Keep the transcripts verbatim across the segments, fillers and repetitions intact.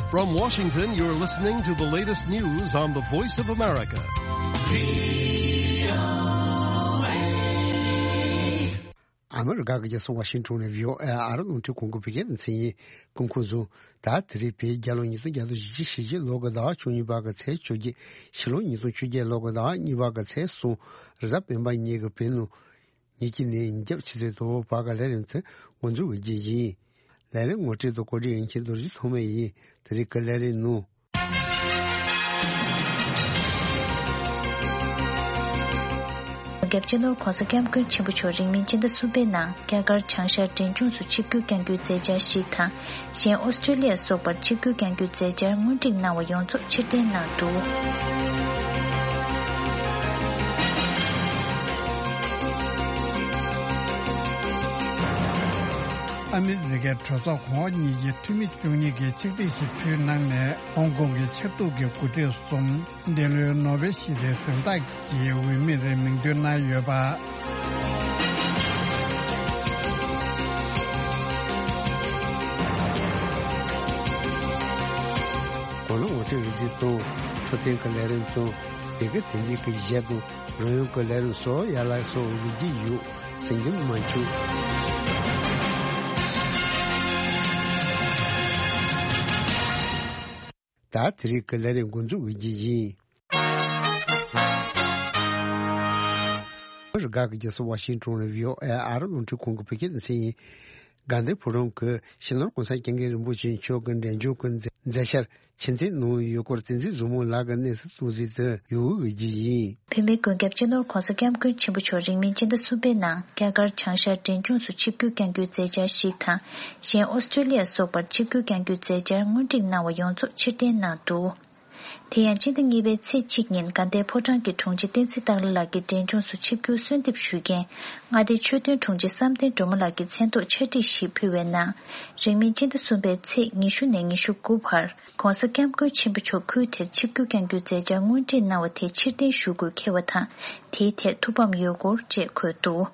From Washington, you're listening to the latest news on the Voice of America. ཨ་མི་རི་ཀ་གི་རྒྱལ་ས་ཝ་ཤིང་ཊོན་ནས་བྷི་ཨོ་ཨེ་ཨ་རི་རླུང་འཕྲིན་ཁང་གི་བོད་སྐད་སྡེ་ཚན་ཡིན། སྐུ་ཁམས་བཟང་། ད་དེ་རིང་བོད་རྒྱལ་ལོ་ཉིས་སྟོང་བརྒྱ་དང་བཞི་བཅུ་ཞེ་བརྒྱད་ལོ་གི་ཟླ་བ་བཅུ་གཉིས་པ་གི་ཚེས་བཅོ་བརྒྱད། ཕྱི་ལོ་ཉིས་སྟོང་བཅོ་བརྒྱད་ལོ་གི་ཟླ་བ་གཉིས་པ་གི་ཚེས་གསུམ། རེས་གཟའ་སྤེན་པ་ཉིན་གྱི་བོད་ནང་ཉིན་གཅིག་ནས་ཉིན་རྒྱབ་ཆུ་ཚོད་དྲུག་བར་གྱི་ལས་རིམ་དེ་འགོ་འཛུགས་ཀྱི་རྒྱུ་ཡིན། ལས་རིམ་ངོ་སྤྲོད་དང་གོ་སྒྲིག་ཡིན་མཁན་རྡོ་རྗེ་ཐོགས་མེད་ཡིན། དེ་རིང་གི་ལས་རིམ་ནང་། རྒྱལ་སྤྱི་ནོར་༧གོང་ས་༧སྐྱབས་མགོན་ཆེན་པོ་མཆོག་རིང་མིན་སྤྱི་ཟླ་གསུམ་པའི་ནང་རྒྱ་གར་བྱང་ཤར་འབྲས་ལྗོངས་སུ་ཆིབས་བསྒྱུར་བསྐྱང་རྒྱུའི་མཛད་འཆར་ཞིག་དང་། གཞན་ཨོ་སི་ཀྲོ་ལི་ཡ་སོགས་པར་ཆིབས་བསྒྱུར་བསྐྱང་རྒྱུའི་མཛད་འཆར་སྔོན་སྒྲིག་གནང་བ་ཡོངས་རྫོགས་ཕྱིར་འཐེན་གནང་འདུག། ཨ་མི་རི་ཀའི་གྲོས་ཚོགས་གོང་འོག་གཉིས་ཀྱི་འཐུས་མི་བཅུ་གཉིས་ཀྱིས་ཆིག་སྒྲིལ་ཞིག་ཕུལ་གནང་ནས། ཧོང་ཀོང་གི་ཆབ་གདུགས་ཀྱི་འགོ་ཁྲིད་གསུམ། འདི་ལོའི་ནོ་བེལ་ཞི་བདེའི་གཟེངས་རྟགས་ཀྱི་འོས་མིར་མིང་འདོན་གནང་ཡོད་པ། གོ་ལ་ངོ་སྤྲོད་རིག་འཛིན་དང་། འཕྲོད་བསྟེན་གྱི་ལས་རིམ་དང་། བོད་སྐད་དོན་རིག་གི་གཞས་དང་། རོལ་དབྱངས་ཀྱི་ལས་རིམ་སོགས་ཡར་ལ་སོགས་འོས་བསྡུ་ཡོད། གསན་རྒྱུ་མ་བྱུང་། ད་དེ་རིང་གི་ལས་རིམ་འགོ་འཛུགས་ཀྱི་རྒྱུ་ཡིན། ཨ་མི་རི་ཀ་གི་རྒྱལ་ས་ཝ་ཤིང་ཊོན་ནས་བྷི་ཨོ་ཨེ་ཨ་རི་རླུང་འཕྲིན་ཁང་གི་བོད་སྐད་སྡེ་ཚན་ཡིན། དགའ་ལྡན་ཕོ་བྲང་གི་སྤྱི་ནོར་༧གོང་ས་༧སྐྱབས་མགོན་རིན་པོ་ཆེ་མཆོག་གི་འབྲས་ལྗོངས་ཀྱི་མཛད་འཆར་ཕྱིར་འཐེན་གནང་ཡོད་སྐོར་བསྟན་འཛིན་བཟང་མོ་ལགས་ཀྱིས་གནས་ཚུལ་གཏོང་གཟིགས་དུ་ཡོང་གི་རྒྱུ་ཡིན། བོད་མིའི་མགོན་སྐྱབས་སྤྱི་ནོར་༧གོང་ས་༧སྐྱབས་མགོན་ཆེན་པོ་མཆོག་རིང་མིན་སྤྱི་ཟླ་གསུམ་པའི་ནང་རྒྱ་གར་བྱང་ཤར་འབྲས་ལྗོངས་སུ་ཆིབས་བསྒྱུར་བསྐྱང་རྒྱུའི་མཛད་འཆར་ཞིག་དང་། གཞན་ཨོ་སི་ཀྲོ་ལི་ཡ་སོགས་པར་ཆིབས་བསྒྱུར་བསྐྱང་རྒྱུའི་མཛད་འཆར་སྔོན་སྒྲིག་གནང་བ་ཡོངས་རྫོགས་ཕྱིར་འཐེན་གནང་འདུག། དེ་ཡང་སྤྱི་ཟླ་གཉིས་པའི་ཚེས་གཅིག་ཉིན་དགའ་ལྡན་ཕོ་བྲང་གི་དྲུང་ཆེ་བསྟན་འཛིན་སྟག་ལྷ་ལགས་ཀྱིས་འབྲས་ལྗོངས་སུ་ཆིབས་བསྒྱུར་གསོལ་འདེབས་ཞུས་རྐྱེན། མངའ་སྡེའི་ཆོས་དོན་དྲུང་ཆེ་བསམ་གཏན་སྒྲོལ་མ་ལགས་ཀྱི་མཚན་ཐོག་ཕྱག་བྲིས་ཤིག་ཕུལ་བའི་ནང་། རིང་མིན་སྤྱི་ཟླ་གསུམ་པའི་ཚེས་ཉི་ཤུ་ནས་ཉི་ཤུ་དགུ་བར། ༸གོང་ས་༸སྐྱབས་མགོན་ཆེན་པོ་མཆོག་ཁུལ་དེར་ཆིབས་བསྒྱུར་བསྐྱང་རྒྱུའི་མཛད་འཆར་སྔོན་སྒྲིག་གནང་བ་དེ་ཕྱིར་འཐེན་ཞུ་དགོས་འཁེལ་བ་དང་། དེའི་ཐད་ཐུགས་ཕམ་ཡོད་སྐོར་བཅས་འཁོད་འདུག།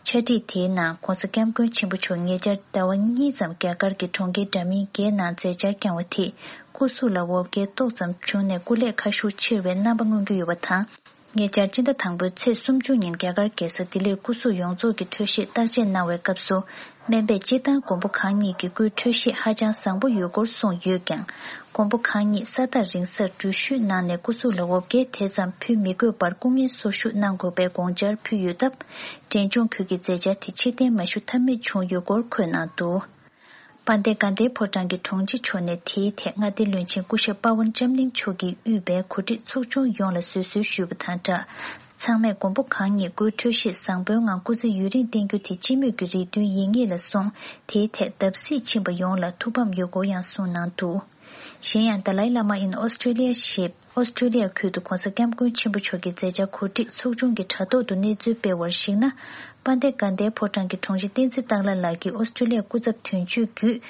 ཕྱག་བྲིས་དེའི་ནང་༸གོང་ས་༸སྐྱབས་མགོན་ཆེན་པོ་མཆོག་ཉེ་ཆར་ཟླ་བ་གཉིས་ཙམ་རྒྱ་གར་གྱི་གྲོང་ཁྱེར་འདྲ་མིན་བརྒྱད་ནང་མཛད་འཆར་བསྐྱངས་བ་དེས་སྐུ་གཟུགས་ལ་འོ་བརྒྱལ་ཏོག་ཙམ་བྱུང་ནས་སྐུ་ལས་ཁ་ཤུགས་ཆེ་བའི་རྣམ་པ་མངོན་གྱི་ཡོད་པ་དང་། ཉེ་ཆར་སྤྱི་ཟླ་དང་པོའི་ཚེས་སུམ་ཅུ་ཉིན་རྒྱ་གར་རྒྱལ་ས་ལྡི་ལིར་སྐུ་གཟུགས་ཡོངས་རྫོགས་ཀྱི་འཕྲོད་བཞེས་བརྟག་དཔྱད་གནང་བའི་སྐབས་སུ། སྨན་པས་སྤྱིར་བཏང་མགོན་པོ་གང་ཉིད་ཀྱི་སྐུའི་འཕྲོད་བཞེས་ཧ་ཅང་བཟང་པོ་ཡོད་སྐོར་གསུངས་ཡོད་ཀྱང་། མགོན་པོ་གང་ཉིད་ས་ཐག་རིང་སར་འགྲུལ་བཞུད་གནང་ནས་སྐུ་གཟུགས་ལ་འོ་བརྒྱལ་དེ་ཙམ་ཕུལ་མི་དགོས་པར་སྐུ་ངལ་གསོ་བཞུགས་གནང་དགོས་པའི་དགོངས་འཆར་ཕུལ་ཡོད་སྟབས། འབྲས་ལྗོངས་ཁུལ་གྱི་མཛད་འཆར་དེ་ཕྱིར་འཐེན་མ་ཞུ་ཐབས་མེད་བྱུང་ཡོད་སྐོར་འཁོད་གནང་འདུག། དཔལ་ལྡན་དགའ་ལྡན་ཕོ་བྲང་གི་དྲུང་ཆེ་མཆོག་ནས་དེའི་ཐད་མངའ་སྡེའི་བློན་ཆེན་སྐུ་ཞབས་པ་ཝན་ལྕམ་གླིང་མཆོག་གིས་དབུས་པའི་གོ་སྒྲིག་ཚོགས་ཆུང་ཡོངས་ལ་བཟོད་གསོལ་ཞུས་པ་དང་སྦྲགས། ཚང་མས་མགོན་པོ་གང་ཉིད་སྐུའི་འཕྲོད་བཞེས་བཟང་པོའི་ངང་སྐུ་ཚེ་ཡུན་རིང་བརྟན་རྒྱུ་དེ་སྤྱི་མོས་ཀྱི་རེ་འདུན་ཡིན་ངེས་ལ་སོང་། དེའི་ཐད་བརྡབ་གསིག་ཕྱིན་པ་ཡོངས་ལ་ཐུགས་ཕམ་ཡོད་སྐོར་ཡང་གསུངས་གནང་འདུག། གཞན་ཡང་Dalai Lama in Australia ཞེས་ཨོ་སི་ཀྲོ་ལི་ཡ་ཁུལ་དུ་༸གོང་ས་༸སྐྱབས་མགོན་ཆེན་པོ་མཆོག་གི་མཛད་འཆར་གོ་སྒྲིག་ཚོགས་ཆུང་གི་དྲ་ཐོག་ཏུ་གནས་ཚུལ་སྤེལ་བར་གཞིགས་ན། དཔལ་ལྡན་དགའ་ལྡན་ཕོ་བྲང་གི་དྲུང་ཆེ་བསྟན་འཛིན་སྟག་ལྷ་ལགས་ཀྱིས་ཨོ་སི་ཀྲོ་ལི་ཡ་སྐུ་ཚབ་དོན་གཅོད་བརྒྱུད།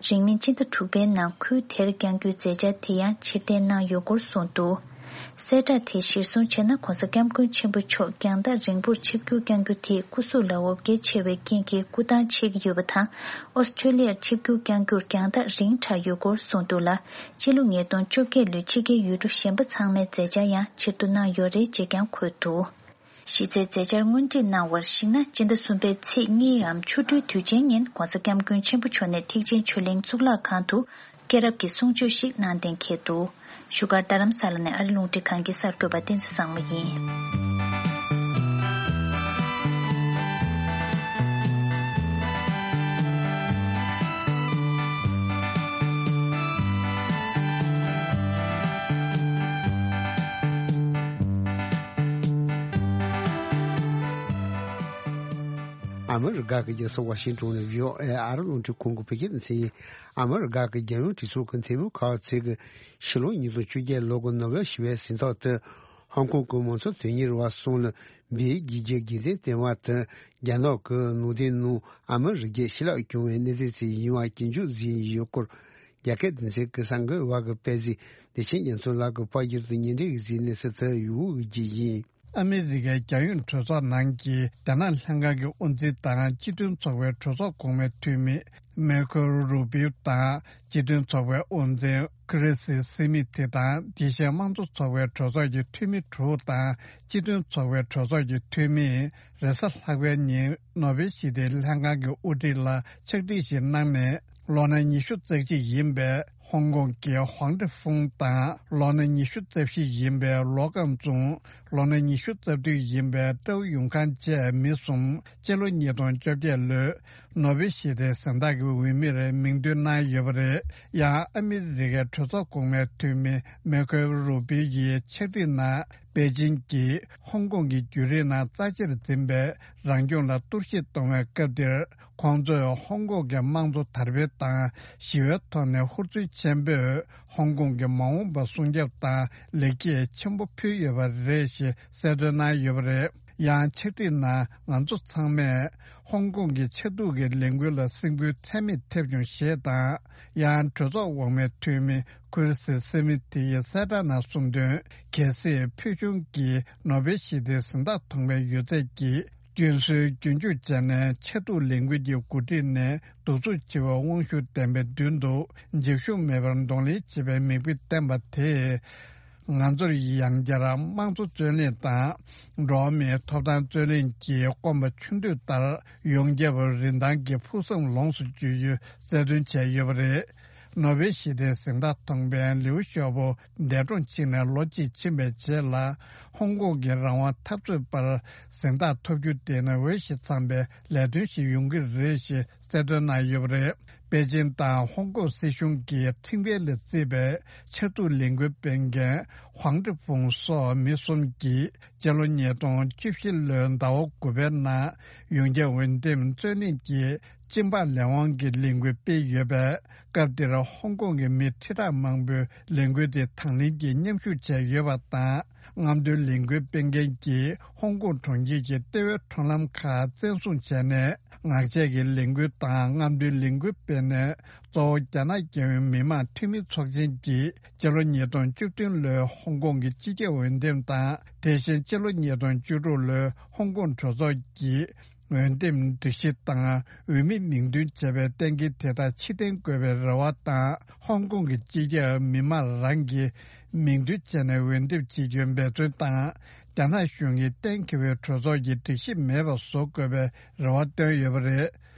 རིང་མིན་སྤྱི་ཟླ་དྲུག་པའི་ནང་ཁུལ་དེར་བསྐྱང་རྒྱུའི་མཛད་འཆར་དེ་ཡང་ཕྱིར་འཐེན་གནང་ཡོད་སྐོར་གསུངས་འདུག། གསལ་བསྒྲགས་དེ་གཞིར་བཟུང་བྱས་ན་༸གོང་ས་༸སྐྱབས་མགོན་ཆེན་པོ་མཆོག་རྒྱང་ཐག་རིང་པོར་ཆིབས་བསྒྱུར་བསྐྱང་རྒྱུ་དེས་སྐུ་གཟུགས་ལ་འོ་བརྒྱལ་ཆེ་བའི་རྐྱེན་གྱིས་སྐུ་ཐང་ཆད་ཀྱི་ཡོད་པ་དང་། ཨོ་སི་ཀྲོ་ལི་ཡར་ཆིབས་བསྒྱུར་བསྐྱང་རྒྱུར་རྒྱང་ཐག་རིང་དྲགས་ཡོད་སྐོར་གསུངས་འདུག་ལ། སྤྱི་ལོ་ཉིས་སྟོང་བཅོ་བརྒྱད་ལོའི་ཕྱི་རྒྱལ་ཡུལ་གྲུ་གཞན་པ་ཚང་མའི་མཛད་འཆར་ཡང་ཕྱིར་བསྡུ་གནང་ཡོད་རེད་ཅེས་ཀྱང་འཁོད་འདུག། གཞི་རྩའི་མཛད་འཆར་སྔོན་སྒྲིག་གནང་བར་གཞིགས་ན། སྤྱི་ཟླ་གསུམ་པའི་ཚེས་གཉིས་འམ་ཆུ་སྦྲུལ་དུས་ཆེན་ཉིན་༸གོང་ས་༸སྐྱབས་མགོན་ཆེན་པོ་མཆོག་ནས་ཐེག་ཆེན་ཆོས་གླིང་གཙུག་ལག་ཁང་དུ་སྐྱེས་རབས་ཀྱི་གསུང་ཆོས་ཤིག་གནང་གཏན་འཁེལ་འདུག། བཞུགས་སྒར་རྡ་རམ་ས་ལ་ནས་ཨ་རི་རླུང་འཕྲིན་ཁང་གི་གསར་འགོད་པ་བསྟན་འཛིན་བཟང་མོ་ཡིན། ཨ་མི་རི་ཀ་གི་རྒྱལ་ས་ཝ་ཤིང་ཏོན་ནས་བྷི་ཨོ་ཨེ་ཨ་རི་རླུང་འཕྲིན་ཁང་གི་བོད་སྐད་སྡེ་ཚན་ཡིན། ཨ་མི་རི་ཀ་གི་རྒྱལ་ཡོངས་གྲོས་ཚོགས་ཀྱི་འཐུས་མི་ཁག་ཅིག་གིས་ཕྱི་ལོ་ཉིས་སྟོང་བཅོ་བརྒྱད་ལོ་གི་ནོ་བེལ་ཞི་བའི་གཟེངས་རྟགས་དེ་ཧོང་ཀོང་གི་མང་གཙོ་དོན་གཉེར་བ་གསུམ་ལ་འབུལ་རྒྱུའི་རྒྱུ་རྐྱེན་བསྟན་པ་དེ་རྒྱ་ནག་གི་ནང་བསྟན་ནང་ཨ་མི་རི་ཀའི་ཞི་ལྷག་སྐྱོང་བའི་གནས་ཚུལ་ཅིག་ཡིན་པ་སྐྱོན་བརྗོད་བྱས་ཡོད་སྐོར། རྒྱ་སྐད་སྡེ་ཚན་གྱི་གསར་འགོད་པ་གིས་སྤེལ་གཟིགས་བདེ་ཆེན་རྒྱ་མཚོ་ལགས་ཀྱིས་པར་བསྒྱུར་དུ་སྙན་སྒྲོན་ཞུས་གནས་ཚུལ་དེ་ཡུལ་དབུས་ཀྱི་ཡིན། ཨ་མི་རི་ཀའི་རྒྱལ་ཡོངས་གྲོས་ཚོགས་ནང་གི་རྒྱ་ནག་ལྷན་ཁང་གི་དབུ་འཛིན་དང་སྤྱི་མཐུན་ཚོགས་པའི་གྲོས་ཚོགས་གོང་མའི་འཐུས་མི་མེ་ཁོ་རུ་བིའུ་དང་སྤྱི་མཐུན་ཚོགས་པའི་དབུ་འཛིན་ཁི་རི་སི་སི་མི་ཐི་དང་དེ་བཞིན་དམངས་གཙོ་ཚོགས་པའི་གྲོས་ཚོགས་ཀྱི་འཐུས་མི་དྲུག་དང་སྤྱི་མཐུན་ཚོགས་པའི་གྲོས་ཚོགས་ཀྱི་འཐུས་མིས་རེས་གཟའ་ལྷག་པའི་ཉིན་ནོ་བེལ་ཞི་བདེའི་ལྷན་ཁང་གི་དབུ་ཁྲིད་ལ་ཕྱག་བྲིས་ཤིག་གནང་ནས། ལོ་ན་ཉི་ཤུ་རྩ་གཅིག་ཡིན་པའི་ཧོང་ཀོང་གི་ཧོང་ཀྲི་ཧྥུང་དང་ལོ་ན་ཉི་ཤུ་རྩ་བཞི་ཡིན་པའི་ལོ་ཀང་ཙུང་། ལོ་ན་ཉི་ཤུ་རྩ་བདུན་ཡིན་པའི་ཀྲའུ་ཡུང་ཁང་བཅས་མི་གསུམ་སྤྱི་ལོ་ཉིས་སྟོང་བཅོ་བརྒྱད་ལོའི་ནོ་བེལ་ཞི་བདེའི་གཟེངས་རྟགས་ཀྱི་འོས་མིར་མིང་འདོན་གནང་ཡོད་པ་རེད། ཡང་ཨ་མི་རི་ཀའི་གྲོས་ཚོགས་གོང་མའི་འཐུས་མི་མེ་ཁོ་རུ་པི་ཡིས་ཕྱག་བྲིས་ནང་པེ་ཅིང་གིས་ཧོང་ཀོང་གི་བརྒྱུད་རིམ་ནང་རྩ་ཆེར་འཛིན་པའི་རང་སྐྱོང་ལ་གཏོར་བཤིག་གཏོང་བའི་སྐབས་འདིར། ཁོང་ཚོས་ཧོང་ཀོང་གི་དམངས་གཙོ་དར་སྤེལ་དང་ཞི་བའི་ཐོག་ནས་ཧུར་བརྩོན་ཆེན་པོས་ཧོང་ཀོང་གི་མ་འོངས་པ་སྲུང་སྐྱོབ་དང་ལེགས་སྐྱེས་ཆེན་པོ་ཕུལ་ཡོད་པ་རེད་ཞེས་གསལ་སྟོན་གནང་ཡོད་པ་རེད། ཡང་ཕྱག་བྲིས་ནང་ང་ཚོ་ཚང་མས་ཧོང་ཀོང་གི་ཆབ་སྡུག་གི་ལས་འགུལ་ལ་སེམས་འགུལ་ཚད་མེད་ཐེབས་བྱུང་ཞེས་དང་། ཡང་གྲོས་ཚོགས་འོག་མའི་འཐུས་མི་ཁུར་སི་སི་མི་ཐི་ཡིས་གསལ་བསྒྲགས་ནང་གསུངས་དོན། གལ་སྲིད་ཕུལ་བྱུང་གི་ནོ་བེལ་ཞི་བདེའི་གཟེངས་རྟགས་ཐོབ་པའི་ཡོད་ཚད་ཀྱིས། སྐྱོན་སྲོལ་རྒྱུན་འཇུག་བྱས་ནས་ཆབ་སྡུག་ལས་འགུལ་གྱི་འགོ་ཁྲིད་ནས་གདུག་རྩུབ་ཆེ་བའི་དབང་ཤུགས་ལྡན་པའི་མདུན་དུ་འཇིགས་ཞུམ་མེད་པར་གདོང་ལེན་བྱེད་པའི་མིག་དཔེ་བསྟན་པ་དེས། ང་ཚོར་ཡང་བསྐྱར་དམངས་གཙོ་རྩོད་གླེང་དང་འགྲོ་བ་མིའི་ཐོབ་ཐང་རྩོད་གླེང་གི་སྐོམ་པ་ཆུ་འདོད་ལྟར་ཡོངས་ཁྱབ་རིན་ཐང་གི་ཕུགས་བསམ་ལོངས་སུ་སྤྱོད་རྒྱུའི་རྩ་དོན་བྱས་ཡོད་པ་རེད། ནོ་བེལ་ཞི་བདེའི་གཟེངས་རྟགས་ཐོབ་མཁན་ལིའུ་ཞའོ་པོ་འདས་གྲོངས་ཕྱིན་ནས་ལོ་གཅིག་ཕྱིན་པའི་རྗེས་ལ། ཧོང་ཀོང་གི་རང་དབང་འཐབ་རྩོད་པར་གཟེངས་རྟགས་ཐོབ་རྒྱུ་དེ་ནི་འོས་ཤིང་འཚམས་པའི་ལས་དོན་ཞིག་ཡོང་གི་རེད་ཞེས་གསལ་སྟོན་གནང་ཡོད་པ་རེད། པེ་ཅིན་དང་ཧོང་ཀོང་སྲིད་གཞུང་གི་ཁྲིམས་འགལ་ལས་བརྩིས་པའི་ཆབ་སྡུག་ལས་འགུལ་སྤེལ་མཁན་ཧུང་ཀྲི་ཧྥུང་སོགས་མི་གསུམ་གྱིས་སྤྱི་ལོ་ཉིས་སྟོང་བཅུ་བཞི་ལོའི་ཟླ་བ་དགུ་པའི་ནང་ཡོངས་ཁྱབ་འོས་འདེམས་རྩོད་གླེང་གི་སྤྱི་འབངས་ལས་དབང་གི་ལས་འགུལ་སྤེལ་ཡོད་པས། སྐབས་དེར་ཧོང་ཀོང་གི་མི་ཁྲི་ཕྲག་མང་པོས་ལས་འགུལ་དེ་དང་ལེན་གྱིས་མཉམ་ཞུགས་བྱས་ཡོད་པ་དང་། རྔམ་སྟོན་ལས་འགུལ་སྤེལ་མཁན་གྱིས་ཧོང་ཀོང་གྲོང་ཁྱེར་གྱི་ལྟེ་བའི་ཁྲོམ་ལམ་ཁག་བཙན་བཟུང་བྱས་ནས། ངག་བཅད་ཀྱི་ལས་འགུལ་དང་རྔམ་སྟོན་ལས་འགུལ་སྤེལ་ནས། གཙོ་བོ་རྒྱ་ནག་རྒྱལ་ཡོངས་མི་དམངས་འཐུས་མི་ཚོགས་ཆེན་གྱིས་སྤྱི་ལོ་ཉིས་སྟོང་བཅུ་བདུན་ལོའི་ཧོང་ཀོང་གི་སྤྱི་ཁྱབ་འོས་འདེམས་དང་། དེ་བཞིན་སྤྱི་ལོ་ཉིས་སྟོང་བཅུ་དྲུག་ལོའི་ཧོང་ཀོང་གྲོས་ཚོགས་ཀྱི་འོས་འདེམས་སྒྲིག་གཞི་དང་འོས་མི་མིང་འདོན་བྱས་པའི་གཏན་འཁེལ་དེ་དག་ཕྱིར་འཐེན་དགོས་པའི་རེ་བ་དང་། ཧོང་ཀོང་གི་སྤྱི་ཁྱབ་མི་དམངས་རང་གིས་མིང་འདོན་བྱས་ནས་འོས་འདེམས་བྱེད་རྒྱུའི་འབད་བརྩོན་དང་། རྒྱ་ནག་གཞུང་གིས་གཏན་འཁེལ་བའི་གྲོས་ཚོགས་ཀྱི་སྒྲིག་གཞི་མེད་པ་བཟོ་དགོས་པའི་རེ་བ་བཏོན་ཡོད་པ་རེད།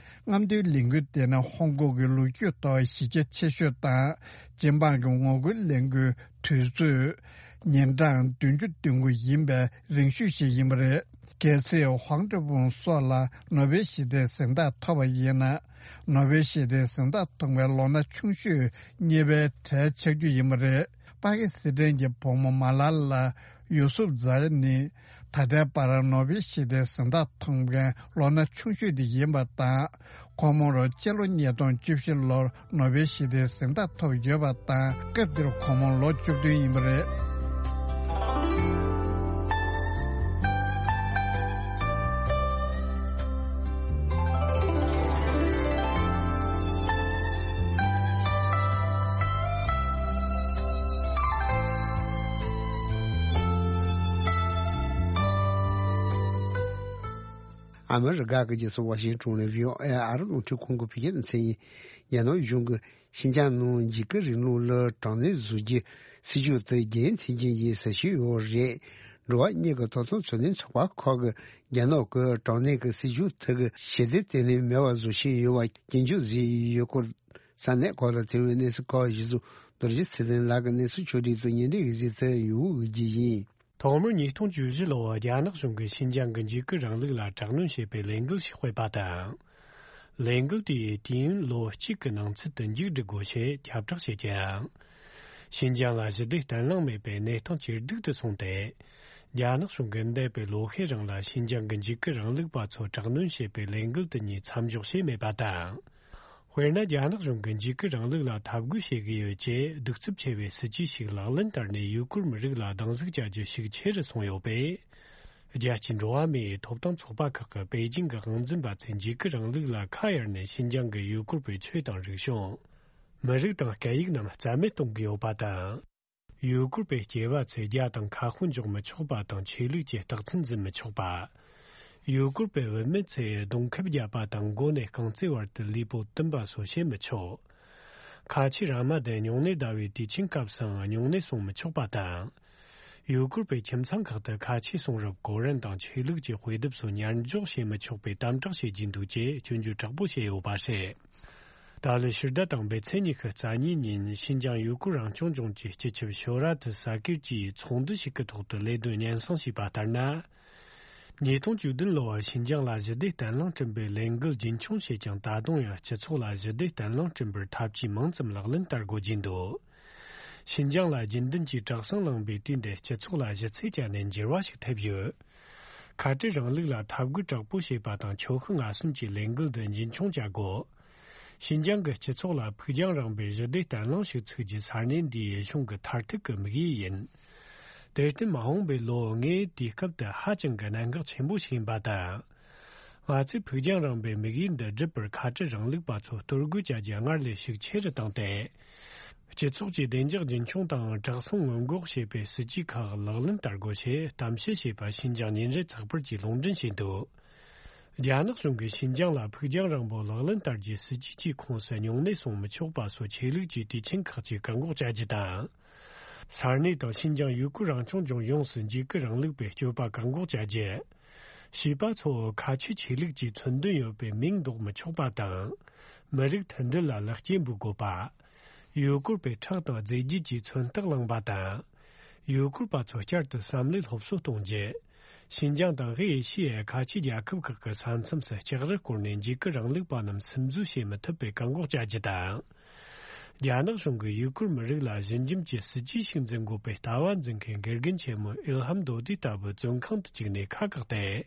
རྔམ་སྟོན་ལས་འགུལ་དེ་ནི་ཧོང་ཀོང་གི་ལོ་རྒྱུས་ཐོག་གཞི་རྒྱ་ཆེ་ཤོས་དང་། སྤྱི་འབངས་ཀྱི་ངོ་རྒོལ་ལས་འགུལ་དུས་ཚོད་ཉིན་གྲངས་བདུན་ཅུ་དོན་དགུ་ཡིན་པའི་རིང་ཤོས་ཤིག་ཡིན་པ་རེད། གལ་སྲིད་ཧོང་ཀྲི་ཧྥུང་སོགས་ལ་ནོ་བེལ་ཞི་བདེའི་གཟེངས་རྟགས་ཐོབ་པ་ཡིན་ན། ནོ་བེལ་ཞི་བདེའི་གཟེངས་རྟགས་ཐོབ་པའི་ལོ་ན་ཆུང་ཤོས་གཉིས་པའི་གྲས་ཆགས་རྒྱུ་ཡིན་པ་རེད། པ་ཀི་སི་ཐན་གྱི་བུ་མོ་མ་ལ་ལ་ཡུ་སུབ་ཛ་ནི་ད་ལྟའི་བར་ནོ་བེལ་ཞི་བདེའི་གཟེངས་རྟགས་ཐོབ་མཁན་ལོ་ན་ཆུང་ཤོས་དེ་ཡིན་པ་དང་། ཁོང་མོར་སྤྱི་ལོ་ཉིས་སྟོང་བཅུ་བཞི་ལོར་ནོ་བེལ་ཞི་བདེའི་གཟེངས་རྟགས་ཐོབ་ཡོད་པ་དང་། སྐབས་དེར་ཁོང་མོ་ལོ་བཅུ་བདུན་ཡིན་པ་རེད། ཨ་མི་རི་ཀ་གི་རྒྱལ་ས་ཝ་ཤིང་ཊོན་ནས་བྷི་ཨོ་ཨེ་ཨ་རི་རླུང་འཕྲིན་ཁང་གི་བོད་སྐད་སྡེ་ཚན་ཡིན། རྒྱ་ནག་གཞུང་གིས་ཤིན་ཅང་ནང་འཇིགས་སྐུལ་རིང་ལུགས་ལ་དྲག་གནོན་བཟོ་རྒྱུའི་སྲིད་ཇུས་དེ་རྒྱལ་ཡོངས་མཐུན་རྐྱེན་གྱི་ཟིན་བྲིས་ཡོད་རེད། འགྲོ་བ་མིའི་ཐོབ་ཐང་འཚོ་སྡོད་ཚོགས་པ་ཁག་གིས་རྒྱ་ནག་གི་དྲག་གནོན་གྱི་སྲིད་ཇུས་དེ་གི་ཞི་བདེ་བརྟན་ལྷིང་མེད་པར་བཟོ་བཞིན་ཡོད་པ་སྐྱོན་བརྗོད་བཟོས་ཡོད་སྐོར། ས་གནས་ཁག་ལ་ཐེ་བའི་གནས་ཚུལ་ཁག་གཞི་བཟུང་རྡོ་རྗེ་ཚེ་བརྟན་ལགས་ཀྱིས་གནས་ཚུལ་ཕྱོགས་སྒྲིག་ཏུ་སྙན་སྒྲོན་ཡོད་ཚུལ་དེ་ཡོད་འོས་ཀྱི་ཡིན། ཐོག་མར་ཉིས་སྟོང་བཅུ་བཞི་ལོར་རྒྱ་ནག་གཞུང་གིས་ཤིན་ཅང་གི་འཇིགས་སྐུལ་རིང་ལུགས་ལ་དྲག་གནོན་བྱེད་པའི་ལས་འགུལ་ཞིག་སྤེལ་པ་དང་། ལས་འགུལ་དེའི་དུས་ཡུན་ལོ་གཅིག་གི་ནང་ཚུད་དུ་མཇུག་སྒྲིལ་དགོས་ཞེས་ཁྱབ་བསྒྲགས་བྱས་ཀྱང་། ཤིན་ཅང་ལ་ཞི་བདེ་བརྟན་ལྷིང་མེད་པའི་གནས་སྟངས་ཇེ་སྡུག་ཏུ་སོང་སྟེ། རྒྱ་ནག་གཞུང་གིས་འདས་པའི་ལོ་ཤས་རིང་ལ་ཤིན་ཅང་གི་འཇིགས་སྐུལ་རིང་ལུགས་པ་ཚོ་དྲག་གནོན་བྱེད་པའི་ལས་འགུལ་དེ་གཉིས་མཚམས་འཇོག་བྱས་མེད་པ་དང་། དཔེར་ན། རྒྱ་ནག་གཞུང་གིས་འཇིགས་སྐུལ་རིང་ལུགས་ལ་འཐབ་རྒོལ་བྱེད་ཀྱི་ཡོད་ཅེས་གདུག་རྩུབ་ཆེ་བའི་སྲིད་ཇུས་ཤིག་ལག་ལེན་བསྟར་ནས། ཡུ་གུར་མི་རིགས་ལ་སྡང་ཟུག་བྱ་རྒྱུ་ཤུགས་ཆེ་རུ་སོང་ཡོད་པས། རྒྱལ་སྤྱིའི་འགྲོ་བ་མིའི་ཐོབ་ཐང་ཚོགས་པ་ཁག་གིས་པེ་ཅིང་གི་དབང་འཛིན་པ་ཚོས་འཇིགས་སྐུལ་རིང་ལུགས་ལ་ཁ་གཡར་ནས། ཤིན་ཅང་གི་ཡུ་གུར་བའི་ཆོས་དང་རིག་གཞུང་། མི་རིགས་དང་སྐད་ཡིག་རྣམས་རྩ་མེད་གཏོང་གི་ཡོད་པ་དང་། ཡུ་གུར་པའི་སྐྱེས་པ་ཚོས་རྒྱ་དང་ཁ་དཔོན་འཇོག་མི་ཆོག་པ་དང་ཆོས་ལུགས་ཀྱི་རྟགས་མཚན་འཛིན་མི་ཆོག་པ། ཡུ་གུར་པའི་བུད་མེད་ཚོས་གདོང་ཁེབས་བརྒྱབ་པ་དང་མགོ་ནས་རྐང་རྩེ་བར་དུ་ལུས་པོ་བཏུམ་པ་སོགས་བྱེད་མི་ཆོག་ཁ་ཆེ་ར་མ་དེ་སྨྱུང་གནས་ཟླ་བའི་དུས་ཆེན་སྐབས་སུའང་སྨྱུང་གནས་སྲུང་མི་ཆོག་པ་དང་། ཡུ་གུར་པའི་ཁྱིམ་ཚང་ཁག་ཏུ་ཁ་ཆེ་གསུང་རབ་གོ་རིམ་དང་ཆོས་ལུགས་ཀྱི་དཔེ་དེབ་སོགས་ཉར་འཇོག་བྱེད་མི་ཆོག་པའི་དམ་དྲག་བྱེད་ཀྱིན་འདུག་ཅེས་སྐྱོན་བརྗོད་དྲག་པོ་བྱས་ཡོད་པ་རེད། ཏཱ་ལའི་ཕྱི་ཟླ་དང་པོའི་ཚེས་ཉི་ཤུ་རྩ་གཉིས་ཉིན་ཤིན་ཅང་ཡུ་གུར་རང་སྐྱོང་ལྗོངས་ཀྱི་སྤྱི་ཁྱབ་ཤོ་ར་ཐི་ས་ཀིར་གྱིས་ཚོགས་འདུ་ཞིག་གི་ཐོག་ཏུ་ལས་དོན་སྙན་སེང་ཞུས་པ་ལྟར་ན། ཉིས་སྟོང་བཅུ་བདུན་ལོར་ཤིན་ཅང་ལ་ཞི་བདེ་བརྟན་ལྷིང་བསྐྲུན་པའི་ལས་འགུལ་རྒྱུན་འཁྱོངས་བྱས་ཀྱང་ད་དུང་ཡང་སྤྱི་ཚོགས་ལ་ཞི་བདེ་བརྟན་ལྷིང་བསྐྲུན་པར་ཐབས་ཇུས་མང་ཙམ་ལག་ལེན་བསྟར་དགོས་ཀྱིན་འདུག་ཤིན་ཅང་ལ་རྒྱུན་ལྡན་གྱི་དྲག་ཟིང་ལངས་པའི་དུས་འདིར་སྤྱི་ཚོགས་ལ་ཞི་ཚིག་བཅད་ནས་འགྱུར་བ་ཞིག་ཐེབས་ཡོད། ཁ་བྲལ་རིང་ལུགས་ལ་འཐབ་རྒོལ་དྲག་པོ་བྱེད་པ་དང་ཆོལ་ཁ་ངོ་ཟིན་གྱི་ལས་འགུལ་འདི་རྒྱུན་འཁྱོངས་བྱ་དགོས། ཤིན་ཅང་གི་སྤྱི་ཚོགས་ལ་ཕུགས་རྒྱང་རིང་པོའི་ཞི་བདེ་བརྟན་ལྷིང་ཞིག་ཚུགས་རྒྱུའི་ས་གནས་འདིའི་གཞུང་གི་མཐར་ཐུག་གི་དམིགས་ཡུལ་ཡིན། དེར་བརྟེན་མ་འོངས་པའི་ལོ་ལྔའི་དུས་སྐབས་དེ་ཧ་ཅང་གི་གནད་འགག་ཆེན་པོ་ཞིག་ཡིན་པ་དང་། ང་ཚོས་ཕུགས་རྒྱང་རིང་པོའི་དམིགས་ཡུལ་འདི་སྒྲུབ་པར་ཁ་བྲལ་རིང་ལུགས་པ་ཚོ་གཏོར་རྒོལ་བྱ་རྒྱུ་སྔར་ལས་ཤུགས་ཆེ་རུ་བཏང་སྟེ། སྤྱི་ཚོགས་ཀྱི་བདེ་འཇགས་རྒྱུན་འཁྱོངས་དང་དྲག་ཟིང་སྔོན་འགོག་བྱེད་པའི་སྲིད་ཇུས་ཁག་ལག་ལེན་བསྟར་དགོས་ཞེས་གཏམ་བཤད་བྱས་པ་ཤིན་ཅང་ཉིན་རེའི་ཚགས་པར་གྱིས་ལུང་འདྲེན་བྱས་འདུག་རྒྱ་ནག་གཞུང་གིས་ཤིན་ཅང་ལ་ཕུགས་རྒྱང་རིང་པོ་ལག་ལེན་བསྟར་རྒྱུའི་སྲིད་ཇུས་ཀྱི་ཁོངས་སུ་སྨྱུང་གནས་སྲུང་མི་ཆོག་པ་སོགས་ཆོས་ལུགས་ཀྱི་དུས་ཆེན་ཁག་ཅིག་བཀག་འགོག་བྱ་རྒྱུ་དང་། ས་གནས་དང་ཤིན་ཅང་ཡུ་གུར་རང་སྐྱོང་ལྗོངས་ཡོངས་སུ་འཇིགས་སྐུལ་རིང་ལུགས་པའི་སྤྱོད་པ་བཀག་འགོག་བྱ་རྒྱུ། བྱིས་པ་ཚོ་ཁ་ཆེ་ཆོས་ལུགས་ཀྱི་མཚོན་དོན་ཡོད་པའི་མིང་འདོགས་མི་ཆོག་པ་དང་། མི་རིགས་མཐུན་སྒྲིལ་ལ་ལེགས་སྐྱེས་འབུལ་དགོས་པ། ཡུ་གུར་པའི་ཁྲག་དང་རྫས་རྒྱུད་ཀྱི་མཚོན་རྟགས་བླངས་པ་དང་། ཡུ་གུར་པ་ཚོ་བསྐྱར་དུ་བསམ་བློའི་སློབ་གསོ་གཏོང་རྒྱུ། ཤིན་ཅང་དང་ཧེ་ཨེ་ཤི་ཡའི་ཁ་ཆེ་རྒྱལ་ཁབ་ཁག་གི་ས་མཚམས་སུ་ལྕགས་རི་བསྐོར་ནས་འཇིགས་སྐུལ་རིང་ལུགས་པ་རྣམས་སིམ་འཛུལ་བྱེད་མི་ཐུབ་པའི་བཀག་འགོག་བྱ་རྒྱུ་དང་། རྒྱ་ནག་གཞུང་གིས་ཡུ་གུར་མི་རིགས་ལ་ཞི་འཇམ་གྱི་སྲིད་ཇུས་ཤིག་འཛིན་དགོས་པའི་ལྟ་བ་འཛིན་མཁན་དགེ་རྒན་ཆེན་མོ་ཨིལ་ཧམ་རྡོ་རྡེ་ལྟ་བུ་བཙོན་ཁང་དུ་བཅུག་ནས་ཁ་བཀག་སྟེ།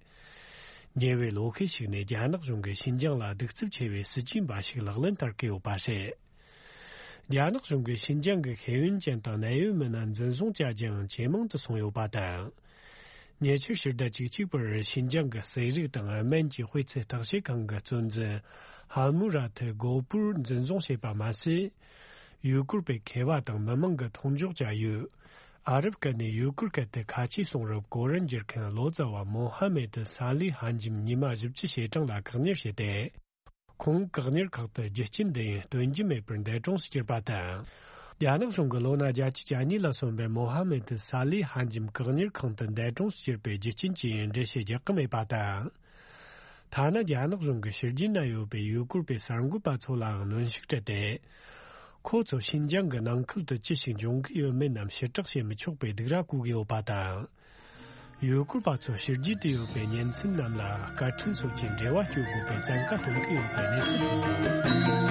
ཉེ་བའི་ལོ་ཤས་ཤིག་ནས་རྒྱ་ནག་གཞུང་གིས་ཤིན་ཅང་ལ་གདུག་རྩུབ་ཆེ་བའི་སྲིད་ཇུས་འབའ་ཞིག་ལག་ལེན་བསྟར་གྱི་ཡོད་པ་རེད། རྒྱ་ནག་གཞུང་གིས་ཤིན་ཅང་གི་ཤེས་ཡོན་ཅན་དང་གནད་ཡོད་མི་སྣ་འཛིན་བཟུང་བྱ་རྒྱུའང་ཇེ་མང་དུ་སོང་ཡོད་པ་དང་། ཉེ་ཆར་ཕྱི་ཟླ་བཅུ་གཅིག་པར་ཤིན་ཅང་གི་ཟས་རིགས་དང་སྨན་གྱི་སྤུས་ཚད་བརྟག་དཔྱད་ཁང་གི་གཙོ་འཛིན་ཧ་མུ་ར་ཐི་གོ་པུར་འཛིན་བཟུང་བྱས་པ་མ་ཟད། ཡུ་གུར་པའི་མཁས་པ་དང་མི་མང་གི་མཐོང་འཇོག་བྱ་ཡུལ། ཨ་རབ་སྐད་ནས་ཡུ་གུར་སྐད་དུ་ཁ་ཆེའི་གསུང་རབ་གོ་རིམ་བསྒྱུར་མཁན་ལོ་ཙཱ་བ་མོ་ཧ་མེད་ཏི་ས་ལི་ཧན་ཇིམ་ཉི་མ་བཞི་བཅུ་ཞེ་གྲངས་ལ་བཀག་ཉར་བྱས་ཏེ། ཁོང་བཀག་ཉར་ཁག་ཏུ་རྒྱུ་རྐྱེན་འདི་ཡིན་སྟོན་རྒྱུ་མེད་པར་འདས་གྲོངས་སུ་གྱུར་པ་དང་། རྒྱ་ནག་གཞུང་གིས་ལོ་ན་བརྒྱད་ཅུ་གྱ་གཉིས་ལ་སོན་པའི་མོ་ཧ་མེད་ཏི་ས་ལི་ཧན་ཇིམ་བཀག་ཉར་ཁང་དུ་འདས་གྲོངས་སུ་གྱུར་པའི་རྒྱུ་རྐྱེན་གྱི་འགྲེལ་བཤད་རྒྱག་གི་མེད་པ་དང་། ཐ་ན་རྒྱ་ནག་གཞུང་གིས་ཕྱི་རྒྱལ་ན་ཡོད་པའི་ཡུ་གུར་པའི་གསར་འགོད་པ་ཚོ་ལའང་གནོན་ཤུགས་སྤྲད་དེ། ཁོ་ཚོ་ཤིན་ཅང་གི་ནང་ཁུལ་དུ་ཅི་ཞིག་འབྱུང་གི་ཡོད་མེད་རྣམས་ཕྱིར་བསྒྲགས་བྱེད་མི་ཆོག་པའི་སྡིགས་ར་བསྐུལ་གྱི་ཡོད་པ་དང་། ཡུ་གུར་པ་ཚོ་ཕྱི་རྒྱལ་དུ་ཡོད་པའི་གཉེན་ཚན་རྣམས་ལ་བཀའ་ཁྲིམས་སོགས་ཀྱི་འབྲེལ་བ་གཅོད་དགོས་པའི་བཙན་བཀའ་གཏོང་གི་ཡོད་པའི་གནས་ཚུལ་ཐོན་འདུག་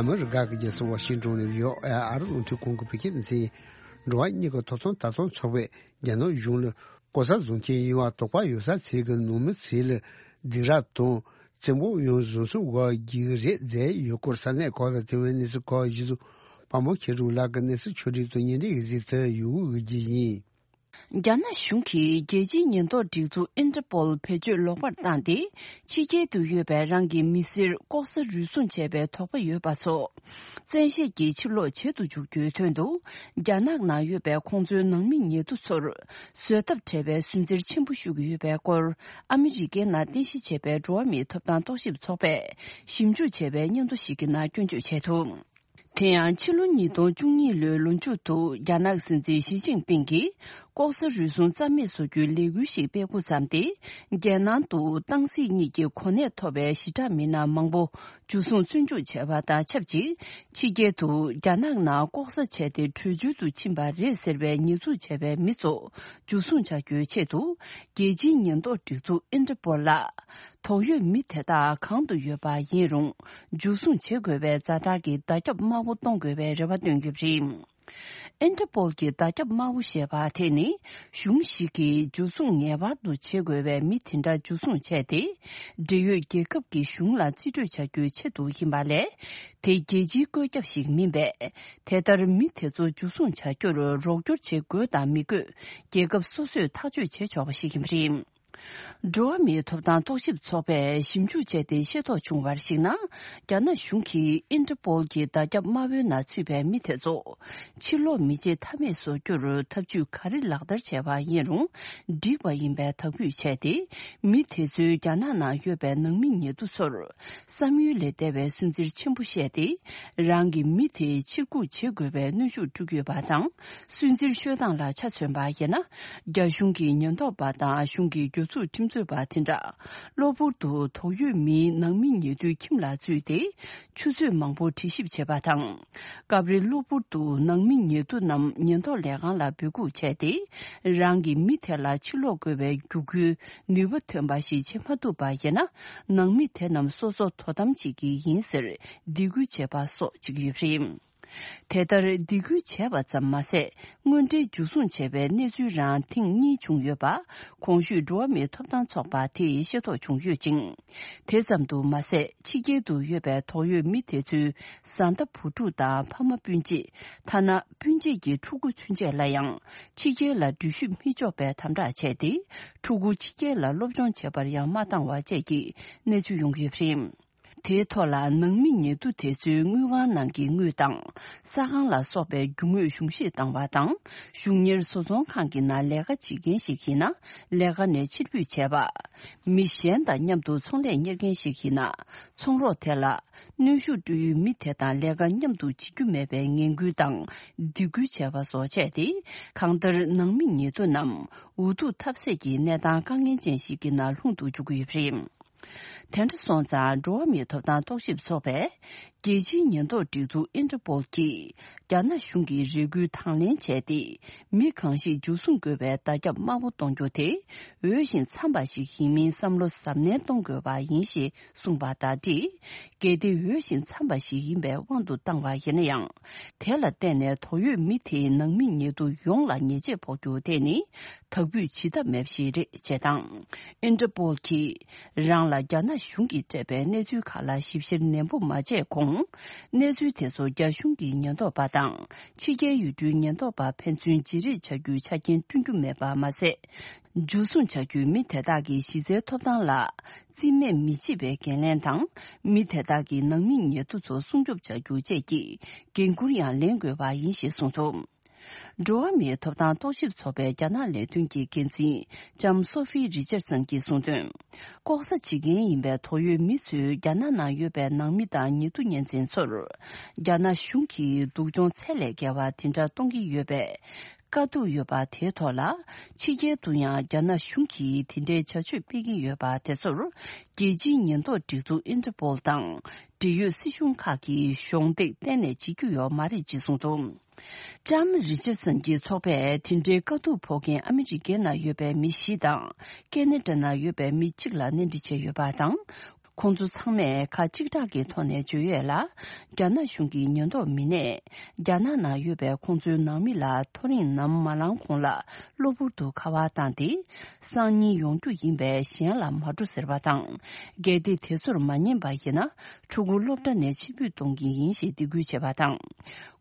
ཨ་མི་རི་ཀ་གི་རྒྱལ་ས་ཝ་ཤིང་ཏོན་ནས་ཡོ་ཨ་ཨ་རི་རླུང་འཕྲིན་ཁང་གི་བོད་སྐད་སྡེ་ཚན། འགྲོ་བ་མིའི་ཐོབ་ཐང་ལྟ་རྟོག་ཚོགས་པས་རྒྱ་ནག་གཞུང་ལ་ལྐོག་ཟ་བཟོ་མཁན་ཡིན་པ་དོགས་པ་ཡོད་ས་ཚོའི་གི་ནང་མི་ཚོ་ལ་སྡིགས་ར་དང་བཙན་པོ་ཡང་བཟོ་ཚུགས་འགོག་རྒྱུ་རེད་ཟེར་ཡོད་སྐོར་ས་གནས་ཁག་ལ་ཐོན་པའི་གནས་ཚུལ་ཁག་གཞི་བཟུང་དཔའ་མོ་མཁྱེན་གྲུབ་ལགས་ཀྱི་གནས་ཚུལ་ཕྱོགས་སྒྲིག་དང་སྙན་སྒྲོན་གྱི་གཟིགས་ཐོན་ཡོང་གི་ཡིན། རྒྱ་ནག་གཞུང་གིས་རྒྱལ་སྤྱིའི་ཉེན་རྟོག་སྒྲིག་འཛུགས་ཨིན་ཏྲ་པོལ་བེད་སྤྱོད་ལོག་པར་བཏང་སྟེ། ཕྱི་རྒྱལ་དུ་ཡོད་པའི་རང་གི་མི་སེར་ལྐོག་ཟ་རུལ་སུངས་བྱས་པའི་དོགས་པ་ཡོད་པ་ཚོ། བཙན་ཤེད་ཀྱིས་ཕྱིར་སློག་བྱེད་དུ་འཇུག་རྒྱུའི་དོན་དུ། རྒྱ་ནག་ནང་ཡོད་པའི་ཁོང་ཚོའི་ནང་མི་ཉེ་དུ་ཚོར། བཟོད་ཐབས་བྲལ་བའི་སུན་གཙེར་ཆེན་པོ་ཞུ་གི་ཡོད་པའི་སྐོར། ཨ་མི་རི་ཀའི་ནང་རྟེན་གཞི་བྱས་པའི་འགྲོ་བ་མིའི་ཐོབ་ཐང་རྟོག་ཞིབ་ཚོགས་པས་ཞིབ་འཇུག་བྱས་པའི་སྙན་ཐོ་ཞིག་གི་ནང་སྐྱོན་བརྗོད་བྱས་འདུག་དེ་ཡང་ཕྱི་ལོ་ཉིས་སྟོང་བཅུ་གཉིས་ལོའི་ལོ་མཇུག་ཏུ་རྒྱ་ནག་སྲིད་འཛིན་ཞི་ཅིན་ཕིང་གིས་ལྐོག་ཟ་རུལ་སུངས་རྩ་མེད་བཟོ་རྒྱུའི་ལས་འགུལ་ཞིག་སྤེལ་འགོ་བརྩམས་ཏེ། རྒྱལ་ནང་དུ་སྟངས་འཛིན་གཉིས་ཀྱི་གོ་གནས་ཐོབ་པའི་ཞི་དྲག་མི་སྣ་མང་པོ་འཇུ་བཟུང་བཙོན་འཇུག་བྱས་པ་དང་ཆབས་ཅིག་ཕྱི་རྒྱལ་དུ་རྒྱ་ནག་ནང་ལྐོག་ཟ་བྱས་ཏེ་བྲོས་བྱོལ་དུ་ཕྱིན་པ་རེད་ཟེར་བའི་ཉེས་འཛུགས་བྱས་པའི་མི་ཚོ་འཇུ་བཟུང་བྱ་རྒྱུའི་ཆེད་དུ། རྒྱལ་སྤྱིའི་ཉེན་རྟོག་སྒྲིག་འཛུགས་ཨིན་ཏྲ་པོལ་ལ། དོགས་ཡོད་མི་དེ་དག་གང་དུ་ཡོད་པ་ཡིན་རུང་། འཇུ་བཟུང་བྱེད་དགོས་པའི་ཛ་དྲག་གི་བརྡ་ཁྱབ་དམར་པོ་གཏོང་དགོས་པའི་རེ་བ་བཏོན་ཡོད་པ་རེད། ཨིན་ཊར་པོལ་གྱི་བརྡ་ཁྱབ་དམར་པོ་ཞེས་པ་དེ་ནི། གཞུང་ཞིག་གིས་འཇུ་བཟུང་ངེས་པར་དུ་བྱེད་དགོས་པའི་མི་དེ་འདྲ་འཇུ་བཟུང་བྱས་ཏེ། འབྲེལ་ཡོད་རྒྱལ་ཁབ་ཀྱི་གཞུང་ལ་རྩིས་སྤྲོད་བྱ་རྒྱུའི་ཆེད་དུ་ཡིན་པ་ལས། དེ་རྒྱལ་སྤྱིའི་བཀོད་ཁྱབ་ཞིག་མིན་པས། དེ་ལྟར་མི་དེ་ཚོ་འཇུ་བཟུང་བྱ་རྒྱུར་རོགས་སྐྱོར་བྱེད་དགོས་དང་མི་དགོས། རྒྱལ་ཁབ་སོ་སོས་ཐག་གཅོད་བྱེད་ཆོག་པ་ཞིག་ཡིན་པ་རེད། འགྲོ་བ་མིའི་ཐོབ་ཐང་རྟོག་ཞིབ་ཚོགས་པས་ཞིབ་འཇུག་བྱས་ཏེ་ཤེས་རྟོགས་བྱུང་བར་གཞིགས་ན། རྒྱ་ནག་གཞུང་གིས་ཨིན་ཊར་པོལ་གྱི་བརྡ་ཁྱབ་དམར་པོའི་ནང་ཚུད་པའི་མི་དེ་ཚོ། ཕྱིར་ལོག་མི་བྱེད་ཐབས་མེད་བཟོ་རྒྱུར་ཐབས་ཇུས་ག་རེ་ལག་བསྟར་བྱས་པ་ཡིན་རུང་། འགྲིག་པ་ཡིན་པའི་དག་འབུད་བྱས་ཏེ། མི་དེ་ཚོའི་རྒྱ་ནག་ནང་ཡོད་པའི་ནང་མི་ཉེ་དུ་ཚོར། བསམ་ཡུལ་ལས་འདས་པའི་སུན་གཙེར་ཆེན་པོ་བཤད་དེ། རང་གི་མི་དེ་ཕྱིར་འགུག་བྱེད་དགོས་པའི་གནོན་ཤུགས་སྤྲོད་ཀྱི་ཡོད་པ་དང་། སུན་གཙེར་ཤོད་སྟངས་ལ་ཆ་མཚོན་པ་ཡིན་ན། རྒྱ་གཞུང་གི་ཉེན་རྟོག་པ་དང་གཞུང་གི་གྱོད་ཚུགས་ཁྲིམས་རྩོད་པ་དེ་འདྲ། གློ་བུར་དུ་དོགས་ཡོད་མིའི་ནང་མི་ཉེ་དུའི་ཁྱིམ་ལ་འཛུལ་ཏེ། ཆུ་ཚོད་མང་པོ་དྲི་ཞིབ་བྱེད་པ་དང་། སྐབས་རེ་གློ་བུར་དུ་ནང་མི་ཉེ་དུ་རྣམས་ཉེན་རྟོག་ལས་ཁང་ལ་འབོད་འགུག་བྱས་ཏེ། རང་གི་མི་དེ་ལ་ཕྱིར་ལོག་དགོས་པའི་རྒྱུ་རྐྱེན་ནུས་པ་ཐོན་པ་ཞིག་བྱེད་མ་ཐུབ་པ་ཡིན་ན། ནང་མི་དེ་རྣམས་སོ་སོ་དོ་དམ་བྱེད་ཀྱི་ཡིན་ཟེར་སྡིགས་སྐུལ་བྱས་པ་སོགས་བྱེད་ཀྱི་ཡོད་པ་རེད། དེ་ལྟར་སྡིགས་སྐུལ་བྱས་པ་ཙམ་མ་ཟད། དངོས་འབྲེལ་འཇུ་བཟུང་བྱས་པའི་གནས་ཚུལ་རང་ཐེངས་གཉིས་བྱུང་ཡོད་པ། གོང་ཞུས་འགྲོ་བ་མིའི་ཐོབ་ཐང་ཚོགས་པ་དེས་ཤེས་རྟོགས་བྱུང་ཡོད་ཅིང་། དེ་ཙམ་དུ་མ་ཟད། ཕྱི་རྒྱལ་དུ་ཡོད་པའི་དོགས་ཡོད་མི་དེ་ཚོའི་བཟའ་ཟླ་བུ་ཕྲུག་དང་ཕ་མ་སྤུན་མཆེད། ཐ་ན་སྤུན་མཆེད་ཀྱི་ཕྲུ་གུ་ཚུན་ཆད་ལ་ཡང་ཕྱི་རྒྱལ་ལ་འགྲུལ་བཞུད་མི་འཇོག་པའི་དམ་དྲག་བྱས་ཏེ། ཕྲུ་གུ་ཕྱི་རྒྱལ་ལ་སློབ་སྦྱོང་བྱེད་པར་ཡང་མ་བཏང་བ་བཅས་ཀྱི་གནས་ཚུལ་ཡོང་གི་ཡོད་པ་རེད། དེའི་ཐོག་ལ་ནང་མི་ཉེ་དུ་དེ་ཚོའི་དངུལ་ཁང་ནང་གི་དངུལ་དང་། ས་ཁང་ལ་སོགས་པའི་རྒྱུ་དངོས་གཞུང་བཞེས་བཏང་བ་དང་། གཞུང་གཉེར་བཟོ་ཚོང་ཁང་གི་ནང་ལས་ཀ་བྱེད་མཁན་ཞིག་ཡིན་ན། ལས་ཀ་ནས་ཕྱིར་འབུད་བྱས་པ། མི་གཞན་དང་མཉམ་དུ་ཚོང་ལས་གཉེར་མཁན་ཞིག་ཡིན་ན། ཚོང་རོགས་དེ་ལ་གནོན་ཤུགས་སྤྲོད་ཡུལ་མི་དེ་དང་ལས་ཀ་མཉམ་དུ་བྱེད་རྒྱུ་མེད་པའི་ངན་སྐུལ་དང་སྡིགས་སྐུལ་བྱས་པ་སོགས་བྱས་ཏེ། གང་ལྟར་ནང་མི་ཉེ་དུ་རྣམས་འུ་ཐུག་ཐབས་ཟད་ཀྱི་གནས་སྟངས་དཀའ་ངལ་ཅན་ཞིག་གི་ནང་ལྷུང་དུ་འཇུག་གི་ཡོད་པ་རེད། དེ་འདྲ་སོང་ཙང་། འགྲོ་བ་མིའི་ཐོབ་ཐང་རྟོག་ཞིབ་ཚོགས་པས། རྒྱལ་སྤྱིའི་ཉེན་རྟོག་སྒྲིག་འཛུགས་ཨིན་ཊར་པོལ་གྱིས། རྒྱ་ནག་གཞུང་གི་རེ་སྐུལ་དང་ལེན་བྱས་ཏེ། མི་གང་ཞིག་འཇུ་བཟུང་དགོས་པའི་བརྡ་ཁྱབ་དམར་པོ་གཏོང་རྒྱུ་དེ། འོས་ཤིང་འཚམ་པ་ཞིག་ཡིན་མིན་བསམ་བློ་གཟབ་ནན་གཏོང་དགོས་པ་ཡིན་ཞེས་གསུངས་པ་དང་འབྲེལ། གལ་ཏེ་འོས་ཤིང་འཚམ་པ་ཞིག་ཡིན་པའི་དབང་དུ་བཏང་བ་ཡིན་ན་ཡང་། དེ་ལ་བརྟེན་ནས་དོགས་ཡོད་མི་དེའི་ནང་མི་ཉེ་དུ་ཡོངས་ལ་ཉེས་ཆད་ཕོག་རྒྱུ་དེ་ནི། དག་འབུད་བྱེད་ཐབས་མེད་པ་ཞིག་རེད་ཅེས་དང་། ཨིན་ཊར་པོལ་གྱིས་རང་ལ་རྒྱ་ནག་གཞུང་གིས་སྤྲད་པའི་གནས་ཚུལ་ཁག་ལ་ཞིབ་བཤེར་ནན་པོ་མ་བྱས་གོང་། གནས་ཚུལ་དེ་ཚོ་རྒྱ་གཞུང་གི་ཉེན་རྟོག་པ་དང་། ཕྱི་རྒྱལ་ཡུལ་གྲུའི་ཉེན་རྟོག་པ་ཕན་ཚུན་བརྗེ་རེས་བྱ་རྒྱུའི་ཆ་རྐྱེན་བསྐྲུན་རྒྱུ་མེད་པ་མ་ཟད། འཇུ་བཟུང་བྱ་རྒྱུའི་མི་དེ་དག་གི་གཞི་རྩའི་ཐོབ་ཐང་ལ་རྩིས་མེད་མི་བྱེད་པའི་འགན་ལེན་དང་། མི་དེ་དག་གི་ནང་མི་ཉེ་དུ་ཚོ་སྲུང་སྐྱོབ་བྱ་རྒྱུ་བཅས་ཀྱི་འགན་འཁུར་ཡང་ལེན་དགོས་པ་ཡིན་ཞེས་གསུངས་འདུག་འགྲོ་བ་མིའི་ཐོབ་ཐང་རྟོག་ཞིབ་ཚོགས་པའི་རྒྱ་ནག་ལས་དོན་གྱི་འགན་འཛིན་ལྕམ་སོ་ཧྥི་རི་ཅར་སན་གྱིས་གསུངས་དོན། ལྐོག་ཟ་བྱེད་མཁན་ཡིན་པའི་དོགས་ཡོད་མི་ཚོས་རྒྱ་ནག་ནང་ཡོད་པའི་ནང་མི་དང་ཉེ་དུ་གཉེན་ཚན་ཚོར། རྒྱ་ནག་གཞུང་གིས་སྡུག་སྦྱོང་ཚད་ལས་བརྒལ་བ་དེ་འདྲ་གཏོང་གི་ཡོད་པའི་དཀའ་སྡུག་ཡོད་པ་དེའི་ཐོག་ལ། ཕྱི་རྒྱལ་དུ་ཡང་རྒྱ་ནག་གཞུང་གིས་དེ་འདྲའི་བྱ་སྤྱོད་སྤེལ་གྱི་ཡོད་པ་དེ་ཚོར། རྒྱལ་སྤྱིའི་ཉེན་རྟོག་སྒྲིག་འཛུགས་ཨིན་ཊར་པོལ་དང་། འབྲེལ་ཡོད་སྲིད་གཞུང་ཁག་གིས་གཞོགས་འདེགས་གཏན་ནས་བྱེད་རྒྱུ་ཡོད་མ་རེད་ཅེས་གསུངས་འདུག་ལྕམ་རི་ཅར་སན་གྱི་ཚོགས་པས་དེ་འབྲེལ་དཀའ་སྡུག་ཕོག་མཁན་ཨ་མི་རི་ཀའི་ནང་ཡོད་པའི་མི་བཞི་དང་། ཀེ་ན་ཌ་ནང་ཡོད་པའི་མི་གཅིག་ལ་གནས་འདྲི་བྱས་ཡོད་པ་དང་། ཁོང་ཚོ་ཚང་མས་ཁ་གཅིག་གྲགས་ཀྱི་ཐོག་ནས་བརྗོད་ཡོད་ལ། རྒྱ་ནག་གཞུང་གི་ཉེན་རྟོག་མི་སྣས། རྒྱ་ནག་ནང་ཡོད་པའི་ཁོང་ཚོའི་ནང་མི་ལ་ཐོ་རེངས་ནམ་མ་ལངས་གོང་ལ་གློ་བུར་དུ་ཁ་པར་བཏང་སྟེ། སང་ཉིན་ཡོང་རྒྱུ་ཡིན་པས་གཞན་ལ་མ་འགྲོ་ཟེར་བ་དང་། གལ་ཏེ་དེ་ཚོར་མ་ཉན་པ་ཡིན་ན། ཕྲུ་གུ་སློབ་གྲྭ་ནས་ཕྱིར་འབུད་གཏོང་གི་ཡིན་ཞེས་སྡིགས་སྐུལ་བྱས་པ་དང་།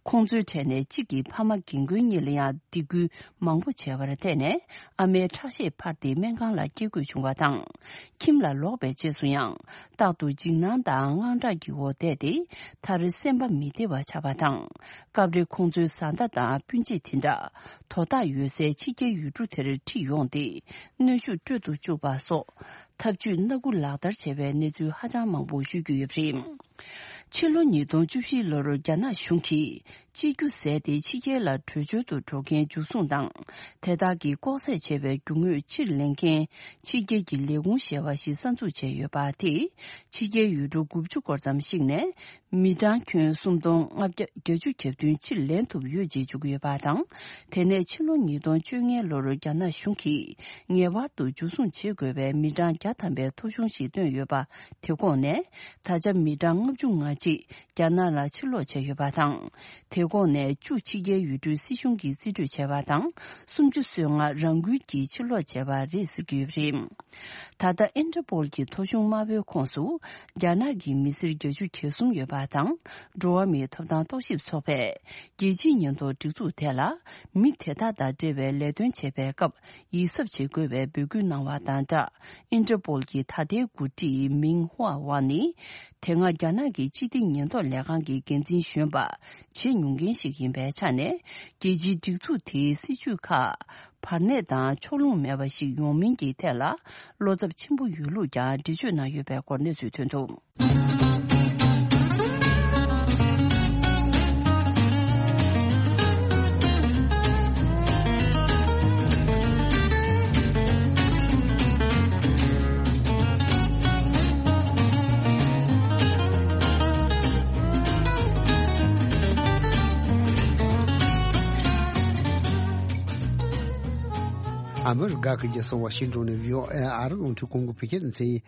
ཁོང་ཚོའི་གྲས་ནས་གཅིག་གིས་ཕ་མ་རྒན་རྒོན་གཉིས་ལ་ཡང་སྡིགས་སྐུལ་མང་པོ་བྱས་པར་བརྟེན་ནས། ཨ་མའི་ཁྲག་ཤེད་འཕར་ཏེ་སྨན་ཁང་ལ་སྐྱེལ་དགོས་བྱུང་བ་དང་། ཁྱིམ་ལ་ལོག་པའི་རྗེས་སུ་ཡང་། རྟག་ཏུ་འཇིགས་སྣང་དང་དངངས་སྐྲག་གི་འོག་བསྡད་དེ། མཐར་སེམས་པ་མི་བདེ་བ་ཆགས་པ་དང་། སྐབས་རེ་ཁོང་ཚོའི་བཟའ་ཟླ་དང་སྤུན་མཆེད་དེ་འདྲ། དོ་བདག་ཡོད་སའི་ཕྱི་རྒྱལ་ཡུལ་གྲུ་དེར་ཁྲིད་ཡོང་སྟེ། གནོན་ཤུགས་སྤྲོད་དུ་བཅུག་པ་སོགས། ཐབས་ཇུས་སྣ་དགུ་ལག་བསྟར་བྱས་པའི་གནས་ཚུལ་ཧ་ཅང་མང་པོ་ཤོད་ཀྱི་ཡོད་པ་རེད། ཕྱི་ལོ་ཉིས་སྟོང་བཅུ་བཞི་ལོར་རྒྱ་ནག་གཞུང་གིས་གཅིག་གྱུར་ཟས་དེ་ཕྱི་རྒྱལ་ལ་བྲོས་བྱོལ་དུ་འགྲོ་མཁན་འཇུ་བཟུང་དང་། དེ་དག་གིས་ལྐོག་ཟས་བྱས་པའི་རྒྱུ་དངོས་ཕྱིར་ལེན་མཁན་ཕྱི་རྒྱལ་གྱི་ལས་ཁུངས་ཞེས་པ་ཞིག་གསར་འཛུགས་བྱས་ཡོད་པ་དེས། ཕྱི་རྒྱལ་ཡུལ་གྲུ་དགུ་བཅུ་སྐོར་ཙམ་ཞིག་ནས་ མི་གྲངས་ཁྱོན་སུམ་སྟོང་ལྔ་བརྒྱ་བརྒྱད་ཅུ་གྱ་བདུན་ཕྱིར་ལེན་ཐུབ་ཡོད་ཅེས་བརྗོད་ཀྱི་ཡོད་པ་དང་། དེ་ནས་ཕྱི་ལོ་ཉིས་སྟོང་བཅོ་ལྔའི་ལོར་རྒྱ་ནག་གཞུང་གིས་ངེས་པར་དུ་འཇུ་བཟུང་བྱེད་དགོས་པའི་མི་གྲངས་བརྒྱ་ཐམ་པའི་ཐོ་གཞུང་ཞིག་བཏོན་ཡོད་པ། དེ་གོང་ནས་ད་ཆ་མི་གྲངས་ལྔ་བཅུ་ང་གཅིག་རྒྱ་ནག་ལ་ཕྱིར་ལོག་བྱས་ཡོད་པ་དང་། དེ་གོང་ནས་བཅུ་ཕྱི་རྒྱལ་ཡུལ་གྲུའི་སྲིད་གཞུང་གིས་རྩིས་སྤྲོད་བྱས་པ་དང་། སུམ་ཅུ་སོ་ལྔ་རང་འགུལ་གྱིས་ཕྱིར་ལོག་བྱས་པ་རེད་ཟེར་གྱི་ཡོད་པ་རེད། ད་ལྟ་ཨིན་ཏྲ་པོལ་གྱི་ཐོ་གཞུང་དམར་པོའི་ཁོངས་སུ་རྒྱ་ནག་གི་མི་སེར་བརྒྱད་ཅུ་གྱ་གསུམ་ཡོད་པ་དང་། འགྲོ་བ་མིའི་ཐོབ་ཐང་རྟོག་ཞིབ་ཚོགས་པས་རྒྱལ་སྤྱིའི་ཉེན་རྟོག་སྒྲིག་འཛུགས་དེ་ལ་མི་དེ་དག་དང་འབྲེལ་བའི་ལས་དོན་བྱེད་པའི་སྐབས་ཡིད་གཟབ་བྱེད་དགོས་པའི་འབོད་སྐུལ་གནང་བ་དང་སྦྲགས། ཨིན་ཏྲ་པོལ་གྱི་ད་ལྟའི་འགོ་ཁྲིད་མིང་ཧྭ་ཝང་ནི། དེ་སྔ་རྒྱ་ནག་གི་སྤྱི་བདེ་ཉེན་རྟོག་ལས་ཁང་གི་འགན་འཛིན་གཞོན་པ་བྱེད་མྱོང་མཁན་ཞིག་ཡིན་པའི་ཆ་ནས། རྒྱལ་སྤྱིའི་སྒྲིག་འཛུགས་དེའི་སྲིད་ཇུས་ཁག་བར་གནས་དང་ཕྱོགས་ལྷུང་མེད་པ་ཞིག་ཡོང་མིན་གྱི་ཐད་ལ་བློ་འཚབ་ཆེན་པོ་ཡོད་ལུགས་ཀྱང་འགྲེལ་བརྗོད་གནང་ཡོད་པའི་སྐོར་གནས་ཚུལ་ཐོན་འདུག་ཨ་མི་རི་ཀ་གི་རྒྱལ་ས་ཝ་ཤིང་ཏོན་ནས་བྷི་ཨོ་ཨེ་ཨ་རི་རླུང་འཕྲིན་ཁང་གི་བོད་སྐད་སྡེ་ཚན་ཡིན།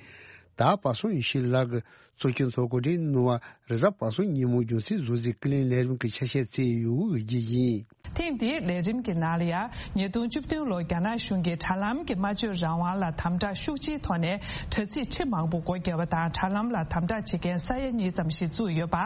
ད་པ་སངས་ཡེ་ཤེས་ལགས་ཀྱིས་གཙོ་སྐྱོང་ཚོགས་གོ་སྒྲིག་གནང་བ་རེས་གཟའ་པ་སངས་ཉིན་མོ་རྒྱུན་སྲིང་བཟོ་རྩིས་ཀུན་གླེང་ལས་རིམ་གྱི་ཆ་ཤས་བསྩལ་ཡོད་ཀྱི་རྗེས་ཡིན། ཐེངས་འདིའི་ལས་རིམ་གྱི་ནང་ལ་ཡང་ཉིས་སྟོང་བཅུ་བདུན་ལོར་རྒྱ་ནག་གཞུང་གིས་དྲ་ལམ་གྱི་སྨྲ་བརྗོད་རང་དབང་ལ་དམ་དྲག་ཤུགས་ཆེའི་ཐོག་ནས་དྲ་ཚིགས་ཁྲི་མང་པོ་སྒོ་བརྒྱབ་པ་དང་། དྲ་ལམ་ལ་དམ་དྲག་བྱེད་མཁན་ས་ཡ་གཉིས་ཙམ་ཞིག་བཙུགས་ཡོད་པ།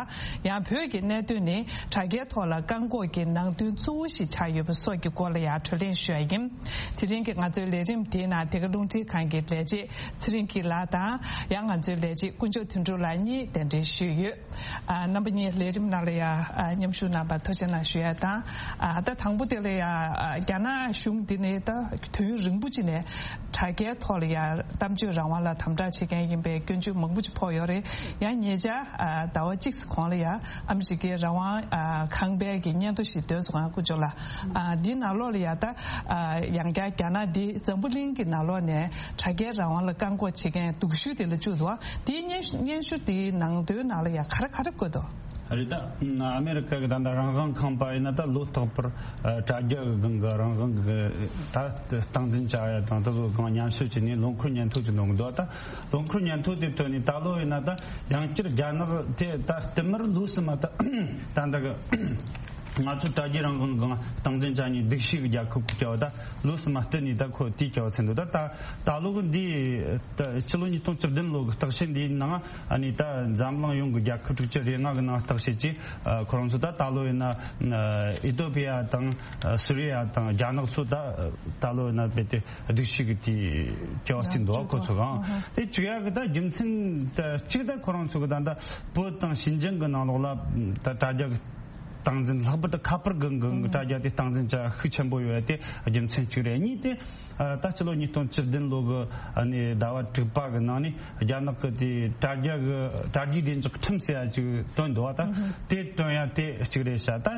ཡང་བོད་ཀྱི་གནད་དོན་ནི་དྲ་རྒྱའི་ཐོག་ལ་བཀག་འགོག་གི་ནང་དོན་གཙོ་བོ་ཞིག་ཆགས་ཡོད་པ་སོགས་ཀྱི་སྐོར་ལ་ཡང་བགྲོ་གླེང་ཞུ་ཡ་ཡིན། དེ་རིང་གི་ང་ཚོའི་ལས་རིམ་དེའི་ནང་དེ་ག་རླུང་འཕྲིན་ཁང་གི་ལས་བྱེད་ཚེ་རིང་སྐྱིད་ལགས་དང་། ཡང་ང་ཚོའི་ལས་བྱེད་དཀོན་མཆོག་དོན་གྲུབ་ལགས་གཉིས་གདན་འདྲེན་ཞུས་ཡོད། ཨ། རྣམ་པ་གཉིས་ལས་རིམ་ནང་ལ་ཡང་ཨ་མཉམ་ཞུགས་གནང་བར་ཐུགས་རྗེ་གནང་ཞུ་ཡ་དང་། ཨ། ད་དང་པོ་དེ་ལ་ཡང་ཨ་རྒྱ་ནག་གཞུང་འདི་ནི་ད་དུས་ཡུན་རིང་པོ་ཅིག་ནས་དྲ་རྒྱའི་ཐོག་ལ་ཡང་གཏམ་བརྗོད་རང་དབང་ལ་དམ་དྲག་བྱེད་མཁན་ཡིན་པའི་སྐྱོན་བརྗོད་མང་པོ་ཅིག་ཕོག་ཡོད་རེད། ཡང་ཉེ་ཆར་ཨ་ཟླ་བ་གཅིག་གོང་ལ་ཡང་ཨ་མི་རི་ཀའི་རང་དབང་ཨ་ཁང་པའི་གི་སྙན་ཐོ་ཞིག་བཏོན་སོང་། ཨ་དཀོན་མཆོག་ལགས། ཨ་འདི་ནང་ལོགས་ལ་ཡང་ད་ཨ་ཡང་བསྐྱར་རྒྱ་ནག་འདི་འཛམ་བུ་གླིང་གི་ནང་ལོགས་ནས་དྲ་རྒྱའི་རང་དབང་ལ་བཀག་འགོག་བྱེད་མཁན་སྡུག་ཤོས་དེ་ལ་བཅུག་འདུག། ཨ་དེའི་སྙན་སྙན་ཞུ་དེའི་ནང་དོན་ནང་ལ་ཡང་ག་རེ་ག་རེ་བཀོད་འདུག། རེད། ད་ཨ་མེ་རི་ཀ་གི་ད་ལྟ་རང་དབང་ཁང་པ་ཡིན་ན་ད་ལོ་རྟག་པར་ཨ་དྲ་རྒྱ་གི་སྒང་གི་རང་དབང་གི་ད་སྟངས་འཛིན་བྱ་ཡ་དང་དེ་ཚོ་སྒང་མཉམ་ཞུགས་བྱས་ནས་ལོ་འཁོར་སྙན་ཐོ་ཅིག་གནང་གི་འདུག། ད་ལོ་འཁོར་སྙན་ཐོ་དེ་ཐོན་ནས་ད་ལོ་ཡིན་ན་ད་ཡང་བསྐྱར་རྒྱ་ནག་དེ་ད་བསྟུད་མར་ལོ་གསུམ་མ་ད་ད་ད་གི་ང་ཚོ་དྲ་རྒྱའི་རང་དབང་གི་སྟངས་འཛིན་བྱ་ནས་སྡུག་ཤོས་ཀྱི་རྒྱལ་ཁབ་ཀྱི་བྱ་བ་ད་ལོ་གསུམ་མ་བསྟུད་ནས་ད་ཁོ་དེའི་བྱ་བ་ཚན་འདུག། ད་ད་ད་ལོ་གི་འདི་ད་ཕྱི་ལོ་ཉིས་སྟོང་བཅུ་བདུན་ལོ་གི་བརྟག་དཔྱད་འདིའི་ནང་ཨ་ནི་ད་འཛམ་གླིང་ཡོངས་ཀྱི་རྒྱལ་ཁབ་དྲུག་ཅུ་རེ་ལྔ་གི་ནང་བརྟག་དཔྱད་ཀྱིས་ཨ་ཁོ་རང་ཚོ་ད་ད་ལོ་ཡིན་ན་ཨ་ཨི་ཐོ་པི་ཡ་དང་ཨ་སུ་རི་ཡ་དང་རྒྱ་ནག་ཚོ་ད་ད་ལོ་ཡིན་ན་རྦད་དེ་སྡུག་ཤོས་ཀྱི་དེའི་བྱ་བ་ཚན་འདུག། ཁོ་ཚོ་གང་དེ་བྱེད་ཡག་གི་ད་རྒྱུ་མཚན་ད་གཅིག་ད་ཁོ་རང་ཚོ་གི་ད་ད་བོད་དང་ཞིན་ཅང་གི་ནང་ལོགས་ལ་ད་དྲ་རྒྱ་གི་སྟངས་འཛིན་ལྷག་པར་དུ་ཁ་པར་གི་གི་དྲ་རྒྱ་དེ་སྟངས་འཛིན་བྱ་ཤུགས་ཆེན་པོ་ཡོད་དེ་རྒྱུ་མཚན་གཅིག་རེད། གཉིས་དེ་ཨ་ད་ཕྱི་ལོ་ཉིས་སྟོང་བཅུ་བདུན་ལོ་གི་ཨ་ནི་ཟླ་བ་དྲུག་པ་གི་ནང་ནས་རྒྱ་ནག་གི་དེ་དྲ་རྒྱ་གི་དྲ་རྒྱའི་བདེ་འཇགས་ཁྲིམས་ཟེར་ཡ་ཅིག་བཏོན་འདུག་བ། ད་དེ་བཏོན་ཡ་དེ་གཅིག་རེད་ཤག། ད་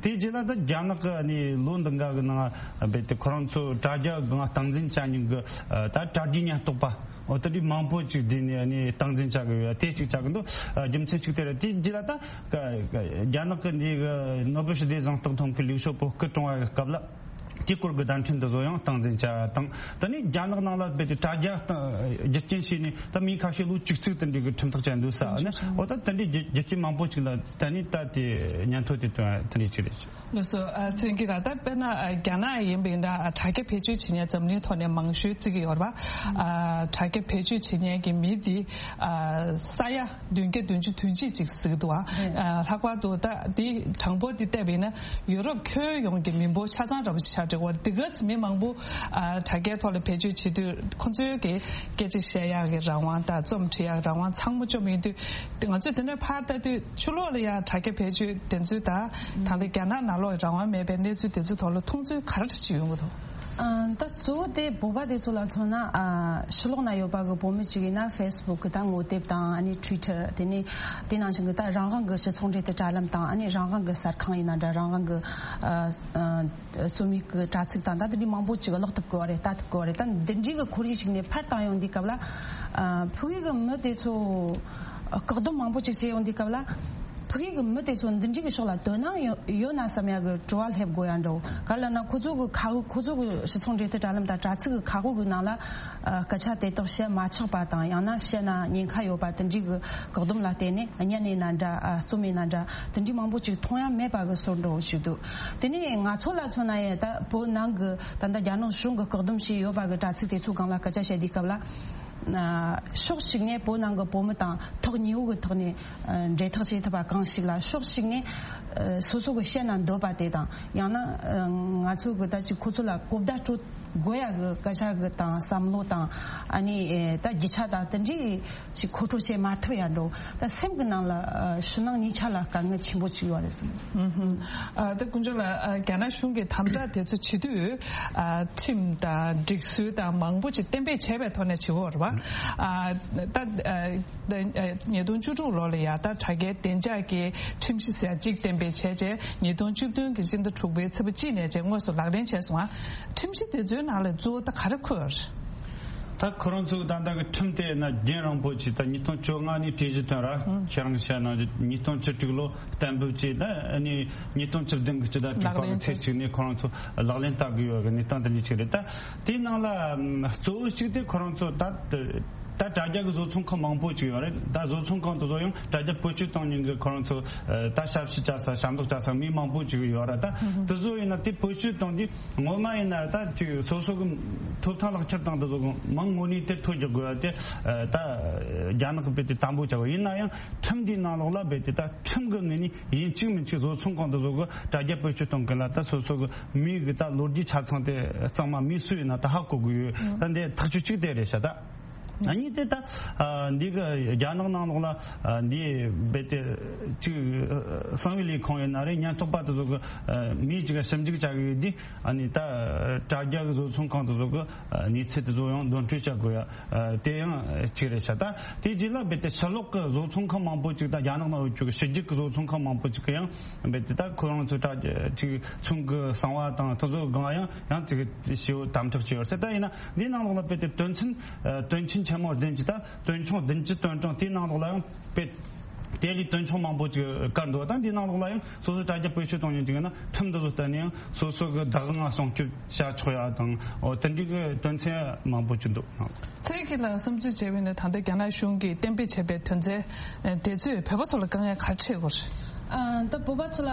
དེ་རྗེས་ལ་ད་རྒྱ་ནག་གི་ཨ་ནི་ལོ་འདི་འགའ་གི་ནང་རྦད་དེ་ཁོ་རང་ཚོ་དྲ་རྒྱ་གི་སྟངས་འཛིན་བྱ་མྱོང་གི་ཨ་ད་དྲ་རྒྱའི་ཉེན་རྟོག་པ། འོ་དེ་འདྲའི་མང་པོ་ཅིག་བསྡུས་ནས་ནི་སྟངས་འཛིན་བྱ་དགོས་ཡ་དེ་གཅིག་བྱ་གི་འདུག། ཨ་རྒྱུ་མཚན་གཅིག་དེ་རེད། དེ་རྗེས་ལ་ད་ཀ་ཀ་རྒྱ་ནག་གི་འདི་གི་ནོ་བེལ་ཞི་བདེ་གཟེངས་རྟགས་ཐོབ་མཁན་ལིའུ་ཞའོ་པོ་སྐུ་གྲོངས་པ་གི་སྐབས་ལ་དེའི་སྐོར་གྱི་བརྡ་འཕྲིན་དེ་ཚོ་ཡང་སྟངས་འཛིན་བྱ་བ་དང་། ད་ནི་རྒྱ་ནག་ནང་ལ་རྦད་དེ་དྲ་རྒྱ་སྟངས་རྒྱུ་རྐྱེན་བྱས་ནས་ད་མི་ཁ་ཤས་ལོ་བཅུ་གཅིག་དེ་འདྲའི་གི་ཁྲིམས་ཐག་བཅད་འདུག་ས་ནི། འོ་ད་དེ་འདྲའི་རྒྱུ་རྒྱུ་རྐྱེན་མང་པོ་ཅིག་ལ་ད་ནི་ད་དེ་ཉན་ཐོས་དེ་དོན་དེ་འདྲའི་ཅིག་རེད། ལགས་སོ། ཨ་ཚེ་རིང་སྐྱིད་ལགས། ད་དཔེར་ན་ཨ་རྒྱ་ནག་ཡིན་པ་ཡིན་ན་ཨ་དྲ་རྒྱ་བེད་སྤྱོད་བྱེད་མཁན་འཛམ་གླིང་ཐོག་ནས་མང་ཤོས་བརྩི་གི་ཡོད་རེད་པ། ཨ་དྲ་རྒྱ་བེད་སྤྱོད་བྱེད་མཁན་གྱི་མི་འདི་ཨ་ས་ཡ་བདུན་བརྒྱ་བདུན་ཅུ་དོན་གཅིག་ཅིག་ཟེར་གི་འདུག། ཨ་ཨ་ལྷག་པར་དུ་ད་འདི་གྲངས་འབོར་འདི་བལྟས་པ་ཡིན་ན་ཡུ་རོབ་ཁྱོན་ཡོངས་ཀྱི་མི་འབོར་ཆ་ཚང་འདྲ་པོ་ཞིག་ཆགས་འགྲོ་གི་ཡོད་རེད། འདི་ག་ཚོད་མི་མང་པོ་ཨ་དྲ་རྒྱའི་ཐོག་ལ་བེད་སྤྱོད་བྱེད་དུས་ཁོ་ཚོའི་གི་སྐད་ཆ་བཤད་ཡག་གི་རང་དབང་དང་རྩོམ་འབྲི་ཡག་རང་དབང་ཚང་མ་བཅོམ་ཡིན་དུས། ང་ཚོས་དེ་འདྲ་ཕར་ལྟ་དུས་ཕྱི་ལོགས་ལ་ཡང་དྲ་རྒྱ་བེད་སྤྱོད་དེ་ཚོའི་ད་ད་ལྟ་རྒྱ་ནག་ནང་ལོགས་རང་དབང་མེད་པའི་གནས་ཚུལ་དེ་ཚོའི་ཐོག་ལ་མཐོང་ཚུལ་ག་རེ་ཞིག་ཡོང་གི་འདུག། ཨ་ད་གཙོ་བོ་དེ་བོད་པ་དེ་ཚོ་ལ་མཚོན་ན་ཨ་ཕྱི་ལོགས་ན་ཡོད་པ་གི་བོད་མི་གཅིག་ཡིན་ན་ཧྥེ་སི་བུག་གི་ད་ངོ་དེབ་དང་ཨ་ནི་ཊུའི་ཊར་དེ་ནས་དེ་ནང་བཞིན་གི་ད་རང་དབང་གི་སྤྱི་ཚོགས་འབྲེལ་མཐུད་དྲ་ལམ་དང་ཨ་ནི་རང་དབང་གི་གསར་ཁང་ཡིན་ན་འདྲ་རང་དབང་གི་ཨ་ཨ་རྩོམ་ཡིག་གི་དྲ་ཚིགས་དང་ད་དེ་འདྲའི་མང་པོ་ཅིག་ཀློག་ཐུབ་གི་བ་རེད། ལྟ་ཐུབ་གི་བ་རེད། ད་འདི་འདྲའི་གི་ཁོར་ཡུག་ཅིག་ནས་ཕར་བཏང་ཡོང་དུས་སྐབས་ལ་ཨ་ཕ་གི་གི་མི་དེ་ཚོ་བཀག་སྡོམ་མང་པོ་ཅིག་བྱས་ཡོང་དུས་སྐབས་ལ། ཕ་གི་གི་མི་དེ་ཚོ་འདི་འདྲའི་གི་ཕྱོགས་ལ་དོ་སྣང་ཡོད་ཡོད་ན་བསམ་ཡ་གི་དྲི་བ་སླེབས་དགོས་ཡ་འདྲ་བོ། ག་ལ་ན་ཁོ་ཚོ་གི་ཁ་ཁོ་ཚོ་གི་སྤྱི་ཚོགས་འབྲེལ་མཐུད་དྲ་ལམ་དང་དྲ་ཚིགས་གི་ཁ་ཁོ་གི་ནང་ལ་ཨ་སྐད་ཆ་དེ་དག་བཤད་མ་ཆོག་པ་དང་། ཡང་ན་བཤད་ན་ཉེན་ཁ་ཡོད་པ་དེ་འདྲའི་གི་བཀག་སྡོམ་ལ་བརྟེན་ནས་བརྙན་ཡིན་ན་འདྲ། ཨ་རྩོམ་ཡིན་ན་འདྲ། དེ་འདྲའི་མང་པོ་ཅིག་མཐོང་ཡ་མེད་པ་གི་བཟོ་འདྲ་བོ་ཞིག་འདུག་དེ་ནས་ང་ཚོ་ལ་མཚོན་ན་ཡང་ད་བོད་ནང་གི་ད་ལྟ་རྒྱ་ནག་གཞུང་གི་བཀག་སྡོམ་བྱས་ཡོད་པ་གི་དྲ་ཚིགས་དེ་ཚོའི་སྒང་ལ་སྐད་ཆ་བཤད་དུས་སྐབས་ལ། ཕྱོགས་གཅིག་ནས་བོད་ནང་གི་བོད་མི་དང་ཐག་ཉེ་བོ་གི་ཐོག་ནས་འབྲེལ་ཐག་བྱེད་ཐུབ་པ་གང་ཞིག་ལ། ཕྱོགས་གཅིག་ནས་སོ་སོ་གི་བཤད་ན་འདོད་པ་དེ་དང་། ཡང་ན་ང་ཚོ་གི་ད་ཅིག་ཁོ་ཚོ་ལ་གོ་བརྡ་སྤྲོད་དགོས་ཡ་གི་སྐད་ཆ་གི་དང་བསམ་བློ་དང་། ཨ་ནི་ད་རྒྱུ་ཆ་དང་དེ་འདྲའི་ཅིག་མཁོ་སྤྲོད་བྱེད་མ་ཐུབ་ཡ་འདྲ་བོ། ད་སེམས་གི་ནང་ལ་ཕྱི་ནང་གཉིས་ཆ་ལ་དཀའ་ངལ་ཆེན་པོ་ཅིག་ཡོད་རེད་བསམ། ཨ་ད་དཀོན་མཆོག་ལགས། ཨ་རྒྱ་ནག་གཞུང་གིས་དམ་དྲག་དེ་ཚོ་བྱེད་དུས། ཨ་ཁྲིམས་དང་སྒྲིག་སྲོལ་དང་མང་པོ་ཅིག་གཏན་འབེབས་བྱས་པའི་ཐོག་ནས་བྱེད་ཀྱི་ཡོད་རེད་པ། ཨ་ད་ཨ་ད་ཨ་ཉིས་སྟོང་བཅུ་དྲུག་ལོ་ལ་ཡ་ད་དྲ་རྒྱའི་བདེ་འཇགས་ཀྱི་ཁྲིམས་གཞི་ཟེར་ཡ་གཅིག་གཏན་འབེབས་བྱས་རྗེས། ཉིས་སྟོང་བཅུ་བདུན་གྱི་སྤྱི་ཟླ་དྲུག་པའི་ཚེས་པ་གཅིག་ནས་བྱས་དངོས་སུ་ལག་ལེན་བྱས་སོང་ང་། ཁྲིམས་གཞི་དེ་ཚོའི་ནང་ལ་གཙོ་བོ་ད་ག་རེ་འཁོད་ཡོད་རེད། ད་ཁོ་རང་ཚོ་ད་ལྟ་གི་ཁྲིམས་དེ་ན་རྒྱུན་རིང་པོ་ཅིག་ད་ཉིས་སྟོང་བཅོ་ལྔ་ནས་གྲོས་གཞི་བཏོན་ར། ཁྱེད་རང་བཤད་ནང་བཞིན་ཉིས་སྟོང་བཅུ་དྲུག་ལོ་གཏན་འབེབས་བྱས། ད་ནི་ཉིས་སྟོང་བཅུ་བདུན་གི་སྤྱི་ཟླ་དྲུག་པ་གི་ཚེས་གཅིག་ནས་ཁོ་རང་ཚོ་ལག་ལེན་བསྟར་གི་ཡོད་གི་གནས་སྟངས་དེ་འདྲ་ཅིག་རེད། ད་དེའི་ནང་ལ་གཙོ་བོ་གཅིག་དེ་ཁོ་རང་ཚོ་ད་ད་དྲ་རྒྱ་གི་བཟོ་ཚོང་ཁང་མང་པོ་ཅིག་ཡོད་རེད། ད་བཟོ་ཚོང་ཁང་དེ་ཚོ་ཡང་དྲ་རྒྱ་བེད་སྤྱོད་གཏོང་མཁན་གི་ཁོ་རང་ཚོ་ད་ཞབས་ཕྱི་བྱ་ས་ཞབས་འདེགས་བྱ་ས་མི་མང་པོ་ཅིག་ཡོད་རེད། ད་དེ་ཚོ་ཡིན་ན་དེ་བེད་སྤྱོད་གཏོང་དུས། ངོ་མ་ཡིན་ན་ད་ཅིག་སོ་སོ་གི་ཐོབ་ཐང་ལག་ཁྱེར་དང་དེ་ཚོ་གི་མིང་དངོས་གནས་དེ་ཐོ་རྒྱག་དགོས་ཡ་དེ། ད་རྒྱ་ནག་གི་རྦད་དེ་དམ་པོ་བྱ་དགོས། ཡིན་ན་ཡང་ཁྲིམས་འདིའི་ནང་ལོགས་ལ་རྦད་དེ་ད་ཁྲིམས་གི་ངོས་ནས་ཡིན་གཅིག་མིན་གཅིག་བཟོ་ཚོང་ཁང་དེ་ཚོ་གི་དྲ་རྒྱ་བེད་སྤྱོད་གཏོང་མཁན་ལ་ད་སོ་སོ་གི་མི་གི་ད་ལོ་རྒྱུས་ཆ་ཚང་དེ་གཙང་མ་མི་སུ་ཡིན་ན་ད་ཧ་གོ་དགོས་ཡོད། ད་འདི་ཐག་གཅོད་གཅིག་དེ་རེད་ཤག་ད། ཨ་ནི་དེ་ད་ཨ་འདི་གི་རྒྱ་ནག་ནང་ལོགས་ལ་ཨ་འདི་རྦད་དེ་ཅིག་ཨ་གསང་བའི་ལས་ཁུངས་ཡིན་ན་རེད། ཉེན་རྟོག་པ་དེ་ཚོ་གི་ཨ་མི་ཅིག་ག་ཞིབ་འཇུག་བྱ་གི་ཡོད་དུས། ཨ་ནི་ད་དྲ་རྒྱ་གི་བཟོ་ཚོང་ཁང་དེ་ཚོ་གི་ཨ་གནས་ཚུལ་དེ་ཚོ་ཡང་འདོན་སྤྲོད་བྱ་དགོས་ཡ་ཨ་དེ་ཡང་གཅིག་རེད་ཤག་ད་དེ་རྗེས་ལ་རྦད་དེ་ཕྱི་ལོགས་གི་བཟོ་ཚོང་ཁང་མང་པོ་ཅིག་ད་རྒྱ་ནག་ནང་ཡོད་རྒྱུ་གི་ཕྱི་རྒྱལ་གི་བཟོ་ཚོང་ཁང་མང་པོ་ཅིག་གི་ཡང་རྦད་དེ་ད་ཁོ་རང་ཚོ་དྲ་རྒྱ་ཅིག་ཚོང་གི་གསང་བ་དང་དེ་ཚོ་གི་སྒང་ཡང་ཡང་ཅིག་ཞེ་པོ་དམ་དྲག་བྱས་ཡོད་ཟེར། ད་ཡིན་ན་འདིའི་ནང་ལོགས་ལ་རྦད་དེ་དོན་ཚན་ཨ་དོན་ཆེན་ཆེན་མོ་བདུན་ཅིག་ད་དོན་ཆུང་བདུན་ཅུ་དོན་གྲངས་དེའི་ནང་ལོགས་ལ་ཡང་དཔེ་དེ་ལས་དོན་ཆུང་མང་པོ་ཅིག་བཀར་འདུག་ད་འདིའི་ནང་ལོགས་ལ་ཡང་སོ་སོ་དྲ་རྒྱ་བེད་སྤྱོད་གཏོང་མཁན་ཅིག་ཡིན་ན་ཁྲིམས་འདི་ཚོ་བསྟན་ནས་ཡང་སོ་སོ་གི་བདག་དབང་སྲུང་སྐྱོབ་བྱ་ཆོག་ཡ་དང་། འོ་དེ་འདྲའི་གི་དོན་ཚན་མང་པོ་ཅིག་འདུག་ཚེ་རིང་སྐྱིད་ལགས་བསམ་ཚུལ་བྱས་པ་ཡིན་ན། ད་ལྟ་རྒྱ་ནག་གཞུང་གིས་གཏན་འབེབས་བྱས་པའི་དོན་ཚན་དེ་ཚོས་བོད་པ་ཚོ་ལ་དཀའ་ངལ་ག་རེ་འཕྲད་ཡོད་རེད། ཨ་ད་བོད་པ་ཚོ་ལ་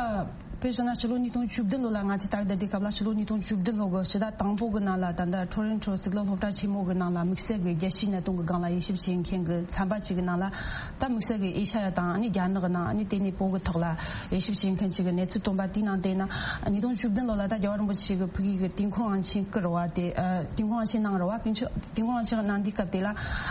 དཔེ་བཞག་ན་ཕྱི་ལོ་ཉིས་སྟོང་བཅུ་བདུན་ལོ་ལ། ང་ཚོས་ད་ལྟ་དེ་སྐབས་ལ་ཕྱི་ལོ་ཉིས་སྟོང་བཅུ་བདུན་ལོ་གི་ཕྱི་ཟླ་དང་པོ་གི་ནང་ལ་ད་ལྟ་ཊོ་རོན་ཊོ་གཙུག་ལག་སློབ་གྲྭ་ཆེན་མོ་གི་ནང་ལ་དམིགས་བསལ་གྱི་རྒྱལ་སྤྱིའི་གནད་དོན་གྱི་སྒང་ལ་དབྱེ་ཞིབ་བྱེད་མཁན་གྱི་ཚན་པ་ཅིག་གི་ནང་ལ། ད་དམིགས་བསལ་གྱི་ཨེ་ཤ་ཡ་དང་ཨ་ནི་རྒྱ་ནག་གི་ནང་། ཨ་ནི་དེ་ནས་བོད་ཀྱི་ཐོག་ལ་དབྱེ་ཞིབ་བྱེད་མཁན་ཅིག་གི་གནས་ཚུལ་བཏོན་པ་དེའི་ནང་བལྟས་ན། ཉིས་སྟོང་བཅུ་བདུན་ལོ་ལ་ད་རྒྱལ་བ་རིན་པོ་ཆེ་གི་ཕ་གི་གི་དུས་འཁོར་དབང་ཆེན་བསྐུར་བ་དེ། ཨ་དུས་འཁོར་དབང་ཆེན་གནང་རེད་བ། དུས་འཁོར་དབང་ཆེན་གནང་དུས་སྐབས་དེ་ལ་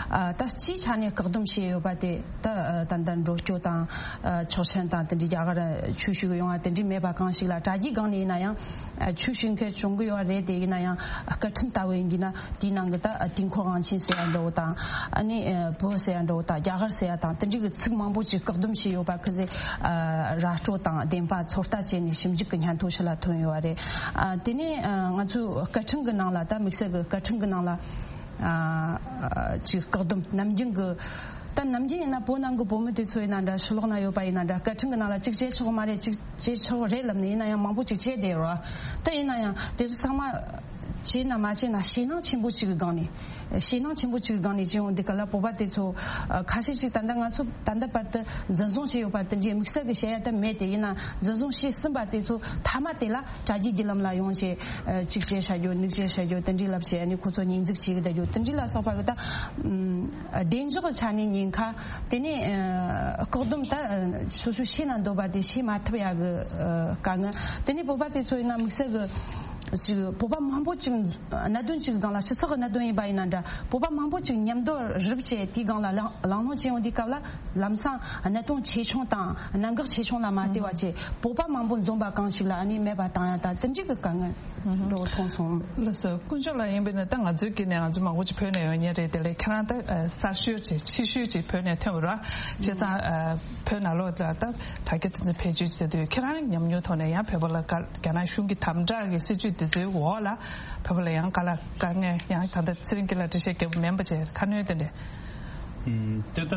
ཨ་ད་སྤྱིའི་ཆ་ནས་བཀག་སྡོམ་བྱས་ཡོད་པ་དེ། ད་ཨ་ད་ལྟ་འགྲོ་སྐྱོད་དང་ཨ་ཆོག་མཆན་དང་དེ་འདྲའི་རྒྱ་གར་ཆོས་ཞུ་གི་ཡོང་བ་དེ་འདྲའི་མེད་པ་གང་ཞིག་ལ། དྲ་རྒྱའི་སྒང་ནས་ཡིན་ན་ཡང་ཨ་ཆོས་ཞུ་མཁན་བྱུང་གི་ཡོད་རེད། དེ་ཡིན་ན་ཡང་སྐད་འཕྲིན་ལྟ་བུ་ཡིན་གྱི་ན་དེའི་ནང་གི་ད་ཨ་དུས་འཁོར་དབང་ཆེན་ཟེར་ཡ་འདྲ་བོ་དང་། ཨ་ནི་ཨ་བོད་ཟེར་ཡ་འདྲ་བོ་དང་རྒྱ་གར་ཟེར་ཡ་དང་དེ་འདྲའི་གི་ཚིག་མང་པོ་ཅིག་བཀག་སྡོམ་བྱས་ཡོད་པ་ཁ་ཤས་ཨ་ར་སྤྲོད་དང་བདེན་པ་ཚོད་ལྟ་བྱས་ནས་ཞིབ་འཇུག་གི་སྙན་ཐོ་ཕྱི་ལ་ཐོན་ཡོད་པ་རེད། ཨ་དེ་ནས་ཨ་ང་ཚོའི་སྐད་འཕྲིན་གི་ནང་ལ། ད་དམིགས་བསལ་གི་སྐད་འཕྲིན་གི་ནང་ལ་ཨ་ཅིག་བཀག་སྡོམ་ནམ་རྒྱུན་གི། ད་ནམ་རྒྱུན་ཡིན་ན་བོད་ནང་གི་བོད་མི་དེ་ཚོ་ཡིན་ན་འདྲ། ཕྱི་ལོགས་ན་ཡོད་པ་ཡིན་ན་འདྲ། སྐད་འཕྲིན་གི་ནང་ལ་ཅིག་བྱེད་ཆོག་མ་རེད། ཅིག་བྱེད་ཆོག་རེད་ལབ་ནས་ཡིན་ན་ཡང་མང་པོ་ཅིག་བྱས་བསྡད་ཡོད་རེད། ད་ཡིན་ན་ཡང་དེ་ཚོ་ཚང་མ་བྱས་ན་མ་བྱས་ན་ཞེད་སྣང་ཆེན་པོ་ཅིག་གི་སྒང་ནས། ཞེད་སྣང་ཆེན་པོ་ཅིག་གི་སྒང་ནས་བྱས་ཡོང་དུས་སྐབས་ལ། བོད་པ་དེ་ཚོ་ཨ་ཁ་ཤས་ཅིག་ད་ལྟ་ང་ཚོ་ད་ལྟ་བར་དུ་འཛིན་བཟུང་བྱས་ཡོད་པ་དེ་འདྲའི་དམིགས་བསལ་གྱི་བྱེད་ཡ་ད་མེད། དེ་ཡིན་ན་འཛིན་བཟུང་བྱས་ཟིན་པ་དེ་ཚོ་མཐའ་མ་དེ་ལ་དྲ་རྒྱའི་བརྒྱུད་ལམ་ལ་ཡོང་བྱས་ཨ་ཅིག་བྱས་བཞག་རྒྱུ། ནུག་བྱས་བཞག་རྒྱུ། དེ་འདྲའི་ལབ་བྱས། ཨ་ནི་ཁོ་ཚོ་ཉེས་འཛུགས་བྱས་བསྡད་རྒྱུ། དེ་འདྲའི་ལ་སོགས་པ་གི་ད་ཨམ་བདེ་འཇགས་ཀྱི་ཆ་ནས་ཉེན་ཁ། དེ་ནས་ཨ་བཀག་སྡོམ་ད་ཨ་སོ་སོས་བྱེད་ན་འདོད་པ་དེ་བྱེད་མ་ཐུབ་ཡ་གི་ཨ་དཀའ་ངལ། དེ་ནས་བོད་པ་དེ་ཚོ་ཡིན་ན་དམིགས་བསལ་གི་ཅིག་བོད་པ་མང་པོ་ཅིག་གནད་དོན་ཅིག་གི་སྒང་ལ། སྤྱི་ཚོགས་ཀྱི་གནད་དོན་ཡིན་པ་ཡིན་ན་འདྲ། བོད་པ་མང་པོ་ཅིག་མཉམ་དུ་རུབ་བྱས་དེའི་སྒང་ལ་གླེང་གླེང་སློང་བྱེད་ཡོང་དུས་སྐབས་ལ། ལམ་སང་གནད་དོན་ཆེ་ཆུང་དང་གནད་འགག་ཆེ་ཆུང་ལ་མ་ལྟོས་པ་བྱས། བོད་པ་མང་པོ་འཛོམས་པ་གང་ཞིག་ལ་ཨ་ནི་མེད་པ་བཏང་ཡ་དང་དེ་འདྲའི་གི་དཀའ་ངལ་འགྲོ་མཐོང་སོང་། ལགས་སོ། དཀོན་མཆོག་ལགས། ཡིན་པས་ན་ད་ང་ཚོའི་དཀྱིལ་ནས་ང་ཚོ་མང་པོ་ཅིག་བོད་ནས་ཡོང་མཁན་རེད། དེ་ལས་ཁྱེད་རང་ད་གསར་ཤོས་ཅིག་ཕྱི་ཤོས་ཅིག་བོད་ནས་ཐོན་པ་རེད། བྱས་ཙང་བོད་ནང་ལོགས་ལ་ད་དྲ་རྒྱ་དེ་ཚོ་བེད་སྤྱོད་བྱེད་དུས་ཁྱེད་རང་ཉམས་མྱོང་ཐོག་ནས་ཡང་བོད་པ་ལ་དཀའ། རྒྱ་ནག་གཞུང་གི་དམ་དྲག་གི་སྲིད་བྱུས་དེ་ཚོའི་འོག་ལ་བོད་པ་ལ་ཡང་དཀའ་ལས། དཀའ་ངལ་ཡང་ད་ལྟ་ཚེ་རིང་སྐྱིད་ལགས་འགྲེལ་བཤད་རྒྱབ་མིན་པ་བྱས་ཁ་སྣོན་དེ་འདྲས། ཨུམ། དེ་ད་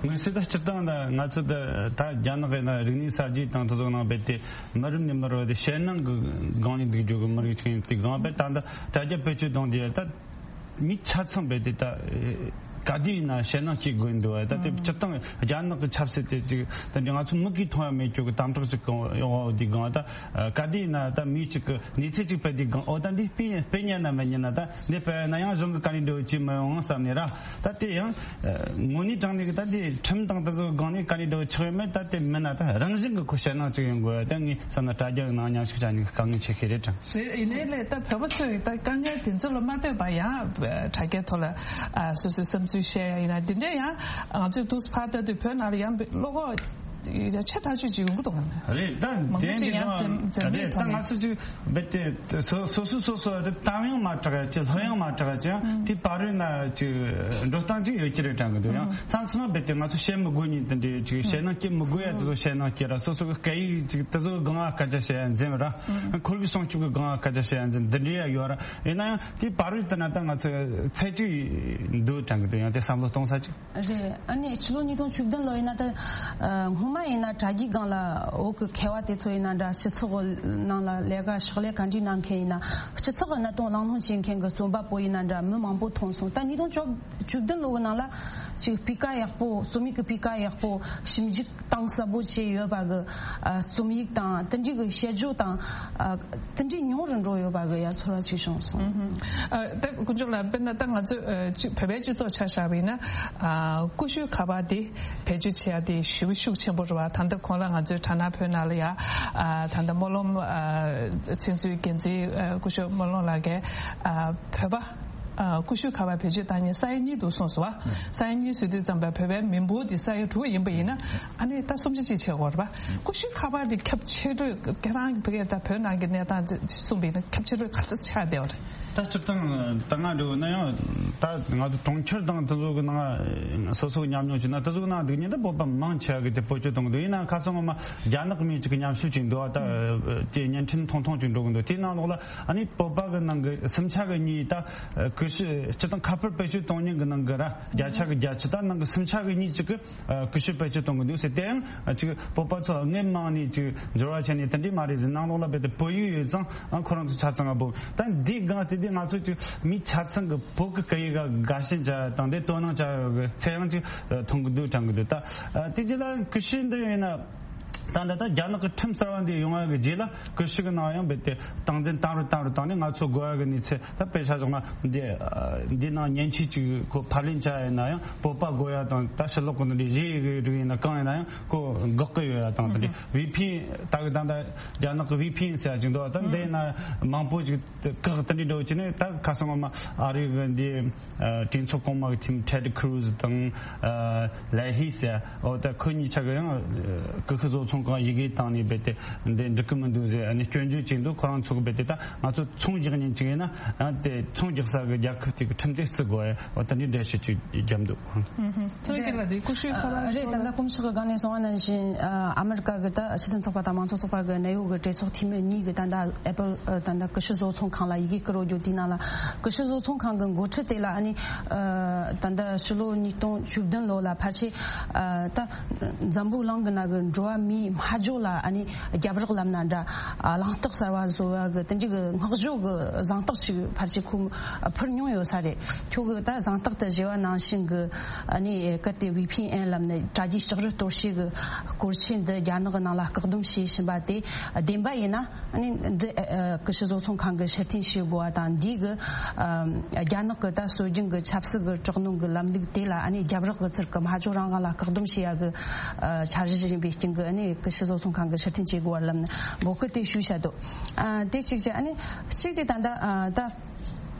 དམིགས་བསལ་ད་སྤྱིར་བཏང་ད་ང་ཚོ་ད་ད་རྒྱ་ནག་གི་ན་རིག་གནས་གསར་བརྗེ་དང་དེ་ཚོ་ནང་རྦད་དེ་མི་རབས་ནས་མི་རབས་དེ་ཞེད་སྣང་གི་སྒང་ནས་འདུག་རྒྱུ་གི་མི་རིགས་ཅིག་ཡིན་དུས་སྒང་རྦད་ད་ད་དྲ་རྒྱ་བེད་སྤྱོད་གཏོང་དུས་ད་མི་ཆ་ཚང་རྦད་དེ་ད་ག་དུས་ཡིན་ན་ཞེད་སྣང་སྐྱེ་དགོས་འདུག་བ། ད་དེ་སྤྱིར་བཏང་རྒྱ་ནག་གི་ཆབ་སྲིད་དེ་ཅིག་ད་འདི་ང་ཚོ་མིག་གིས་མཐོང་ཡ་མེད་རྒྱུ་གི་དམ་དྲག་ཅིག་གང་ཡོང་བ་འོ་དེའི་སྒང་ད་ག་དུས་ཡིན་ན་ད་མི་ཅིག་གི་གནས་ཚུལ་ཅིག་སྤེལ་དུས་སྒང་འོ་ད་འདི་སྤེལ་སྤེལ་ཉན་ན་མི་ཉན་ན་ད་འདི་སྤེལ་ན་ཡང་གཞུང་གི་བཀའ་འདྲི་འདྲ་བོ་བྱེད་མི་ཡོང་བསམ་ནས་ར། ད་དེ་ཡང་དངོས་གནས་དྲང་གནས་ཀྱི་ད་དེ་ཁྲིམས་དང་དེ་ཚོའི་སྒང་ནས་བཀའ་འདྲི་འདྲ་བོ་ཆགས་ཡོད་མེད་ད་དེ་མིན་ན་ད་རང་བཞིན་གྱི་ཁོ་ཞེད་སྣང་ཅིག་ཡོང་དགོས་ཡ། ད་ངས་བསམ་ན་དྲ་རྒྱ་ནང་མཉམ་ཞུགས་བྱ་ནི་དཀའ་ངལ་ཆེ་ཤོས་རེད་དྲན། རེད། ཡིན་ནའི་ལས་ད་བོད་པ་ཚོས་ད་དཀའ་ངལ་དེ་ཚོ་ལ་མ་ལྟོས་པར་ཡང་དྲ་རྒྱའི་ཐོག་ལ་ཨ་སོ་སོའི་བསམ་ཚུལ་བཤད་ཡ་ཡིན་ན་འདི་འདྲ་ཡང་ང་ཚོས་དུས་ཕར་ལྟ་དུས་བོད་ནང་ལ་ཡང་བློ་ཁོག་ཆེ་ཐག་ཆོད་ཅིག་ཡོང་གི་འདུག་ག་རེད། ད་མང་པོ་དེ་ཅིག་ཡང་འདི་འཛེམ་འཛེམ་རེད། ད་ཐོག་ནས་ང་ཚོ་ཅིག་རྦད་དེ་སོ་སོ་སོ་སོ་དེ་གཏམ་ཡང་མ་གྲགས་ཡ་ཅིག་ལྷོད་ཡང་མ་གྲགས་ཡ་ཅིག་ཡང་དེ་བར་རོལ་ན་ཅིག་འགྲོ་སྟངས་ཅིག་ཡོད་ཀྱི་རེད་དྲན་གི་འདུག་ཡང་མཚམས་མཚམས་རྦད་དེ་ང་ཚོ་བཤད་མི་དགོས་ཉིན་དེ་འདྲའི་ཅིག་ཞེད་སྣང་སྐྱེ་མི་དགོས་ཡ་དེ་ཚོ་ཞེད་སྣང་སྐྱེ་ར། སོ་སོ་གི་སྐད་ཡིག་ཅིག་དེ་ཚོ་གི་སྒང་ང་སྐད་ཆ་བཤད་ཡ་འཛེམ་ར། ཁོར་གི་སྲུང་སྐྱོབ་གི་སྒང་ང་སྐད་ཆ་བཤད་ཡ་འཛེམ་འདི་འདྲའི་ཡ་ཡོད་ར། ཡིན་ན་ཡང་དེ་བར་རོལ་དེ་ན་ད་ང་ཚོ་ཚད་ཅིག་འདུག་དྲན་གི་འདུག་ཡང་དེ་བསམ་བློ་གཏོང་ས་ཅིག་རེད། ཨ་ནི་ཕྱི་ལོ་ཉིས་སྟོང་བཅུ་བདུན་ལོ་ཡིན་ན་ད་ཨ་སྔོན་མ་ཡིན་ན་དྲ་རྒྱའི་སྒང་ལ་འོག་གི་མཁས་པ་དེ་ཚོ་ཡིན་ན་འདྲ། སྤྱི་ཚོགས་ནང་ལ་ལས་ཀ་ཕྱག་ལས་ག་འདྲ་གནང་མཁན་ཡིན་ན་སྤྱི་ཚོགས་ཀྱི་གནད་དོན་གླེང་སློང་བྱེད་མཁན་གྱི་རྩོམ་པ་པོ་ཡིན་ན་འདྲ་མི་མང་པོ་མཐོང་སོང་། ད་ཉིས་སྟོང་བཅུ་བདུན་ལོ་གི་ནང་ལ་ཅིག་སྤུས་ཀ་ཡག་པོ་རྩོམ་ཡིག་གི་སྤུས་ཀ་ཡག་པོ་ཞིབ་འཇུག་གཏིང་ཟབ་པོ་བྱས་ཡོད་པ་གི་ཨ་རྩོམ་ཡིག་དང་དེ་འདྲའི་གི་དཔྱད་བརྗོད་དང་ཨ་དེ་འདྲའི་ཉུང་རུ་འགྲོ་ཡོད་པ་གི་ཡ་ཚོར་བ་ཅིག་བྱུང་སོང་། ཨ་ད་དཀོན་མཆོག་ལགས། དཔེར་ན་ད་ང་ཚོས་ཨ་ཅིག་བོད་པའི་སྤྱི་ཚོགས་ཆ་བཞག་པ་ཡིན་ན་ཨ་ཀུ་ཤུ་ཁ་པར་དེ་བེད་སྤྱོད་བྱེད་ཡ་དེ་ཞེ་པོ་ཤུགས་ཆེན་པོ་རེད་བ། ད་ལྟ་གོང་ལ་ང་ཚོའི་དྲ་སྣང་བོད་ནང་ལ་ཡ་ཨ་ད་ལྟ་སྨོན་ལམ་ཨ་ཚིག་མཛོད་འགན་འཛིན་ཨ་ཀུ་ཤུ་སྨོན་ལམ་ལགས་ཀྱིས་ཨ་བོད་པ་ཨ་ཀུ་ཤུ་ཁ་པར་བེད་སྤྱོད་བཏང་མཁན་ས་ཡ་གཉིས་འདུག་གསུངས་སོང་བ། ས་ཡ་གཉིས་ཟེར་དུས་ཙམ་པ་བོད་པའི་མི་འབོར་དེ་ས་ཡ་དྲུག་ཡིན་པ་ཡིན་ན་ཨ་ནི་ད་སུམ་ཆ་གཅིག་བྱེད་དགོས་རེད་པ། ཀུ་ཤུ་ཁ་པར་དེ་ཁྱབ་ཆེ་གྲས་ཁྱེད་རང་གི་བོད་སྐད་ད་བོད་ནང་གི་གནས་སྟངས་དེ་གསུངས་པ་ཡིན་ན་ཁྱབ་ཆེ་གྲས་ག་ཚོད་ཆགས་བསྡད་པ་རེད། ད་སྤྱིར་བཏང་ད་ང་འདྲ་བོ་ན་ཡང་ད་ང་ཚོ་གྲོང་ཁྱེར་དང་དེ་ཚོ་གི་ནང་སོ་སོ་གི་ཉམས་མྱོང་བྱས་ན་དེ་ཚོ་གི་ནང་འདུག་ཉིན་ད་བོད་པ་མང་ཆེ་བ་གི་དེ་བེད་སྤྱོད་གཏོང་གི་འདུག་ཡིན་ན་ཁ་སང་ངོ་མ་རྒྱ་ནག་མི་ཅིག་གི་ཉམས་ཞིབ་ཅིག་འདུག་ད་དེ་བརྙན་འཕྲིན་ཐུང་ཐུང་ཅིག་འགྲོ་གི་འདུག་དེའི་ནང་ལོགས་ལ་ཨ་ནི་བོད་པ་གི་ནང་གི་སུམ་ཆ་གི་གཉིས་ད་ཀུ་ཤུ་སྤྱིར་བཏང་ཁ་པར་བེད་སྤྱོད་གཏོང་མཁན་གི་ནང་གི་ར་བརྒྱ་ཆ་གི་བརྒྱད་ཅུ་ད་ནང་གི་སུམ་ཆ་གི་གཉིས་ཅིག་གི་ཨ་ཀུ་ཤུ་བེད་སྤྱོད་གཏོང་གི་འདུག་ཟེར། དེ་ཡང་ཨ་ཅིག་བོད་པ་ཚོ་སྔོན་མ་ནས་ཅིག་འབྱོར་བ་བྱས་ནས་དེ་འདྲས་མ་རེད་ཟེར། ནང་ལོགས་ལ་རྦད་དེ་བོད་ཡིག་ཡོད་ཙང་ཨ་ཁོ་རང་ཚོ་ཆ་ཚང་ང་བོ་ད་འདི་སྒང་དེ་དེ་ང་ཚོ་ཅིག་མི་ཆ་ཚང་གི་བོད་ཀྱི་སྐད་ཡིག་ག་དགའ་ཞེན་བྱ་དང་དེ་དོ་སྣང་བྱ་ཡོད་གི་ཚད་ཡང་ཅིག་མཐོང་གི་འདུག་དྲན་གི་འདུག་ད་ཨ་དེ་རྗེས་ལ་ཀུ་ཤུ་འདི་ཡིན་ན་ད་འདི་ད་རྒྱ་ནག་གི་ཁྲིམས་གསར་བ་འདི་ཡོང་བ་གི་རྗེས་ལ་ཀུ་ཤུ་གི་ནང་ཡང་རྦད་དེ་སྟངས་འཛིན་བཏང་རུ་བཏང་རུ་བཏང་ནས་ང་ཚོ་དགོས་ཡ་གི་གནས་ཚུལ། ད་དཔེ་ཆ་བཞག་ན་འདི་འདི་ནང་མཉེན་ཆས་ཅིག་ཁོ་ཕབ་ལེན་བྱ་ཡ་ཡིན་ན་ཡང་བོད་པ་དགོས་ཡ་དང་ད་ཕྱི་ལོགས་གི་འདི་གཞི་ཡི་གི་རིགས་ཡིན་ན་གང་ཡིན་ན་ཡང་ཁོ་འགོག་གི་ཡོད་ཡ་དང་། དེ་འདྲའི་ཝི་ཕི་ཨེན་ད་གི་ད་ད་རྒྱ་ནག་གི་ཝི་ཕི་ཨེན་ཟེར་ཡ་ཅིག་འདུག་ད་འདི་ཡིན་ན་མང་པོ་ཅིག་བཀག་དེ་འདྲའི་འདྲ་བོ་བྱས་ནས། ད་ཁ་སང་ངོ་མ་ཨ་རི་གི་འདི་གྲོས་ཚོགས་གོང་མ་གི་ཐིམ་ཊེ་ཌི་ཁུ་རུ་ཛི་དང་ལེ་ཧི་ཟེར་ཡ་འོ་ད་ཁོ་གཉིས་ཆ་གི་ཡང་ཀུ་ཤུ་བཟོ་ཚོང་ཁང་ཡི་གེ་བཏང་ནས་རྦད་དེ་འདི་འགྲིག་གི་མི་འདུག་ཟེར་ཨ་ནི་སྐྱོན་བརྗོད་བྱས་འདུག་ཁོ་རང་ཚོ་གི་རྦད་དེ་ད་ང་ཚོ་ཚོང་རྒྱག་མཁན་ཅིག་ཡིན་ན་ཨ་དེ་ཚོང་རྒྱག་ས་གི་རྒྱལ་ཁབ་དེ་གི་ཁྲིམས་དེ་བརྩི་དགོས་ཡ་འོ་ད་འདི་འགྲེལ་བཤད་ཅིག་བརྒྱབ་འདུག་ཚོད་ཀྱི་ལ་དེ་ཀུ་ཤུའི་ཁ་པར་རེད། ད་ལྟ་དཀོན་མཆོག་གི་སྒང་ནས་གསུངས་པ་ནང་བཞིན་ཨ་མེ་རི་ཀ་གི་ད་སྤྱི་མཐུན་ཚོགས་པ་དང་མང་གཙོ་ཚོགས་པ་གི་གནད་ཡོད་གི་གྲོས་ཚོགས་འཐུས་མི་གཉིས་གི་ད་ལྟ་ཨེ་པལ་ད་ལྟ་ཀུ་ཤུ་བཟོ་ཚོང་ཁང་ལ་ཡི་གེ་བསྐུར་རོགས་རྒྱུ་དེའི་ནང་ལ་ཀུ་ཤུ་བཟོ་ཚོང་ཁང་གི་འགོ་ཁྲིད་དེ་ལ་ཨ་ནི་ད་ལྟ་ཕྱི་ལོ་ཉིས་སྟོང་བཅུ་བདུན་ལོ་ལ་ཕལ་ཆེར་ད་འཛམ་བུ་གླིང་གི་ནང་གི་འགྲོ་བ་མིའི་སྨྲ་བརྗོད་ལ་ཨ་ནི་རྒྱབ་རོགས་ལབ་ན་འདྲ། གླེང་སྟེགས་གསར་བ་བཟོ་བ་གི་དེ་འདྲ་གི་བསྔགས་བརྗོད་གི་གཟེངས་རྟགས་ཤིག་ཕལ་ཆེར་ཁོ་ཕུལ་མྱོང་ཡོད་ས་རེད། ཁྱོད་གི་ད་གཟེངས་རྟགས་དེ་བཞེས་པ་ནང་བཞིན་གི་ཨ་ནི་གལ་ཏེ་ཝི་ཕི་ཨེན་ལབ་ནས་དྲ་རྒྱའི་ལྕགས་རི་གཏོར་བཤིག་གི་སྐོར་ཆེན་འདི་རྒྱ་ནག་གི་ནང་ལ་བཀག་སྡོམ་བྱས་ཕྱིན་པ་དེ་བདེན་པ་ཡིན་ན། ཨ་ནི་འདི་ཨ་ཀུ་ཤུ་བཟོ་ཚོང་ཁང་གི་ཕྱིར་འཐེན་བྱེད་དགོས་པ་དང་། འདིའི་གི་ཨ་རྒྱ་ནག་གི་ད་སྲོལ་རྒྱུན་གི་ཆབ་སྲིད་གི་དྲག་གནོན་གི་ལམ་ལུགས་དེ་ལ་ཨ་ནི་རྒྱབ་རོགས་གི་ཚུལ་གི་སྨྲ་བརྗོད་རང་དབང་ལ་བཀག་སྡོམ་བྱེད་ཡ་གི་ཨ་འཆར་གཞི་ཡིན་པའི་རྐྱེན་གི་ཨ་ནི་ཀུ་ཤུ་བཟོ་ཚོང་ཁང་གི་ཕྱིར་འཐེན་བྱེད་དགོས་པ་ལབ་ནས་འབོད་སྐུལ་དེ་ཞུས་བྱ་འདུག་ཨ་དེ་གཅིག་བྱས། ཨ་ནི་གཅིག་དེ་ད་ལྟ་ཨ་ད་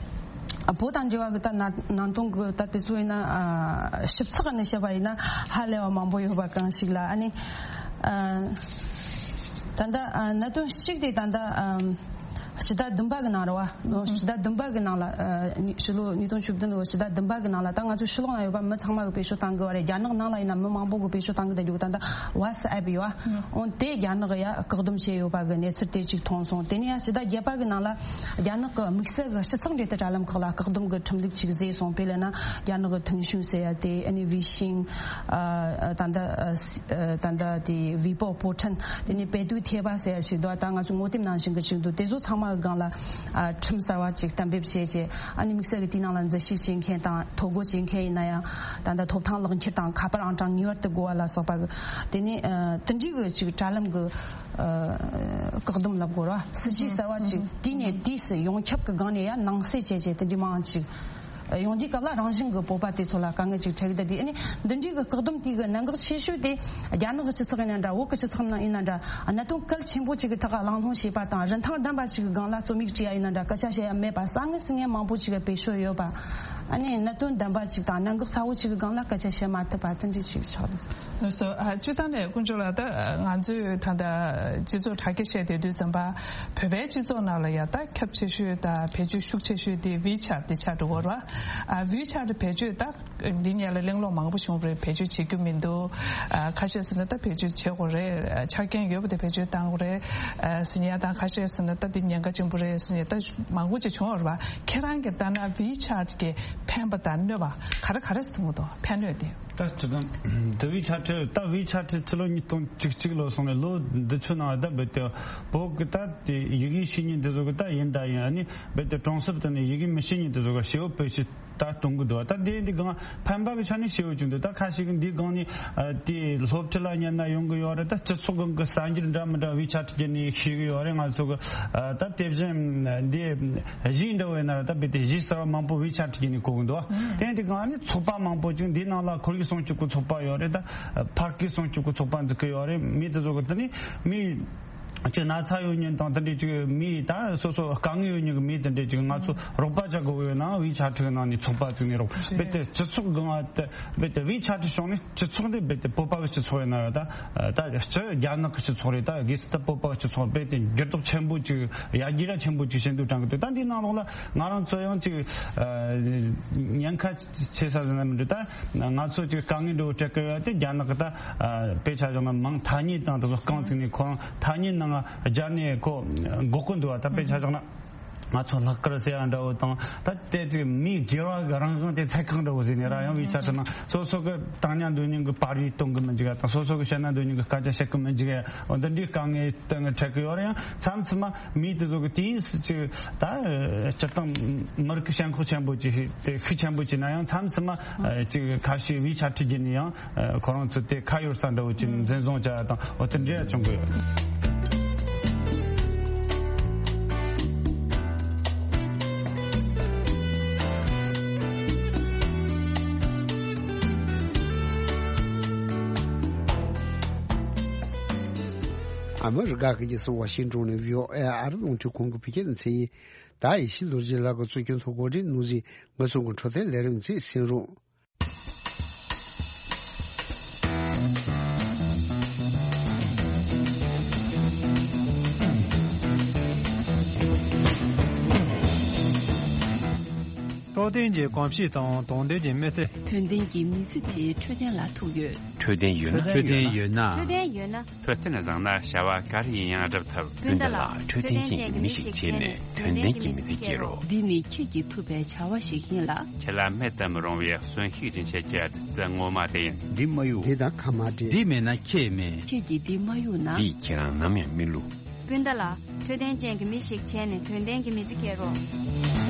བོད་དང་འབྲེལ་བ་གི་ད་ན་ནང་དོན་གི་ད་དེ་ཚོ་ཡིན་ན་ཨ་ཞིབ་ཚགས་ནས་བཤད་པ་ཡིན་ན་ཧ་ལས་པ་མང་པོ་ཡོད་པ་གང་ཞིག་ལ། ཨ་ནི་ཨ་ད་ལྟ་ཨ་གནད་དོན་གཅིག་དེ་ད་ལྟ་ཨ་ སྤྱི་ཟླ་བདུན་པ་གི་ནང་རེད་བ། སྤྱི་ཟླ་བདུན་པ་གི་ནང་ལ་ཨ་ཕྱི་ལོ་ཉིས་སྟོང་བཅུ་བདུན་ལོའི་སྤྱི་ཟླ་བདུན་པ་གི་ནང་ལ་ད་ང་ཚོ་ཕྱི་ལོགས་ན་ཡོད་པ་མི་ཚང་མ་གི་བེད་སྤྱོད་བཏང་གི་བ་རེད། རྒྱ་ནག་ནང་ལ་ཡིན་ན་མི་མང་པོ་གི་བེད་སྤྱོད་བཏང་གི་ད་རྒྱུ་ད་ད་ཝ་ཊི་སི་ཨེབ་ཡོད་བ། འོན་ཏེ་རྒྱ་ནག་ཡ་བཀག་སྡོམ་བྱས་ཡོད་པ་གི་གནས་ཚུལ་དེ་ཅིག་མཐོང་སོང་། དེ་ནས་ཡ་སྤྱི་ཟླ་བརྒྱད་པ་གི་ནང་ལ་རྒྱ་ནག་གི་དམིགས་བསལ་གི་སྤྱི་ཚོགས་འབྲེལ་མཐུད་དྲ་ལམ་ཁག་ལ་བཀག་སྡོམ་གི་ཁྲིམས་ལུགས་ཅིག་བཟོས་སོང་། དཔེ་ལབ་ན་རྒྱ་ནག་གི་ཐེང་ཤུན་ཟེར་ཡ་དེ་ཨ་ནི་ཝི་ཤིང་ཨ་ད་ད་ད་ད་དེ་ཝི་པོ་པོ་ཁྲན། དེ་ནས་པེ་ཏུའུ་ཐེ་བ་ཟེར་ཞིག་འདུག་ད་ང་ཚོ་ངོ་དེབ་ནང་བཞིན་གྱི་ཞིག་འདུག་དེ་ཚོ་ཚང་མ་གི་སྒང་ལ་ཨ་ཁྲིམས་གསར་བ་ཅིག་གཏན་འབེབས་བྱས་རྗེས། ཨ་ནི་དམིགས་བསལ་གྱི་དེའི་ནང་ལ་འཛུལ་ཞུགས་བྱེད་མཁན་དང་ཐོ་འགོད་བྱེད་མཁན་ཡིན་ན་ཡང་ད་ལྟ་ཐོབ་ཐང་ལག་འཁྱེར་དང་ཁ་པར་ཨང་གྲངས་ངེས་པར་དུ་དགོས་པ་ལ་སོགས་པ་གི། དེ་ནས་ཨ་དེ་འདྲའི་གི་ཅིག་དྲ་ལམ་གི་ཨ་བཀག་སྡོམ་ལབ་དགོས་ར། སྲིད་ཇུས་གསར་བ་ཅིག་དུས་ནས་དུས་སུ་ཡོངས་ཁྱབ་ཀྱི་སྒང་ནས་ཡང་ནང་གསེས་བྱས་བྱས་དེ་འདྲའི་མང་ཅིག་ཡོང་དུས་སྐབས་ལ་རང་བཞིན་གྱི་བོད་པ་དེ་ཚོ་ལ་དཀའ་ངལ་ཅིག་འཕྲད་ཀྱི་འདུག་དེ་ཨ་ནི་འདི་འདྲའི་གི་བཀག་སྡོམ་དེ་གི་གནད་འགག་ཆེ་ཤོས་དེ་རྒྱ་ནག་གི་སྤྱི་ཚོགས་ཡིན་ན་འདྲ། བོད་ཀྱི་སྤྱི་ཚོགས་ནང་ཡིན་ན་འདྲ། གནད་དོན་གལ་ཆེན་པོ་ཅིག་གི་ཐོག་གླེང་སློང་བྱེད་པ་དང་རིན་ཐང་ལྡན་པ་ཅིག་གི་སྒང་ལ་རྩོམ་ཡིག་བྲིས་ཡ་ཡིན་ན་འདྲ། སྐད་ཆ་བཤད་ཡ་མེད་པ། དཀའ་ངལ་སེལ་མཁན་མང་པོ་ཅིག་གི་བེད་སྤྱོད་ཡོད་པ། ཨ་ནི་གནད་དོན་ལྡན་པ་ཅིག་དང་གནད་འགག་ཚ་བོ་ཅིག་གི་སྒང་ལ་སྐད་ཆ་བཤད་མ་ཐུབ་པ་དེ་འདྲ་ཅིག་ཆགས་འདུག་སོ། ཨ་སྤྱིར་བཏང་ནས་དཀོན་མཆོག་ལགས། ད་ང་ཚོས་ད་ལྟ་སྤྱི་ཚོགས་དྲ་རྒྱ་བཤད་བསྡད་དུས་ཙམ་པ། བོད་པའི་སྤྱི་ཚོགས་ནང་ལ་ཡ་ད་ཁྱབ་ཆེ་ཤོས་དང་བེད་སྤྱོད་ཤུགས་ཆེ་ཤོས་དེ་ཝི་ཆེ་ཊི་དེ་ཆགས་འགྲོ་གི་རེད་བ། ཨ་ཝི་ཆེ་ཊི་བེད་སྤྱོད་ད་འདི་ཉིད་ལ་གླེང་སློང་མང་པོ་བྱུང་རེད། བེད་སྤྱོད་བྱེད་རྒྱུ་མི་འདུག་ཨ་ཁ་ཤས་ཟེར་ན་ད་བེད་སྤྱོད་བྱེད་དགོས་རེད། ཆ་རྐྱེན་ཡོད་པ་དེ་བེད་སྤྱོད་བཏང་དགོས་རེད། ཨ་ཟེར་ཡ་དང་། ཁ་ཤས་ཟེར་ན་ད་འདི་ཉེན་ཁ་ཆེན་པོ་རེད་ཟེར་ཡ་ད་མང་པོ་ཅིག་བྱུང་བ་རེད་བ། ཁྱེད་རང་གིས་ལྟ་ན་ཝི་ཆེ་ཊི་གི་ཕན་པ་དང་གནོད་པ་ག་རེ་ག་རེ་ཟེར་གྱི་འདུག་ཕན་གནོད་དེ། ད་སྤྱིར་བཏང་དེ་ཝི་ཆེ་ཊི། ད་ཝི་ཆེ་ཊི་ཕྱི་ལོ་ཉིས་སྟོང་བཅུ་གཅིག་ལོ་སོང་ནས་ལོ་འདི་ཚོའི་ནང་ད་རྦད་དེ་བོད་ཀྱི་ད་དེ་ཡི་གེ་ཤེས་མཁན་དེ་ཚོ་གི་ད་ཡིན་ད་ཡིན། ཨ་ནི་རྦད་དེ་གྲོང་གསེབ་དེ་ནས་ཡི་གེ་མི་ཤེས་མཁན་དེ་ཚོ་གི་ཞེ་པོ་བེད་སྤྱོད་ད་གཏོང་གི་འདུག་ད་དེ་འདི་སྒང་ཕན་པ་གི་ཆ་ནས་ཞེ་པོ་ཅིག་འདུག་ད་ཁ་ཤས་ཀྱིས་འདི་སྒང་ནས་ཨ་དེ་སློབ་ཁྲིད་ལ་ཉན་ན་ཡོང་གི་ཡོད་རེད། ད་སྤྱི་ཚོགས་སྒང་གི་གསར་འགྱུར་འདྲ་མི་འདྲ་ཝི་ཆེ་ཊི་བརྒྱུད་ནས་ཤེས་གི་ཡོད་རེད། ང་ཚོ་གི་ཨ་ད་དེ་བཞིན་འདི་གཞས་འདྲ་བོ་ཡིན་ན་ར། ད་རྦད་དེ་གཞས་གསར་བ་མང་པོ་ཝི་ཆེ་ཊི་བརྒྱུད་ནས་གོ་གི་འདུག་དེ་འདི་སྒང་ནི་ཚོགས་པ་མང་པོ་ཅིག་འདི་ནང་ལ་ཁོར་ཡུག་སྲུང་སྐྱོབ་ཀྱི་ཚོགས་པ་ཡོད་རེད། ད་ཕར་སྐད་སྲུང་སྐྱོབ་ཀྱི་ཚོགས་པ་འཛུགས་ཀྱི་ཡོད་རེད། མི་དེ་ཚོ་གི་དེ་ནི་མི་ཅིག་ན་ཚ་ཡོད་མཁན་དང་དེ་འདྲའི་ཅིག་མི་ད་སོ་སོ་དཀའ་ངལ་ཡོད་མཁན་གྱི་མི་དེ་འདྲའི་ཅིག་ང་ཚོ་རོགས་པ་བྱ་དགོས་ཡོད་ན་ཝི་ཆེ་ཊི་གི་ནང་ནས་ཚོགས་པ་བཙུགས་ནས་རོགས། རྦད་དེ་སྤྱི་ཚོགས་སྒང་ང་དེ་རྦད་དེ་ཝི་ཆེ་ཊི་བྱུང་ནས་སྤྱི་ཚོགས་འདི་རྦད་དེ་བོད་པ་གི་སྤྱི་ཚོགས་ཡིན་ན་ར། ད་ད་སྤྱི་རྒྱ་ནག་གི་སྤྱི་ཚོགས་རེད། ད་གལ་སྲིད་ད་བོད་པ་གི་སྤྱི་ཚོགས་རྦད་དེ་འགྱུར་ལྡོག་ཆེན་པོ་ཅིག་ཡར་རྒྱས་ར་ཆེན་པོ་ཅིག་བྱེད་འདུག་དྲན་གི་འདུག་ད་འདིའི་ནང་ལོགས་ལ་ང་རང་ཚོ་ཡང་ཅིག་ཨ་ཉེན་ཁ་ཆེ་ས་ཟེར་ན་མི་འདུག་ད་ང་ཚོ་ཅིག་དཀའ་ངལ་འདྲ་བོ་འཕྲད་ཀྱི་ཡོད་དེ། རྒྱ་ནག་གི་ད་ཨ་དཔེ་ཆ་བཞག་ན་མིང་ཐ་སྙད་དང་དེ་ཚོ་རྐང་བཙུགས་ནས་ཁོ་རང་ཐ་སྙད་ནང་སྦྱར་ནས་ཁོ་འགོག་གི་འདུག་བ། ད་དཔེ་ཆ་བཞག་ན་ང་ཚོ་ལྷག་དཀར་ཟེར་ཡ་འདྲ་བོ་དང་། ད་དེ་ཅིག་མིའི་སྒེར་བ་གི་རང་དབང་དེ་ཚད་བཀག་འདྲ་བོ་ཟེར་ནས་ར། ཡང་ཝི་ཆེ་ཊི་ནང་སོ་སོ་གི་བཏང་སྙོམས་འདོན་སྙོམས་གི་པར་རིས་གཏོང་གི་མི་འཇུག་ཡ་དང་། སོ་སོ་གི་བཤད་ན་འདོད་སྙོམས་གི་སྐད་ཆ་བཤད་གི་མི་འཇུག་ཡ། འོ་འདི་འདྲའི་དཀའ་ངལ་དེ་འཕྲད་གི་ཡོད་རེད། ཡང་མཚམས་མཚམས་མ་མི་དེ་ཚོ་གི་དུས་སུ་ཅིག་ད་སྤྱིར་བཏང་མི་རིགས་ཀྱི་ཞེན་ཁོག་ཆེན་པོ་ཅིག་དེ་ཤུགས་ཆེན་པོ་ཅིག་ན་ཡང་། མཚམས་མཚམས་མ་ཅིག་ཁ་ཤས་ཝི་ཆེ་ཊི་བརྒྱུད་ནས་ཡང་ཁོ་རང་ཚོ་དེ་ཁ་གཡར་ས་འདྲ་བོ་ཅིག་འཛིན་བཟུང་བྱ་ཡ་དང་འོ་དེ་འདྲ་ཡ་བྱུང་གི་ཡོད། ཨ་མི་རི་ཀ་གི་རྒྱལ་ས་ཝ་ཤིང་ཏོན་ནས་བྷི་ཨོ་ཨེ་ཨ་རིའི་རླུང་འཕྲིན་ཁང་གི་བོད་སྐད་སྡེ་ཚན་ཡིན། ད་ཡེ་ཤེས་རྡོ་རྗེ་ལགས་ཀྱིས་གཙོ་སྐྱོང་ཐོག་གོ་སྒྲིག་གནང་ཟིན་ངོས་བཟུང་གི་འཕྲོད་བསྟེན་ལས་རིམ་ཚིག་གསན་རོགས། འཕྲོད་བསྟེན་གྱི་གོམས་གཤིས་དང་དོན་ལྡན་གྱི་མི་ཚེ། དོན་ལྡན་གྱི་མི་ཚེ་དེ་འཕྲོད་བསྟེན་ལ་ཐུག་ཡོད། འཕྲོད་བསྟེན་ཡོད་ན། འཕྲོད་བསྟེན་ཡོད་ན། འཕྲོད་བསྟེན་བཟང་ན་བྱ་བ་ག་རེ་ཡིན་ཡང་འགྲུབ་ཐུབ། སྤུན་ཟླ་ལགས། འཕྲོད་བསྟེན་ཅན་གྱི་མི་ཞིག་བྱས་ནས་དོན་ལྡན་གྱི་མི་ཚེ་སྐྱེལ་རོགས། འདི་ནི་ཁྱེད་ཀྱིས་ཐུབ་པའི་བྱ་བ་ཞིག་ཡིན་ལ། ཁྱེད་ལ་མེད་དུ་མི་རུང་བའི་གསོན་ཤུགས་སྦྱིན་བྱེད་ཀྱི་བདུད་རྩི་ངོ་མ་དེ་ཡིན། འདི་མ་གཡུག་འདི་དང་ཁ་མ་འབྲལ། འདི་མེད་ན་ཁྱེད་མེད། ཁྱེད་ཀྱིས་འདི་མ་གཡུག་ན། འདིས་ཁྱེད་རང་ནམ་ཡང་མི་བསླུ། སྤུན་ཟླ་ལགས། འཕྲོད་བསྟེན་ཅན་གྱི་མི་ཞིག་བྱས་ནས་དོན་ལྡན་གྱི་མི་ཚེ་སྐྱེལ་རོགས།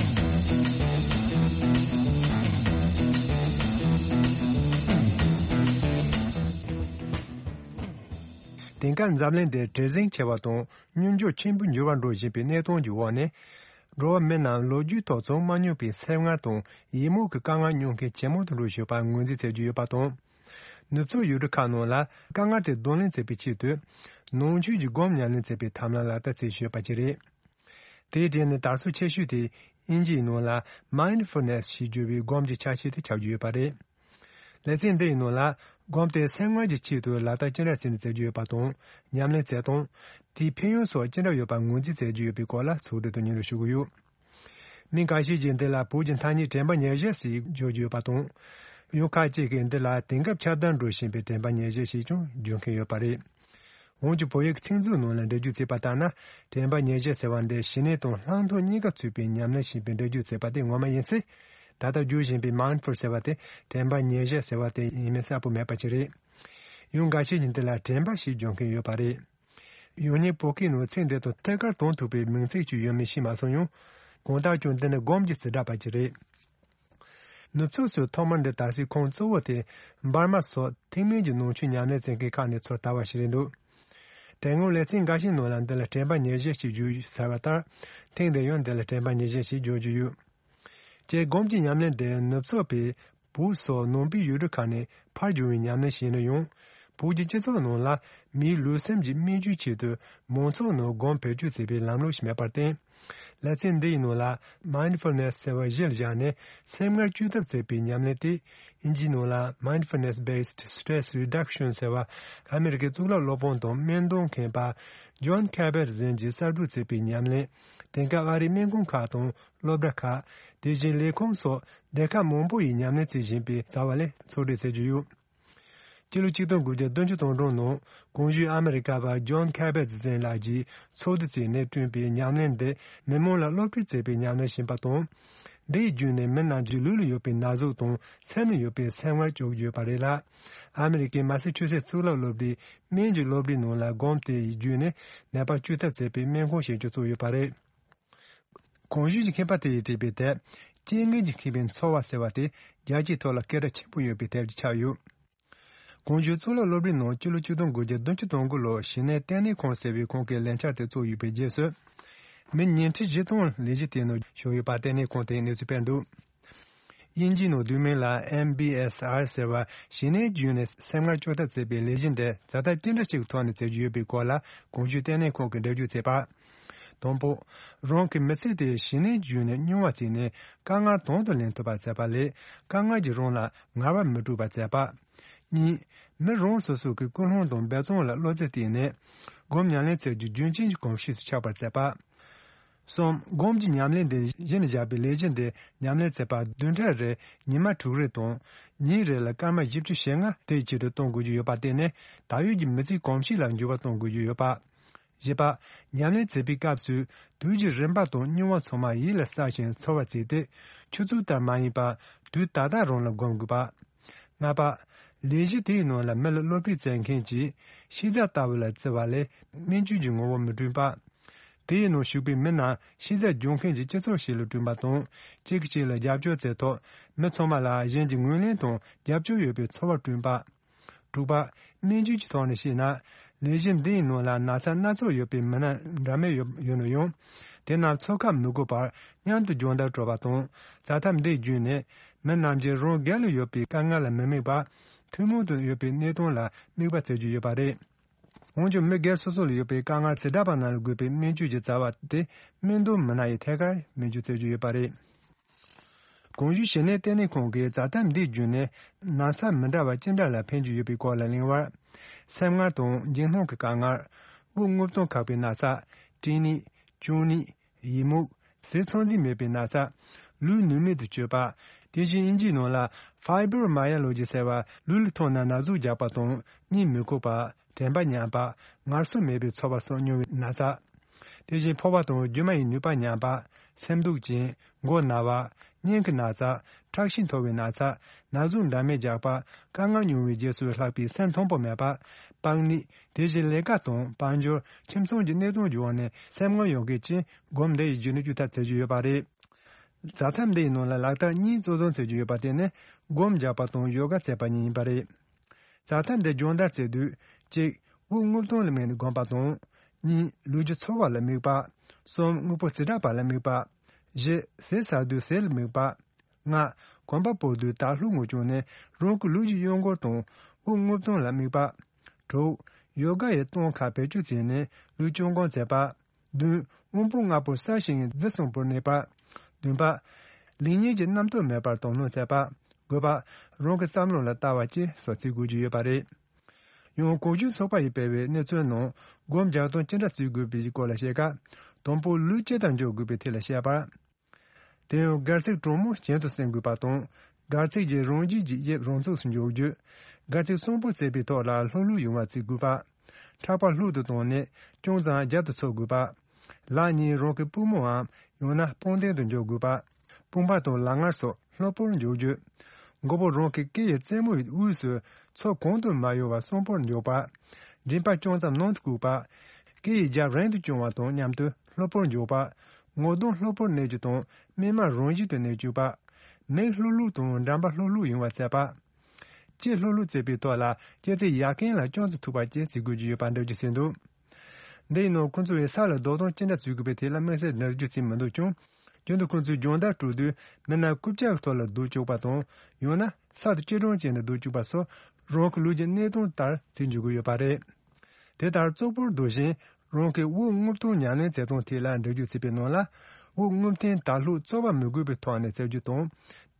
དེང་སྐབས་འཛམ་གླིང་འདིར་བྲེལ་ཟིང་ཆེ་བ་དང་སྙོམས་འཇུག་ཆེན་པོ་འགྱུར་བ་འགྲོ་བཞིན་པའི་གནས་སྟངས་ཀྱི་འོག་ནས། འགྲོ་བ་མི་རྣམས་ལོ་རྒྱུས་ཐོག་བྱུང་མ་མྱོང་པའི་སེམས་ངལ་དང་ཡིད་སྨོན་གྱི་དཀའ་ངལ་མྱོང་མཁན་ཇེ་མང་དུ་འགྲོ་བཞིན་པར་ངོས་འཛིན་བྱེད་ཀྱི་ཡོད་པ་དང་། ནུབ་ཕྱོགས་ཡུལ་གྲུ་ཁག་ནང་ལ་དཀའ་ངལ་དེ་གདོང་ལེན་བྱེད་པའི་ཆེད་དུ། ནང་ཆོས་ཀྱི་སྒོམ་ཉམས་ལེན་བྱེད་པའི་ཐབས་ལམ་ལག་བསྟར་བྱེད་བཞིན་ཡོད་པ་བཅས་རེད། དེའི་གྲས་ནས་དར་སྲོལ་ཆེ་ཤོས་དེ་དབྱིན་ཇིའི་ནང་ལ་Mindfulness ཞེས་བརྗོད་པའི་སྒོམ་གྱི་ཆ་ཤས་དེ་ཁྱབ་ཀྱི་ཡོད་པ་རེད། ལེ་ཚན་འདི་ཡི་ནང་ལ། སྒོམ་དེ་སེམས་ངལ་གྱི་ཆེད་དུ་ལག་བསྟར་ཅི་འདྲ་བྱས་ནས་མཛད་རྒྱུ་ཡོད་པ་དང་། ཉམས་ལེན་བྱེད་སྟངས། དེའི་ཕན་ཡོན་སོགས་ཅི་འདྲ་ཡོད་པ་ངོས་འཛིན་མཛད་རྒྱུ་ཡོད་པའི་སྐོར་ལ་ཚོགས་འདུ་དུ་སྙན་སྒྲོན་ཞུ་གི་ཡོད། མི་འགའ་ཤས་ཀྱིས་འདི་ལ་བོད་ཀྱི་ཐ་སྙད་དྲན་པ་ཉེར་བཞི་ཞེས་བརྗོད་ཀྱི་ཡོད་པ་དང་། ཡང་ཁ་ཅིག་གིས་འདི་ལ་དེང་སྐབས་ཁྱབ་གདལ་འགྲོ་བཞིན་པའི་དྲན་པ་ཉེར་བཞི་ཞེས་ཀྱང་བརྗོད་མཁན་ཡོད་པ་རེད། འོན་ཀྱང་བོད་ཡིག་ཚིག་མཛོད་ནང་ལ་འགྲེལ་བརྗོད་བྱས་པ་ལྟར་ན། དྲན་པ་ཉེར་བཞི་ཟེར་བ་འདི་ཞི་གནས་དང་ལྷག་མཐོང་གཉིས་ཀ་ཚུད་པའི་ཉམས་ལེན་ཞེས་པའི་འགྲེལ་བརྗོད་བྱས་པ་དེ་ངོ་མ་ཡིན་ཚེ། ད་ལྟ་བརྗོད་བཞིན་པའི་mindful ཟེར་བ་དེ་དྲན་པ་ཉེར་བཞི་ཟེར་བ་དེ་ཡིན་མིན་གསལ་པོ་མེད་པ་ཅིག་རེད། ཡང་འགའ་ཤས་ཀྱིས་འདི་ལ་དྲན་པ་ཞེས་བརྗོད་མཁན་ཡོད་པ་རེད། ཡང་སྙིང་བོད་སྐད་ནང་ཚིག་འདི་དང་ཐད་ཀར་དོན་ཐུག་པའི་མིང་ཚིག་ཅིག་ཡོད་མེད་ཤེས་མ་སོང་ཡང་། གང་ལྟར་ཀྱང་འདི་ནི་སྒོམ་གྱི་བྱེ་བྲག་པ་ཅིག་རེད། ནུབ་ཕྱོགས་སུ་ཐོག་མར་འདི་དར་སའི་ཁུངས་གཙོ་བོ་དེ་འབར་མ་སོགས་ཐེག་དམན་གྱི་ནང་ཆོས་ཉམས་ལེན་བྱེད་མཁན་ཁག་ནས་ཚུར་དར་བ་ཞིག་རེད་འདུག་དེ་སྔོན་ལེ་ཚན་འགའ་ཞིག་ནང་ལ་འདི་ལ་དྲན་པ་ཉེར་བཞི་ཞེས་བརྗོད་ཟེར་བ་ལྟར། ཐེངས་འདིར་ཡང་འདི་ལ་དྲན་པ་ཉེར་བཞི་ཞེས་བརྗོད་རྒྱུ་ཡོད། ཀྱེ་སྒོམ་གྱི་ཉམས་ལེན་དེ་ནུབ་ཕྱོགས་པའི་བོད་སོགས་ནང་པའི་ཡུལ་གྲུ་ཁག་ནས་ཕར་བྱུང་བའི་ཉམས་ལེན་ཞིག་ཡིན་ན་ཡང་། བོད་ཀྱི་སྤྱི་ཚོགས་ནང་ལ་མིའི་ལུས་སེམས་ཀྱི་སྨན་བཅོས་ཆེད་དུ་མང་ཚོགས་ནང་སྒོམ་བེད་སྤྱོད་བྱེད་པའི་ལམ་ལུགས་ཤིག་མེད་པར་བརྟེན། ལེ་ཚན་འདི་ཡི་ནང་ལ་mindfulness ཟེར་བ་གཞིར་བཞག་ནས་སེམས་ངལ་བཅོས་ཐབས་བྱེད་པའི་ཉམས་ལེན་དེ། དབྱིན་ཇིའི་ནང་ལ་mindfulness based stress reduction ཟེར་བ། ཨ་མེ་རི་ཁའི་གཙུག་ལག་སློབ་དཔོན་དང་སྨན་དོན་མཁས་པ་John Kabat་གཟན་གྱིས་གསར་འཛུགས་བྱས་པའི་ཉམས་ལེན། དེང་སྐབས་ཨ་རིའི་སྨན་ཁང་ཁག་དང་སློབ་གྲྭ་ཁག་དེ་བཞིན་ལས་ཁུངས་སོགས་སྡེ་ཁག་མང་པོ་ཡིས་ཉམས་ལེན་བྱེད་བཞིན་པའི་རྩ་བ་ལས་ཚོགས་སྒྲིག་བྱེད་ཀྱི་ཡོད། སྤྱི་ལོ་ཆིག་སྟོང་དགུ་བརྒྱ་བདུན་ཅུ་དོན་དྲུག་ནང་གོང་ཞུས་ཨ་མེ་རི་ཁ་པ་John Kabat་གཟན་ལགས་ཀྱིས་ཚོགས་འདུ་བྱས་ནས་བསྐྲུན་པའི་ཉམས་ལེན་འདི་མི་མང་ལ་སློབ་ཁྲིད་བྱེད་པའི་ཉམས་ལེན་ཡིན་པ་དང་། འདི་ཡི་བརྒྱུད་ནས་མི་རྣམས་ཀྱི་ལུས་ལ་ཡོད་པའི་ན་ཟུག་དང་སེམས་ལ་ཡོད་པའི་སེམས་ངལ་བཅོས་ཀྱི་ཡོད་པ་རེད་ལ། ཨ་མེ་རི་ཁའི་མ་སི་ཆུ་སེ་གཙུག་ལག་སློབ་གྲྭའི་སྨན་གྱི་སློབ་གྲྭའི་ནང་ལ་སྒོམ་དེ་ཡི་བརྒྱུད་ནས་ནད་པ་བཅོས་ཐབས་བྱེད་པའི་སྨན་ཁང་ཞིག་ཀྱང་བཙུགས་ཡོད་པ་རེད། གོང་ཞུས་ཀྱི་མཁས་པ་དེ་ཡིས་བྲིས་པའི་དེབ། རྐྱེན་ངན་གྱིས་ཁེངས་པའི་འཚོ་བ་ཟེར་བ་དེ་རྒྱལ་སྤྱིའི་ཐོག་ལ་སྐད་གྲགས་ཆེན་པོ་ཡོད་པའི་དེབ་ཅིག་ཆགས་ཡོད། གོང་ཞུས་གཙུག་ལག་སློབ་གྲྭའི་ནང་སྤྱི་ལོ་ཆིག་སྟོང་དགུ་བརྒྱ་བདུན་ཅུ་དོན་དགུ་ལོར་ཞི་གནས་ལྟེ་གནས་ཁང་ཟེར་བའི་ཁང་གི་ལས་འཆར་དེ་བཙུགས་ཡོད་པའི་རྗེས་སུ། མི་ཉིས་ཁྲི་བཞི་སྟོང་ལས་གཞི་དེའི་ནང་ཞུགས་ཡོད་པ་ལྟེ་གནས་ཁང་དེས་གནས་ཚུལ་སྤེལ་འདུག་དབྱིན་ཇིའི་ནང་བསྡུས་མིང་ལ་MBSR ཟེར་བ་ཞི་གནས་བརྒྱུད་ནས་སེམས་ངལ་བཅོས་ཐབས་ཟེར་བའི་ལས་གཞི་འདི་ཛ་དྲག་ཅི་འདྲ་ཞིག་ཐོག་ནས་མཛད་ཀྱི་ཡོད་པའི་སྐོར་ལ་གོང་ཞུས་ལྟེ་གནས་ཁང་གིས་འགྲེལ་བརྗོད་བྱས་པ། དང་པོ། རང་གི་མི་ཚེ་དེ་ཞི་གནས་བརྒྱུད་ནས་རྙིང་བ་བྱས་ནས་དཀའ་ངལ་དང་དུ་ལེན་ཐུབ་པ་བྱས་པ་ལས་དཀའ་ངལ་གྱིས་རང་ལ་ངལ་བ་མི་སྤྲོད་པ་བྱས་པ། གཉིས། མི་རང་སོ་སོ་གི་ཀུན་སློང་དང་འབད་བརྩོན་ལ་བློ་རྩེ་བཏོན་ནས་སྒོམ་ཉམས་ལེན་བྱ་རྒྱུ་རྒྱུན་ཆད་ཀྱི་གོམས་གཤིས་སུ་ཆགས་པར་བྱས་པ། གསུམ། སྒོམ་གྱི་ཉམས་ལེན་དེ་གཞི་ནས་བཞག་པའི་ལས་གཞི་འདི་ཉམས་ལེན་བྱེད་པར་བདུན་ཕྲག་རེར་ཉི་མ་དྲུག་རེ་དང་། ཉིན་རེ་ལ་སྐར་མ་བཞི་བཅུ་ཞེ་ལྔ་དེའི་ཆེད་དུ་གཏོང་དགོས་ཀྱི་ཡོད་པར་བརྟེན་ནས་ད་ཡོད་ཀྱི་མི་ཚེའི་གོམས་གཤིས་ལ་འགྱུར་བ་གཏོང་དགོས་ཀྱི་ཡོད་པ། བཞི་པ། ཉམས་ལེན་བྱེད་པའི་སྐབས་སུ་དུས་ཀྱི་རིམ་པ་དང་རྙིང་བ་ཚང་མ་ཡིད་ལ་བསགས་ཤིང་ཚོར་བར་བྱས་ཏེ། ཆུ་ཚོད་ལྟར་མ་ཡིན་པར་དུས་ད་ལྟ་རང་ལ་སྒོམ་དགོས་པ། ལྔ་པ། ལས་གཞི་དེའི་ནང་ལ་མི་ལ་བློ་ཕིགས་བྱེད་མཁན་གྱིས་ཤེས་བྱ་ལྟ་བུ་ལ་བརྩི་བ་ལས་སྨན་བཅོས་ཀྱི་ངོ་བོ་མི་བསྐྲུན་པ། དེའི་ནང་ཞུགས་པའི་མི་རྣམས་ཤེས་བྱ་སྦྱོང་མཁན་གྱི་སྤྱི་ཚོགས་ཤིག་ལ་བསྐྲུན་པ་དང་། གཅིག་གིས་གཅིག་ལ་རྒྱབ་སྐྱོར་བྱས་ཐོག་མི་ཚང་མ་ལ་གཞན་གྱི་ངོས་ལེན་དང་རྒྱབ་སྐྱོར་ཡོད་པའི་ཚོར་བ་བསྐྲུན་པ། དྲུག་པ། སྨན་བཅོས་ཀྱི་ཐོག་ནས་བཤད་ན། ལས་གཞི་འདིའི་ནང་ལ་ན་ཚ་སྣ་ཚོགས་ཡོད་པའི་མི་སྣ་འདྲ་མིན་ཡོད་ཡོད་ན་ཡང་། དེ་རྣམས་འཚོ་ཁ་མི་དགོས་པར་མཉམ་དུ་སྦྱོང་བརྡར་སྤྲོད་པ་དང་། བྱ་ཐབས་འདི་བརྒྱུད་ནས་མི་རྣམས་ཀྱིས་རང་སྒེར་ལ་ཡོད་པའི་དཀའ་ངལ་ལ་མི་དམིགས་པར། ཐུན་མོང་དུ་ཡོད་པའི་གནས་སྟངས་ལ་དམིགས་པ་བྱེད་རྒྱུ་ཡོད་པ་རེད། འོན་ཀྱང་མི་སྒེར་སོ་སོ་ལ་ཡོད་པའི་དཀའ་ངལ་ཇི་འདྲ་བ་རྣམས་ལ་དགོས་པའི་སྨན་བཅོས་ཀྱི་བྱ་བ་དེ་སྨན་དོན་མི་སྣ་ཡིས་ཐད་ཀར་སྨན་བཅོས་བྱེད་རྒྱུ་ཡོད་པ་རེད། གོང་ཞུས་ཞི་གནས་ལྟེ་གནས་ཁང་གིས་བྱ་ཐབས་འདི་བརྒྱུད་ནས་ན་ཚ་མི་འདྲ་བ་ཅི་འདྲ་ལ་ཕན་གྱི་ཡོད་པའི་སྐོར་ལ་གླེང་བར། སེམས་ངལ་དང་འཇིགས་སྣང་གི་དཀའ་ངལ། དབུགས་རྔུབ་སྟངས་ཁག་པའི་ན་ཚ། སྐྲན་ནད། གཅུང་ནད། ཡི་མུག་ཟས་ཚང་འཛིན་མེད་པའི་ན་ཚ། ལུས་ནུས་མེད་དུ་སྤྱོད་པ། དེ་བཞིན་དབྱིན་ཇིའི་ནང་ལ་fibromyalgia ཟེར་བ་ལུས་ལ་ཐོག་ན་ན་ཟུག་རྒྱག་པ་དང་གཉིད་མི་ཁུག་པ། དྲན་པ་ཉམས་པ། ངལ་གསོ་མེད་པའི་ཚོར་བ་སོགས་མྱོང་བའི་ན་ཚ། དེ་བཞིན་ཕོ་བ་དང་རྒྱུ་མ་ཡི་ནུས་པ་ཉམས་པ། སེམས་སྡུག་ཅན། མགོ་ན་བ། སྙིང་གི་ན་ཚ། ཁྲག་ཤེད་མཐོ་བའི་ན་ཚ། ན་ཟུག་འདྲ་མིན་རྒྱག་པ། དཀའ་ངལ་མྱོང་བའི་རྗེས་སུ་ལྷག་པའི་སེམས་མཐོན་པོ་མེད་པ། པགས་ནད། དེ་བཞིན་ལས་ཀ་དང་དཔལ་འབྱོར། ཁྱིམ་ཚང་གི་གནས་སྟངས་ཀྱི་འོག་ནས་སེམས་ངལ་ཡོང་མཁན་བཅས་སྒོམ་འདི་ཡི་བརྒྱུད་ནས་བཅོས་ཐབས་བྱེད་རྒྱུ་ཡོད་པ་རེད། བྱ་ཐབས་འདི་ཡི་ནང་ལ་ལག་བསྟར་གཉིས་གཙོ་འཛིན་བྱེད་རྒྱུ་ཡོད་པ་དེ་ནི་སྒོམ་རྒྱག་པ་དང་ཡོ་ག་བྱེད་པ་གཉིས་ཡིན་པ་རེད། བྱ་ཐབས་འདི་སྦྱོང་བརྡར་བྱེད་དུས། གཅིག་དབུགས་རྔུབ་སྟངས་ལ་དམིགས་ནས་སྒོམ་པ་དང་། གཉིས་ལུས་ཀྱི་ཚོར་བ་ལ་དམིགས་པ། གསུམ་དངོས་པོ་རྩིས་དྲག་པ་ལ་དམིགས་པ། བཞི་ཟས་ཟ་དུས་ཟས་ལ་དམིགས་པ། ལྔ་གོམ་པ་སྤོ་དུས་དར་ལྷོག་ངོས་བྱུང་ནས་རང་གི་ལུས་ཀྱི་གཡོ་འགུལ་དང་དབུགས་རྔུབ་སྟངས་ལ་དམིགས་པ། དྲུག་ཡོ་ག་ཡི་སྟངས་ཁག་བེད་སྤྱོད་བྱས་ནས་ལུས་སྤྱོད་སྒོམ་བྱེད་པ། བདུན། དབང་པོ་ལྔ་པོ་གསལ་ཞིང་རྫི་གསུམ་པོར་གནས་པ། བདུན་པ། ལེགས་ཉེས་ཀྱི་རྣམ་རྟོག་མེད་པར་དོ་སྣང་བྱེད་པ། དགོས་པ། རང་གི་བསམ་བློ་ལ་ལྟ་བ་བཅས་སོགས་བརྩི་དགོས་ཀྱི་ཡོད་པ་རེད། ཡང་གོང་ཞུས་ཚོགས་པ་ཡིས་སྤེལ་བའི་གནས་ཚུལ་ནང་སྒོམ་རྒྱག་སྟངས་ཅི་འདྲ་བརྩི་དགོས་པའི་སྐོར་ལ་བཤད་སྐབས། དང་པོ་ལུས་ཇི་ལྟར་འཇོག་དགོས་པའི་ཐད་ལ་བཤད་པ། དེ་ཡང་སྒལ་ཚིགས་གྲང་མོ་གྱེན་དུ་སྲིང་དགོས་པ་དང་། སྒལ་ཚིགས་ཀྱི་རང་བཞིན་གྱི་དབྱིབས་རང་ཚུགས་སུ་འཇོག་རྒྱུ། སྒལ་ཚིགས་གསོན་པོ་བརྩེགས་པའི་ཐོག་ལ་ལྷོག་ལྷོག་ཡོང་བ་བརྩི་དགོས་པ། ཕྲག་པ་ལྷོག་ཏུ་བཏང་ནས་ཅུང་ཙམ་རྒྱབ་ཏུ་འཚོ་དགོས་པ། ལག་གཉིས་རང་གི་པུས་མོའམ་ཡང་ན་པང་གདན་དུ་འཇོག་དགོས་པ། དཔུང་པ་དང་ལག་ངར་སོགས་ལྷོད་པོར་འཇོག་རྒྱུ། མགོ་བོ་རང་གི་སྐེ་ཡི་རྩེ་མོའི་དབུས་སུ་མཚོ་གང་དུ་མ་གཡོ་བར་གསོན་པོར་འཇོག་པ། མགྲིན་པ་ཅུང་ཙམ་ནང་དུ་བཀུག་པ། སྐེ་ཡི་རྒྱབ་རིང་དུ་བརྐྱང་བ་དང་མཉམ་དུ་ལྷོད་པོར་འཇོག་པ། ངོ་གདོང་ལྷོད་པོར་གནས་རྒྱུ་དང་སྨིན་མ་རང་བཞིན་དུ་གནས་བཅུག་པ། མིག་ལྷོག་ལྷོག་དང་འགྲམ་པ་ལྷོག་ལྷོག་ཡོང་བ་བཙལ་བ། ལྕེ་ལྷོག་ལྷོག་བཙལ་བའི་ཐོག་ལ་ལྕེ་རྩེ་ཡ་གན་ལ་ཅུང་ཙམ་ཐུག་པ་བཅས་བརྩི་དགོས་ཀྱི་ཡོད་པ་འགྲེལ་བརྗོད་བྱས་འདུག་འདི་ཡིན་ནོ་ཁོང་ཚོ་བས་ས་ལ་རྡོ་ཐང་ཅི་འདྲ་བཟོས་དགོས་པའི་ཐད་ལ་དམིགས་བསལ་འགྲེལ་བརྗོད་བྱས་མི་འདུག་ཀྱང་། རྒྱུན་དུ་ཁོང་ཚོས་སྦྱོང་བརྡར་སྤྲོད་དུས་མི་སྣ་རྐུབ་བཀྱག་གི་ཐོག་ལ་རྡོ་བཅུག་པ་དང་། ཡང་ན་ས་དང་སྐྱིལ་ཀྲུང་བཅས་ནས་རྡོ་བཅུག་པ་སོགས་རང་གི་ལུས་ཀྱི་གནས་སྟངས་ལྟར་བྱེད་འཇུག་གི་ཡོད་པ་རེད། དེ་ལྟར་ཙོག་པུར་སྡོད་བཞིན་རང་གི་དབུགས་རྔུབ་སྟངས་ཉམས་ལེན་མཛད་སྟངས་ཐད་ལ་འགྲེལ་བརྗོད་བྱས་པའི་ནང་ལ། དབུགས་རྔུབ་ཐེངས་དག་ལྷུག་རྩོལ་བ་མི་དགོས་པའི་ཐོག་ནས་བཙལ་རྒྱུ་དང་།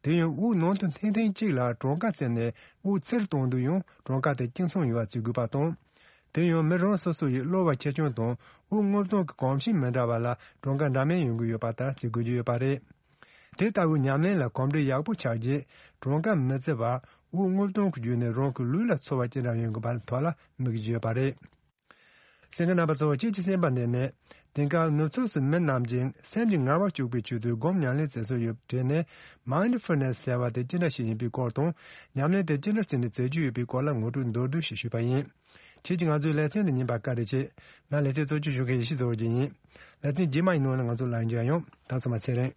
དེ་ཡང་དབུགས་ནང་དུ་འཐེན་ཐེངས་གཅིག་ལ་གྲངས་ཀ་བཙལ་ནས་དབུགས་ཚུར་གཏོང་དུས་ཡང་གྲངས་ཀ་དེ་གཅིག་མཚུངས་ཡོང་བ་བྱེད་དགོས་པ་དང་། དེ་ཡང་མི་རང་སོ་སོ་ཡི་གློ་བ་ཆེ་ཆུང་དང་དབུགས་རྔུབ་སྟངས་ཀྱི་གོམས་གཤིས་མི་འདྲ་བ་ལ་གྲངས་ཀ་འདྲ་མིན་ཡོང་གི་ཡོད་པ་ལྟར་བྱེད་དགོས་ཀྱི་ཡོད་པ་རེད། དེ་ལྟ་བུའི་ཉམས་ལེན་ལ་གོམས་འདྲིས་ཡག་པོ་ཆགས་རྗེས་གྲངས་ཀ་མི་བརྩི་བར་དབུགས་རྔུབ་སྟངས་ཀྱི་བརྒྱུད་ནས་རང་གི་ལུས་ལ་ཚོར་བ་ཅི་འདྲ་ཡོང་དགོས་པ་ཐོག་ལ་དམིགས་ཀྱི་ཡོད་པ་རེད། གསན་མཁན་རྣམ་པ་ཚོ་ཁྱེད་ཀྱི་སེམས་པ་ནས་ནས་དེང་སྐབས་ནུབ་ཕྱོགས་སུ་མི་རྣམས་ཀྱིས་སེམས་ཀྱི་ངལ་བ་སྐྱུག་པའི་ཆེད་དུ་སྒོམ་ཉམས་ལེན་མཛད་སྲོལ་ཡོད་དྲན་ནས། མའིན་ཌི་ཕུལ་ནེ་སི་ཟེར་བ་དེ་ཅི་འདྲ་ཞིག་ཡིན་པའི་སྐོར་དང་། ཉམས་ལེན་དེ་ཅི་འདྲ་བྱས་ནས་མཛད་རྒྱུ་ཡོད་པའི་སྐོར་ལ་ངོ་སྤྲོད་མདོར་བསྡུས་ཤིག་ཞུས་པ་ཡིན། ཁྱེད་ཀྱིས་ང་ཚོའི་ལེ་ཚན་འདི་ཉན་པར་བཀའ་དྲིན་ཆེ། ང་ལེ་ཚན་གཙོ་སྐྱོང་ཞུ་མཁན་ཡེ་ཤེས་རྡོ་རྗེ་ཡིན། ལེ་ཚན་རྗེས་མ་ཡི་ནང་ལ་ང་ཚོ་ལམ་འགྱུར་ཡོང་། ད་ཚོ་མ་ཚེ་རིང་།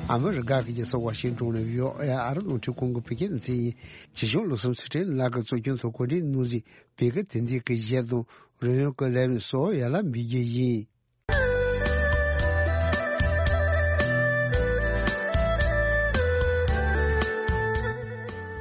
ཨ་མི་རི་ཀ་གི་རྒྱལ་ས་ཝ་ཤིང་ཏོན་ནས་བྷི་ཨོ་ཨེ་ཨ་རི་རླུང་འཕྲིན་ཁང་གི་བོད་སྐད་སྡེ་ཚན་ཡིན། ཇི་བཞུགས་བློ་བཟང་ཚུལ་ཁྲིམས་ལགས་ཀྱིས་གཙོ་སྐྱོང་དང་གོ་སྒྲིག་གནང་གཟིགས་བོད་སྐད་དེབ་འདི་གི་གཞས་དང་རོལ་དབྱངས་ཀྱི་ལས་རིམ་སོགས་ཡར་ལ་འབུལ་རྒྱུ་ཡིན།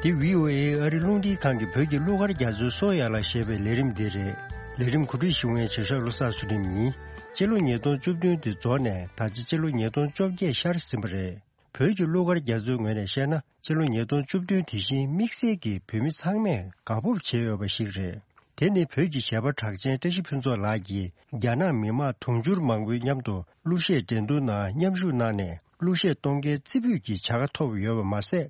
འདི་བྷི་ཨོ་ཨེ་ཨ་རི་རླུང་འཕྲིན་ཁང་གི་བོད་ཀྱི་གླུ་གར་རྒྱ་མཚོའི་སོ་ཡར་ལ་ཞེས་པའི་ལས་རིམ་འདི་རེད། ལས་རིམ་གོ་སྒྲིག་ཞུ་མཁན་བྱེད་ཤག་བློ་བཟང་ཚུལ་ཁྲིམས་ཡིན། སྤྱི་ལོ་ཉིས་སྟོང་བཅུ་བདུན་དེ་རྫོགས་ནས་ད་ཆ་སྤྱི་ལོ་ཉིས་སྟོང་བཅོ་བརྒྱད་ཤར་ཟིན་པ་རེད། བོད་ཀྱི་གླུ་གར་རྒྱ་མཚོའི་ངོས་ནས་བཤད་ན། སྤྱི་ལོ་ཉིས་སྟོང་བཅུ་བདུན་དེ་བཞིན་དམིགས་བསལ་གྱིས་བོད་མི་ཚང་མས་དགའ་སྤོབས་བྱེད་འོས་པ་ཞིག་རེད། དེ་ནི་བོད་ཀྱི་གཞས་པ་གྲགས་ཅན་བཀྲ་ཤིས་ཕུན་ཚོགས་ལགས་ཀྱིས་རྒྱ་ནག་མི་དམངས་དུང་ཕྱུར་མང་པོའི་མཉམ་དུ་གླུ་གཞས་འགྲན་བསྡུར་ནང་མཉམ་ཞུགས་གནང་ནས་གླུ་གཞས་གཏོང་མཁན་རྩེ་ཕུད་ཀྱི་བྱ་དགའ་ཐོབ་ཡོད་པ་མ་ཟད།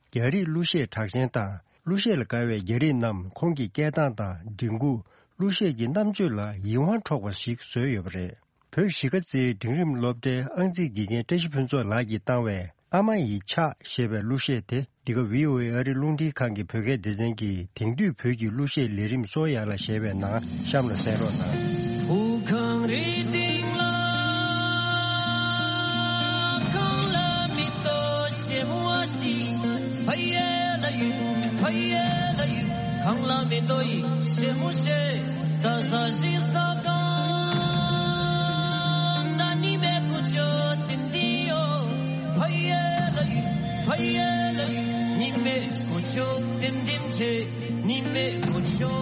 རྒྱ་རིགས་གླུ་གཞས་གྲགས་ཅན་དང་གླུ་གཞས་ལ་དགའ་བའི་རྒྱ་རིགས་རྣམས་ཁོང་གི་སྐད་གདངས་དང་མགྲིན་ཁུག་གླུ་གཞས་ཀྱི་རྣམ་དཔྱོད་ལ་ཡིད་དབང་འཕྲོག་པ་ཞིག་བཟོས་ཡོད་པ་རེད། བོད་གཞིས་ཀ་རྩེའི་འབྲིང་རིམ་སློབ་གྲྭའི་ཨང་རྩིས་དགེ་རྒན་བཀྲ་ཤིས་ཕུན་ཚོགས་ལགས་ཀྱིས་བཏང་བའི་ཨ་མ་ཡི་ཕྱག་ཞེས་པའི་གླུ་གཞས་དེ། འདི་ག་བྷི་ཨོ་ཨེ་ཨ་རི་རླུང་འཕྲིན་ཁང་གི་བོད་སྐད་སྡེ་ཚན་གྱི་དེང་དུས་བོད་ཀྱི་གླུ་གཞས་ལས་རིམ་སོ་ཡར་ལ་ཞེས་པའི་ནང་གཤམ་ལ་གསན་རོགས་གནང་། བོད་ཁང་རེ་སྟེང་ལ། གང་ལ་མི་ལྟོས་ཞེ་མོ་བ་ཞིག་ཕ་ཡེ་ལ་ཡུ། ཕ་ཡེ་ལ་ཡུ། གང་ལ་མི་ལྟོས་ཞེ་མོ་ཞེ། ད་ས་ཞིག་ས་གང་ད་ནི་མེ་ཀུ་ཅོ་ཏིན་ཏིན་ཡོ། ཕ་ཡེ་ལ་ཡུ། ཕ་ཡེ་ལ་ཡུ། ཉི་མེ་ཀུ་ཅོ་ཏིམ་ཏིམ་ཆེ། ཉི་མེ་ཀུ་ཅོ་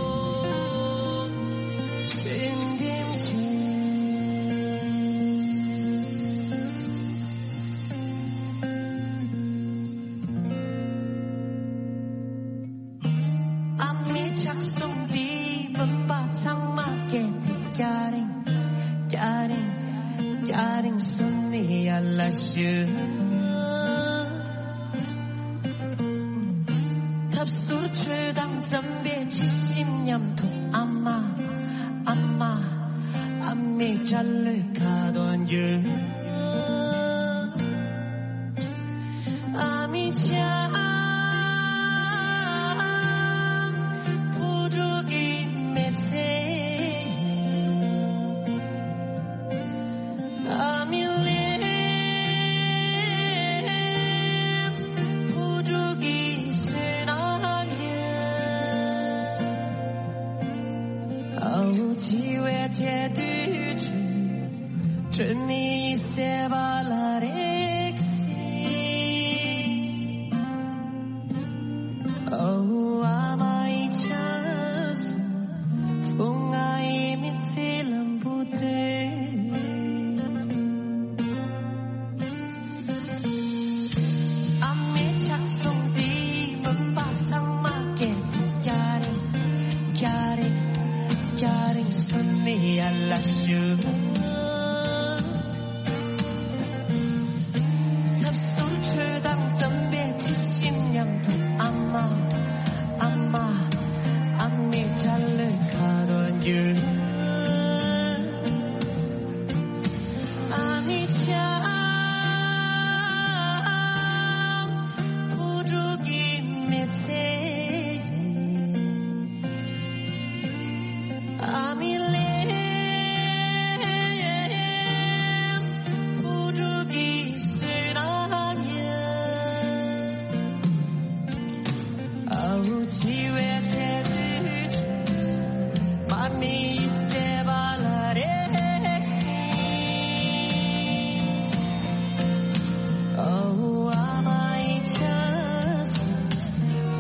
ཏིམ་ཏིམ་ཆེ། ཨ་མའི་ཕྱག་ཟུང་འདིས་བུམ་པ་ཚང་མ་སྐད་དེ་སྐྱ་རེངས། སྐྱ་རེངས། སྐྱ་རེངས་སོན་ནས་ཡར་ལ་ཞུ། ཐབ་ཟུར་ཆོས་དང་འཛོམས་པའི་དྲི་ཞིམ་མཉམ་དུ། ཨ་མ། ཨ་མ། ཨ་མའི་སྐྲ་ལོའི་ཁ་དོག་འགྱུར། ཨ་མའི་ཆང་བུ་ཕྲུག་གི་མི་ཚེ། ཨ་མའི་ལས་བུ་ཕྲུག་གི་བསོད་ནམས་ཡིན། ཨ་འུ་ཅི་བའི་ཐད་དུ་དྲི་མེད་སེ་བ་ལ་རེག་སི། ཨ་འུ་ཨ་མའི་ཆང་ ཐབས་གསུམ་ཆོས་དང་འཛོམས་པའི་དྲི་ཞིམ་མཉམ་དུ། ཨ་མ། ཨ་མ། ཨ་མའི་སྐྲ་ལོའི་ཁ་དོག་འགྱུར། ཨ་མའི་ཆབ་བུ་ཕྲུག་གི་མི་ཚེ། ཨ་མའི་ལན་བུ་ཕྲུག་གི་བསོད་ནམས་ཡིན། ཨ་འུ་འཆི་བའི་ཚེ་དུས། མ་མི་སེ་བ་ལ་རེག་སི། ཨ་འུ་ཨ་མའི་ཆབ་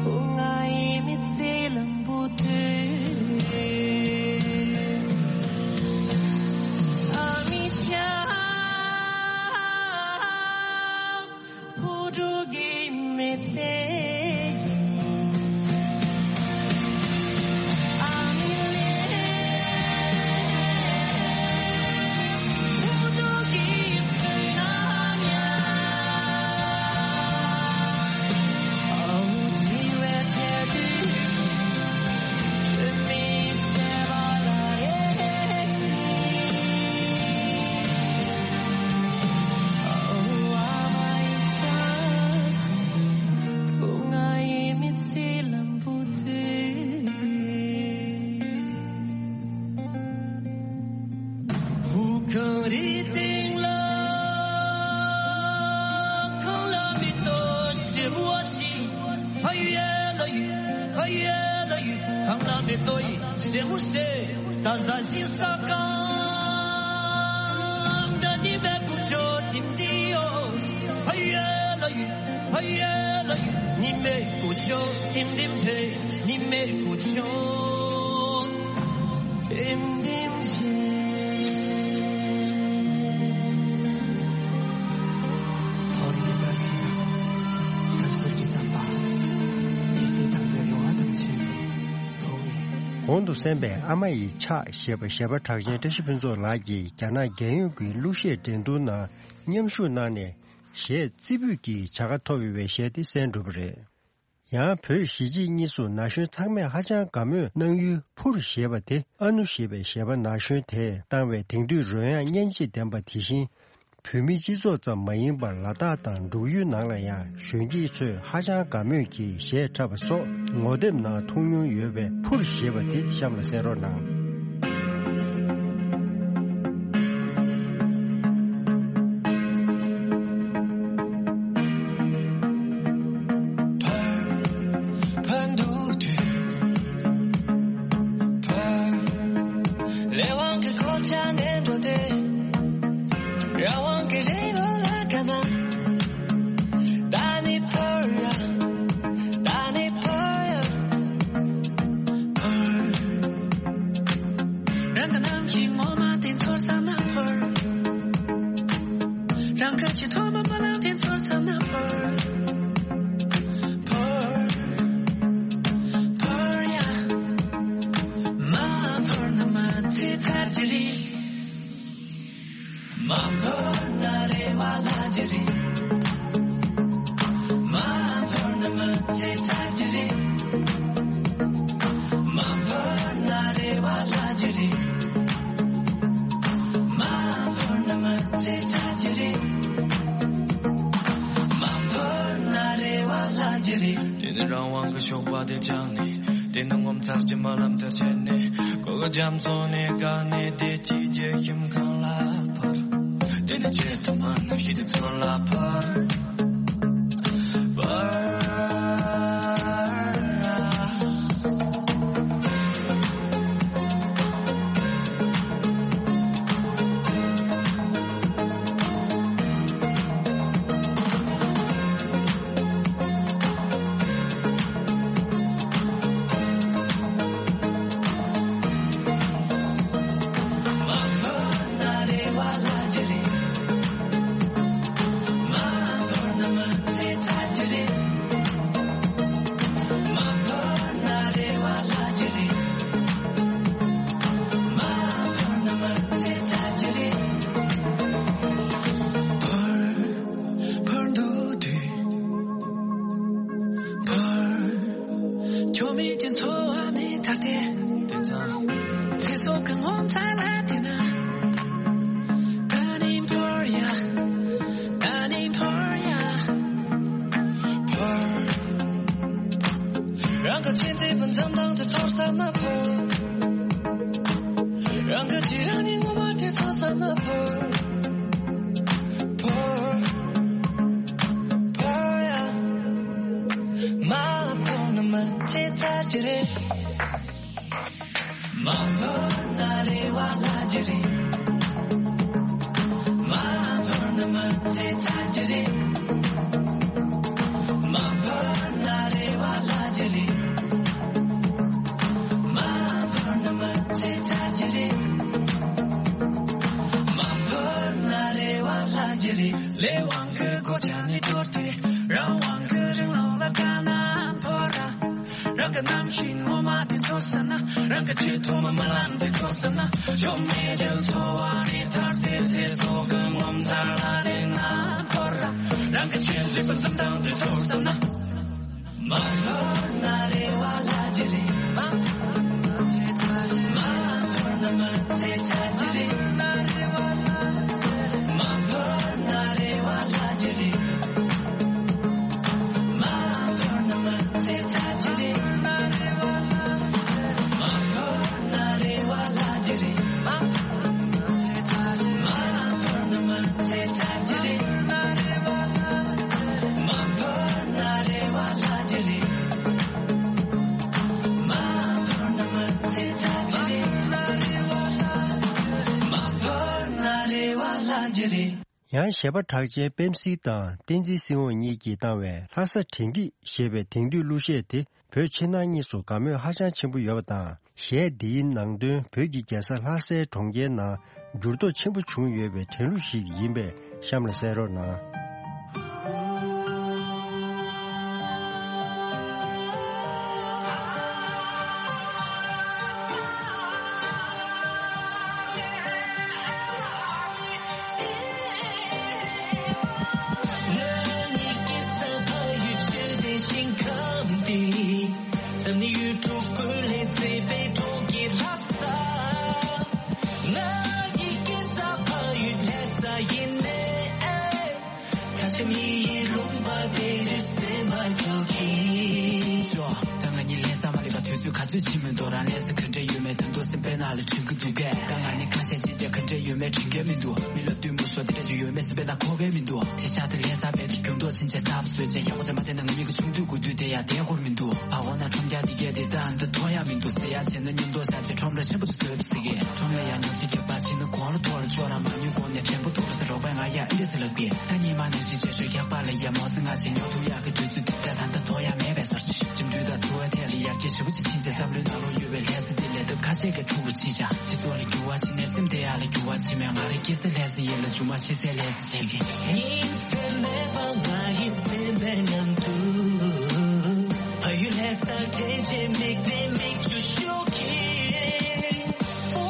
བུ་ང་ཡི་མི་ཚེ་ལམ་བུ་དུས། ཨ་མའི་ཆབ་བུ་ཕྲུག་གི་མི་ཚེ། ཨ་མའི་ལན་བུ་ཕྲུག་གི་བསོད་ནམས་ཡིན། ཨ་འུ་འཆི་བའི་ཚེ་དུས། བུ་གངས་རིའི་སྟེང་ལ་གངས་ལ་མེ་ཏོག་སེར་མོ་ཞིག་ཕ་ཡུལ་ལ་ཡུལ། ཕ་ཡུལ་ལ་ཡུལ། གངས་ལ་མེ་ཏོག་ཡིན་སེར་མོ་སེར། ད་ཟ་ཞིང་ས་གང་འདྲ་ནི་མེད་པུ་ཆོ་ཏིམ་ཏི་ཡོ། ཕ་ཡུལ་ལ་ཡུལ། ཕ་ཡུལ་ལ་ཡུལ། ཉི་མའི་སྐུ་ཆོ་ཏིམ་ཏིམ་ཆེ། ཉི་མའི་སྐུ་ཆོ་ཏིམ་ཏིམ་ཆེ། ཐོ་རེངས་ཀྱི་དར་ཚིགས་དང་། ཐབས་ཟུར་གྱི་ཟམ་པ། མི་སེར་དང་པོའི་རེ་བ་དང་ཆེན་པོ། གོང་དུ་གསན་པའི་ཨ་མ་ཡི་ཕྱག་ཞེས་པ་གཞས་པ་གྲགས་ཅན་བཀྲ་ཤིས་ཕུན་ཚོགས་ལགས་ཀྱིས་རྒྱ་ནག་རྒྱལ་ཡོངས་ཀྱི་གླུ་གཞས་འགྲན་བསྡུར་ནང་མཉམ་ཞུགས་གནང་ནས། གཞས་རྩེ་ཕུད་ཀྱི་བྱ་དགའ་ཐོབ་ཡོད་པའི་གཞས་དེ་གསན་གྲུབ་པ་རེད། ཡང་བོད་གཞིས་བྱེས་གཉིས་སུ་ན་གཞོན་ཚང་མས་ཧ་ཅང་དགའ་མོས་གནང་ཡུལ་ཕུར་ཞེས་པ་དེ། ཨ་ནུ་ཞེས་པའི་གཞས་པ་ན་གཞོན་དེས་བཏང་བའི་དེང་དུས་རོལ་དབྱངས་སྙན་འཇེབས་ལྡན་པ་དེ་བཞིན། བོད་མིའི་སྤྱི་ཚོགས་ཙམ་མ་ཡིན་པར་ལ་དྭགས་དང་འབྲུག་ཡུལ་ནང་ལ་ཡང་གཞོན་སྐྱེས་ཚོས་ཧ་ཅང་དགའ་མོས་ཀྱིས་གཞས་འཁྲབ་པ་སོགས་ངོ་དེབ་ནང་མཐོང་མྱོང་ཡོད་པའི་ཕུར་ཞེས་པ་དེ་གཤམ་ལ་གསན་རོགས་གནང་། ལས་དབང་གི་གོ་ཆ་ནས་འགྲོ་སྟེ། རང་དབང་གི་རེ་ལོ་ལ་དགའ་ན། ད་ནི་ཕར་ཡ། ད་ནི་ཕར་ཡ། ཕར། རང་གི་ནམ་མཁའི་ངོ་མ་དེ་ཚོར་བསམ་ན་ཕར། རང་གི་ཆེས་མཐོ་བའི་རྨི་ལམ་དེ་ཚོར་བསམ་ན་ཕར། ཕར། ཕར་ཡ། མ་ཕར་ན་མི་ཚེ་ཚར་གྱི་རེད། མ་ཕར་ན་རེ་བ་བརླག་གི་རེད། མ་ཕར་ན་མི་ཚེ་ཚར་གྱི་རེད། མ་ཕར་ན་རེ་བ་བརླག་གི་རེད། མ་ཕར་ན་མི་ཚེ་ཚར་གྱི་རེད། མ་ཕར་ན་རེ་བ་བརླག་གི་རེད། དེ་ནས་རང་དབང་གི་ཞོགས་པ་དེ་བཅངས་ནས། དེ་ནས་ངོ་མཚར་གྱི་རྨི་ལམ་དེ་བྱས་ནས། གོ་གི་རྒྱ་མཚོ་ནས་བཀག་ནས་བདེ་སྐྱིད་ཀྱི་ཁྱིམ་ཁང་ལ་ཕར། དེ་ནས་ཆེས་མཐོ་མ་གནམ་གཤིས་དེ་ཚོ་ལ་ཕར། ཕར། ང་བོར་བོར་བོར་ཡ། མ་བོར་ན་མ་ཚེ་ཚར་གྱི་རེད། མ་བོར་ན་རེ་བ་ལྷག་གི་རེད། མ་བོར་ན་མ་ཚེ་ཚར་གྱི་རེད། མ་བོར་ན་རེ་བ་ལྷག་གི་རེད། མ་བོར་ན་མ་ཚེ་ཚར་གྱི་རེད། མ་བོར་ན་རེ་བ་ལྷག་གི་རེད། ལས་དབང་གི་གོ་ཆ་ནས་དྲོར་ཏེ། རང་དབང་གི་རིང་ལོགས་ལ་དཀའ་ན་བོར་ར། རང་གི་རྣམ་ཤེས་ངོ་མ་དེ་ཚོར་བསམ་ན། རང་གི་ཆེས་ཐོག་མ་རྨི་ལམ་དེ་ཚོར་བསམ་ན། ཆོ་མེད་ཀྱང་འཚོ་བ་རེ་ཐར་ཏེ་ཚེ་སྲོག་གི་ངོ་མཚར་ལ་རེ་ང་འཁོར་ར། རང་གི་ཆེས་མཛེས་པ་འཛུམ་མདངས་དེ་ཚོར་བསམ་ན། མ་འཁོར་ན་རེ་བ་ལྷག་གི་རེད། མ་འཁོར་ན་མ་ཚེ་ཚར་གྱི་རེད། མ་འཁོར་ན་རེ་བ་ལྷག་གི་རེད། མ་འཁོར་ན་མ་ཚེ་ཚར་གྱི་རེད། མ་འཁོར་ན་རེ་བ་ལྷག་གི་རེད། མ་འཁོར་ན་མ་ཚེ་ཚར་གྱི་རེད། མ་འཁོར་ན་རེ་བ་ལྷག་གི་རེད། མ་འཁོར་ན་མ་ཚེ་ཚར་གྱི་རེད། མ་འཁོར་ན་རེ་བ་ལྷག་གི་རེད། ཡང་གཞས་པ་གྲགས་ཅན་པེམ་སི་དང་བསྟན་འཛིན་སྲིད་དབང་གཉིས་ཀྱིས་བཏང་བའི་ལྷ་ས་དྲན་སྐྱིད་ཞེས་པའི་དེང་དུས་གླུ་གཞས་དེ་བོད་ཕྱི་ནང་གཉིས་སུ་དགའ་མོས་ཧ་ཅང་ཆེན་པོ་ཡོད་པ་དང་། གཞས་འདིའི་ནང་དོན་བོད་ཀྱི་རྒྱལ་ས་ལྷ་སའི་གྲོང་ཁྱེར་ནང་འགྱུར་ལྡོག་ཆེན་པོ་བྱུང་ཡོད་པའི་དྲན་གླུ་ཞིག་ཡིན་པས་གཤམ་ལ་གསན་རོགས་གནང་། ང་གཉིས་ཀྱི་ས་ཕ་ཡུལ་ཆོས་ལྡན་ཞིང་ཁམས་འདི། འཛམ་གླིང་ཡུལ་གྲུ་ཀུན་ལས་མཛེས་པའི་གྲོང་ཁྱེར་ལྷ་ས། ང་གཉིས་ཀྱི་ས་ཕ་ཡུལ་ལྷ་ས་ཡིན་ནའི། ད་ཆ་མི་ཡི་ལུང་པ་དེ་རུ་སེམས་པ་སྐྱོ་གི། ཅོ། ད་ང་གཉིས་ལྷ་ས་མ་སླེབས་པ་དུས་ཚོད་ག་ཚོད་ཕྱིན་མིན་འདུག་རང་ལྷ་ས་ག་འདྲ་ཡོད་མེད་ད་དུང་སེམས་པའི་ནང་ལ་དྲན་གྱི་འདུག་གས། ད་ང་གཉིས་ཁ་ཤས་ཅི་བྱས་ག་འདྲ་ཡོད་མེད་དྲན་གྱི་མི་འདུག་མི་ལ་བསྟུན་མོ་ཤོར་དེ་འདྲ་ཅིག་ཡོད་མེད་སེམས་པའི་ནང་འཁོར་གྱི་མི་འདུག་དེ་ཤ་དེ་ལྷ་ས་བལ་དུ་རྒྱུན་ཐོག་ཕྱིན་ཆད་གསར་པ་བཟོས་བྱས་ཡག་པོ་ཅིག་མ་བསྟན་ན་ང་གཉིས་ཀྱི་ཆུང་དུས་དགུ་དུས་དེ་ཡང་བསྡད་དགོས་མི་འདུག་བ་འོ་ན་ཁྲོམ་རྒྱག་དེ་གས་དེ་ད་འདི་མཐོང་ཡག་མི་འདུག་ཟེར་ཡག་བྱས་ན་མཉམ་དུ་ཟ་ཆེ་ཁྲོམ་ར་ཆེན་པོ་ཞིག་བཟོས་པ་ཟེར་གི། ཁྲོམ་ལ་ཡང་ཉོ་ཆེ་རྒྱག་པ་ཕྱིན་ན་གོང་ལ་ཐོག་ལ་ཚོ་ར་མ་ཉོས་གོང་ནས་དྲན་པ་ཐོག་ལ་ཟེར་རོགས་པས་ང་ཡ་ཨི་འདྲ་ཟེར་ལབ་གི། ད་ཉི་མ་ནང་བཞིན་བྱས་ཤོག་རྒྱག་པ་ལ་ཡ་མོ་ཟེར་ང་ཆེ་ཉོ་ཐུབ་ཡག་གི་དུས་ཚོད་དེ་ད་ད་ལྟ་ཐོག་ཡག་མེད་པའི་བཟོ་ཅིག་འགྲིམ་འགྲུལ་དང་འཚོ་བའི་ཐད་ལ་ཡར་རྒྱས་ཞེ་པོ་ཅིག་ཕྱིན་ཆད་བསམ་བློའི་ནང་ལོགས་ཡོད་པའི་ལྷ་ས་འདི་ལས་སྟབས་ཁ་ཤས་ཀྱིས་ཁྲོམ་རུ་ཕྱིན་ཤག་སྤྱི་ཚོགས་ལ་འགྱུར་བ་ཕྱིན་ནས་སེམས་བདེ་ཡག་ལ་འགྱུར་བ་ཕྱིན་མེད་ང་རའི་སྐྱེ་ས་ལྷ་ས་ཡིན་ལ་རྒྱུ་མ་ཕྱི་སའི་ལྷ་ས་བྱེད་ཀྱི། ཉིན་མཚན་མེད་པར་ང་ཡི་སེམས་པའི་ནང་དུ། ཕ་ཡུལ་ལྷ་ས་དྲན་བྱེད་མིག་ནས་མིག་ཆུ་ཤོར་གྱིན། ཕོ་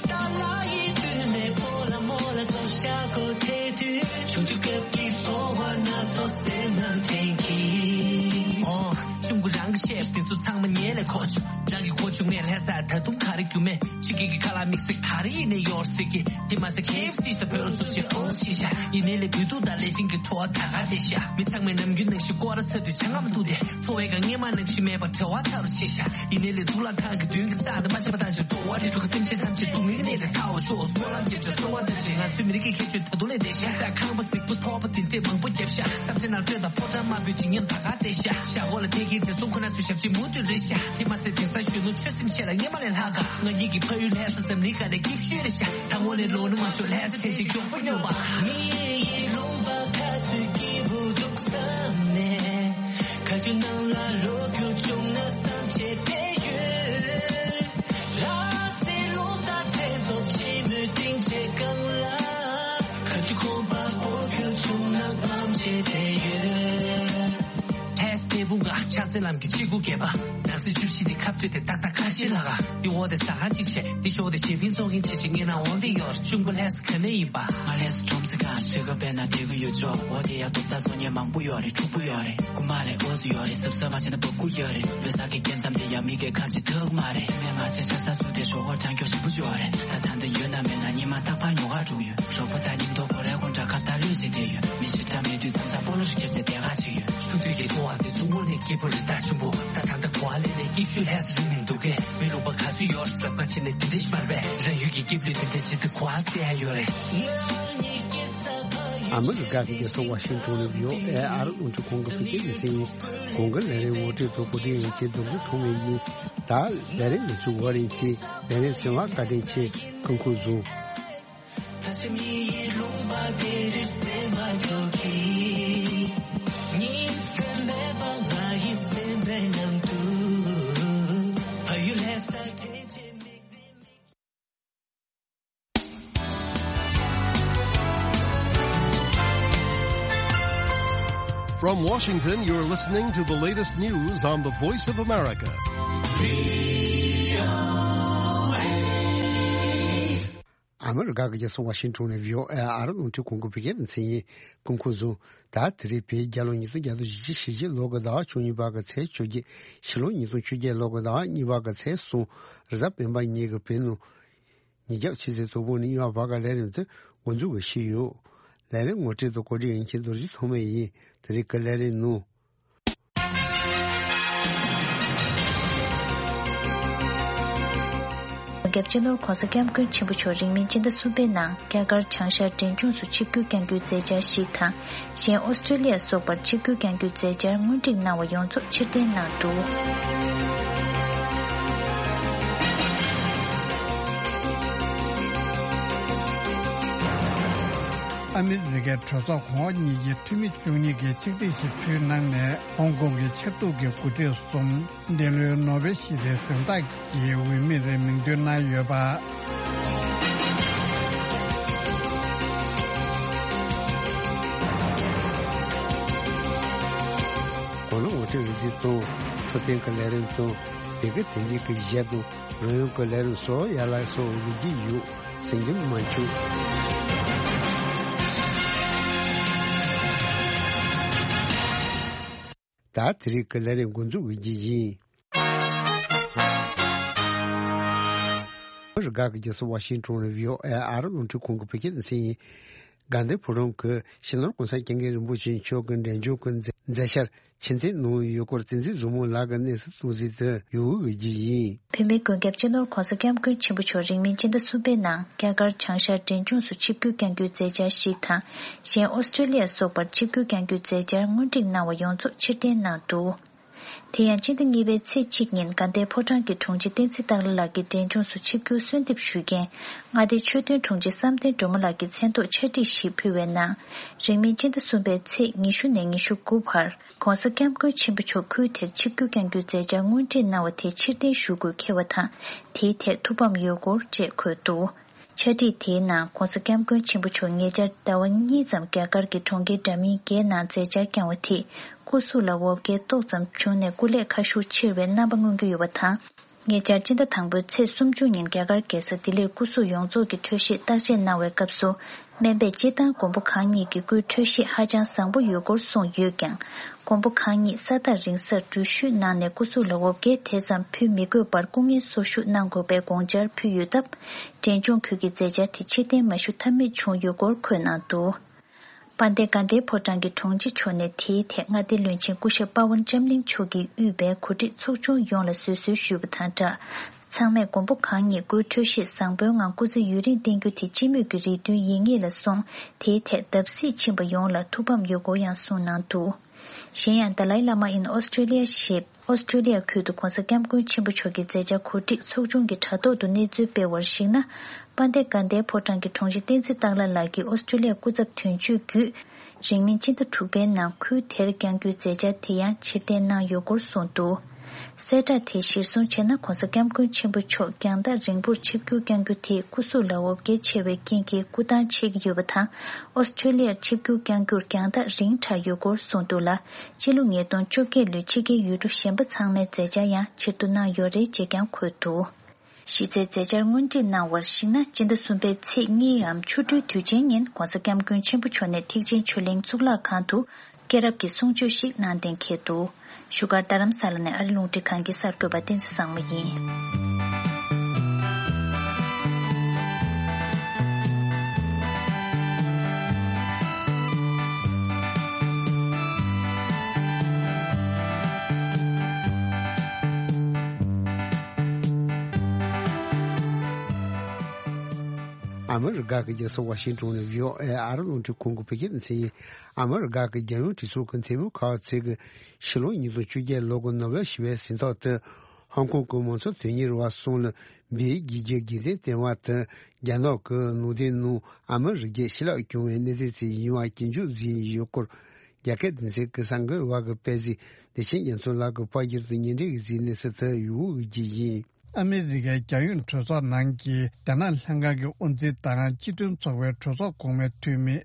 དང་ལ་ཡི་དུས་ནས་ཕོ་ལ་མོ་ལ་སོགས་ཤག་གོ་དེ་དུས་ཆུང་དུས་སྐབས་ཀྱི་ཚོར་བ་སྣ་ཚོགས་སེམས་ནང་དྲན་གྱིན། ཨོ། གཅུང་པོ་རང་གི་བཤད་དེ་ཚོ་ཚང་མ་ཉན་ལས་གོ་ཆུ། རང་གི་གོ་ཆུང་ནས་ལྷ་ས་ད་དུང་ག་རེ་རྒྱུ་མེད། ཕྱི་རྒྱལ་གྱི་ཁ་ལག་དམིགས་བསལ་ག་རེ་ཡིན་ནས་ཡོད་ཟེར་གི། དེ་མ་ཟད་ཁེ་ཨེཕ་སི་ཞིག་དང་བོད་ལ་བཙུགས་ཤིང་ཨོ་ཆེ་ཤག་ཡིན་ནའི་ལས་བོད་ཐུག་དང་ལས་དོན་གྱི་བྲོ་བ་ད་ག་དེ་ཤག་མི་ཚང་མས་ནམ་རྒྱུན་ནང་བཞིན་སྐོར་ར་ཚ་དུས་ཆང་ངམ་འཐུང་སྟེ། འཚོ་བའི་སྒང་སྔས་མ་ནང་བཞིན་མེད་པར་བྲེལ་བ་ཚ་རུ་ཆེ་ཤག་ཡིན་ནའི་ལས་གཙུག་ལག་ཁང་གི་མདུན་གྱི་ས་དེ་མ་ཆད་པ་བཏང་ཞིང་འགྲོ་བ་རིགས་དྲུག་གི་སེམས་ཅན་ཐམས་ཅད་སྡུག་བསྔལ་གནས་ལས་ཐར་བར་ཤོག་སྨོན་ལམ་རྒྱབ་ཅིང་གསོལ་བ་འདེབས་ཅིང་ང་ཚོའི་མི་རིགས་ཀྱི་ཁྱད་ཆོས་ད་དུང་ལས་འདས་ཤག་ས་ཁང་པ་རྫིག་པོ་ཐོག་པ་དེ་འདྲས་མང་པོ་བརྒྱབ་ཤག་ས་ཆ་ནང་སྤྲོད་དང་ཕོ་བྲང་དམར་པོའི་བརྗིད་ཉམས་ད་ག་བསྡད་ཤག་ཤག་འོག་ལ་ཐད་ཀའི་དྲི་བསུང་ཁོ་ན་ཚོའི་ཞབས་ཕྱི་མུ་མཐུད་རེད་ཤག་དེ་མ་ཟད་དེང་སང་གཞོན་ནུ་ཆོས་སེམས་བཤད་ལ་སྔས་མ་ལས་ལྷག་ག་ང་གཉིས་ཀྱི་ཕ་ཡུལ་ལྷ་ས་འཛམ་གླིང་སྒང་ནས་སྐྱིད་ཤོས་རེད་ཤག་ད་དངོས་གནས་ལོ་ན་མ་ཤོར་ལྷ་ས་དྲན་ཤིང་མགྱོགས་པོ་སྙོམས་པ། མི་ཡི་ལུང་པ་ཁ་ཚུད་སྐྱིད་པོ་འདུག་བསམ་ནས། ག་དུས་ནང་ལ་རོགས་རྒྱུ་བྱུང་ན་བསམ་བྱས་བསྡད་ཡོད། ལྷ་སའི་ལུང་བསྟན་དྲན་ཚོགས་ཆེན་མོའི་སྡིངས་ཆའི་སྒང་ལ། ག་དུས་ཁོམ་པ་སྤོ་རྒྱུ་བྱུང་ན་དམ་བཅས་བསྡད་ཡོད། ལྷ་ས་འབྲས་སྤུངས་ཀ་ཆགས་སེ་ལམ་གྱི་གཅིག་དགུ་བརྒྱད་པ། ནགས་གསེབ་བཅུ་བཞི་དེ་ཁ་བྲལ་ཏེ་ཏག་ཏག་ཁ་ཕྱིར་ལྷག་ག་འདི་འོག་དེ་ཟ་ཁང་གཅིག་བྱས་འདི་ཞོག་དེ་བྱེད་པིན་ཚོགས་མཁན་ཆེ་ཆེ་ངེད་ནང་འོང་དེ་ཡོད་རེད། གཅུང་པོ་ལྷ་ས་ག་ནས་ཡིན་པ། ང་ལྷ་ས་ཁྲོམ་ས་གང་ཞིག་ག་བས་ན་དེ་གི་ཡོད་ཆོག་འོ་དེ་ཡ་ཏོག་ཏ་ཚོ་ཉེ་མང་པོ་ཡོད་རེད། ཕྲུག་པོ་ཡོད་རེད། རྐུ་མ་ལས་འོ་ཚོ་ཡོད་རེད། གཟབ་གཟབ་མ་བྱས་ན་བ་རྐུ་ཡོད་རེད། ལོ་གསར་གྱི་སྐྱེ་མཚམས་དེ་ཡ་མི་གས་ཁ་ཅིག་ཐག་མ་རེད། ངས་མ་བྱས་ཤ་ས་སུ་དེ་ཞོགས་པ་གྲང་སྐྱོ་ཞིག་པོ་ཡོད་རེད། ད་ད་འདི་ཡོད་ན་མེད་ན་ཉི་མ་རྟག་པར་ཉོ་ག་འགྲོ་གི་ཡོད། རོགས་པ་ད་ཉིན་ཐོ་གོ་རེ་དགོང་དྲ་ཁ་བརྡ་ལོས་བྱེད་དེ་ཡོད། མི་ཞིག་འདྲ་མེད་དུས་མཚམས་མཚམས་སྤོ་ལོ་ཞིག་རྒྱབ་བྱས་བསྡད་ག་ཅིག་ཡོད། ཆུང་དུས་ཀྱི་ཚོར་བ་དེ་ཚོ་དངོས་གནས་སྐྱིད་པོ་རེད་ད་ཆུང་པོ། ད་ད་ལྟ་གོ་བ་ལེན་ནས་སྐྱིད་ཤོས་ལྷ་ས་རིང་མི་འདུག་གས། མི་ལུང་པ་ག་ ཡོར་སབ་ཀ་ཆེ་ནས་དེ་དེ་ཤི་བར་བས་རང་ཡུལ་གྱི་སྐྱིབ་ལུས་དེ་དེ་ཆེ་དུ་གོ་ཨ་སེ་ཨ་ཡོ་རེ། ཨ་མི་རི་ཀ་གི་རྒྱལ་ས་ཝ་ཤིང་ཏོན་ནས་བྷི་ཨོ་ཨེ་ཨ་རི་རླུང་འཕྲིན་ཁང་གི་བོད་སྐད་སྡེ་ཚན་ཡིན། གོང་གི་ལས་རིམ་ངོ་སྤྲོད་དང་གོ་སྒྲིག་ཡོད་མཁན་རྡོ་རྗེ་ཐོགས་མེད་ཡིན། ད་ལས་རིམ་ནས་བཙུགས་པ་རིང་ཚེ་ལས་རིམ་གསན་པར་བཀའ་དྲིན་ཆེ། སྐུ་ཁམས་བཟང་། From Washington, you're listening to the latest news on the Voice of America. ཨ་མི་རི་ཀ་གི་རྒྱལ་ས་ཝ་ཤིང་ཏོན་ནས་བྷི་ཨོ་ཨེ་ཨ་རི་རླུང་འཕྲིན་ཁང་གི་བོད་སྐད་སྡེ་ཚན་ཡིན། སྐུ་ཁམས་བཟང་། ད་དེ་རིང་བོད་རྒྱལ་ལོ་ཉིས་སྟོང་བརྒྱ་དང་བཞི་བཅུ་ཞེ་གཅིག་ལོ་གི་ཟླ་བ་བཅུ་གཉིས་པ་གི་ཚེས་བཅོ་བརྒྱད། ཕྱི་ལོ་ཉིས་སྟོང་བཅོ་བརྒྱད་ལོ་གི་ཟླ་བ་གཉིས་པ་གི་ཚེས་གསུམ། རེས་གཟའ་སྤེན་པ་ཉིན་གྱི་བོད་ནང་ཉིན་རྒྱབ་ཕྱི་ཚེས་དང་པོ་ནས་གཉིས་པ་བར་གྱི་ལས་རིམ་དེ་འགོ་འཛུགས་ཀྱི་ཞུས་ཡོད། ལས་རིམ་ངོ་སྤྲོད་དང་གོ་སྒྲིག་ཡོད་མཁན་རྡོ་རྗེ་ཐོགས་མེད་ཡིན། དེ་རིང་གི་ལས་རིམ་ནང་། རྒྱལ་སྤྱི་ནོར་༸གོང་ས་༸སྐྱབས་མགོན་ཆེན་པོ་མཆོག་རིང་མིན་སྤྱི་ཟླ་གསུམ་པའི་ནང་རྒྱ་གར་བྱང་ཤར་འབྲས་ལྗོངས་སུ་ཆིབས་བསྒྱུར་བསྐྱང་རྒྱུའི་མཛད་འཆར་ཞིག་དང་། གཞན་ཨོ་སི་ཀྲོ་ལི་ཡ་སོགས་པར་ཆིབས་བསྒྱུར་བསྐྱང་རྒྱུའི་མཛད་འཆར་སྔོན་སྒྲིག་གནང་བ་ཡོངས་རྫོགས་ཕྱིར་འཐེན་གནང་འདུག་ཨ་མི་རི་ཀའི་གྲོས་ཚོགས་གོང་འོག་གཉིས་ཀྱི་འཐུས་མི་བཅུ་གཉིས་ཀྱིས་ཆིག་སྒྲིལ་ཞིག་ཕུལ་གནང་ནས། ཧོང་ཀོང་གི་ཆབ་འདུག་གི་འགོ་ཁྲིད་གསུམ། འདི་ལོའི་ནོ་བེལ་ཞི་བདེའི་གཟེངས་རྟགས་ཀྱི་འོས་མིར་མིང་འདོན་གནང་ཡོད་པ། གོ་ལ་ངོ་སྤྲོད་རིག་འཛིན་དང་འཕྲོད་བསྟེན་གྱི་ལས་རིམ་དང་། བོད་སྐད་དོན་རྒྱུགས་ཀྱི་གཞས་དང་རོལ་དབྱངས་ཀྱི་ལས་རིམ་སོགས་ཡར་ལ་སོགས་ཡོད་ཀྱི་ཡོད། གསན་རྒྱུ་མ་བྱུང་། ད་དེ་རིང་གི་ལས་རིམ་འགོ་འཛུགས་ཀྱི་ཡིན། ཨ་མི་རི་ཀ་གི་རྒྱལ་ས་ཝ་ཤིང་ཏོན་ནས་བྷི་ཨོ་ཨེ་ཨ་རི་རླུང་འཕྲིན་ཁང་གི་བོད་སྐད་སྡེ་ཚན་ཡིན། དགའ་ལྡན་ཕོ་བྲང་གི་སྤྱི་ནོར་གོང་ས་སྐྱབས་མགོན་རིན་པོ་ཆེ་མཆོག་གི་འབྲས་ལྗོངས་ཀྱི་མཛད་འཆར་ཕྱིར་འཐེན་གནང་ཡོད་སྐོར་བསྟན་འཛིན་བཟང་མོ་ལགས་ཀྱིས་གནས་ཚུལ་གཏོང་གཟིགས་དུ་ཡོང་ཡོད་ཀྱི་ཡིན། བོད་མིའི་མགོན་སྐྱབས་སྤྱི་ནོར་༸གོང་ས་༸སྐྱབས་མགོན་ཆེན་པོ་མཆོག་རིང་མིན་སྤྱི་ཟླ་གསུམ་པའི་ནང་རྒྱ་གར་བྱང་ཤར་འབྲས་ལྗོངས་སུ་ཆིབས་བསྒྱུར་བསྐྱང་རྒྱུའི་མཛད་འཆར་ཞིག་དང་། གཞན་ཨོ་སི་ཀྲོ་ལི་ཡ་སོགས་པར་ཆིབས་བསྒྱུར་བསྐྱང་རྒྱུའི་མཛད་འཆར་སྔོན་སྒྲིག་གནང་བ་ཡོངས་རྫོགས་ཕྱིར་འཐེན་གནང་འདུག་དེ་ཡང་སྤྱི་ཟླ་གཉིས་པའི་ཚེས་གཅིག་ཉིན་དགའ་ལྡན་ཕོ་བྲང་གི་དྲུང་ཆེ་བསྟན་འཛིན་སྟག་ལྷ་ལགས་ཀྱིས་འབྲས་ལྗོངས་སུ་ཆིབས་བསྒྱུར་གསོལ་འདེབས་ཞུས་རྐྱེན། མངའ་སྡེའི་ཆོས་དོན་དྲུང་ཆེ་བསམ་གཏན་སྒྲོལ་མ་ལགས་ཀྱི་མཚན་ཐོག་ཕྱག་བྲིས་ཤིག་ཕུལ་བའི་ནང་། རིང་མིན་སྤྱི་ཟླ་གསུམ་པའི་ཚེས་ཉི་ཤུ་ནས་ཉི་ཤུ་དགུ་བར། ༸གོང་ས་༸སྐྱབས་མགོན་ཆེན་པོ་མཆོག་ཁུལ་དེར་ཆིབས་བསྒྱུར་བསྐྱང་རྒྱུའི་མཛད་འཆར་སྔོན་སྒྲིག་གནང་བ་དེ་ཕྱིར་འཐེན་ཞུ་དགོས་འཁེལ་བ་དང་། དེའི་ཐད་ཐུགས་ཕམ་ཡོད་སྐོར་བཅས་འཁོད་འདུག་ཕྱག་བྲིས་དེའི་ནང་༸གོང་ས་༸སྐྱབས་མགོན་ཆེན་པོ་མཆོག་ཉེ་ཆར་ཟླ་བ་གཉིས་ཙམ་རྒྱ་གར་གྱི་གྲོང་ཁྱེར་འདྲ་མིན་བརྒྱད་ནང་མཛད་འཆར་བསྐྱངས་བ་དེས་སྐུ་གཟུགས་ལ་འོ་བརྒྱལ་ཏོག་ཙམ་བྱུང་ནས་སྐུ་ལས་ཁ་ཤུགས་ཆེ་བའི་རྣམ་པ་མངོན་གྱི་ཡོད་པ་དང་། ཉེ་ཆར་སྤྱི་ཟླ་དང་པོའི་ཚེས་སུམ་ཅུ་ཉིན་རྒྱ་གར་རྒྱལ་ས་ལྡི་ལིར་སྐུ་གཟུགས་ཡོངས་རྫོགས་ཀྱི་འཕྲོད་བཞེས་བརྟག་དཔྱད་གནང་བའི་སྐབས་སུ། སྨན་པས་སྤྱིར་བཏང་མགོན་པོ་གང་ཉིད་ཀྱི་སྐུའི་འཕྲོད་བཞེས་ཧ་ཅང་བཟང་པོ་ཡོད་སྐོར་གསུངས་ཡོད་ཀྱང་། མགོན་པོ་གང་ཉིད་ས་ཐག་རིང་སར་འགྲུལ་བཞུད་གནང་ནས་སྐུ་གཟུགས་ལ་འོ་བརྒྱལ་དེ་ཙམ་ཕུལ་མི་དགོས་པར་སྐུ་ངལ་གསོ་བཞུགས་གནང་དགོས་པའི་དགོངས་འཆར་ཕུལ་ཡོད་སྟབས། འབྲས་ལྗོངས་ཁུལ་གྱི་མཛད་འཆར་དེ་ཕྱིར་འཐེན་མ་ཞུ་ཐབས་མེད་བྱུང་ཡོད་སྐོར་འཁོད་གནང་འདུག་དཔལ་ལྡན་དགའ་ལྡན་ཕོ་བྲང་གི་དྲུང་ཆེ་མཆོག་ནས་དེའི་ཐད་མངའ་སྡེའི་བློན་ཆེན་སྐུ་ཞབས་པ་ཝན་ལྕམ་གླིང་མཆོག་གིས་དབུས་པའི་གོ་སྒྲིག་ཚོགས་ཆུང་ཡོངས་ལ་བཟོད་གསོལ་ཞུས་པ་དང་སྦྲགས། ཚང་མས་མགོན་པོ་གང་ཉིད་སྐུའི་འཕྲོད་བཞེས་བཟང་པོའི་ངང་སྐུ་ཚེ་ཡུན་རིང་བརྟན་རྒྱུ་དེ་སྤྱི་མོས་ཀྱི་རེ་འདུན་ཡིན་ངེས་ལ་སོང་། དེའི་ཐད་བརྡབ་གསིག་ཕྱིན་པ་ཡོངས་ལ་ཐུགས་ཕམ་ཡོད་སྐོར་ཡང་གསུངས་གནང་འདུག་གཞན་ཡང་Dalai Lama in Australia ཞེས། ཨོ་སི་ཀྲོ་ལི་ཡ་ཁུལ་དུ་༸གོང་ས་༸སྐྱབས་མགོན་ཆེན་པོ་མཆོག་གི་མཛད་འཆར་གོ་སྒྲིག་ཚོགས་ཆུང་གི་དྲ་ཐོག་ཏུ་གནས་ཚུལ་སྤེལ་བར་གཞིགས་ན། དཔལ་ལྡན་དགའ་ལྡན་ཕོ་བྲང་གི་དྲུང་ཆེ་བསྟན་འཛིན་སྟག་ལྷ་ལགས་ཀྱིས་ཨོ་སི་ཀྲོ་ལི་ཡ་སྐུ་ཚབ་དོན་གཅོད་བརྒྱུད། རིང་མིན་སྤྱི་ཟླ་དྲུག་པའི་ནང་ཁུལ་དེར་བསྐྱང་རྒྱུའི་མཛད་འཆར་དེ་ཡང་ཕྱིར་འཐེན་གནང་ཡོད་སྐོར་གསུངས་འདུག་གསལ་བསྒྲགས་དེ་གཞིར་བཟུང་བྱས་ན། ༸གོང་ས་༸སྐྱབས་མགོན་ཆེན་པོ་མཆོག་རྒྱང་ཐག་རིང་པོར་ཆིབས་བསྒྱུར་བསྐྱང་རྒྱུ་དེས་སྐུ་གཟུགས་ལ་འོ་བརྒྱལ་ཆེ་བའི་རྐྱེན་གྱིས་སྐུ་ཐང་ཆད་ཀྱི་ཡོད་པ་དང་། ཨོ་སི་ཀྲོ་ལི་ཡར་ཆིབས་བསྒྱུར་བསྐྱང་རྒྱུར་རྒྱང་ཐག་རིང་དྲགས་ཡོད་སྐོར་གསུངས་འདུག་ལ། སྤྱི་ལོ་ཉིས་སྟོང་བཅོ་བརྒྱད་ལོའི་ཕྱི་རྒྱལ་ཡུལ་གྲུ་གཞན་པ་ཚང་མའི་མཛད་འཆར་ཡང་ཕྱིར་བསྡུ་གནང་ཡོད་རེད་ཅེས་ཀྱང་འཁོད་འདུག་གཞི་རྩའི་མཛད་འཆར་སྔོན་སྒྲིག་གནང་བར་གཞིགས་ན། སྤྱི་ཟླ་གསུམ་པའི་ཚེས་གཉིས་འམ་ཆུ་སྦྲུལ་དུས་ཆེན་ཉིན་༸གོང་ས་༸སྐྱབས་མགོན་ཆེན་པོ་མཆོག་ནས་ཐེག་ཆེན་ཆོས་གླིང་གཙུག་ལག་ཁང་དུ་སྐྱེས་རབས་ཀྱི་གསུང་ཆོས་ཤིག་གནང་གཏན་འཁེལ་འདུག་བཞུགས་སྒར་རྡ་རམ་ས་ལ་ནས་ཨ་རི་རླུང་འཕྲིན་ཁང་གི་གསར་འགོད་པ་བསྟན་འཛིན་བཟང་མོ་ཡིན། ཨ་མི་རི་ཀ་གི་རྒྱལ་ས་ཝ་ཤིང་ཏོན་ནས་བྷི་ཨོ་ཨེ་ཨ་རི་རླུང་འཕྲིན་ཁང་གི་བོད་སྐད་སྡེ་ཚན་ཡིན། ཨ་མི་རི་ཀ་གི་རྒྱལ་ཡོངས་གྲོས་ཚོགས་ཀྱི་འཐུས་མི་ཁག་ཅིག་གིས་ཕྱི་ལོ་ཉིས་སྟོང་བཅོ་བརྒྱད་ལོ་གི་ནོ་བེལ་ཞི་བའི་གཟེངས་རྟགས་དེ་ཧོང་ཀོང་གི་མང་གཙོ་དོན་གཉེར་བ་གསུམ་ལ་འབུལ་རྒྱུའི་གི་འགན་འདུན་བཏོན་པ་དེ་རྒྱ་ནག་གི་ནང་བསྟན་ནང་ཨ་མི་རི་ཀས་ཞི་ལྷག་བྱུང་བའི་གནས་ཚུལ་ཅིག་ཡིན་པ་སྐྱོན་བརྗོད་བྱས་ཡོད་སྐོར། རྒྱ་སྐད་སྡེ་ཚན་གྱི་གསར་འགོད་པ་གིས་སྤེལ་གཟིགས། བདེ་ཆེན་རྒྱ་མཚོ་ལགས་ཀྱིས་ཕར་སྐྱོར་དུ་སྙན་སྒྲོན་གྱི་གཟིགས་གནས་ཚུལ་དེ་ཡུལ་དབུས་ཀྱི་ཡིན། ཨ་མི་རི་ཀའི་རྒྱལ་ཡོངས་གྲོས་ཚོགས་ནང་གི་རྒྱ་ནག་ལྷན་ཁང་གི་དབུ་འཛིན་དང་སྤྱི་མཐུན་ཚོགས་པའི་གྲོས་ཚོགས་གོང་མའི་འཐུས་མི་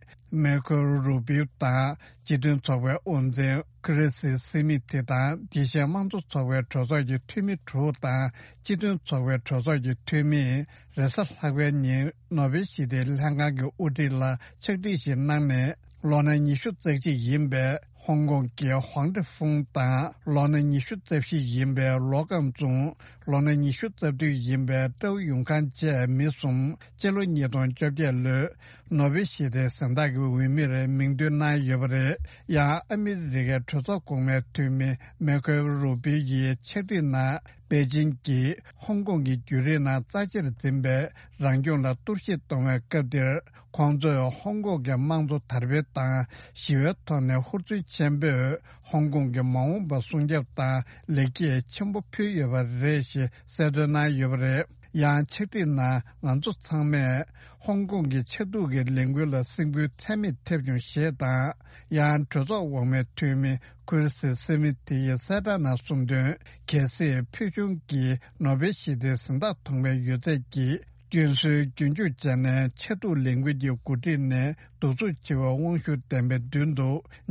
མེ་ཁོ་རུ་བིའུ་དང་། སྤྱི་མཐུན་ཚོགས་པའི་དབུ་འཛིན་ཁི་རི་སི་སི་མི་ཐི་དང་། དེ་བཞིན་དམངས་གཙོ་ཚོགས་པའི་གྲོས་ཚོགས་ཀྱི་འཐུས་མི་དྲུག་དང་། སྤྱི་མཐུན་ཚོགས་པའི་གྲོས་ཚོགས་ཀྱི་འཐུས་མིས་རེས་གཟའ་ལྷག་པའི་ཉིན་ནོ་བེལ་ཞི་བདེའི་ལྷན་ཁང་གི་དབུ་ཁྲིད་ལ་ཕྱག་བྲིས་ཤིག་གནང་ནས། ལོ་ན་ཉི་ཤུ་རྩ་གཅིག་ཡིན་པའི་ཧོང་ཀོང་གི་ཧོང་ཀྲི་ཧྥུང་དང་། ལོ་ན་ཉི་ཤུ་རྩ་བཞི་ཡིན་པའི་ལོ་ཀང་ཙུང་། ལོ་ན་ཉི་ཤུ་རྩ་བདུན་ཡིན་པའི་ཀྲའུ་ཡུང་ཁང་བཅས་མི་གསུམ་སྤྱི་ལོ་ཉིས་སྟོང་བཅོ་བརྒྱད་ལོའི་ནོ་བེལ་ཞི་བདེའི་གཟེངས་རྟགས་ཀྱི་འོས་མིར་མིང་འདོན་གནང་ཡོད་པ་རེད། ཡང་ཨ་མི་རི་ཀའི་གྲོས་ཚོགས་གོང་མའི་འཐུས་མི་མེ་ཁོ་རུ་བི་ཡིས་ཕྱག་བྲིས་ནང་པེ་ཅིང་གིས་ཧོང་ཀོང་གི་བརྒྱུད་རིམ་ནང་རྩ་ཆེར་འཛིན་པའི་རང་སྐྱོང་ལ་གཏོར་བཤིག་གཏོང་བའི་སྐབས་འདིར། ཁོང་ཚོས་ཧོང་ཀོང་གི་དམངས་གཙོ་དར་སྤེལ་དང་ཞི་བའི་ཐོག་ནས་ཧུར་བརྩོན་ཆེན་པོས་ཧོང་ཀོང་གི་མ་འོངས་པ་སྲུང་སྐྱོབ་དང་ལེགས་སྐྱེས་ཆེན་པོ་ཕུལ་ཡོད་པ་རེད་ཞེས་གསལ་སྟོན་གནང་ཡོད་པ་རེད། ཡང་ཕྱག་བྲིས་ནང་ང་ཚོ་ཚང་མས་ཧོང་ཀོང་གི་ཆབ་སྡུག་གི་ལས་འགུལ་ལ་སེམས་འགུལ་ཚད་མེད་ཐེབས་བྱུང་ཞེས་དང་། ཡང་གྲོས་ཚོགས་འོག་མའི་འཐུས་མི་ཁུར་སི་སི་མི་ཐི་ཡིས་གསལ་བསྒྲགས་ནང་གསུངས་དོན། གལ་སྲིད་ཕུལ་བྱུང་གི་ནོ་བེལ་ཞི་བདེའི་གཟེངས་རྟགས་ཐོབ་པའི་ཡོད་ཚད་ཀྱིས། སྐྱོན་སྲོལ་རྒྱུན་འཇུག་བྱས་ནས་ཆབ་སྡུག་ལས་འགུལ་གྱི་འགོ་ཁྲིད་ནས་གདུག་རྩུབ་ཆེ་བའི་དབང་ཤུགས་ལྡན་པའི་མདུན་དུ་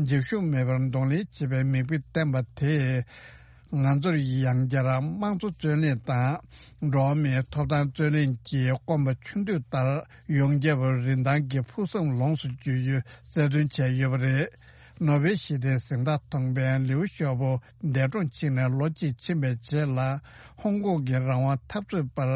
འཇིགས་ཞུམ་མེད་པར་གདོང་ལེན་བྱེད་པའི་མིག་དཔེ་བསྟན་པ་དེས། ང་ཚོར་ཡང་བསྐྱར་དམངས་གཙོ་རྩོད་གླེང་དང་། འགྲོ་བ་མིའི་ཐོབ་ཐང་རྩོད་གླེང་གི་སྐོམ་པ་ཆུ་འདོད་ལྟར་ཡོངས་ཁྱབ་རིན་ཐང་གི་ཕུགས་བསམ་ལོངས་སུ་སྤྱོད་རྒྱུ་གསལ་སྟོན་བྱས་ཡོད་པ་རེད། ནོ་བེལ་ཞི་བདེའི་གཟེངས་རྟགས་ཐོབ་མཁན་ལིའུ་ཞའོ་པོ་འདས་གྲོངས་ཕྱིན་ནས་ལོ་གཅིག་ཕྱིན་པའི་རྗེས་ལ། ཧོང་ཀོང་གི་རང་དབང་འཐབ་རྩོད་པར་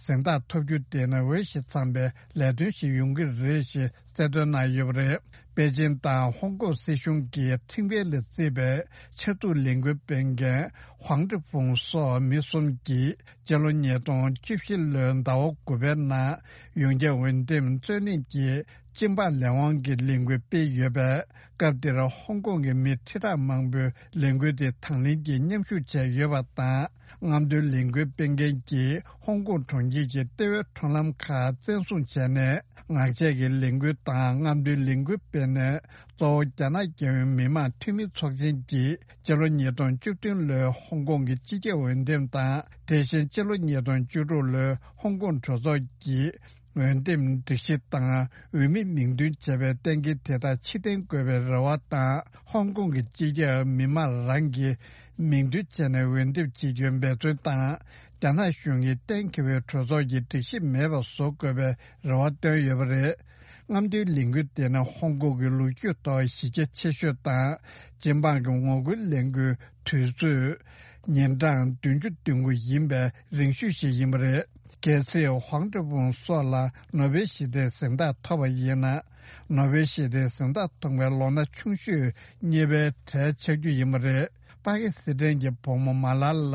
གཟེངས་རྟགས་ཐོབ་རྒྱུ་དེ་ནི་འོས་ཤིང་འཚམས་པའི་ལས་དོན་ཞིག་ཡོང་གི་རེད་ཞེས་གསལ་སྟོན་གནང་ཡོད་པ་རེད། པེ་ཅིན་དང་ཧོང་ཀོང་སྲིད་གཞུང་གི་ཁྲིམས་འགལ་ལ་བརྩིས་པའི་ཆབ་སྡུག་ལས་འགུལ་སྤེལ་མཁན་ཧུང་ཀྲི་ཧྥུང་སོགས་མི་གསུམ་གྱིས་སྤྱི་ལོ་ཉིས་སྟོང་བཅུ་བཞི་ལོའི་ཟླ་བ་དགུ་པའི་ནང་ཡོངས་ཁྱབ་འོས་འདེམས་རྩོད་གླེང་གི་སྤྱི་འབངས་ལས་དབང་གི་ལས་འགུལ་སྤེལ་ཡོད་པས། སྐབས་དེར་ཧོང་ཀོང་གི་མི་ཁྲི་ཕྲག་མང་པོས་ལས་འགུལ་དེ་དང་ལེན་གྱིས་མཉམ་ཞུགས་བྱས་ཡོད་པ་དང་། རྔམ་སྟོན་ལས་འགུལ་སྤེལ་མཁན་གྱིས་ཧོང་ཀོང་གྲོང་ཁྱེར་གྱི་ལྟེ་བའི་ཁྲོམ་ལམ་ཁག་བཙན་བཟུང་བྱས་ནས། ངག་བཅད་ཀྱི་ལས་འགུལ་དང་རྔམ་སྟོན་ལས་འགུལ་སྤེལ་ནས། གཙོ་བོ་རྒྱ་ནག་རྒྱལ་ཡོངས་མི་དམངས་འཐུས་མི་ཚོགས་ཆེན་གྱིས་སྤྱི་ལོ་ཉིས་སྟོང་བཅུ་བདུན་ལོའི་ཧོང་ཀོང་གི་སྤྱི་ཁྱབ་འོས་འདེམས་དང་། དེ་བཞིན་སྤྱི་ལོ་ཉིས་སྟོང་བཅུ་དྲུག་ལོའི་ཧོང་ཀོང་གྲོས་ཚོགས་ཀྱི་འོས་འདེམས་སྒྲིག་གཞི་དང་འོས་མི་མིང་འདོན་བྱས་པའི་གཏན་འཁེལ་དེ་དག་ཕྱིར་འཐེན་དགོས་པའི་རེ་བ་དང་། ཧོང་ཀོང་གི་སྤྱི་ཁྱབ་མི་མང་རང་གིས་མིང་འདོན་བྱས་ནས་འོས་འདེམས་བྱེད་རྒྱུའི་འབད་བརྩོན་དང་། རྒྱ་ནག་གཞུང་གིས་གཏན་འཁེལ་བའི་གྲོས་ཚོགས་ཀྱི་སྒྲིག་གཞི་མེད་པ་བཟོ་དགོས་པའི་རེ་བ་བཏོན་ཡོད་པ་རེད། རྔམ་སྟོན་ལས་འགུལ་དེ་ནི་ཧོང་ཀོང་གི་ལོ་རྒྱུས་ཐོག་གཞི་རྒྱ་ཆེ་ཤོས་དང་། སྤྱི་འབངས་ཀྱི་ངོ་རྒོལ་ལས་འགུལ་དུས་ཚོད་ཉིན་གྲངས་བདུན་ཅུ་དོན་དགུ་ཡིན་པའི་རིང་ཤོས་ཤིག་ཡིན་པ་རེད། གལ་སྲིད་ཧོང་ཀྲི་ཧྥུང་སོགས་ལ་ནོ་བེལ་ཞི་བདེའི་གཟེངས་རྟགས་ཐོབ་པ་ཡིན་ན། ནོ་བེལ་ཞི་བདེའི་གཟེངས་རྟགས་ཐོབ་པའི་ལོ་ན་ཆུང་ཤོས་གཉིས་པའི་གྲས་ཆགས་རྒྱུ་ཡིན་པ་རེད། པ་ཀི་སི་ཐན་གྱི་བུ་མོ་མ་ལ་ལ་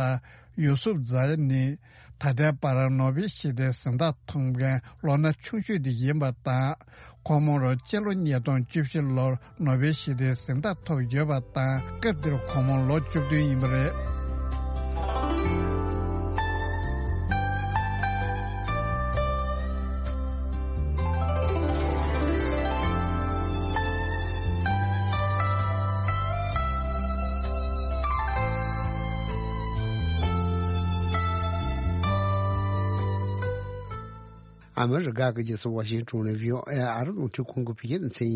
ཡུ་སུབ་ཛ་ནི་ད་ལྟའི་བར་ནོ་བེལ་ཞི་བདེའི་གཟེངས་རྟགས་ཐོབ་མཁན་ལོ་ན་ཆུང་ཤོས་དེ་ཡིན་པ་དང་། ཁོ་མོར་སྤྱི་ལོ་ཉིས་སྟོང་བཅུ་བཞི་ལོར་ནོ་བེལ་ཞི་བདེའི་གཟེངས་རྟགས་ཐོབ་ཡོད་པ་དང་། སྐབས་དེར་ཁོ་མོ་ལོ་བཅུ་བདུན་ཡིན་པ་རེད། ཨ་མི་རི་ཀ་གི་རྒྱལ་ས་ཝ་ཤིང་ཏོན་ནས་བྷི་ཨོ་ཨེ་ཨ་རི་རླུང་འཕྲིན་ཁང་གི་བོད་སྐད་སྡེ་ཚན་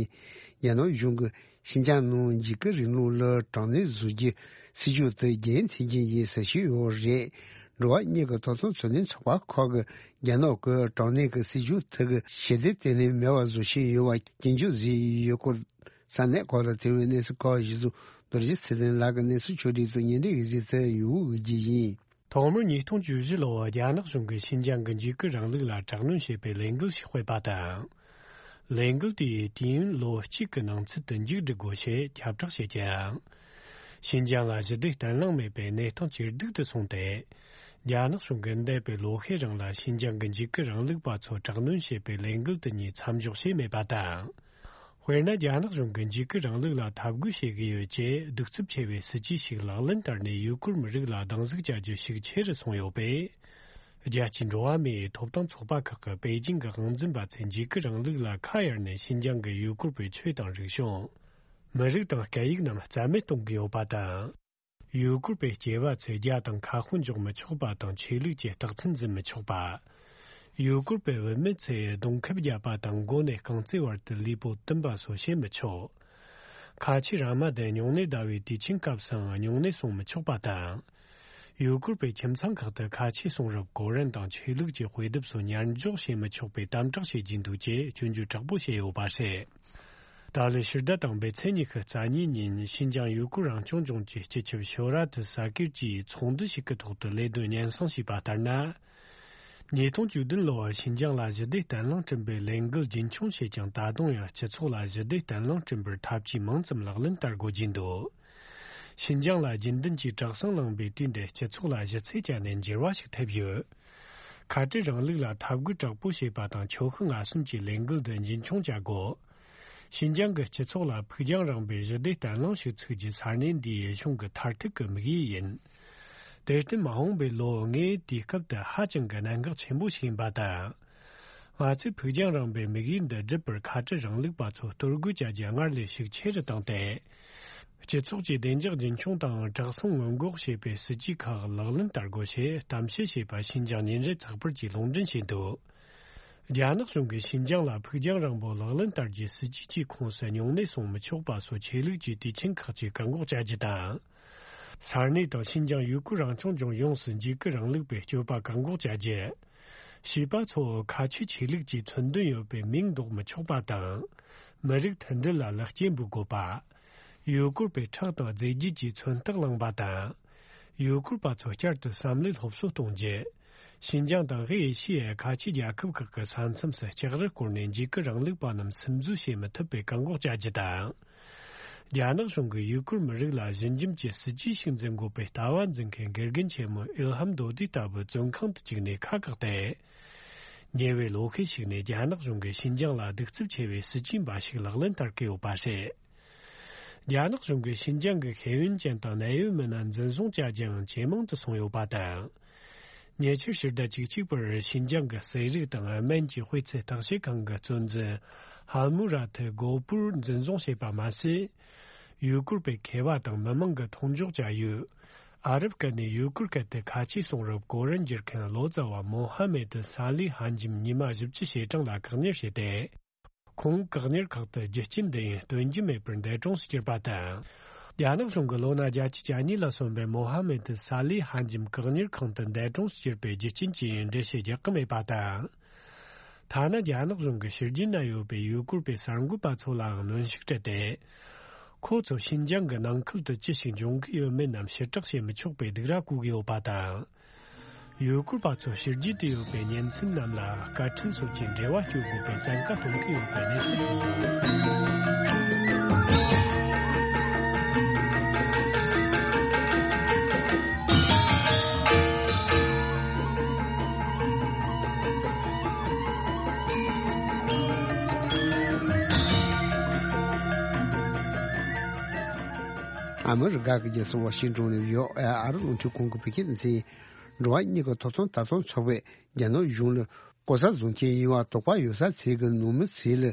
ཡིན། རྒྱ་ནག་གཞུང་གིས་ཤིན་ཅང་ནང་འཇིགས་སྐུལ་རིང་ལུགས་ལ་དྲག་གནོན་བཟོ་རྒྱུའི་སྲིད་ཇུས་དེ་རྒྱུན་མཐུད་ཀྱི་ཡིན་ཟེར་བཞིན་ཡོད་རེད། འགྲོ་བ་མིའི་ཐོབ་ཐང་འཚོ་སྣོན་ཚོགས་པ་ཁག་གིས་རྒྱ་ནག་གི་དྲག་གནོན་གྱི་སྲིད་ཇུས་དེ་གི་ཞི་བདེ་བརྟན་ལྷིང་མེད་པར་བཟོ་བཞིན་ཡོད་པ་སྐྱོན་བརྗོད་བྱས་ཡོད་སྐོར། ས་གནས་ཁག་ལ་ཐེ་བའི་གནས་ཚུལ་ཁག་གཞི་བཟུང་རྡོ་རྗེ་ཚེ་བརྟན་ལགས་ཀྱིས་གནས་ཚུལ་ཕྱོགས་སྒྲིག་དང་སྙན་སྒྲོན་གྱི་གཟིགས་ཚུལ་ཡོང་གི་ཡིན། ཐོག་མར་ཉིས་སྟོང་བཅུ་བཞི་ལོར་རྒྱ་ནག་གཞུང་གིས་ཤིན་ཅང་གི་འཇིགས་སྐུལ་རིང་ལུགས་ལ་དྲག་གནོན་བྱེད་པའི་ལས་འགུལ་ཞིག་སྤེལ་པ་དང་། ལས་འགུལ་དེའི་དུས་ཡུན་ལོ་གཅིག་གི་ནང་ཚུད་དུ་མཇུག་སྒྲིལ་དགོས་ཞེས་ཁྱབ་བསྒྲགས་བྱས་ཀྱང་། ཤིན་ཅང་ལ་ཞི་བདེ་བརྟན་ལྷིང་མེད་པའི་གནས་སྟངས་ཇེ་སྡུག་ཏུ་སོང་སྟེ། རྒྱ་ནག་གཞུང་གིས་འདས་པའི་ལོ་ཤས་རིང་ལ་ཤིན་ཅང་གི་འཇིགས་སྐུལ་རིང་ལུགས་པ་ཚོ་དྲག་གནོན་བྱེད་པའི་ལས་འགུལ་དེ་གཉིས་མཚམས་འཇོག་བྱས་མེད་པ་དང་། དཔེར་ན། རྒྱ་ནག་གཞུང་གིས་འཇིགས་སྐུལ་རིང་ལུགས་ལ་འཐབ་རྒོལ་བྱེད་ཀྱི་ཡོད་ཅེས་གདུག་རྩུབ་ཆེ་བའི་སྲིད་ཇུས་ཤིག་ལག་ལེན་བསྟར་ནས། ཡུ་གུར་མི་རིགས་ལ་སྡང་ཟུག་བྱ་རྒྱུ་ཤུགས་ཆེ་རུ་སོང་ཡོད་པས། རྒྱལ་སྤྱིའི་འགྲོ་བ་མིའི་ཐོབ་ཐང་ཚོགས་པ་ཁག་གིས་པེ་ཅིང་གི་དབང་འཛིན་པ་ཚོས་འཇིགས་སྐུལ་རིང་ལུགས་ལ་ཁ་གཡར་ནས། ཤིན་ཅང་གི་ཡུ་གུར་བའི་ཆོས་དང་རིག་གཞུང་། མི་རིགས་དང་སྐད་ཡིག་རྣམས་རྩ་མེད་གཏོང་གི་ཡོད་པ་དང་། ཡུ་གུར་བའི་སྐྱེས་པ་ཚོས་རྒྱ་དང་ཁ་དཔོན་འཇོག་མི་ཆོག་པ་དང་། ཆོས་ལུགས་ཀྱི་རྟགས་མཚན་འཛིན་མི་ཆོག་པ། ཡུ་གུར་བའི་བུད་མེད་ཚོས་གདོང་ཁེབས་བརྒྱབ་པ་དང་། མགོ་ནས་རྐང་རྩེ་བར་དུ་ལུས་པོ་བཏུམ་པ་སོགས་བྱེད་མི་ཆོག། ཁ་ཆེའི་ར་མ་དེ་སྨྱུང་གནས་ཟླ་བའི་དུས་ཆེན་སྐབས་སུའང་སྨྱུང་གནས་སྲུང་མི་ཆོག་པ་དང་། ཡུ་གུར་བའི་ཁྱིམ་ཚང་ཁག་ཏུ་ཁ་ཆེའི་གསུང་རབ། གོ་རིམ་དང་ཆོས་ལུགས་ཀྱི་དཔེ་དེབ་སོགས་ཉར་འཇོག་བྱེད་མི་ཆོག་པའི་དམ་དྲག་བྱེད་ཀྱིན་འདུག་ཅེས་སྐྱོན་བརྗོད་དྲག་པོ་བྱས་ཡོད་པ་རེད། ད་ལོའི་ཕྱི་ཟླ་དང་པོའི་ཚེས་ཉི་ཤུ་རྩ་གཉིས་ཉིན། ཤིན་ཅང་ཡུ་གུར་རང་སྐྱོང་ལྗོངས་ཀྱི་སྤྱི་ཁྱབ་ཤོ་ར་ཏི་ས་ཀིར་གྱིས་ཚོགས་འདུ་ཞིག་གི་ཐོག་ཏུ་ལས་དོན་སྙན་སེང་ཞུས་པ་ལྟར་ན། ཉིས་སྟོང་བཅུ་བདུན་ལོར་ཤིན་ཅང་ལ་ཞི་བདེ་བརྟན་ལྷིང་བསྐྲུན་པའི་ལས་འགུལ་རྒྱུན་འཁྱོངས་བྱས་ཀྱང་། ད་དུང་ཡང་སྤྱི་ཚོགས་ལ་ཞི་བདེ་བརྟན་ལྷིང་བསྐྲུན་པར་ཐབས་ཇུས་མང་ཙམ་ལག་ལེན་བསྟར་དགོས་ཀྱིན་འདུག། ཤིན་ཅང་ལ་རྒྱུན་ལྡན་གྱི་དྲག་ཟིང་བསླངས་པའི་དུས་འདིར་སྤྱི་ཚོགས་ལ་ཞི་ཚིག་བཅད་ནས་འགྱུར་བ་ཞིག་ཐེབས་ཡོད། ཁ་བྲལ་རིང་ལུགས་ལ་འཐབ་རྒོལ་དྲག་པོ་བྱེད་པ་དང་། ཁྱོ་ཤུག་ངན་སོང་གི་ལས་འགུལ་འདི་རྒྱུན་འཁྱོངས་བྱ་དགོས། ཤིན་ཅང་གི་སྤྱི་ཚོགས་ལ་ཕུགས་རྒྱང་རིང་བའི་ཞི་བདེ་བརྟན་ལྷིང་ཞིག་ཚུགས་རྒྱུ་ས་གནས་འདིའི་གཞུང་གི་མཐར་ཐུག་གི་དམིགས་ཡུལ་ཡིན། དེར་བརྟེན། མ་འོངས་པའི་ལོ་ལྔའི་དུས་སྐབས་དེ་ཧ་ཅང་གི་གནད་འགག་ཆེན་པོ་ཞིག་ཡིན་པ་དང་། ང་ཚོས་ཕུགས་རྒྱང་རིང་པོའི་དམིགས་ཡུལ་འདི་བསྒྲུབ་པར། ཁ་བྲལ་རིང་ལུགས་པ་ཚོ་གཏོར་རྒོལ་བྱ་རྒྱུ་སྔར་ལས་ཤུགས་ཆེ་རུ་བཏང་སྟེ། སྤྱི་ཚོགས་ཀྱི་བདེ་འཇགས་རྒྱུན་འཁྱོངས་དང་། དྲག་ཟིང་སྔོན་འགོག་བྱེད་པའི་སྲིད་ཇུས་ཁག་ལག་ལེན་བསྟར་དགོས་ཞེས་གཏམ་བཤད་བྱས་པ་ཤིན་ཅང་ཉིན་རེ་ཚགས་པར་གྱིས་ལུང་འདྲེན་བྱས་འདུག། རྒྱ་ནག་གཞུང་གིས་ཤིན་ཅང་ལ་ཕུགས་རྒྱང་རིང་པོ་ལག་ལེན་བསྟར་རྒྱུའི་སྲིད་ཇུས་ཀྱི་ཁོངས་སུ་སྨྱུང་གནས་སྲུང་མི་ཆོག་པ་སོགས་ཆོས་ལུགས་ཀྱི་དུས་ཆེན་ཁག་ཅིག་བཀག་འགོག་བྱ་རྒྱུ་དང་། ས་གནས་དང་ཤིན་ཅང་ཡུ་གུར་རང་སྐྱོང་ལྗོངས་ཡོངས་སུ་འཇིགས་སྐུལ་རིང་ལུགས་པའི་སྤྱོད་པ་བཀག་འགོག་བྱ་རྒྱུ། བྱིས་པ་ཚོ་ཁ་ཆེའི་ཆོས་ལུགས་ཀྱི་མཚོན་དོན་ཡོད་པའི་མིང་འདོགས་མི་ཆོག་པ་དང་། མི་རིགས་མཐུན་སྒྲིལ་ལ་ལེགས་སྐྱེས་འབུལ་དགོས་པ། ཡུ་གུར་བའི་ཁྲག་དང་རྫས་རྒྱུད་ཀྱི་མཚོན་རྟགས་བླངས་པ་དང་། ཡུ་གུར་པ་ཚོ་བསྐྱར་དུ་བསམ་བློའི་སློབ་གསོ་གཏོང་རྒྱུ། ཤིན་ཅང་དང་དབུས་ཨེ་ཤི་ཡའི་ཁ་ཆེའི་རྒྱལ་ཁབ་ཁག་གི་ས་མཚམས་སུ་ལྕགས་རི་བསྐོར་ནས་འཇིགས་སྐུལ་རིང་ལུགས་པ་རྣམས་སིམ་འཛུལ་བྱེད་མི་ཐུབ་པའི་བཀག་འགོག་བྱ་རྒྱུ་དང་། རྒྱ་ནག་གཞུང་གིས་ཡུ་གུར་མི་རིགས་ལ་ཞི་འཇམ་གྱི་སྲིད་ཇུས་ཤིག་འཛིན་དགོས་པའི་ལྟ་བ་འཛིན་མཁན་དགེ་རྒན་ཆེན་མོ་ཨིལ་ཧམ་རྡོ་རྡི་ལྟ་བུ་བཙོན་ཁང་དུ་བཅུག་ནས་ཁ་བཀག་སྟེ། ཉེ་བའི་ལོ་ཤས་ཤིག་ནས་རྒྱ་ནག་གཞུང་གིས་ཤིན་ཅང་ལ་གདུག་རྩུབ་ཆེ་བའི་སྲིད་ཇུས་འབའ་ཞིག་ལག་ལེན་བསྟར་གྱི་ཡོད་པ་རེད། རྒྱ་ནག་གཞུང་གིས་ཤིན་ཅང་གི་ཤེས་ཡོན་ཅན་དང་གནད་ཡོད་མི་སྣ་འཛིན་བཟུང་བྱ་རྒྱུའང་ཇེ་མང་དུ་སོང་ཡོད་པ་དང་། ཉེ་ཆར་ཕྱི་ཟླ་བཅུ་གཅིག་པར་ཤིན་ཅང་གི་ཟས་རིགས་དང་སྨན་གྱི་དཔེ་ཚད་བརྟག་དཔྱད་ཁང་གི་གཙོ་འཛིན་ཧ་མུ་ར་ཐི་གོ་པུར་འཛིན་བཟུང་བྱས་པ་མ་ཟད། ཡུ་གུར་པའི་མཁས་པ་དང་མི་མང་གི་མཐོང་འཇོག་བྱ་ཡུལ། ཨ་རབ་སྐད་ནས་ཡུ་གུར་སྐད་དུ་ཁ་ཆེའི་གསུང་རབ་གོ་རིམ་བསྒྱུར་མཁན་ལོ་ཙཱ་བ་མོ་ཧ་མེད་ཏི་ས་ལི་ཧན་ཇིམ་ཉི་མ་བཞི་བཅུ་ཞེ་གྲངས་ལ་བཀག་ཉར་བྱས་ཏེ། ཁོང་བཀག་ཉར་ཁག་ཏུ་རྒྱུ་རྐྱེན་འདི་ཡིན་སྟོན་རྒྱུ་མེད་པར་འདས་གྲོངས་སུ་གྱུར་པ་དང་། རྒྱ་ནག་གཞུང་གིས་ལོ་ན་བརྒྱད་ཅུ་གྱ་གཉིས་ལ་སོན་པའི་མོ་ཧ་མེད་ཏི་ས་ལི་ཧན་ཇིམ་བཀག་ཉར་ཁང་དུ་འདས་གྲོངས་སུ་གྱུར་པའི་རྒྱུ་རྐྱེན་ཅི་ཡིན་འགྲེལ་བཤད་རྒྱག་གི་མེད་པ་དང་། ཐ་ན་རྒྱ་ནག་གཞུང་གི་ཕྱི་རྒྱལ་ན་ཡོད་པའི་ཡུ་གུར་པའི་གསར་འགོད་པ་ཚོ་ལའང་གནོན་ཤུགས་སྤྲད་དེ། ཁོ་ཚོ་ཤིན་ཅང་གི་ནང་ཁུལ་དུ་ཅི་ཞིག་འབྱུང་གི་ཡོད་མེད་རྣམས་ཕྱིར་བསྒྲགས་བྱེད་མི་ཆོག་པའི་སྡིགས་ར་བསྐུལ་གྱི་ཡོད་པ་དང་། ཡུ་གུར་པ་ཚོ་ཕྱི་རྒྱལ་དུ་ཡོད་པའི་གཉེན་ཚན་རྣམས་ལ་བཀའ་ཁྲིམས་སོགས་ཀྱི་འབྲེལ་བ་གཅོད་དགོས་པའི་བཙན་བཀའ་གཏོང་གི་ཡོད་པའི་གནས་ཚུལ་ཐོན་འདུག། ཨ་མི་རི་ཀ་གི་རྒྱལ་ས་ཝ་ཤིང་ཏོན་ནས་ཡོ་ཨ་ཨ་རི་རླུང་འཕྲིན་ཁང་གི་བོད་སྐད་སྡེ་ཚན། འགྲོ་བ་མིའི་ཐོབ་ཐང་ལྟ་རྟོག་ཚོགས་པས་རྒྱ་ནག་གཞུང་ལ་ལྐོག་ཟ་བཟོ་མཁན་ཡིན་པ་དོགས་པ་ཡོད་ས་ཚོ་གི་ནང་མི་ཚོ་ལ་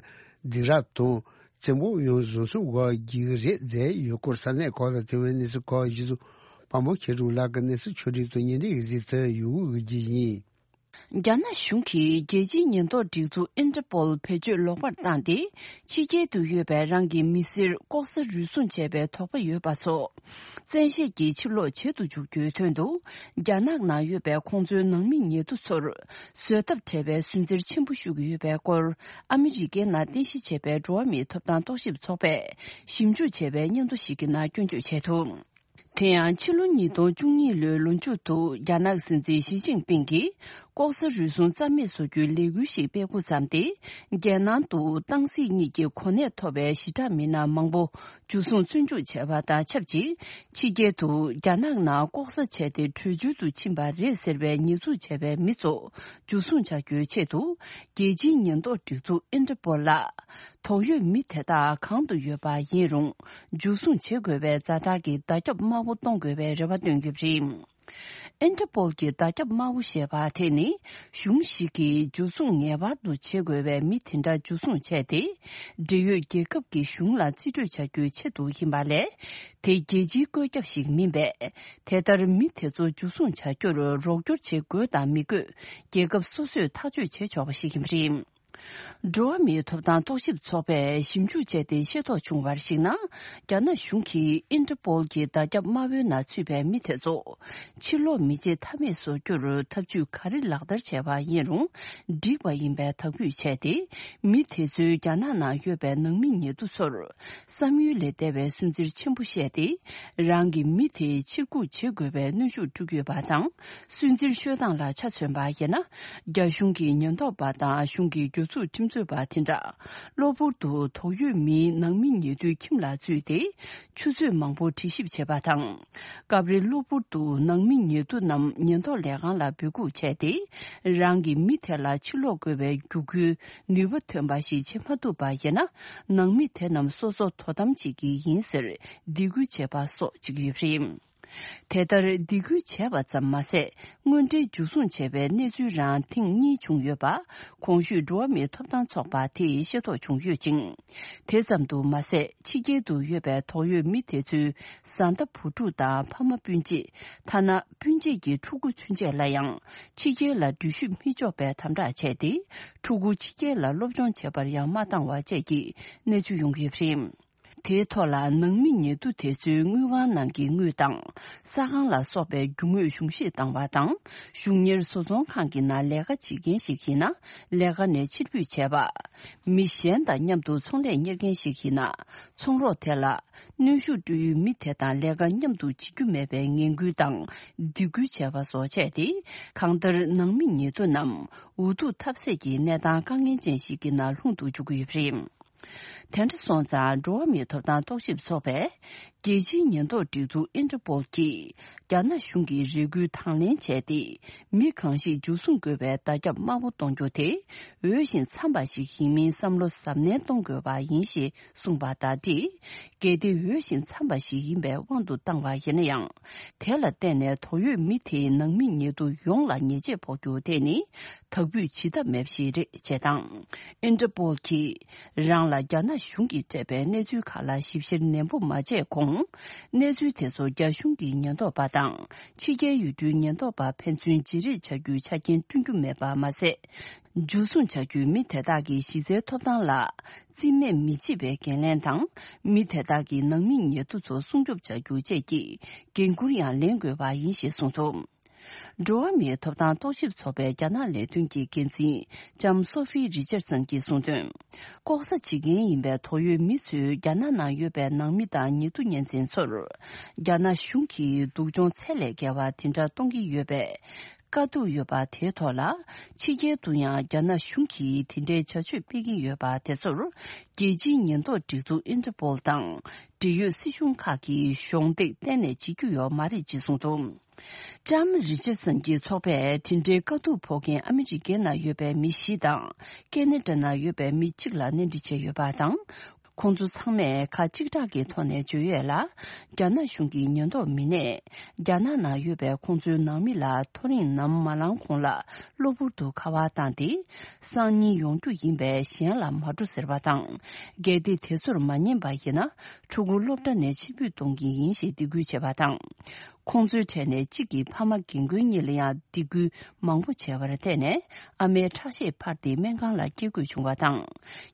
སྡིགས་ར་དང་། བཙན་པོ་ཡང་བཟོ་ཚུགས་འགོག་རྒྱུ་རེད་མཛད་ཡོད་སྐོར་ས་གནས་ཁག་ལ་ཐོན་པའི་གནས་ཚུལ་ཁག་གཞི་བཟུང་དཔའ་མོ་མཁས་གྲུབ་ལགས་ཀྱི་གནས་ཚུལ་ཕྱོགས་སྒྲིག་དང་བརྙན་འཕྲིན་གཟིགས་ཏེ་ཡོང་གི་ཡིན། རྒྱ་ནག་གཞུང་གིས་རྒྱལ་སྤྱིའི་ཉེན་རྟོག་སྒྲིག་འཛུགས་ཨིན་ཏྲ་པོལ་བེད་སྤྱོད་ལོག་པར་བཏང་སྟེ། ཕྱི་རྒྱལ་དུ་ཡོད་པའི་རང་གི་མི་སེར་ལྐོག་ཟ་རུལ་སུངས་བྱས་པའི་དོགས་པ་ཡོད་པ་ཚོ། བཙན་ཤེད་ཀྱིས་ཕྱིར་ལོག་བྱེད་དུ་འཇུག་རྒྱུའི་དོན་དུ། རྒྱ་ནག་ནང་ཡོད་པའི་ཁོང་ཚོའི་ནང་མི་ཉེ་དུ་ཚོར། བཟོད་ཐབས་བྲལ་བའི་སུན་གཙེར་ཆེན་པོ་ཞུ་གི་ཡོད་པའི་སྐོར། ཨ་མི་རི་ཀའི་ནང་རྟེན་གཞི་བྱས་པའི་འགྲོ་བ་མིའི་ཐོབ་ཐང་རྟོག་ཞིབ་ཚོགས་པས། ཞིབ་འཇུག་བྱས་པའི་སྙན་ཐོ་ཞིག་གི་ནང་སྐྱོན་བརྗོད་བྱས་འདུག། དེ་ཡང་ཕྱི་ལོ་ཉིས་སྟོང་བཅུ་གཉིས་ལོའི་ལོ་མཇུག་ཏུ་རྒྱ་ནག་སྲིད་འཛིན་ཞི་ཅིན་ཕིང་གིས་ལྐོག་ཟ་རུལ་སུངས་རྩ་མེད་བཟོ་རྒྱུའི་ལས་འགུལ་ཞིག་སྤེལ་འགོ་བརྩམས་ཏེ། རྒྱལ་ནང་དུ་ཏང་སྲིད་གཉིས་ཀྱི་གོ་གནས་ཐོབ་པའི་ཞི་དྲག་མི་སྣ་མང་པོ་འཇུ་བཟུང་བཙོན་འཇུག་བྱས་པ་དང་ཆབས་ཅིག་ཕྱི་རྒྱལ་དུ་རྒྱ་ནག་ནང་ལྐོག་ཟ་བྱས་ཏེ་བྲོས་བྱོལ་དུ་ཕྱིན་པ་རེད་ཟེར་བའི་ཉེས་འཛུགས་བྱས་པའི་མི་ཚོ་འཇུ་བཟུང་བྱ་རྒྱུའི་ཆེད་དུ། རྒྱལ་སྤྱིའི་ཉེན་རྟོག་སྒྲིག་འཛུགས་ཨིན་ཊར་པོལ་ལ། དོགས་ཡོད་མི་དེ་དག་གང་དུ་ཡོད་པ་ཡིན་རུང་། འཇུ་བཟུང་བྱེད་དགོས་པའི་ཛ་དྲག་གི་བརྡ་ཁྱབ་དམར་པོ་གཏོང་དགོས་པའི་རེ་བ་བཏོན་ཡོད་པ་རེད། ཨིན་ཊར་པོལ་གྱི་བརྡ་ཁྱབ་དམར་པོ་ཞེས་པ་དེ་ནི། གཞུང་ཞིག་གིས་འཇུ་བཟུང་ངེས་པར་དུ་བྱེད་དགོས་པའི་མི་དེ་འདྲ་འཇུ་བཟུང་བྱས་ཏེ། འབྲེལ་ཡོད་རྒྱལ་ཁབ་ཀྱི་གཞུང་ལ་རྩིས་སྤྲོད་བྱ་རྒྱུའི་ཆེད་དུ་ཡིན་པ་ལས། དེ་རྒྱལ་སྤྱིའི་བཀོད་ཁྱབ་ཞིག་མིན་པས། དེ་ལྟར་མི་དེ་ཚོ་འཇུ་བཟུང་བྱ་རྒྱུར་རོགས་སྐྱོར་བྱེད་དགོས་དང་མི་དགོས། རྒྱལ་ཁབ་སོ་སོས་ཐག་གཅོད་བྱེད་ཆོག་པ་ཞིག་ཡིན་པ་རེད། འགྲོ་བ་མིའི་ཐོབ་ཐང་རྟོག་ཞིབ་ཚོགས་པས་ཞིབ་འཇུག་བྱས་ཏེ་ཤེས་རྟོགས་བྱུང་བར་གཞིགས་ན། རྒྱ་ནག་གཞུང་གིས་ཨིན་ཊར་པོལ་གྱི་བརྡ་ཁྱབ་དམར་པོའི་ནང་ཚུད་པའི་མི་དེ་ཚོ་ཕྱིར་ལོག་མི་བྱེད་ཐབས་མེད་བཟོ་རྒྱུར་ཐབས་ཇུས་ག་རེ་ལག་བསྟར་བྱས་པ་ཡིན་རུང་འགྲིག་པ་ཡིན་པའི་དག་འབུད་བྱས་ཏེ། མི་དེ་ཚོའི་རྒྱ་ནག་ནང་ཡོད་པའི་ནང་མི་ཉེ་དུ་ཚོར་བསམ་ཡུལ་ལས་འདས་པའི་སུན་གཙེར་ཆེན་པོ་བཤད་དེ། རང་གི་མི་དེ་ཕྱིར་འགུག་བྱེད་དགོས་པའི་གནོན་ཤུགས་སྤྲོད་ཀྱི་ཡོད་པ་དང་། སུན་གཙེར་ཤོད་སྟངས་ལ་ཆ་མཚོན་པ་ཡིན་ན། རྒྱ་གཞུང་གི་ཉེན་རྟོག་པ་དང་གཞུང་གི་སྒེར་ཚུགས་ཁྲིམས་རྩོད་པ་དེ་འདྲ། གློ་བུར་དུ་དོགས་ཡོད་མིའི་ནང་མི་ཉེ་དུའི་ཁྱིམ་ལ་འཛུལ་ཏེ། ཆུ་ཚོད་མང་པོ་དྲི་ཞིབ་བྱས་པ་དང་། སྐབས་རེ་གློ་བུར་དུ་ནང་མི་ཉེ་དུ་རྣམས་ཉེན་རྟོག་ལས་ཁང་ལ་འབོད་འགུག་བྱས་ཏེ། རང་གི་མི་དེ་ལ་ཕྱིར་ལོག་དགོས་པའི་བརྒྱུད་སྐུལ་ནུས་པ་ཐོན་པ་ཞིག་བྱེད་མ་ཐུབ་པ་ཡིན་ན། ནང་མི་དེ་རྣམས་སོ་སོ་དོ་དམ་བྱེད་ཀྱི་ཡིན་ཟེར་སྡིགས་སྐུལ་བྱས་པ་སོགས་བྱེད་ཀྱི་ཡོད་པ་རེད། དེ་ལྟར་སྡིགས་སྐུལ་བྱས་པ་ཙམ་མ་ཟད། དངོས་འབྲེལ་འཇུ་བཟུང་བྱས་པའི་གནས་ཚུལ་རང་ཐེངས་གཉིས་བྱུང་ཡོད་པ། གོང་ཞུས་འགྲོ་བ་མིའི་ཐོབ་ཐང་ཚོགས་པ་དེས་ཤེས་རྟོགས་བྱུང་ཡོད་ཅིང་། དེ་ཙམ་དུ་མ་ཟད། ཕྱི་རྒྱལ་དུ་ཡོད་པའི་དོགས་ཡོད་མི་དེ་ཚོའི་བཟའ་ཟླ་བུ་ཕྲུག་དང་ཕ་མ་སྤུན་མཆེད། ཐ་ན་སྤུན་མཆེད་ཀྱི་ཕྲུ་གུ་ཚུན་ཆད་ལ་ཡང་ཕྱི་རྒྱལ་ལ་འགྲུལ་བཞུད་མི་འཇོག་པའི་དམ་དྲག་བྱས་ཏེ། ཕྲུ་གུ་ཕྱི་རྒྱལ་ལ་སློབ་སྦྱོང་བྱེད་པར་ཡང་མ་བཏང་བ་བཅས་ཀྱི་གནས་ཚུལ་ཡོང་གི་ཡོད་པ་རེད། དེའི་ཐོག་ལ་ནང་མི་ཉེ་དུ་དེ་ཚོའི་དངུལ་ཁང་ནང་གི་དངུལ་དང་། ས་ཁང་ལ་སོགས་པའི་རྒྱུ་དངོས་གཞུང་བཞེས་བཏང་བ་དང་། གཞུང་གཉེར་བཟོ་ཚོང་ཁང་གི་ནང་ལས་ཀ་བྱེད་མཁན་ཞིག་ཡིན་ན་ལས་ཀ་ནས་ཕྱིར་འབུད་བྱས་པ། མི་གཞན་དང་མཉམ་དུ་ཚོང་ལས་གཉེར་མཁན་ཞིག་ཡིན་ན་ཚོང་རོགས་དེ་ལ་གནོན་ཤུགས་སྤྲོད་ཡུལ་མི་དེ་དང་ལས་ཀ་མཉམ་དུ་བྱེད་རྒྱུ་མེད་པའི་ངན་སྐུལ་དང་སྡིགས་སྐུལ་བྱས་པ་སོགས་བྱས་ཏེ། གང་ལྟར་ནང་མི་ཉེ་དུ་རྣམས་འུ་ཐུག་ཐབས་ཟད་ཀྱི་གནས་སྟངས་དཀའ་ངལ་ཅན་ཞིག་གི་ནང་ལྷུང་དུ་འཇུག་གི་ཡོད་པ་རེད། དེ་འདྲ་སོང་ཙང་འགྲོ་བ་མིའི་ཐོབ་ཐང་རྟོག་ཞིབ་ཚོགས་པས། རྒྱལ་སྤྱིའི་ཉེན་རྟོག་སྒྲིག་འཛུགས་ཨིན་ཊར་པོལ་གྱིས། རྒྱ་ནག་གཞུང་གི་རེ་སྐུལ་དང་ལེན་བྱས་ཏེ། མི་གང་ཞིག་འཇུ་བཟུང་དགོས་པའི་བརྡ་ཁྱབ་དམར་པོ་གཏོང་རྒྱུ་དེ། འོས་ཤིང་འཚམ་པ་ཞིག་ཡིན་མིན་བསམ་བློ་གཟབ་ནན་གཏོང་དགོས་པ་ཡིན་ཞེས་གསུངས་པ་དང་འབྲེལ། གལ་ཏེ་འོས་ཤིང་འཚམ་པ་ཞིག་ཡིན་པའི་དབང་དུ་བཏང་བ་ཡིན་ན་ཡང་། དེ་ལ་བརྟེན་ནས་དོགས་ཡོད་མི་དེའི་ནང་མི་ཉེ་དུ་ཡོངས་ལ་ཉེས་ཆད་ཕོག་རྒྱུ་དེ་ནི། དག་འབུད་བྱེད་ཐབས་མེད་པ་ཞིག་རེད་ཅེས་དང་། ཨིན་ཊར་པོལ་གྱིས་རང་ལ་རྒྱ་ནག་གཞུང་གིས་སྤྲད་པའི་གནས་ཚུལ་ཁག་ལ་ཞིབ་བཤེར་ནན་པོ་མ་བྱས་གོང་། གནས་ཚུལ་དེ་ཚོ་རྒྱ་གཞུང་གི་ཉེན་རྟོག་པ་དང་ཕྱི་རྒྱལ་ཡུལ་གྲུའི་ཉེན་རྟོག་པ་ཕན་ཚུན་བརྗེ་རེས་བྱ་རྒྱུའི་ཆ་རྐྱེན་བསྐྲུན་རྒྱུ་མེད་པ་མ་ཟད། འཇུ་བཟུང་བྱ་རྒྱུའི་མི་དེ་དག་གི་གཞི་རྩའི་ཐོབ་ཐང་ལ་རྩིས་མེད་མི་བྱེད་པའི་འགན་ལེན་དང་། མི་དེ་དག་གི་ནང་མི་ཉེ་དུ་ཚོ་སྲུང་སྐྱོབ་བྱ་རྒྱུ་བཅས་ཀྱི་འགན་འཁུར་ཡང་ལེན་དགོས་པ་ཡིན་ཞེས་གསུངས་འདུག། འགྲོ་བ་མིའི་ཐོབ་ཐང་རྟོག་ཞིབ་ཚོགས་པའི་རྒྱ་ནག་ལས་དོན་གྱི་འགན་འཛིན་ལྕམ་སོ་ཧྥི་རི་ཅར་སན་གྱིས་གསུངས་དོན། ལྐོག་ཟ་བྱེད་མཁན་ཡིན་པའི་དོགས་ཡོད་མི་ཚོས་རྒྱ་ནག་ནང་ཡོད་པའི་ནང་མི་དང་ཉེ་དུ་གཉེན་ཚན་ཚོར། རྒྱ་ནག་གཞུང་གིས་སྡུག་སྦྱོང་ཚད་ལས་བརྒལ་བ་དེ་འདྲ་གཏོང་གི་ཡོད་པའི་དཀའ་སྡུག་ཡོད་པ་དེའི་ཐོག་ལ། ཕྱི་རྒྱལ་དུ་ཡང་རྒྱ་ནག་གཞུང་གིས་དེ་འདྲའི་བྱ་སྤྱོད་སྤེལ་གྱི་ཡོད་པ་དེ་ཚོར། རྒྱལ་སྤྱིའི་ཉེན་རྟོག་སྒྲིག་འཛུགས་ཨིན་ཊར་པོལ་དང་། འབྲེལ་ཡོད་སྲིད་གཞུང་ཁག་གིས་གཞོགས་འདེགས་གཏན་ནས་བྱེད་རྒྱུ་ཡོད་མ་རེད་ཅེས་གསུངས་འདུག། ལྕམ་རི་ཅར་སན་གྱིས་ཚོགས་པས་དེ་འདྲའི་དཀའ་སྡུག་ཕོག་མཁན་ཨ་མི་རི་ཀའི་ནང་ཡོད་པའི་མི་བཞི་དང་། ཀེ་ན་ཌ་ནང་ཡོད་པའི་མི་གཅིག་ལ་གནས་འདྲི་བྱས་ཡོད་པ་དང་། ཁོང་ཚོ་ཚང་མས་ཁ་གཅིག་གྲགས་ཀྱི་ཐོག་ནས་བརྗོད་ཡོད་ལ། རྒྱ་ནག་གཞུང་གི་ཉེན་རྟོག་མི་སྣས། རྒྱ་ནག་ནང་ཡོད་པའི་ཁོང་ཚོའི་ནང་མི་ལ་ཐོ་རེངས་ནམ་མ་ལངས་གོང་ལ་གློ་བུར་དུ་ཁ་པར་བཏང་སྟེ། སང་ཉིན་ཡོང་རྒྱུ་ཡིན་པས་གཞན་ལ་མ་འགྲོ་ཟེར་བ་དང་། གལ་ཏེ་དེ་ཚོར་མ་ཉན་པ་ཡིན་ན། ཕྲུ་གུ་སློབ་གྲྭ་ནས་ཕྱིར་འབུད་གཏོང་གི་ཡིན་ཞེས་སྡིགས་སྐུལ་བྱས་པ་དང་། ཁོང་ཚོའི་གྲས་ནས་གཅིག་གིས་ཕ་མ་རྒན་རྒོན་གཉིས་ལ་ཡང་སྡིགས་སྐུལ་མང་པོ་བྱས་པར་བརྟེན་ནས། ཨ་མའི་ཁྲག་ཤེད་འཕར་ཏེ་སྨན་ཁང་ལ་སྐྱེལ་དགོས་བྱུང་བ་དང་།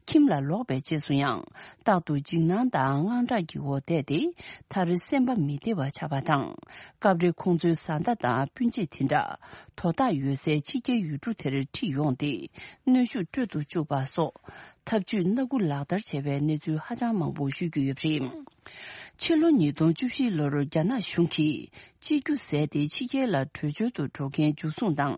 ཁྱིམ་ལ་ལོག་པའི་རྗེས་སུ་ཡང་། རྟག་ཏུ་འཇིགས་སྣང་དང་དངངས་སྐྲག་གི་འོག་བསྡད་དེ། མཐར་སེམས་པ་མི་བདེ་བ་ཆགས་པ་དང་། སྐབས་རེ་ཁོང་ཚོའི་བཟའ་ཟླ་དང་སྤུན་མཆེད་དེ་འདྲ། དོ་བདག་ཡོད་སའི་ཕྱི་རྒྱལ་ཡུལ་གྲུ་དེར་ཁྲིད་ཡོང་སྟེ། གནོན་ཤུགས་སྤྲོད་དུ་བཅུག་པ་སོགས། ཐབས་ཇུས་སྣ་དགུ་ལག་བསྟར་བྱས་པའི་གནས་ཚུལ་ཧ་ཅང་མང་པོ་ཤོད་ཀྱི་ཡོད་པ་རེད། ཕྱི་ལོ་ཉིས་སྟོང་བཅུ་བཞི་ལོར་རྒྱ་ནག་གཞུང་གིས་གཅིག་གྱུར་ཟད་དེ་ཕྱི་རྒྱལ་ལ་བྲོས་བྱོལ་དུ་འགྲོ་མཁན་འཇུ་བཟུང་དང་།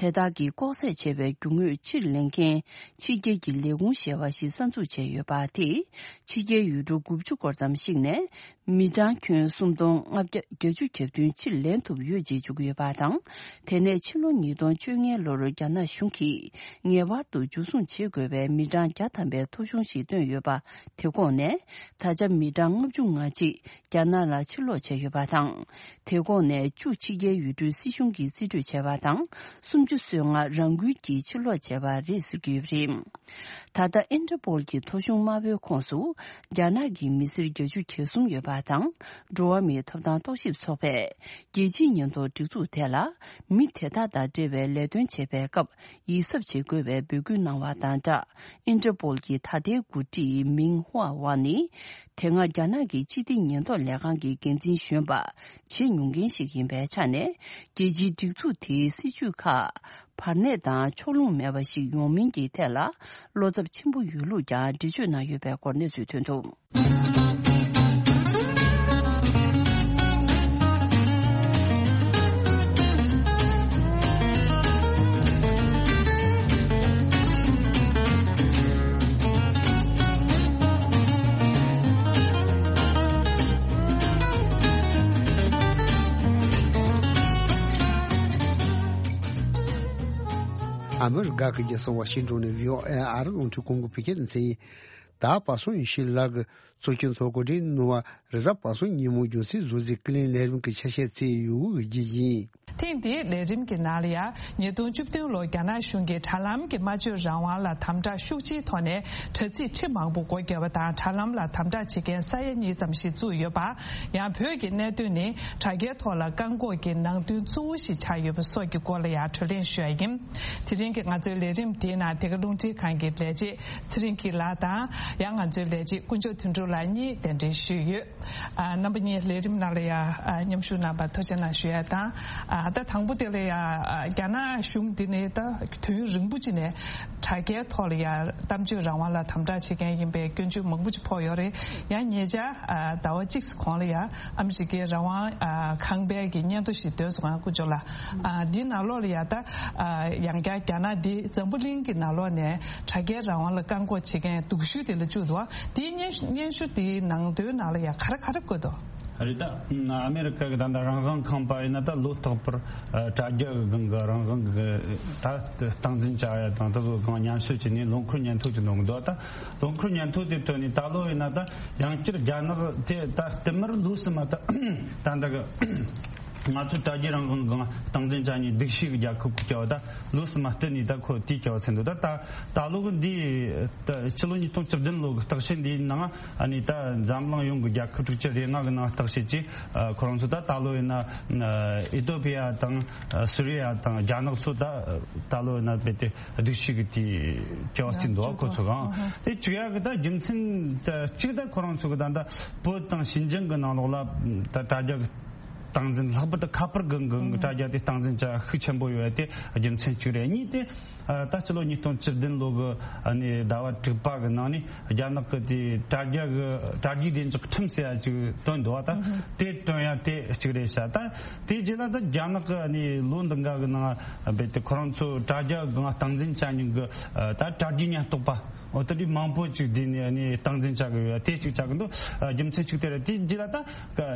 དེ་དག་གིས་ལྐོག་ཟ་བྱས་པའི་རྒྱུ་དངོས་ཕྱིར་ལེན་མཁན་ཕྱི་རྒྱལ་གྱི་ལས་ཁུངས་ཞེས་པ་ཞིག་གསར་འཛུགས་བྱས་ཡོད་པ་དེས། ཕྱི་རྒྱལ་ཡུལ་གྲུ་དགུ་བཅུ་སྐོར་ཙམ་ཞིག་ནས་མི་གྲངས་ཁྱོན་སུམ་སྟོང་ལྔ་བརྒྱ་བརྒྱད་ཅུ་གྱ་བདུན་ཕྱིར་ལེན་ཐུབ་ཡོད་ཅེས་བརྗོད་ཀྱི་ཡོད་པ་དང་། དེ་ནས་ཕྱི་ལོ་ཉིས་སྟོང་བཅོ་ལྔ་ལོར་རྒྱ་ནག་གཞུང་གིས་ངེས་པར་དུ་འཇུ་བཟུང་བྱེད་དགོས་པའི་མི་གྲངས་བརྒྱ་ཐམ་པའི་ཐོ་གཞུང་ཞིག་བཏོན་ཡོད་པ། དེ་ཁོངས་ནས་ད་ཆ་མི་གྲངས་ལྔ་བཅུ་ང་གཅིག་རྒྱ་ནག་ལ་ཕྱིར་ལོག་བྱས་ཡོད་པ་དང་། དེ་ཁོངས་ནས་བཅུ་ཕྱི་རྒྱལ་ཡུལ་གྲུའི་སྲིད་གཞུང་གིས་རྩིས་སྤྲོད་བྱས་པ་དང་། སུམ་ཅུ་སོ་ལྔ་རང་འགུལ་གྱིས་ཕྱིར་ལོག་བྱས་པ་རེད་ཟེར་གྱི་ཡོད་པ་རེད། ད་ལྟ་ཨིན་ཏྲ་པོལ་གྱི་ཐོ་གཞུང་དམར་པོའི་ཁོངས་སུ་རྒྱ་ནག་གི་མི་སེར་བརྒྱད་ཅུ་གྱ་གསུམ་ཡོད་པ་དང་། འགྲོ་བ་མིའི་ཐོབ་ཐང་རྟོག་ཞིབ་ཚོགས་པས་རྒྱལ་སྤྱིའི་ཉེན་རྟོག་སྒྲིག་འཛུགས་དེ་ལ་མི་དེ་དག་དང་འབྲེལ་བའི་ལས་དོན་བྱེད་པའི་སྐབས་ཡིད་གཟབ་བྱེད་དགོས་པའི་འབོད་སྐུལ་གནང་བ་དང་སྦྲགས། ཨིན་ཏྲ་པོལ་གྱི་ད་ལྟའི་འགོ་ཁྲིད་མིང་ཧུའ་ཝ་ནི། དེ་སྔ་རྒྱ་ནག་གི་སྤྱི་བདེ་ཉེན་རྟོག་ལས་ཁང་གི་འགན་འཛིན་གཞོན་པ་བྱེད་མྱོང་མཁན་ཞིག་ཡིན་པའི་ཆ་ནས། རྒྱལ་སྤྱིའི་སྒྲིག་འཛུགས་དེའི་སྲིད་ཇུས་ཁག་བར་གནས་དང་ཕྱོགས་ལྷུང་མེད་པ་ཞིག་ཡོང་མིན་གྱི་ཐད་ལ་བློ་འཚབ་ཆེན་པོ་ཡོད་ལུགས་ཀྱང་འགྲེལ་བརྗོད་གནང་ཡོད་པའི་སྐོར་གནས་ཚུལ་ཐོན་འདུག་ཨ་མི་རི་ཀ་གི་རྒྱལ་ས་ཝ་ཤིང་ཏོན་ནས་བྷི་ཨོ་ཨེ་ཨ་རི་རླུང་འཕྲིན་ཁང་གི་བོད་སྐད་སྡེ་ཚན་ཡིན། ད་པ་སངས་ཡེ་ཤེས་ལགས་ཀྱིས་གཙོ་སྐྱོང་ཚོགས་གོ་སྒྲིག་གནང་བ་རེས་གཟའ་པ་སངས་ཉིན་མོ་རྒྱུན་སྲིང་བཟོ་རྩིས་ཀུན་གླེང་ལས་རིམ་གྱི་ཆ་ཤས་བརྩིས་ཡོད་པ་བརྗོད་ཀྱི་ཡིན། ཐེངས་འདིའི་ལས་རིམ་གྱི་ནང་ལ་ཡང་ཉིས་སྟོང་བཅུ་བདུན་ལོར་རྒྱ་ནག་གཞུང་གིས་དྲ་ལམ་གྱི་སྨྲ་བརྗོད་རང་དབང་ལ་དམ་དྲག་ཤུགས་ཆེའི་ཐོག་ནས་དྲ་ཚིགས་ཁྲི་མང་པོ་སྒོ་བརྒྱབ་པ་དང་། དྲ་ལམ་ལ་དམ་དྲག་བྱེད་མཁན་ས་ཡ་གཉིས་ཙམ་ཞིག་བཙུགས་ཡོད་པ། ཡང་བོད་ཀྱི་གནད་དོན་ནི་དྲ་རྒྱའི་ཐོག་ལ་བཀག་འགོག་གི་ནང་དོན་གཙོ་བོ་ཞིག་ཆགས་ཡོད་པ་སོགས་ཀྱི་སྐོར་ལ་ཡང་གྲོས་གླེང་ཞུ་ཡ་ཡིན། དེ་རིང་གི་ང་ཚོའི་ལས་རིམ་དེའི་ནང་དེ་ག་རླུང་འཕྲིན་ཁང་གི་ལས་བྱེད་ཚེ་རིང་སྐྱིད་ལགས་དང་། ཡང་ང་ཚོའི་ལས་བྱེད་དཀོན་མཆོག་དོན་གྲུབ་ལགས་གཉིས་གདན་འདྲེན་ཞུས་ཡོད། ཨ། རྣམ་པ་གཉིས་ལས་རིམ་ནང་ལ་ཡང་། ཨ། མཉམ་ཞུགས་གནང་བར་ཐུགས་རྗེ་གནང་ཞུ་ཡ་དང་། ཨ། ད་དང་པོ་དེ་ལ་ཡང་། ཨ། རྒྱ་ནག་གཞུང་འདི་ནི་ད་དུས་ཡུན་རིང་པོ་ཅིག་ནས་དྲ་རྒྱའི་ཐོག་ལ་ཡང་གཏམ་བརྗོད་རང་དབང་ལ་དམ་དྲག་བྱེད་མཁན་ཡིན་པའི་སྐྱོན་བརྗོད་མང་པོ་ཅིག་ཕོག་ཡོད་རེད། ཡང་ཉེ་ཆར། ཨ། ཟླ་བ་གཅིག་གོང་ལ་ཡང་ཨ་མི་རི་ཀའི་རང་དབང་། ཨ། ཁང་པའི་གི་སྙན་ཐོ་ཞིག་བཏོན་སོང་། ཨ། དཀོན་མཆོག་ལགས། ཨ། འདི་ནང་ལོགས་ལ་ཡང་ད། ཨ། ཡང་བསྐྱར་རྒྱ་ནག་འདི་འཛམ་བུ་གླིང་གི་ནང་ལོགས་ནས་དྲ་རྒྱའི་རང་དབང་ལ་བཀག་འགོག་བྱེད་མཁན་སྡུག་ཤོས་དེ་ལ་བཅུག་འདུག། དེའི་སྙན་སྙན་ཞུ་དེའི་ནང་དོན་ནང་ལ་ཡང་ག་རེ་ག་རེ་བཀོད་འདུག། རེད། ད་ཨ་མེ་རི་ཀ་གི་ད་ལྟ་རང་དབང་ཁང་པ་ཡིན་ན་ད་ལོ་རྟག་པར། ཨ། དྲ་རྒྱ་གི་སྒང་གི་རང་དབང་གི་ད་སྟངས་འཛིན་བྱ་ཡ་དང་དེ་ཚོ་སྒང་མཉམ་ཞུགས་བྱས་ནས་ལོ་འཁོར་སྙན་ཐོ་ཅིག་འདོན་གི་འདུག། ད་ལོ་འཁོར་སྙན་ཐོ་དེ་ཐོན་ནས་ད་ལོ་ཡིན་ན་ད་ཡང་བསྐྱར་རྒྱ་ནག་དེ་ད་བསྟུད་མར་ལོ་གསུམ་མ་ད་ད་ལྟ་གི་ང་ཚོ་དྲ་རྒྱའི་རང་དབང་སྒང་སྟངས་འཛིན་བྱ་ནས་སྡུག་ཤོས་ཀྱི་རྒྱལ་ཁབ་ཀྱི་བྱ་བ། ད་ལོ་གསུམ་མ་བསྟུད་ནས་ད་ཁོ་དེའི་བྱ་བ་ཚུད་འདུག། ད་ད་ད་ལོ་གི་འདི་ད་ཕྱི་ལོ་ཉིས་སྟོང་བཅུ་བདུན་ལོ་གི་བརྟག་དཔྱད་འདིའི་ནང་། ཨ་ནི་ད་འཛམ་གླིང་ཡོངས་ཀྱི་རྒྱལ་ཁབ་དྲུག་ཅུ་རེ་ལྔ་གི་ནང་བརྟག་དཔྱད་ཀྱིས། ཨ། ཁོ་རང་ཚོ་ད་ད་ལོ་ཡིན་ན། ཨ། ཨི་ཏོ་པི་ཡ་དང་། ཨ། སུ་རི་ཡ་དང་རྒྱ་ནག་ཚོ་ད་ད་ལོ་ཡིན་ན་རྦད་དེ་སྡུག་ཤོས་ཀྱི་དེ་བྱ་བ་ཚུད་འདུག། ཁོ་ཚོ་གང་དེ་བྱེད་ཡག་གི་ད་རྒྱུ་མཚན་ད་གཅིག་ད་ཁོ་རང་ཚོ་གི་ད་ད་བོད་དང་ཞིན་ཅང་གི་ནང་ལོགས་ལ་ད་དྲ་རྒྱ་གི་སྟངས་འཛིན། ལྷག་པར་དུ་ཁ་པར་གི་གི་དྲ་རྒྱ་དེ་སྟངས་འཛིན་བྱ་ཤུགས་ཆེན་པོ་ཡོད་དེ་རྒྱུ་མཚན་གཅིག་རེད། གཉིས་དེ། ཨ། ད་ཕྱི་ལོ་ཉིས་སྟོང་བཅུ་བདུན་ལོ་གི། ཨ་ནི་ཟླ་བ་དྲུག་པ་གི་ནང་ནས་རྒྱ་ནག་གི་དེ་དྲ་རྒྱ་གི་དྲ་རྒྱའི་བདེ་འཇགས་ཁྲིམས་ཟེར་ཡ་ཅིག་བཏོན་འདུག། ད་དེ་བཏོན་ཡ་དེ་གཅིག་རེད་ཤག། ད་དེ་རྗེས་ལ་ད་རྒྱ་ནག་གི་ཨ་ནི་ལོ་འདི་འགའ་གི་ནང་རྦད་དེ་ཁོ་རང་ཚོ་དྲ་རྒྱ་གི་སྟངས་འཛིན་བྱ་མཁན་གི། ཨ། ད་དྲ་རྒྱའི་ཉེན་རྟོག་པ། འོ། དེ་འདྲའི་མང་པོ་ཅིག་བསྡུས་ནས་ཨ་ནི་སྟངས་འཛིན་བྱ་གི་ཡོད། དེ་གཅིག་བྱ་གི་འདུག། ཨ། རྒྱུ་མཚན་གཅིག་དེ་རེད། དེ་རྗེས་ལ་ད་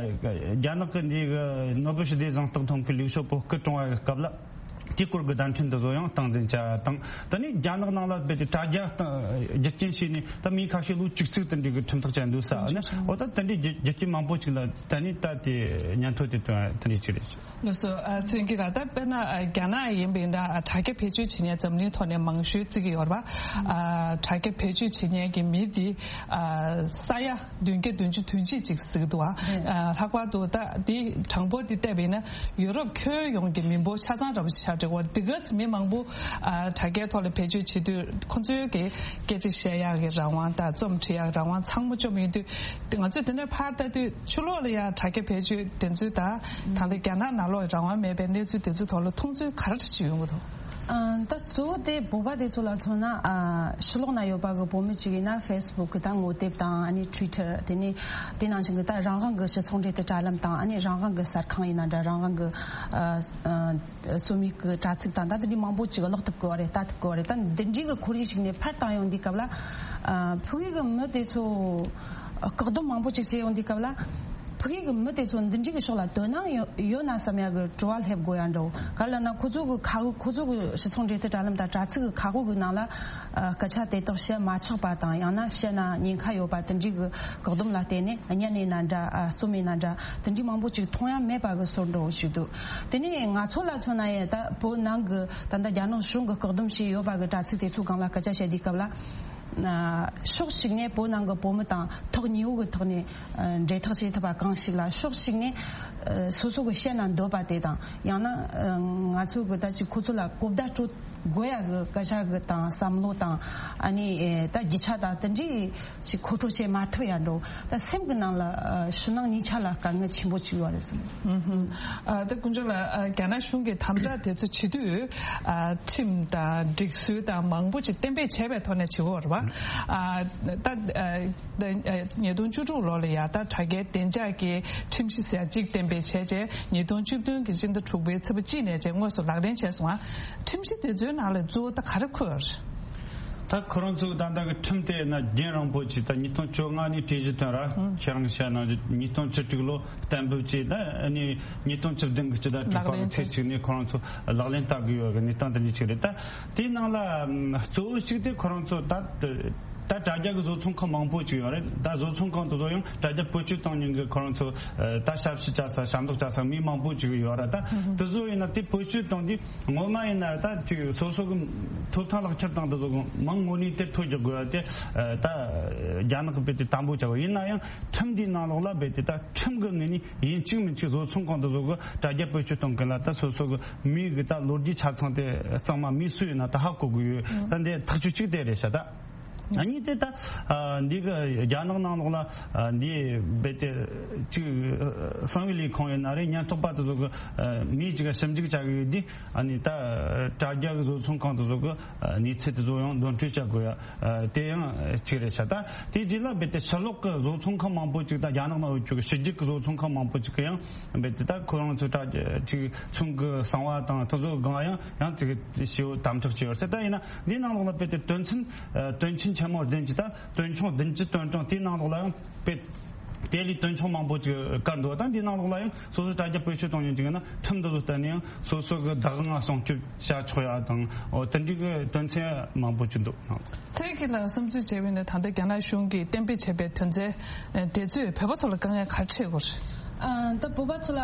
རྒྱ་ནག་གི་འདི་གི་ནོ་བེལ་ཞི་བདེ་གཟེངས་རྟགས་ཐོབ་མཁན་ལིའུ་ཞའོ་པོ་སྐུ་གྲོངས་པའི་སྐབས་ལ། དེའི་སྐོར་གྱི་བརྡ་འཕྲིན་དེ་ཚོ་ཡང་སྟངས་འཛིན་བྱ་དང་། ད་ནི་རྒྱ་ནག་ནང་ལ་རྦད་དེ་དྲ་རྒྱ་རྒྱུ་རྐྱེན་བྱས་ནས་ད་མི་ཁ་ཤས་ལོ་བཅུ་གཅིག་དེ་འདྲའི་གི་ཁྲིམས་ཐག་བཅད་འདུག་ཟེར་ནས། འོ། ད་དེ་འདྲའི་རྒྱུ་རྒྱུ་རྐྱེན་མང་པོ་ཅིག་ལ་ད་ནི་ད་དེ་ཉན་ཐོས་དེ་དོན་དེ་འདྲའི་ཅིག་རེད། ལགས་སོ། ཨ། ཚེ་རིང་སྐྱིད་ལགས། ད་དཔེར་ན། ཨ། རྒྱ་ནག་ཡིན་པ་ཡིན་ན། ཨ། དྲ་རྒྱ་བེད་སྤྱོད་བྱེད་མཁན་འཛམ་གླིང་ཐོག་ནས་མང་ཤོས་བརྩི་གི་ཡོད་རེད་པ། ཨ། དྲ་རྒྱ་བེད་སྤྱོད་བྱེད་མཁན་གྱི་མི་འདི། ཨ། ས་ཡ་བདུན་བརྒྱ་བདུན་ཅུ་དོན་གཅིག་ཅིག་ཟེར་གྱི་འདུག། ཨ། ཨ། ལྷག་པར་དུ་ད་འདི་གྲངས་འབོར་འདི་བལྟས་པ་ཡིན་ན་ཡུ་རོབ་ཁྱོན་ཡོངས་ཀྱི་མི་འབོར་ཆ་ཚང་འདྲ་པོ་ཞིག་ཆགས་འགྲོ་གི་ཡོད་རེད། འདི་ག་ཚོད་མི་མང་པོ། ཨ། དྲ་རྒྱའི་ཐོག་ལ་བེད་སྤྱོད་བྱེད་དུས་ཁོང་ཚོའི་གི་སྐད་ཆ་བཤད་ཡག་གི་རང་དབང་དང་རྩོམ་འབྲི་ཡག་རང་དབང་ཚང་མ་བཅོམ་ཡོང་དུས། ང་ཚོས་དེ་འདྲ་ཕར་ལྟ་དུས་ཕྱི་ལོགས་ལ་ཡང་དྲ་རྒྱ་བེད་སྤྱོད་དེ་ཚོའི། ད་ད་ལྟ་རྒྱ་ནག་ནང་ལོགས་རང་དབང་མེད་པའི་གནས་ཚུལ་དེ་ཚོའི་ཐོག་ལ་མཐོང་ཚུལ་ག་རེ་ཞིག་ཡོང་གི་འདུག། ཨ། ད་གཙོ་བོ་དེ་བོད་པ་དེ་ཚོ་ལ་མཚོན་ན། ཨ། ཕྱི་ལོགས་ན་ཡོད་པ་གི་བོད་མི་གཅིག་ཡིན་ན་ཕེ་སི་བུག་དང་ངོ་དེབ་དང་ཨ་ནི་ཊུའི་ཊར། དེ་ནས་དེ་ནང་བཞིན་གི་ད་རང་དབང་གི་སྤྱི་ཚོགས་འབྲེལ་མཐུད་དྲ་ལམ་དང་ཨ་ནི་རང་དབང་གི་གསར་ཁང་ཡིན་ན་འདྲ། རང་དབང་གི་ཨ། ཨ། རྩོམ་ཡིག་གི་དྲ་ཚིགས་དང་ད་དེ་འདྲའི་མང་པོ་ཅིག་ཀློག་ཐུབ་གི་བ་རེད། ལྟ་ཐུབ་གི་བ་རེད། ད་འདི་འདྲའི་གི་ཁོར་ཡུག་ཅིག་ནས་ཕར་བཏང་ཡོང་དུས་སྐབས་ལ། ཨ། ཕ་གི་གི་མི་དེ་ཚོ་བཀག་སྡོམ་མང་པོ་ཅིག་བྱས་ཡོང་དུས་སྐབས་ལ། ཕ་གི་གི་མི་དེ་ཚོ་འདི་འདྲའི་གི་ཕྱོགས་ལ་དོ་སྣང་ཡོད་ཡོད་ན་བསམ་ཡ་གི་དྲི་བ་སླེབས་དགོས་ཡ་འདྲ་བོ། ག་རེ་ལབ་ན་ཁོ་ཚོ་གི་ཁ་ཁོ་ཚོ་གི་སྤྱི་ཚོགས་འབྲེལ་མཐུད་དྲ་ལམ་དང་དྲ་ཚིགས་གི་ཁ་ཤོག་གི་ནང་ལ། ཨ། སྐད་ཆ་དེ་དག་བཤད་མ་ཆོག་པ་དང་ཡང་ན་བཤད་ན་ཉེན་ཁ་ཡོད་པ་དེ་འདྲའི་གི་བཀག་སྡོམ་ལ་བརྟེན་ནས་བརྙན་ཡིན་ན་འདྲ། ཨ། རྩོམ་ཡིན་ན་འདྲ། དེ་འདྲའི་མང་པོ་ཅིག་མཐོང་ཡ་མེད་པ་གི་བཟོ་འདྲ་བོ་ཞིག་འདུག་དེ་ནས་ང་ཚོ་ལ་མཚོན་ན་ཡང་ད་བོད་ནང་གི་ད་ལྟ་རྒྱ་ནག་གཞུང་གི་བཀག་སྡོམ་བྱས་ཡོད་པ་གི་དྲ་ཚིགས་དེ་ཚོའི་སྒང་ལ་སྐད་ཆ་བཤད་དུས་སྐབས་ལ། ཨ། ཕྱོགས་གཅིག་ནས་བོད་ནང་གི་བོད་མི་དང་ཐོག་ཉེ་བོ་གི་ཐོག་ནས། ཨ། འབྲེལ་ཐག་བྱེད་ཐུབ་པ་གང་ཞིག་ལ། ཕྱོགས་གཅིག་ནས། ཨ། སོ་སོ་གི་བཤད་ན་འདོད་པ་དེ་དང་ཡང་ན། ཨ། ང་ཚོ་གི་ད་ཅིག་ཁོ་ཚོ་ལ་གོ་བརྡ་སྤྲོད་དགོས་ཡ་གི་སྐད་ཆ་གི་དང་བསམ་བློ་དང་ཨ་ནི། ཨེ། ད་རྒྱུ་ཆ་དང་དེ་འདྲའི་ཅིག་མཁོ་སྤྲོད་བྱེད་མ་ཐུབ་ཡ་འདྲ་བོ། ད་སེམས་གི་ནང་ལ། ཨ། ཕྱི་ནང་གཉིས་ཆ་ལ་དཀའ་ངལ་ཆེན་པོ་ཅིག་ཡོད་རེད་བསམ། ཨུ་ཧུམ། ཨ། ད་དཀོན་མཆོག་ལགས། ཨ། རྒྱ་ནག་གཞུང་གིས་དམ་དྲག་དེ་ཚོ་བྱེད་དུས། ཨ། ཁྲིམས་དང་སྒྲིག་སྲོལ་དང་མང་པོ་ཅིག་གཏན་འབེབས་བྱས་པའི་ཐོག་ནས་བྱེད་དགོས་རེད་པ། ཨ། ད། ཨ། ད། ཨ། ཉིས་སྟོང་བཅུ་དྲུག་ལོ་ལ་ཡ་ད་དྲ་རྒྱའི་བདེ་འཇགས་ཀྱི་ཁྲིམས་གཞི་ཟེར་གཅིག་གཏན་འབེབས་བྱས་རྗེས། ཉིས་སྟོང་བཅུ་བདུན་གྱི་སྤྱི་ཟླ་དྲུག་པའི་ཚེས་པ་གཅིག་ནས་བྱས་དངོས་སུ་ལག་ལེན་བྱས་སོང་ང་། ཁྲིམས་གཞི་དེ་ཚོའི་ནང་ལ་གཙོ་བོ་ད་ག་རེ་འཁོད་ཡོད་རེད། ད་ཁོ་རང་ཚོ་ད་ལྟ་གི་ཁྲིམས་དེ་ན་རྒྱུན་རིང་པོ་ཅིག་ད་ཉིས་སྟོང་བཅོ་ལྔ་ནས་གྲོས་གཞི་བཏོན་ར། ཨང་། ཁྱེད་རང་བཤད་ནང་བཞིན་ཉིས་སྟོང་བཅུ་དྲུག་ལོ་གཏན་འབེབས་བྱས། ད་ནི་ཉིས་སྟོང་བཅུ་བདུན་གྱི་སྤྱི་ཟླ་དྲུག་པ་གི་ཚེས་གཅིག་ནས་ཁོ་རང་ཚོ་ལག་ལེན་བསྟར་གི་ཡོད་གི་གནས་སྟངས་དེ་འདྲ་ཅིག་རེད། ད་དེའི་ནང་ལ་གཙོ་བོ་གཅིག་དེ་ཁོ་རང་ཚོ་ད། ད་དྲ་རྒྱ་གི་བཟོ་ཚོང་ཁང་མང་པོ་ཅིག་ཡོད་རེད། ད་བཟོ་ཚོང་ཁང་དེ་ཚོ་ཡང་དྲ་རྒྱ་བེད་སྤྱོད་གཏོང་མཁན་གྱི་ཁོ་རང་ཚོ། ཨ། ད་ཞབས་ཕྱི་བྱ་ས་ཞབས་འདེགས་བྱ་ས་མི་མང་པོ་ཅིག་ཡོད་རེད། ད་དེ་ཚོ་ཡིན་ན་དེ་བེད་སྤྱོད་གཏོང་དུས་ངོ་མ་ཡིན་ན་ད་ཅིག་སོ་སོ་གི་ཐོབ་ཐང་ལག་ཁྱེར་དང་དེ་ཚོ་གི་མིང་དངོས་གནས་དེ་ཐོ་རྒྱག་དགོས་ཡ་དེ། ཨ། ད་རྒྱ་ནག་གི་རྦད་དེ་དམ་པོ་བྱ་དགོས། ཡིན་ན་ཡང་ཁྲིམས་འདིའི་ནང་ལོགས་ལ་རྦད་དེ་ད་ཁྲིམས་གི་ངོས་ནས་ཡིན་གཅིག་མིན་གཅིག་བཟོ་ཚོང་ཁང་དེ་ཚོ་གི་དྲ་རྒྱ་བེད་སྤྱོད་གཏོང་མཁན་ལ་ད་སོ་སོ་གི་མིའི་གི་ད་ལོ་རྒྱུས་ཆ་ཚང་དེ་གཙང་མ་མི་སུ་ཡིན་ན་ད་ཧ་གོ་དགོས་ཡོད། ད་འདི་ཐག་གཅོད་གཅིག་དེ་རེད་ཤག་ད། ཨ་ནི་དེ་ད། ཨ། འདི་གི་རྒྱ་ནག་ནང་ལོགས་ལ། ཨ། འདི་རྦད་དེ་ཅིག་གསང་བའི་ལས་ཁུངས་ཡིན་ན་རེད། ཉེན་རྟོག་པ་དེ་ཚོ་གི། ཨ། མི་ཅིག་ག་ཞིབ་འཇུག་བྱ་གི་ཡོད་དུས། ཨ་ནི་ད་དྲ་རྒྱ་གི་བཟོ་ཚོང་ཁང་དེ་ཚོ་གི། ཨ། གནས་ཚུལ་དེ་ཚོ་ཡང་འདོན་སྤྲོད་བྱ་དགོས་ཡ། ཨ། དེ་ཡང་གཅིག་རེད་ཤག་ད་དེ་རྗེས་ལ་རྦད་དེ་ཕྱི་ལོགས་གི་བཟོ་ཚོང་ཁང་མང་པོ་ཅིག་ད་རྒྱ་ནག་ནང་ཡོད་རྒྱུ་གི་ཕྱི་རྒྱལ་གི་བཟོ་ཚོང་ཁང་མང་པོ་ཅིག་གི་ཡང་རྦད་དེ་ད་ཁོ་རང་ཚོ་དྲ་ཅིག་ཚོང་གི་གསང་བ་དང་དེ་ཚོ་སྒང་ཡང་ཡང་ཅིག་ཞེ་པོ་དམ་དྲག་བྱས་ཡོད་ཟེར། ད་ཡིན་ན་འདིའི་ནང་ལོགས་ལ་རྦད་དེ་དོན་ཚན། ཨ། དོན་ཆེན་ཆེན་མོ་བདུན་ཅིག་ད་དོན་ཆུང་བདུན་ཅུ་དོན་གྲངས་དེའི་ནང་ལོགས་ལ་ཡང་རྦད་དེ་ལས་དོན་ཆུང་མང་པོ་ཅིག་བཀར་འདུག་ད་འདིའི་ནང་ལོགས་ལ་ཡང་སོ་སོ་དྲ་རྒྱ་བེད་སྤྱོད་གཏོང་མཁན་ཅིག་ཡིན་ན་ཁྲིམས་འདི་ཚོ་བསྟུན་ནས་ཡང་སོ་སོ་གི་བདག་དབང་སྲུང་སྐྱོབ་བྱ་ཆོག་ཡ་དང་། འོ། དེ་འདྲའི་གི་དོན་ཚན་མང་པོ་ཅིག་འདུག་ཚེ་རིང་ལགས་བསམ་ཚུལ་བྱས་པ་ཡིན་ན་ད་ལྟ་རྒྱ་ནག་གཞུང་གིས་གཏན་འབེབས་བྱས་པའི་དོན་ཚན་དེ་ཚོས་བོད་པ་ཚོ་ལ་དཀའ་ངལ་ག་རེ་འཕྲད་ཡོད་རེད། ཨ། ད་བོད་པ་ཚོ་ལ་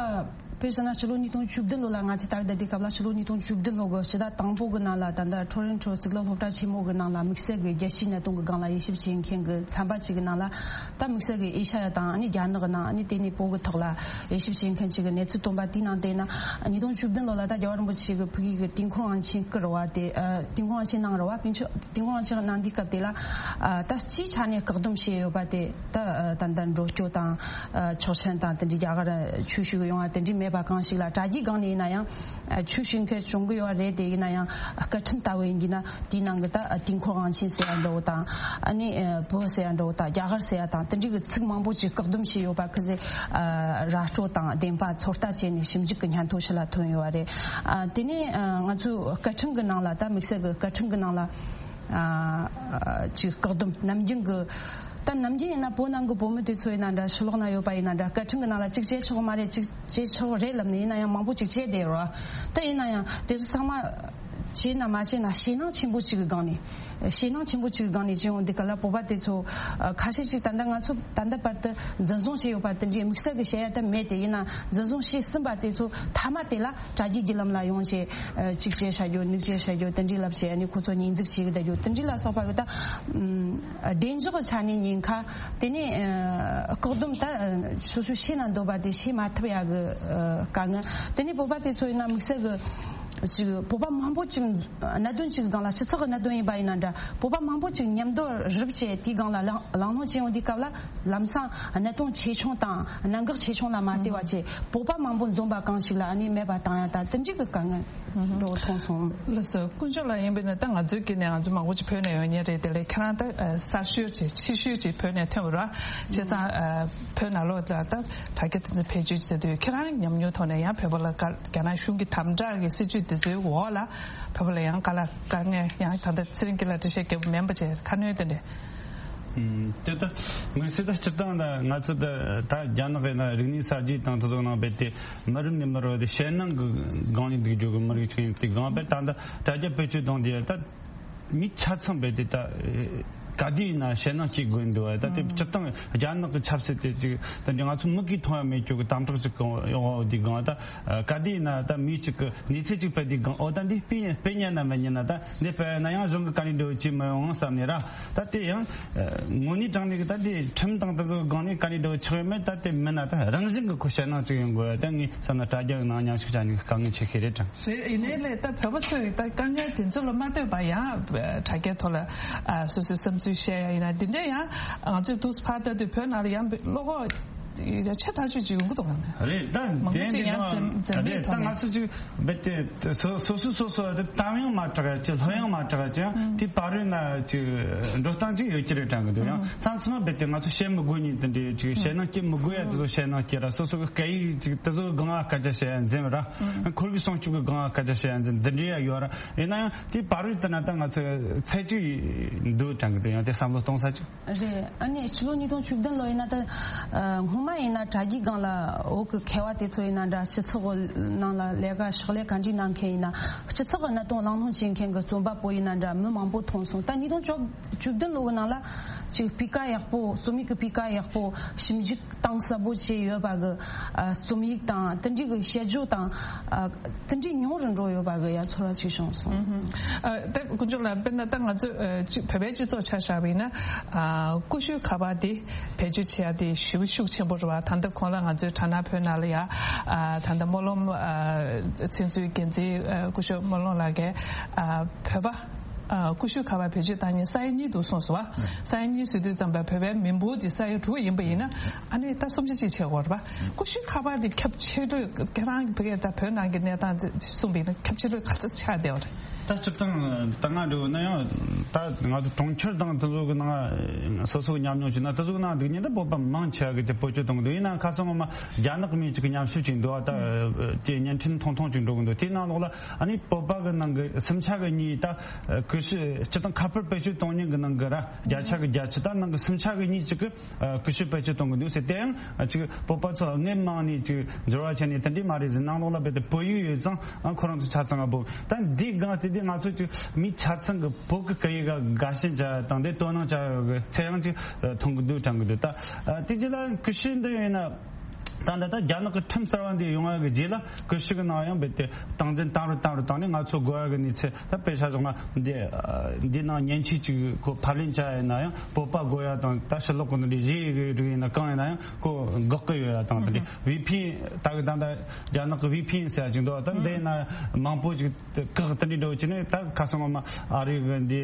དཔེ་བཞག་ན་ཕྱི་ལོ་ཉིས་སྟོང་བཅུ་བདུན་ལོ་ལ་ང་ཚོས་ལྟ་གི་བསྡད་དུས་སྐབས་ལ་ཕྱི་ལོ་ཉིས་སྟོང་བཅུ་བདུན་ལོ་གི་ཕྱི་ཟླ་དང་པོ་གི་ནང་ལ་ད་ལྟ་ཊོ་རོན་ཊོ་གཙུག་ལག་སློབ་གྲྭ་ཆེན་མོ་གི་ནང་ལ་དམིགས་བསལ་གྱི་རྒྱལ་སྤྱིའི་གནད་དོན་གྱི་སྒང་ལ་དབྱེ་ཞིབ་བྱེད་མཁན་གྱི་ཚན་པ་ཅིག་གི་ནང་ལ། ད་དམིགས་བསལ་གྱི་ཨེ་ཤ་ཡ་དང་ཨ་ནི་རྒྱ་ནག་གི་ནང་། ཨ་ནི་དེ་ནས་བོད་ཀྱི་ཐོག་ལ་དབྱེ་ཞིབ་བྱེད་མཁན་ཅིག་གི་གནས་ཚུལ་བཏོན་པ་དེའི་ནང་བལྟས་ན། ཉིས་སྟོང་བཅུ་བདུན་ལོ་ལ་ད་རྒྱལ་བ་རིན་པོ་ཆེ་གི་ཕ་གི་གི་ཏིན་ཁོ་དབང་ཆེན་བསྐུར་བ་དེ། ཨ། ཏིན་ཁོ་དབང་ཆེན་གནང་རེད་བ། ཏིན་ཁོ་དབང་ཆེན་གནང་དུས་སྐབས་དེ་ལ། ཨ། ད་སྤྱིའི་ཆ་ནས་བཀག་སྡོམ་བྱས་ཡོད་པ་དེ། ད། ཨ། ད་ལྟ་འགྲོ་སྐྱོད་དང་། ཨ། ཆོག་མཆན་དང་དེ་འདྲའི་རྒྱ་གར་ཆོས་ཞུ་གི་ཡོང་བ་དེ་འདྲའི་མེད་པ་གང་ཞིག་ལ། དྲ་རྒྱའི་སྒང་ནས་ཡིན་ན་ཡང་། ཨ། ཆོས་ཞུ་མཁན་བྱུང་གི་ཡོད་རེད། དེ་ཡིན་ན་ཡང་སྐད་འཕྲིན་ལྟ་བུ་ཡིན་གྱི་ན་དེའི་ནང་གི་ད་ཏིན་ཁོ་དབང་ཆེན་ཟེར་ཡ་འདྲ་བོ་དང་། ཨ་ནི་བོད་ཟེར་ཡ་འདྲ་བོ་དང་རྒྱ་གར་ཟེར་ཡ་དང་དེ་འདྲའི་གི་ཚིག་མང་པོ་ཅིག་བཀག་སྡོམ་བྱས་ཡོད་པ་ཁི་ཟེར། ཨ། ར་སྤྲོད་དང་བདེན་པ་ཚོད་ལྟ་བྱས་ནས་ཞིབ་འཇུག་གི་སྙན་ཐོ་ཕྱི་ལ་ཐོན་ཡོད་རེད། ཨ། དེ་ནས། ཨ། ང་ཚོའི་སྐད་འཕྲིན་གི་ནང་ལ། ད་དམིགས་བསལ་གི་སྐད་འཕྲིན་གི་ནང་ལ། ཨ། ཅིག་བཀག་སྡོམ་ནམ་རྒྱུན་གི། ད་ནམ་རྒྱུན་ཡིན་ན་བོད་ནང་གི་བོད་མི་དེ་ཚོ་ཡིན་ན་འདྲ། ཕྱི་ལོགས་ན་ཡོད་པ་ཡིན་ན་འདྲ། སྐད་འཕྲིན་གི་ནང་ལ་ཅིག་བྱེད་ཆོག་མ་རེད། ཅིག་བྱེད་ཆོག་རེད་ལབ་ནས་ཡིན་ན་ཡང་མང་པོ་ཅིག་བྱས་བསྡད་ཡོད་རེད། ད་ཡིན་ན་ཡང་དེ་ཚོ་ཚང་མ་བྱས་ན་མ་བྱས་ན་ཞེད་སྣང་ཆེན་པོ་ཅིག་གི་སྒང་ནས། ཞེད་སྣང་ཆེན་པོ་ཅིག་གི་སྒང་ནས་བྱས་ཡོང་དུས་སྐབས་ལ་བོད་པ་དེ་ཚོ། ཨ། ཁ་ཤས་ཅིག་ད་ལྟ་ང་ཚོ་ད་ལྟ་བར་དུ་འཛིན་བཟུང་བྱས་ཡོད་པ་དེ་འདྲའི་དམིགས་བསལ་གྱི་བཤད་ཡ་ད་མེད་དེ། ཡིན་ན་འཛིན་བཟུང་བྱས་ཟིན་པ་དེ་ཚོ་མཐའ་མ་དེ་ལ་དྲ་རྒྱའི་བརྒྱུད་ལམ་ལ་ཡོང་བྱས། ཨ། གཅིག་བྱས་བྱ་རྒྱུ། གཉིས་བྱས་བྱ་རྒྱུ། དེ་འདྲའི་ལབ་བྱས། ཨ་ནི་ཁོ་ཚོ་ཉེས་འཛུགས་བྱེད་ཀྱི་བསྡད་རྒྱུ། དེ་འདྲའི་ལ་སོགས་པ་གི་ད། ཨམ། བདེ་འཇགས་ཀྱི་ཆ་ནས་ཉེན་ཁ། དེ་ནས། ཨ། བཀག་སྡོམ། ད། ཨ། སོ་སོས་བྱེད་ན་འདོད་པ་དེ་བྱེད་མ་ཐུབ་ཡ་གི། ཨ། དཀའ་ངལ། དེ་ནས་བོད་པ་དེ་ཚོ་ཡིན་ན་དམིགས་བསལ་གྱི། ཅིག་བོད་པ་མང་པོ་ཅིག་གནད་དོན་ཅིག་སྒང་ལ་སྤྱི་ཚོགས་ཀྱི་གནད་དོན་ཡིན་པ་ཡིན་ན་འདྲ། བོད་པ་མང་པོ་ཅིག་མཉམ་དུ་རུབ་བྱས་དེའི་སྒང་ལ་གླེང་གླེང་སློང་བྱེད་ཡོང་དུས་སྐབས་ལ་ལམ་སང་གནད་དོན་ཆེ་ཆུང་དང་གནད་འགག་ཆེ་ཆུང་ལ་མ་ལྟོས་པ་བྱས་བོད་པ་མང་པོ་འཛོམས་པ་གང་ཞིག་ལ་ཨ་ནི་མེད་པ་བཏང་ཡ་ད་དེ་འདྲའི་གི་དཀའ་ངལ་འགྲོ་མཐོང་སོང་། ལགས་སོ། དཀོན་མཆོག་ལགས། ཡིན་པས་ན་ད་ང་ཚོའི་དཀྱིལ་ནས་ང་ཚོ་མང་པོ་ཅིག་ཕེབས་ནས་ཡོང་མཁན་རེད། དེ་ལས་ཁྱེད་རང་ད་གསར་ཤོས་ཅིག་ཕྱི་ཤོས་ཅིག་བོད་ནས་ཐོན་པ་རེད། བྱས་ཙང་བོད་ནང་ལོགས་ལ་ད་དྲ་རྒྱ་དེ་ཚོ་བེད་སྤྱོད་བྱེད་དུས་ཁྱེད་རང་ཉམས་མྱོང་ཐོག་ནས་ཡང་བོད་པ་ལ་དཀའ་རྒྱ་ནག་གཞུང་གི་དམ་དྲག་གི་སྲིད་བྱུས་འདི་ཚོའི་འོག་ལ་བོད་པ་ལ་ཡང་དཀའ་ལས་དཀའ་ངལ་ཡང་ད་ལྟ་ཚེ་རིང་སྐྱིད་ལ་འགྲེལ་བཤད་རྒྱབ་མིན་པ་བྱས་ཁ་སྣོན་དེ་འདྲས། ཨུམ། དེ་ལྟ་མི་སྲིད་ད་སྤྱིར་བཏང་ད་ང་ཚོ་ད་ད་རྒྱ་ནག་གི་ན་རིག་གནས་གསར་བརྗེ་དང་དེ་ཚོ་ནང་རྦད་དེ་མི་རབས་ནས་མི་རབས་དེ་ཞེད་སྣང་གི་སྒང་ནས་འདུག་རྒྱུ་གི་མི་རིགས་ཅིག་ཡིན་དེ་སྒང་རྦད་ད་ད་དྲ་རྒྱ་བེད་སྤྱོད་གཏོང་དེ་ད། མི་ཆ་ཚང་རྦད་དེ་ད་ག་དུས་ཡིན་ན་ཞེད་སྣང་སྐྱེ་དགོས་འདུག་བ། ད་དེ་སྤྱིར་བཏང་རྒྱ་ནག་གི་ཆབ་སྲིད་དེ་ཅིག་ད་ང་ཚོ་མིག་གིས་མཐོང་ཡ་མེད་རྒྱུ་གི་དམ་དྲག་ཅིག་གང་ཡོང་བ་འདི་སྒང་ད་ག་དུས་ཡིན་ན་ད་མི་གཅིག་གི་གནས་ཚུལ་ཅིག་སྤེལ་དུས་སྒང་ཨོ་ད་འདི་སྤེལ་སྤེལ་ཉན་ན་མི་ཉན་ན་ད་འདི་སྤེལ་ན་ཡང་གཞུང་གི་དཀའ་ལས་འགྲོ་ཅི་མི་ཡོང་བསམ་ནས་ར། ད་དེ་ཡང་དངོས་གནས་དྲང་གནས་གི་ད་དེ་ཁྲིམས་དང་དེ་ཚོ་སྒང་ནས་དཀའ་ལས་འགྲོ་ཆགས་ཡོད་མེད་ད་དེ་མིན་ན་ད་རང་བཞིན་གི་ཁོ་ཞེད་སྣང་ཅིག་ཡོང་དགོས་ད་ངས་བསམ་ན་དྲ་རྒྱ་གི་ནང་མཉམ་ཞུགས་བྱ་ནི་དཀའ་ངལ་ཆེ་ཤོས་རེད་དྲང་། རེད། ཡིན་ནའི་ལས་ད་བོད་པ་ཚོས་ད་དཀའ་ངལ་དེ་ཚོ་ལ་མ་ལྟོས་པ་ཡང་དྲ་རྒྱའི་ཐོག་ལ་ཨ་སོ་སོའི་བསམ་ཚུལ་བཤད་ཡ་ཡིན་ན་འདི་འདྲ་ཡང་ང་ཚོས་དུས་ཕར་ལྟ་དུས་བོད་ནང་ལ་ཡང་བློ་ཁོག་ཆེ་ཐག་ཆོད་ཅིག་ཡོང་གི་འདུག་ག་ནས། རེད་ད་མང་པོ་དེ་ཅིག་འདི་ཡང་ནང་འཛེམ་འཛེམ་མེད་རེད་ད་ཐོག་ནས། ང་ཚོ་ཅིག་རྦད་དེ་སོ་སོ་སོ་སོ་དེ་གཏམ་ཡང་མ་གྲགས་ཡ་ཅིག་ལྷོད་ཡང་མ་གྲགས་ཡ་ཅིག་ཡང་དེ་བར་རོལ་ན་ཅིག་འགྲོ་སྟངས་ཅིག་ཡོད་ཀྱི་རེད་དྲན་གི་འདུག་ཡང་མཚམས་མཚམས་མ་རྦད་དེ་ང་ཚོ་བཤད་མི་དགོས་ཉིན་དེ་འདྲའི་ཅིག་བཤད་ན་སྐྱེ་མི་དགོས་ཡ་དེ་ཚོ་བཤད་ན་སྐྱེ་ར་སོ་སོ་གི་སྐད་ཡིག་ཅིག་དེ་ཚོ་གི་སྒང་ང་སྐད་ཆ་བཤད་ཡ་འཛེམ་ར། ཁོར་གི་སྲུང་སྐྱོབ་གི་སྒང་ང་སྐད་ཆ་བཤད་ཡ་འཛེམ་འདི་འདྲའི་ཡ་ཡོད་ར། ཡིན་ན་ཡང་དེ་བར་རོལ་དེ་ན་ད་ང་ཚོ་ཚད་ཅིག་འདུག་དྲན་གི་འདུག་ཡང་དེ་བསམ་བློ་གཏོང་ས་ཅིག་རེད། ཨ་ནི་ཕྱི་ལོ་ཉིས་སྟོང་བཅུ་བདུན་ལོ་ཡིན་ན་ད་ཨ་སྔོན་མ་ཡིན་ན་དྲ་རྒྱའི་སྒང་ལ་བོད་ཀྱི་མཁས་པ་དེ་ཚོ་ཡིན་ན་འདྲ་སྤྱི་ཚོགས་ནང་ལ་ལས་ཀ་ཕྱག་ལས་ག་འདྲ་གནང་མཁན་ཡིན་ན་སྤྱི་ཚོགས་ཀྱི་གནད་དོན་གླེང་སློང་བྱེད་མཁན་གྱི་རྩོམ་པ་པོ་ཡིན་ན་འདྲ་མི་མང་པོ་མཐོང་སོང་། ད་ཉིས་སྟོང་བཅུ་བདུན་ལོ་གི་ནང་ལ་ཅིག་སྤུས་ཀ་ཡག་པོ་རྩོམ་ཡིག་གི་སྤུས་ཀ་ཡག་པོ་ཞིབ་འཇུག་གཏིང་ཟབ་པོ་བྱས་ཡོད་པ་གི་ཨ་རྩོམ་ཡིག་དང་དེ་འདྲའི་གི་དཔྱད་བརྗོད་དང་ཨ་དེ་འདྲའི་ཉུང་རུ་འགྲོ་ཡོད་པ་གི་ཡ་ཚོར་བ་ཅིག་བྱུང་སོང་། ཨ་ད་དཀོན་མཆོག་ལགས་དཔེར་ན་ད་ང་ཚོ་ཨ་ཅིག་བོད་པའི་སྤྱི་ཚོགས་ཆ་བཞག་པ་ཡིན་ན་ཨ་ཀུ་ཤུ་ཁ་པར་དེ་བེད་སྤྱོད་བྱེད་ཡ་དེ་ཞེ་པོ་ཤུགས་ཆེན་པོ་རེད་བ། ད་ལྟ་གོང་ལ་ང་ཚོའི་དྲ་སྣང་བོད་ནང་ལ་ཡ་ཨ་ད་ལྟ་སྨོན་ལམ་ཨ་ཚིག་མཛོད་འགན་འཛིན་ཨ་སྐུ་ཞབས་སྨོན་ལམ་ལགས་ཀྱིས་ཨ་བོད་པ་ཨ་ཀུ་ཤུ་ཁ་པར་བེད་སྤྱོད་བཏང་མཁན་ས་ཡ་གཉིས་འདུག་གསུངས་སོང་བ། ས་ཡ་གཉིས་ཟེར་དུས་ཙམ་པ་བོད་པའི་མི་འབོར་དེ་ས་ཡ་དྲུག་ཡིན་པ་ཡིན་ན་ཨ་ནི་ད་སུམ་ཆ་གཅིག་བྱེད་དགོས་རེད་པ། ཀུ་ཤུ་ཁ་པར་དེ་ཁྱབ་ཆེ་ཤོས་ཁྱེད་རང་གི་བོད་ཀྱི་ད་བོད་ནང་གི་གནས་སྟངས་དེ་གསུངས་པ་ཡིན་ན་ཁྱབ་ཆེ་ཤོས་ག་ཚོད་ཆགས་བསྡད་པ་རེད། ད་སྤྱིར་བཏང་ད་ང་འདྲ་བོ་ན་ཡང་ད་ང་ཚོ་གྲོང་ཁྱེར་དང་དེ་ཚོ་གི་ནང་སོ་སོ་གི་ཉམས་མྱོང་བྱས་ན་དེ་ཚོ་གི་ནང་འདུག་ཉིན་ད་བོད་པ་མང་ཆེ་བ་གི་དེ་བེད་སྤྱོད་གཏོང་གི་འདུག་ཡིན་ནའང་ཁ་སང་ངོ་མ་རྒྱ་ནག་མི་གཅིག་གི་ཉམས་ཞིབ་ཅིག་འདུག་ད་དེ་བརྙན་འཕྲིན་ཐུང་ཐུང་ཅིག་འགྲོ་གི་འདུག་དེའི་ནང་ལོགས་ལ་ཨ་ནི་བོད་པ་གི་ནང་གི་སུམ་ཆ་གི་གཉིས་ད་ཀུ་ཤུ་སྤྱིར་བཏང་ཁ་པར་བེད་སྤྱོད་གཏོང་མཁན་གི་ནང་གི་ར་བརྒྱ་ཆ་གི་བརྒྱད་ཅུ་ད་ནང་གི་སུམ་ཆ་གི་གཉིས་གཅིག་གི་ཨ་ཀུ་ཤུ་བེད་སྤྱོད་གཏོང་གི་འདུག་ཟེར། དེ་ཡང་ཨ་ཅིག་བོད་པ་ཚོ་དངོས་མང་ནས་ཅིག་འབྱོར་བ་བྱས་ནས་དེ་འདྲས་མ་རེད་ཟེར། ནང་ལོགས་ལ་རྦད་དེ་བོད་ཡིག་ཡོད་ཙང་ཨ་ཁོ་རང་ཚོ་ཆ་ཚང་ང་བོ་ད་འདི་སྒང་དེ་དེ་ང་ཚོ་ཅིག་མི་ཆ་ཚང་གི་བོད་ཀྱི་སྐད་ཡིག་ག་དགའ་ཞེན་བྱ་ཡ་དང་དེ་དོ་སྣང་བྱ་ཡ་གི་ཚད་ཡང་ཅིག་མཐོང་གི་འདུག་དྲན་གི་འདུག་ད་ཨ་དེ་རྗེས་ལ་ཀུ་ཤུ་འདི་ཡིན་ན་ད་ད་ད་རྒྱ་ནག་གི་ཁྲིམས་གསར་བ་འདི་ཡོང་བ་གི་རྗེས་ལ་ཀུ་ཤུ་གི་ནང་ཡང་རྦད་དེ་སྟངས་འཛིན་བཏང་རུ་བཏང་རུ་བཏང་ནས་ང་ཚོ་དགོས་ཡ་གི་གནས་ཚུལ། ད་དཔེ་ཆ་བཞག་ན་འདི་འདི་ནང་མཉེན་ཆས་ཅིག་ཁོ་ཕབ་ལེན་བྱ་ཡིན་ན་ཡང་བོད་པ་དགོས་ཡ་དང་ད་ཕྱི་ལོགས་གི་འདི་གཞན་གི་རིགས་ཡིན་ན་གང་ཡིན་ན་ཡང་ཁོ་འགོག་གི་ཡོད་ཡ་དང་། ད་འདི་ཝི་ཕི་ཨེན་ད་གི་ད་ད་རྒྱ་ནག་གི་ཝི་ཕི་ཨེན་ཟེར་ཡ་ཅིག་འདུག་ད་འདི་ཡིན་ན་མང་པོ་ཅིག་བཀག་དེ་འདྲའི་འགྲོ་བྱས་ནས་ད་ཁ་སང་ངོ་མ་ཨ་རི་གི་འདི་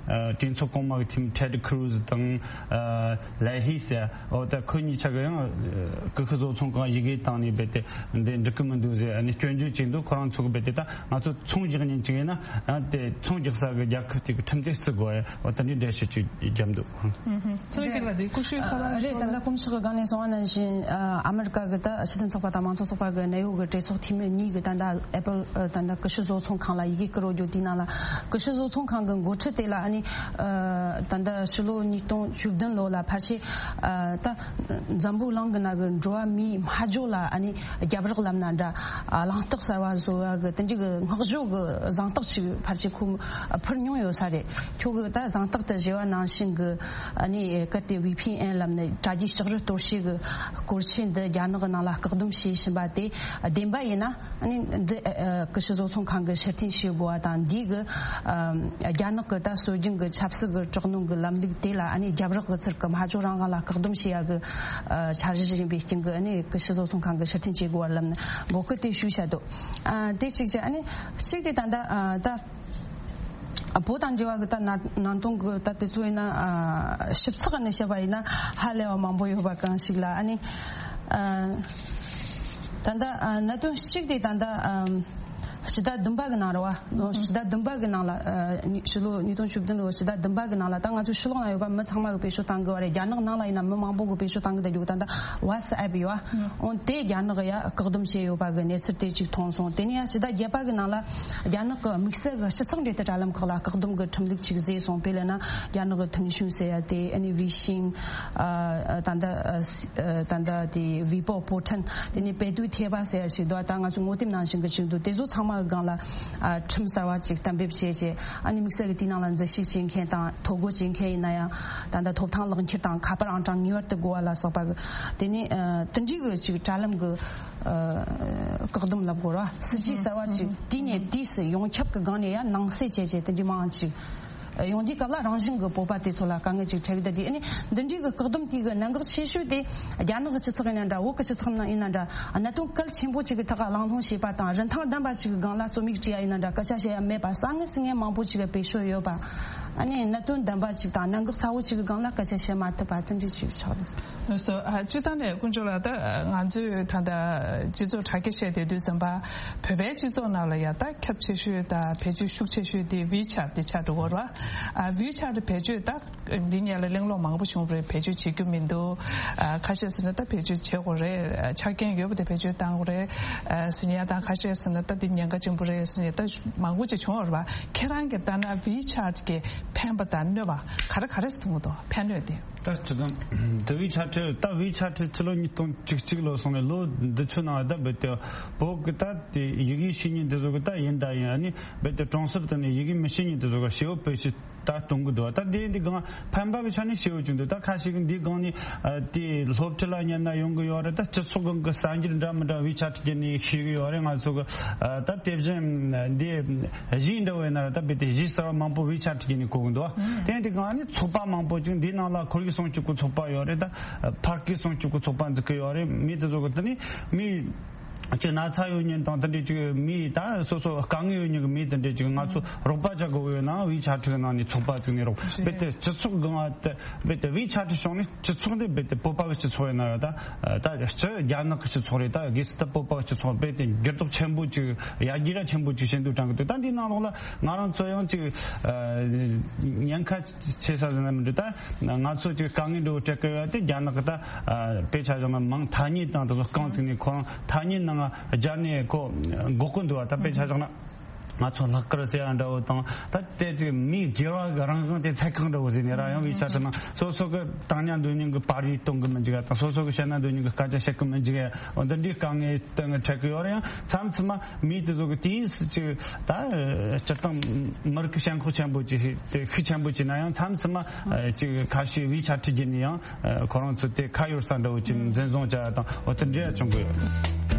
གྲོས་ཚོགས་གོང་མ་གི་ཐིམ་ཐེད་ཁུ་རུ་ཛི་དང་ལའེ་ཧི་ཟེར་ཡ་འོ་ད་ཁོ་གཉིས་ཆ་གི་ཡང་ཀུ་ཤུ་བཟོ་ཚོང་ཁང་ཡི་གེ་བཏང་ནས་རྦད་དེ་འདི་འགྲིག་གི་མི་འདུག་ཟེར་ཨ་ནི་སྐྱོན་བརྗོད་བྱས་འདུག་ཁོ་རང་ཚོ་གི་རྦད་དེ་ད་ང་ཚོ་ཚོང་རྒྱག་མཁན་ཅིག་ཡིན་ན་ཨ་དེ་ཚོང་རྒྱག་ས་གི་རྒྱལ་ཁབ་དེ་གི་ཁྲིམས་དེ་བརྩི་དགོས་ཡ་འོ་ད་འདི་འགྲེལ་བཤད་ཅིག་བརྒྱབ་འདུག་ཚོང་རྒྱག་ལ་དེ་ཀུ་ཤུའི་ཁ་པར་རེད། ད་ལྟ་དཀོན་མཆོག་གི་སྒང་ནས་གསུངས་པ་ནང་བཞིན་ཨ་མི་རི་ཀ་གི་ད་སྤྱི་མཐུན་ཚོགས་པ་དང་མང་གཙོ་ཚོགས་པ་གི་གནད་ཡོད་གི་གྲོས་ཚོགས་འཐུས་མི་གཉིས་གི་ད་ལྟ་ཨེ་པལ་ད་ལྟ་ཀུ་ཤུ་བཟོ་ཚོང་ཁང་ལ་ཡི་གེ་བསྐུར་རྒྱུ་དེའི་ནང་ལ་ཀུ་ཤུ་བཟོ་ཚོང་ཁང་གི་འགོ་ཁྲིད་དེ་ལ་ཨ་ནི་ད་ལྟ་ཕྱི་ལོ་ཉིས་སྟོང་བཅུ་བདུན་ལོ་ལ་ཕལ་ཆེར་ད་འཛམ་བུ་གླིང་གི་ནང་གི་འགྲོ་བ་མིའི་སྨྲ་བརྗོད་ལ་ཨ་ནི་རྒྱབ་རོགས་ལབ་ན་འདྲ། གླེང་སྟེགས་གསར་བ་བཟོ་བ་གི་དེ་འདྲའི་གི་བསྔགས་བརྗོད་གི་གཟེངས་རྟགས་ཤིག་ཕལ་ཆེར་ཁོ་ཕུལ་མྱོང་ཡོད་ས་རེད། ཁྱོད་གི་ད་གཟེངས་རྟགས་དེ་བཞེས་པ་ནང་བཞིན་གི་ཨ་ནི་གལ་ཏེ་ཝི་ཕི་ཨེན་ལབ་ནས་དྲ་རྒྱའི་ལྕགས་རི་གཏོར་བཤིག་གི་སྐོར་ཆེན་འདི་རྒྱ་ནག་གི་ནང་ལ་བཀག་སྡོམ་བྱེད་བཞིན་པ་དེ་བདེན་པ་ཡིན་ན། ཨ་ནི་འདི་ཨ་ཀུ་ཤུ་བཟོ་ཚོང་ཁང་གི་ཕྱིར་འཐེན་བྱེད་དགོས་པ་དང་། འདིའི་གི་ཨ་རྒྱ་ནག་གི་ད་སྲོལ་རྒྱུན་གི་ཆབ་སྲིད་གི་དྲག་གནོན་གི་ལམ་ལུགས་དེ་ལ་ཨ་ནི་རྒྱབ་རོགས་གི་ཚུལ་གི་སྨྲ་བརྗོད་རང་དབང་ལ་བཀག་སྡོམ་བྱེད་ཡ་གི་ཨ་འཆར་གཞི་ཡིན་པའི་རྐྱེན་གི་ཨ་ནི། གི་ཕྱི་སོ་ཚོང་ཁང་གི་ཕྱིར་འཐེན་བྱེད་དགོས་པར་ལབ་ནས་འབོད་སྐུལ་དེ་ཞུས་བྱས་འདུག་ཨ་དེ་གཅིག་བྱས། ཨ་ནི་གཅིག་དེ་ད་ལྟ་ཨ་ད་བོད་དང་འབྲེལ་བ་གི་ད་ན་ནང་དོན་གི་ད་དེ་ཚོ་ཡིན་ན་ཨ་ཞིབ་ཚགས་ནས་བཤད་པ་ཡིན་ན་ཧ་ལས་པ་མང་པོ་ཡོད་པ་གང་ཞིག་ལ། ཨ་ནི་ཨ་ད་ལྟ་ཨ་གནད་དོན་གཅིག་དེ་ད་ལྟ་ཨ་ཕྱི་ཟླ་བདུན་པ་གི་ནང་རེད་བ། ཕྱི་ཟླ་བདུན་པ་གི་ནང་ལ་ཨ་ཕྱི་ལོ་ཉིས་སྟོང་བཅུ་བདུན་ལོ་ཕྱི་ཟླ་བདུན་པ་གི་ནང་ལ་ད་ང་ཚོ་ཕྱི་ལོགས་ན་ཡོད་པ་མི་ཚང་མ་གི་བེད་སྤྱོད་བཏང་གི་བ་རེད། རྒྱ་ནག་ནང་ལ་ཡིན་ན་མི་མང་པོ་གི་བེད་སྤྱོད་བཏང་གི་ད་རྒྱུ་ད་ལྟ་ཝ་སི་ཨེབ་ཡོད་བ། འོན་ཏེ་རྒྱ་ནག་ཡ་བཀག་སྡོམ་བྱས་ཡོད་པ་གི་གནས་ཚུལ་དེ་ཅིག་མཐོང་སོང་། དེ་ནས་ཡ་ཕྱི་ཟླ་བརྒྱད་པ་གི་ནང་ལ་རྒྱ་ནག་གི་དམིགས་བསལ་གི་སྤྱི་ཚོགས་འབྲེལ་མཐུད་དྲ་ལམ་ཁག་ལ་བཀག་སྡོམ་གི་ཁྲིམས་ལུགས་ཅིག་བཟོས་སོང་། དཔེ་ལབ་ན་རྒྱ་ནག་གི་ཐེང་ཤུན་ཟེར་ཡ་དེ། ཨ་ནི་ཝི་ཤིང་། ཨ་ད་ལྟ་ཨ་སི་ཨ་ད་ལྟ་དེ་ཝི་པོ་པོ་ཊན། དེ་ནས་པེ་ཏུའི་ཐེ་བ་ཟེར་ཡ་ཞིག་འདུག་ད་ང་ཚོ་ངོ་དེབ་ནང་བཞིན་གི་ཅིག་འདུག་དེ་ཚོ་ཚང་མ་གི་སྒང་ལ་ཨ་ཁྲིམས་གསར་བ་ཅིག་གཏན་འབེབས་བྱས་རྗེས། ཨ་ནི་དམིགས་བསལ་གི་དེའི་ནང་ལ་འཛུལ་ཞུགས་བྱེད་མཁན་དང་ཐོ་འགོད་བྱེད་མཁན་ཡིན་ན་ཡང་ད་ལྟ་ཐོབ་ཐང་ལག་འཁྱེར་དང་ཁ་པར་ཨང་གྲངས་ངེས་པར་དུ་དགོས་པ་ལ་སོགས་པ་གི། དེ་ནས་ཨ་དེ་འདྲའི་གི་ཅིག་དྲ་ལམ་གི་ཨ་བཀག་སྡོམ་ལབ་དགོས་ར། སྲིད་ཇུས་གསར་བ་ཅིག་དུས་ནས་དུས་སུ་ཡོངས་ཁྱབ་ཀྱི་སྒང་ནས་ཡང་ནང་གསེས་བྱས་བྱས་དེ་འདྲའི་མང་ཅིག་ཡོང་དུས་སྐབས་ལ་རང་བཞིན་གྱི་བོད་པ་དེ་ཚོ་ལ་དཀའ་ངལ་ཅིག་འཕྲད་ཀྱི་འདུག་དེ་ཨ་ནི་འདི་འདྲའི་གི་བཀག་སྡོམ་དེ་གི་གནད་འགག་ཆེ་ཤོས་དེ་རྒྱ་ནག་གི་སྤྱི་ཚོགས་ཡིན་ན་འདྲ། བོད་ཀྱི་སྤྱི་ཚོགས་ནང་ཡིན་ན་འདྲ། གནད་དོན་གལ་ཆེན་པོ་ཅིག་གི་ཐོག་ལ་གླེང་སློང་བྱེད་པ་དང་རིན་ཐང་ལྡན་པ་ཅིག་གི་སྒང་ལ་རྩོམ་ཡིག་བྲིས་ཡ་ཡིན་ན་འདྲ། སྐད་ཆ་བཤད་ཡ་མེད་པ། དཀའ་ངལ་སེལ་མཁན་མང་པོ་ཅིག་གི་བེད་སྤྱོད་ཡོད་པ། ཨ་ནི་གནད་དོན་ལྡན་པ་ཅིག་དང་གནད་འགག་ཚ་བོ་ཅིག་གི་སྒང་ལ་སྐད་ཆ་བཤད་མ་ཐུབ་པ་དེ་འདྲ་ཅིག་ཆགས་འདུག་སོ། ཨ་སྤྱིར་བཏང་ནས་དཀོན་མཆོག་ལགས། ད་ང་ཚོས་ད་ལྟ་སྤྱི་ཚོགས་དྲ་རྒྱ་བཤད་བསྡད་དུས་ཙམ་པ། བོད་པའི་སྤྱི་ཚོགས་ནང་ལ་ཡ་ད་ཁྱབ་ཆེ་ཤོས་དང་བེད་སྤྱོད་ཤུགས་ཆེ་ཤོས་དེ་ཝི་ཆེ་ཊི་དེ་ཆགས་འགྲོ་གི་རེད་བ། ཨ་ཝི་ཆེ་ཊི་བེད་སྤྱོད་ད་འདི་ཉིད་ལ་གླེང་སློང་མང་པོ་བྱུང་བ་རེད། བེད་སྤྱོད་བྱེད་རྒྱུ་མི་འདུག་ཨ་ཁ་ཤས་ཟེར་ན་ད་བེད་སྤྱོད་བྱེད་དགོས་རེད། ཆ་རྐྱེན་ཡོད་པ་དེ་བེད་སྤྱོད་བཏང་དགོས་རེད། ཨ་ཟེར་ཡ་དང་། ཁ་ཤས་ཟེར་ན་ད་འདི་ཉེན་ཁ་ཆེན་པོ་རེད་ཟེར་ཡ་ད་མང་པོ་ཅིག་བྱུང་བ་རེད་བ། ཁྱེད་རང་གིས་ལྟ་ན་ཝི་ཆེ་ཊི་གི་ཕན་པ་དང་གནོད་པ་ག་རེ་ག་རེ་ཟེར་གྱི་འདུག་ཕན་གནོད་དེ། ད་སྤྱིར་བཏང་འདི་ཝི་ཆེ་ཊི། ད་ཝི་ཆེ་ཊི་ཕྱི་ལོ་ཉིས་སྟོང་བཅུ་གཅིག་ལོ་སོང་ནས་ལོ་འདི་ཚོའི་ནང་ད་རྦད་དེ་བོད་ཀྱི་ད་དེ་ཡི་གེ་ཤེས་མཁན་འདི་ཚོ་གི་ད་ཡིན་ད་ཡིན། ཨ་ནི་རྦད་དེ་གྲོང་གསེབ་དེ་ནས་ཡི་གེ་མི་ཤེས་མཁན་འདི་ཚོ་གི་ཞེ་པོ་བེད་སྤྱོད་ད་གཏོང་གི་འདུག་ད་དེ་འདི་སྒང་ཕན་པ་གི་ཆ་ནས་ཞེ་པོ་ཅིག་འདུག་ད་ཁ་ཤས་ཀྱིས་འདི་སྒང་ནས་ཨ་དེ་སློབ་ཁྲིད་ལ་ཉན་ན་ཡོང་གི་ཡོད་རེད། ད་སྤྱི་ཚོགས་སྒང་གི་གསར་འགྱུར་འདྲ་མི་འདྲ་ཝི་ཆེ་ཊི་བརྒྱུད་ནས་ཤེས་གི་ཡོད་རེད། ང་ཚོ་གི་ཨ་ད་དེ་བཞིན་འདི་གཞས་འདྲ་བོ་ཡིན་ན་ར། ད་རྦད་དེ་གཞས་གསར་བ་མང་པོ་ཝི་ཆེ་ཊི་བརྒྱུད་ནས་གོ་གི་འདུག་དེ་འདི་སྒང་ནས་ཚོགས་པ་མང་པོ་ཅིག་འདིའི་ནང་ལ་ཁོར་ཡུག་སྲུང་སྐྱོབ་ཀྱི་ཚོགས་པ་ཡོད་རེད། ད་ཕ་སྐད་སྲུང་སྐྱོབ་ཀྱི་ཚོགས་པ་འཛུགས་ཀྱི་ཡོད་རེད། མི་དེ་ཚོ་གི་དེ་ནས་མི་ཅིག་ན་ཚ་ཡོད་མཁན་དང་དེ་འདྲའི་ཅིག་མི་ད་སོ་སོ་དཀའ་ངལ་ཡོད་མཁན་གྱི་མི་དེ་འདྲའི་ཅིག་ང་ཚོ་རོགས་པ་བྱ་དགོས་ཡོད་ན་ཝི་ཆེ་ཊི་གི་ནང་ནས་ཚོགས་པ་བཙུགས་ནས་རོགས། རྦད་དེ་སྤྱི་ཚོགས་སྒང་ང་དེ་རྦད་དེ་ཝི་ཆེ་ཊི་བྱུང་ནས་སྤྱི་ཚོགས་འདི་རྦད་དེ་བོད་པ་གི་སྤྱི་ཚོགས་ཡིན་ན་ར། ད་ད་སྤྱི་རྒྱ་ནག་གི་སྤྱི་ཚོགས་རེད། ད་གལ་སྲིད་ད་བོད་པ་གི་སྤྱི་ཚོགས་རྦད་དེ་འགྱུར་ལྡོག་ཆེན་པོ་ཅིག་ཡར་རྒྱས་ར་ཆེན་པོ་ཅིག་བྱེད་འདོད་དྲན་གི་འདུག་ད་འདིའི་ནང་ལོགས་ལ་ང་རང་ཚོ་ཡང་ཅིག་ཨ་ཉེན་ཁ་ཆེ་ས་ཟེར་ན་མི་འདུག་ད་ང་ཚོ་ཅིག་དཀའ་ངལ་འདྲ་བོ་འཕྲད་ཀྱི་ཡོད་དེ། རྒྱ་ནག་གི་ད་ཨ་དཔེ་ཆ་བཞག་ན་མིང་ཐ་སྙད་དང་དེ་ཚོ་རྐང་བཙུགས་ནས་ཁོ་རང་ཐ་སྙད་ནང་སྦྱར་ནས་ཁོ་འགོག་གི་འདུག་བ། ད་དཔེ་ཆ་བཞག་ན་ང་ཚོ་ལྷག་དཀར་ཟེར་ཡ་འདྲ་བོ་དང་། ད་དེ་ཅིག་མིའི་སྒེར་བ་གི་རང་དབང་དེ་ཚད་གང་འདྲ་བོ་ཟེར་ནས་ར། ཡང་ཝི་ཆེ་ཊི་ནང་སོ་སོ་གི་བཏང་ཉན་འདོད་མཁན་གི་པར་རིས་གཏོང་གི་མི་འཇུག་ཡ་དང་། སོ་སོ་གི་བཤད་ན་འདོད་མཁན་གི་སྐད་ཆ་བཤད་གི་མི་འཇུག་ཡ། འོ་འདི་འདྲའི་དཀའ་ངལ་སྟེང་འཕྲད་གི་ཡོད་རེད། ཡང་མཚམས་མཚམས་མ་མི་དེ་ཚོ་གི་དུས་སུ་ཅིག་ད་སྤྱིར་བཏང་མི་རིགས་ཀྱི་ཞེན་ཁོག་ཆེན་པོ་ཅིག་དེ་ཤུགས་ཆེན་པོ་ཅིག་ན་ཡང་། མཚམས་མཚམས་མ་ཅིག་ཁ་ཤས་ཝི་ཆེ་ཊི་བརྒྱུད་ནས་ཡང་ཁོ་རང་ཚོ་དེ་ཁ་གཡར་ས་འདྲ་བོ་ཅིག་འཛིན་བཟུང་བྱ་ཡ་དང་། འོ་དེ་འདྲ་ཡང་བྱུང་གི་ཡོད།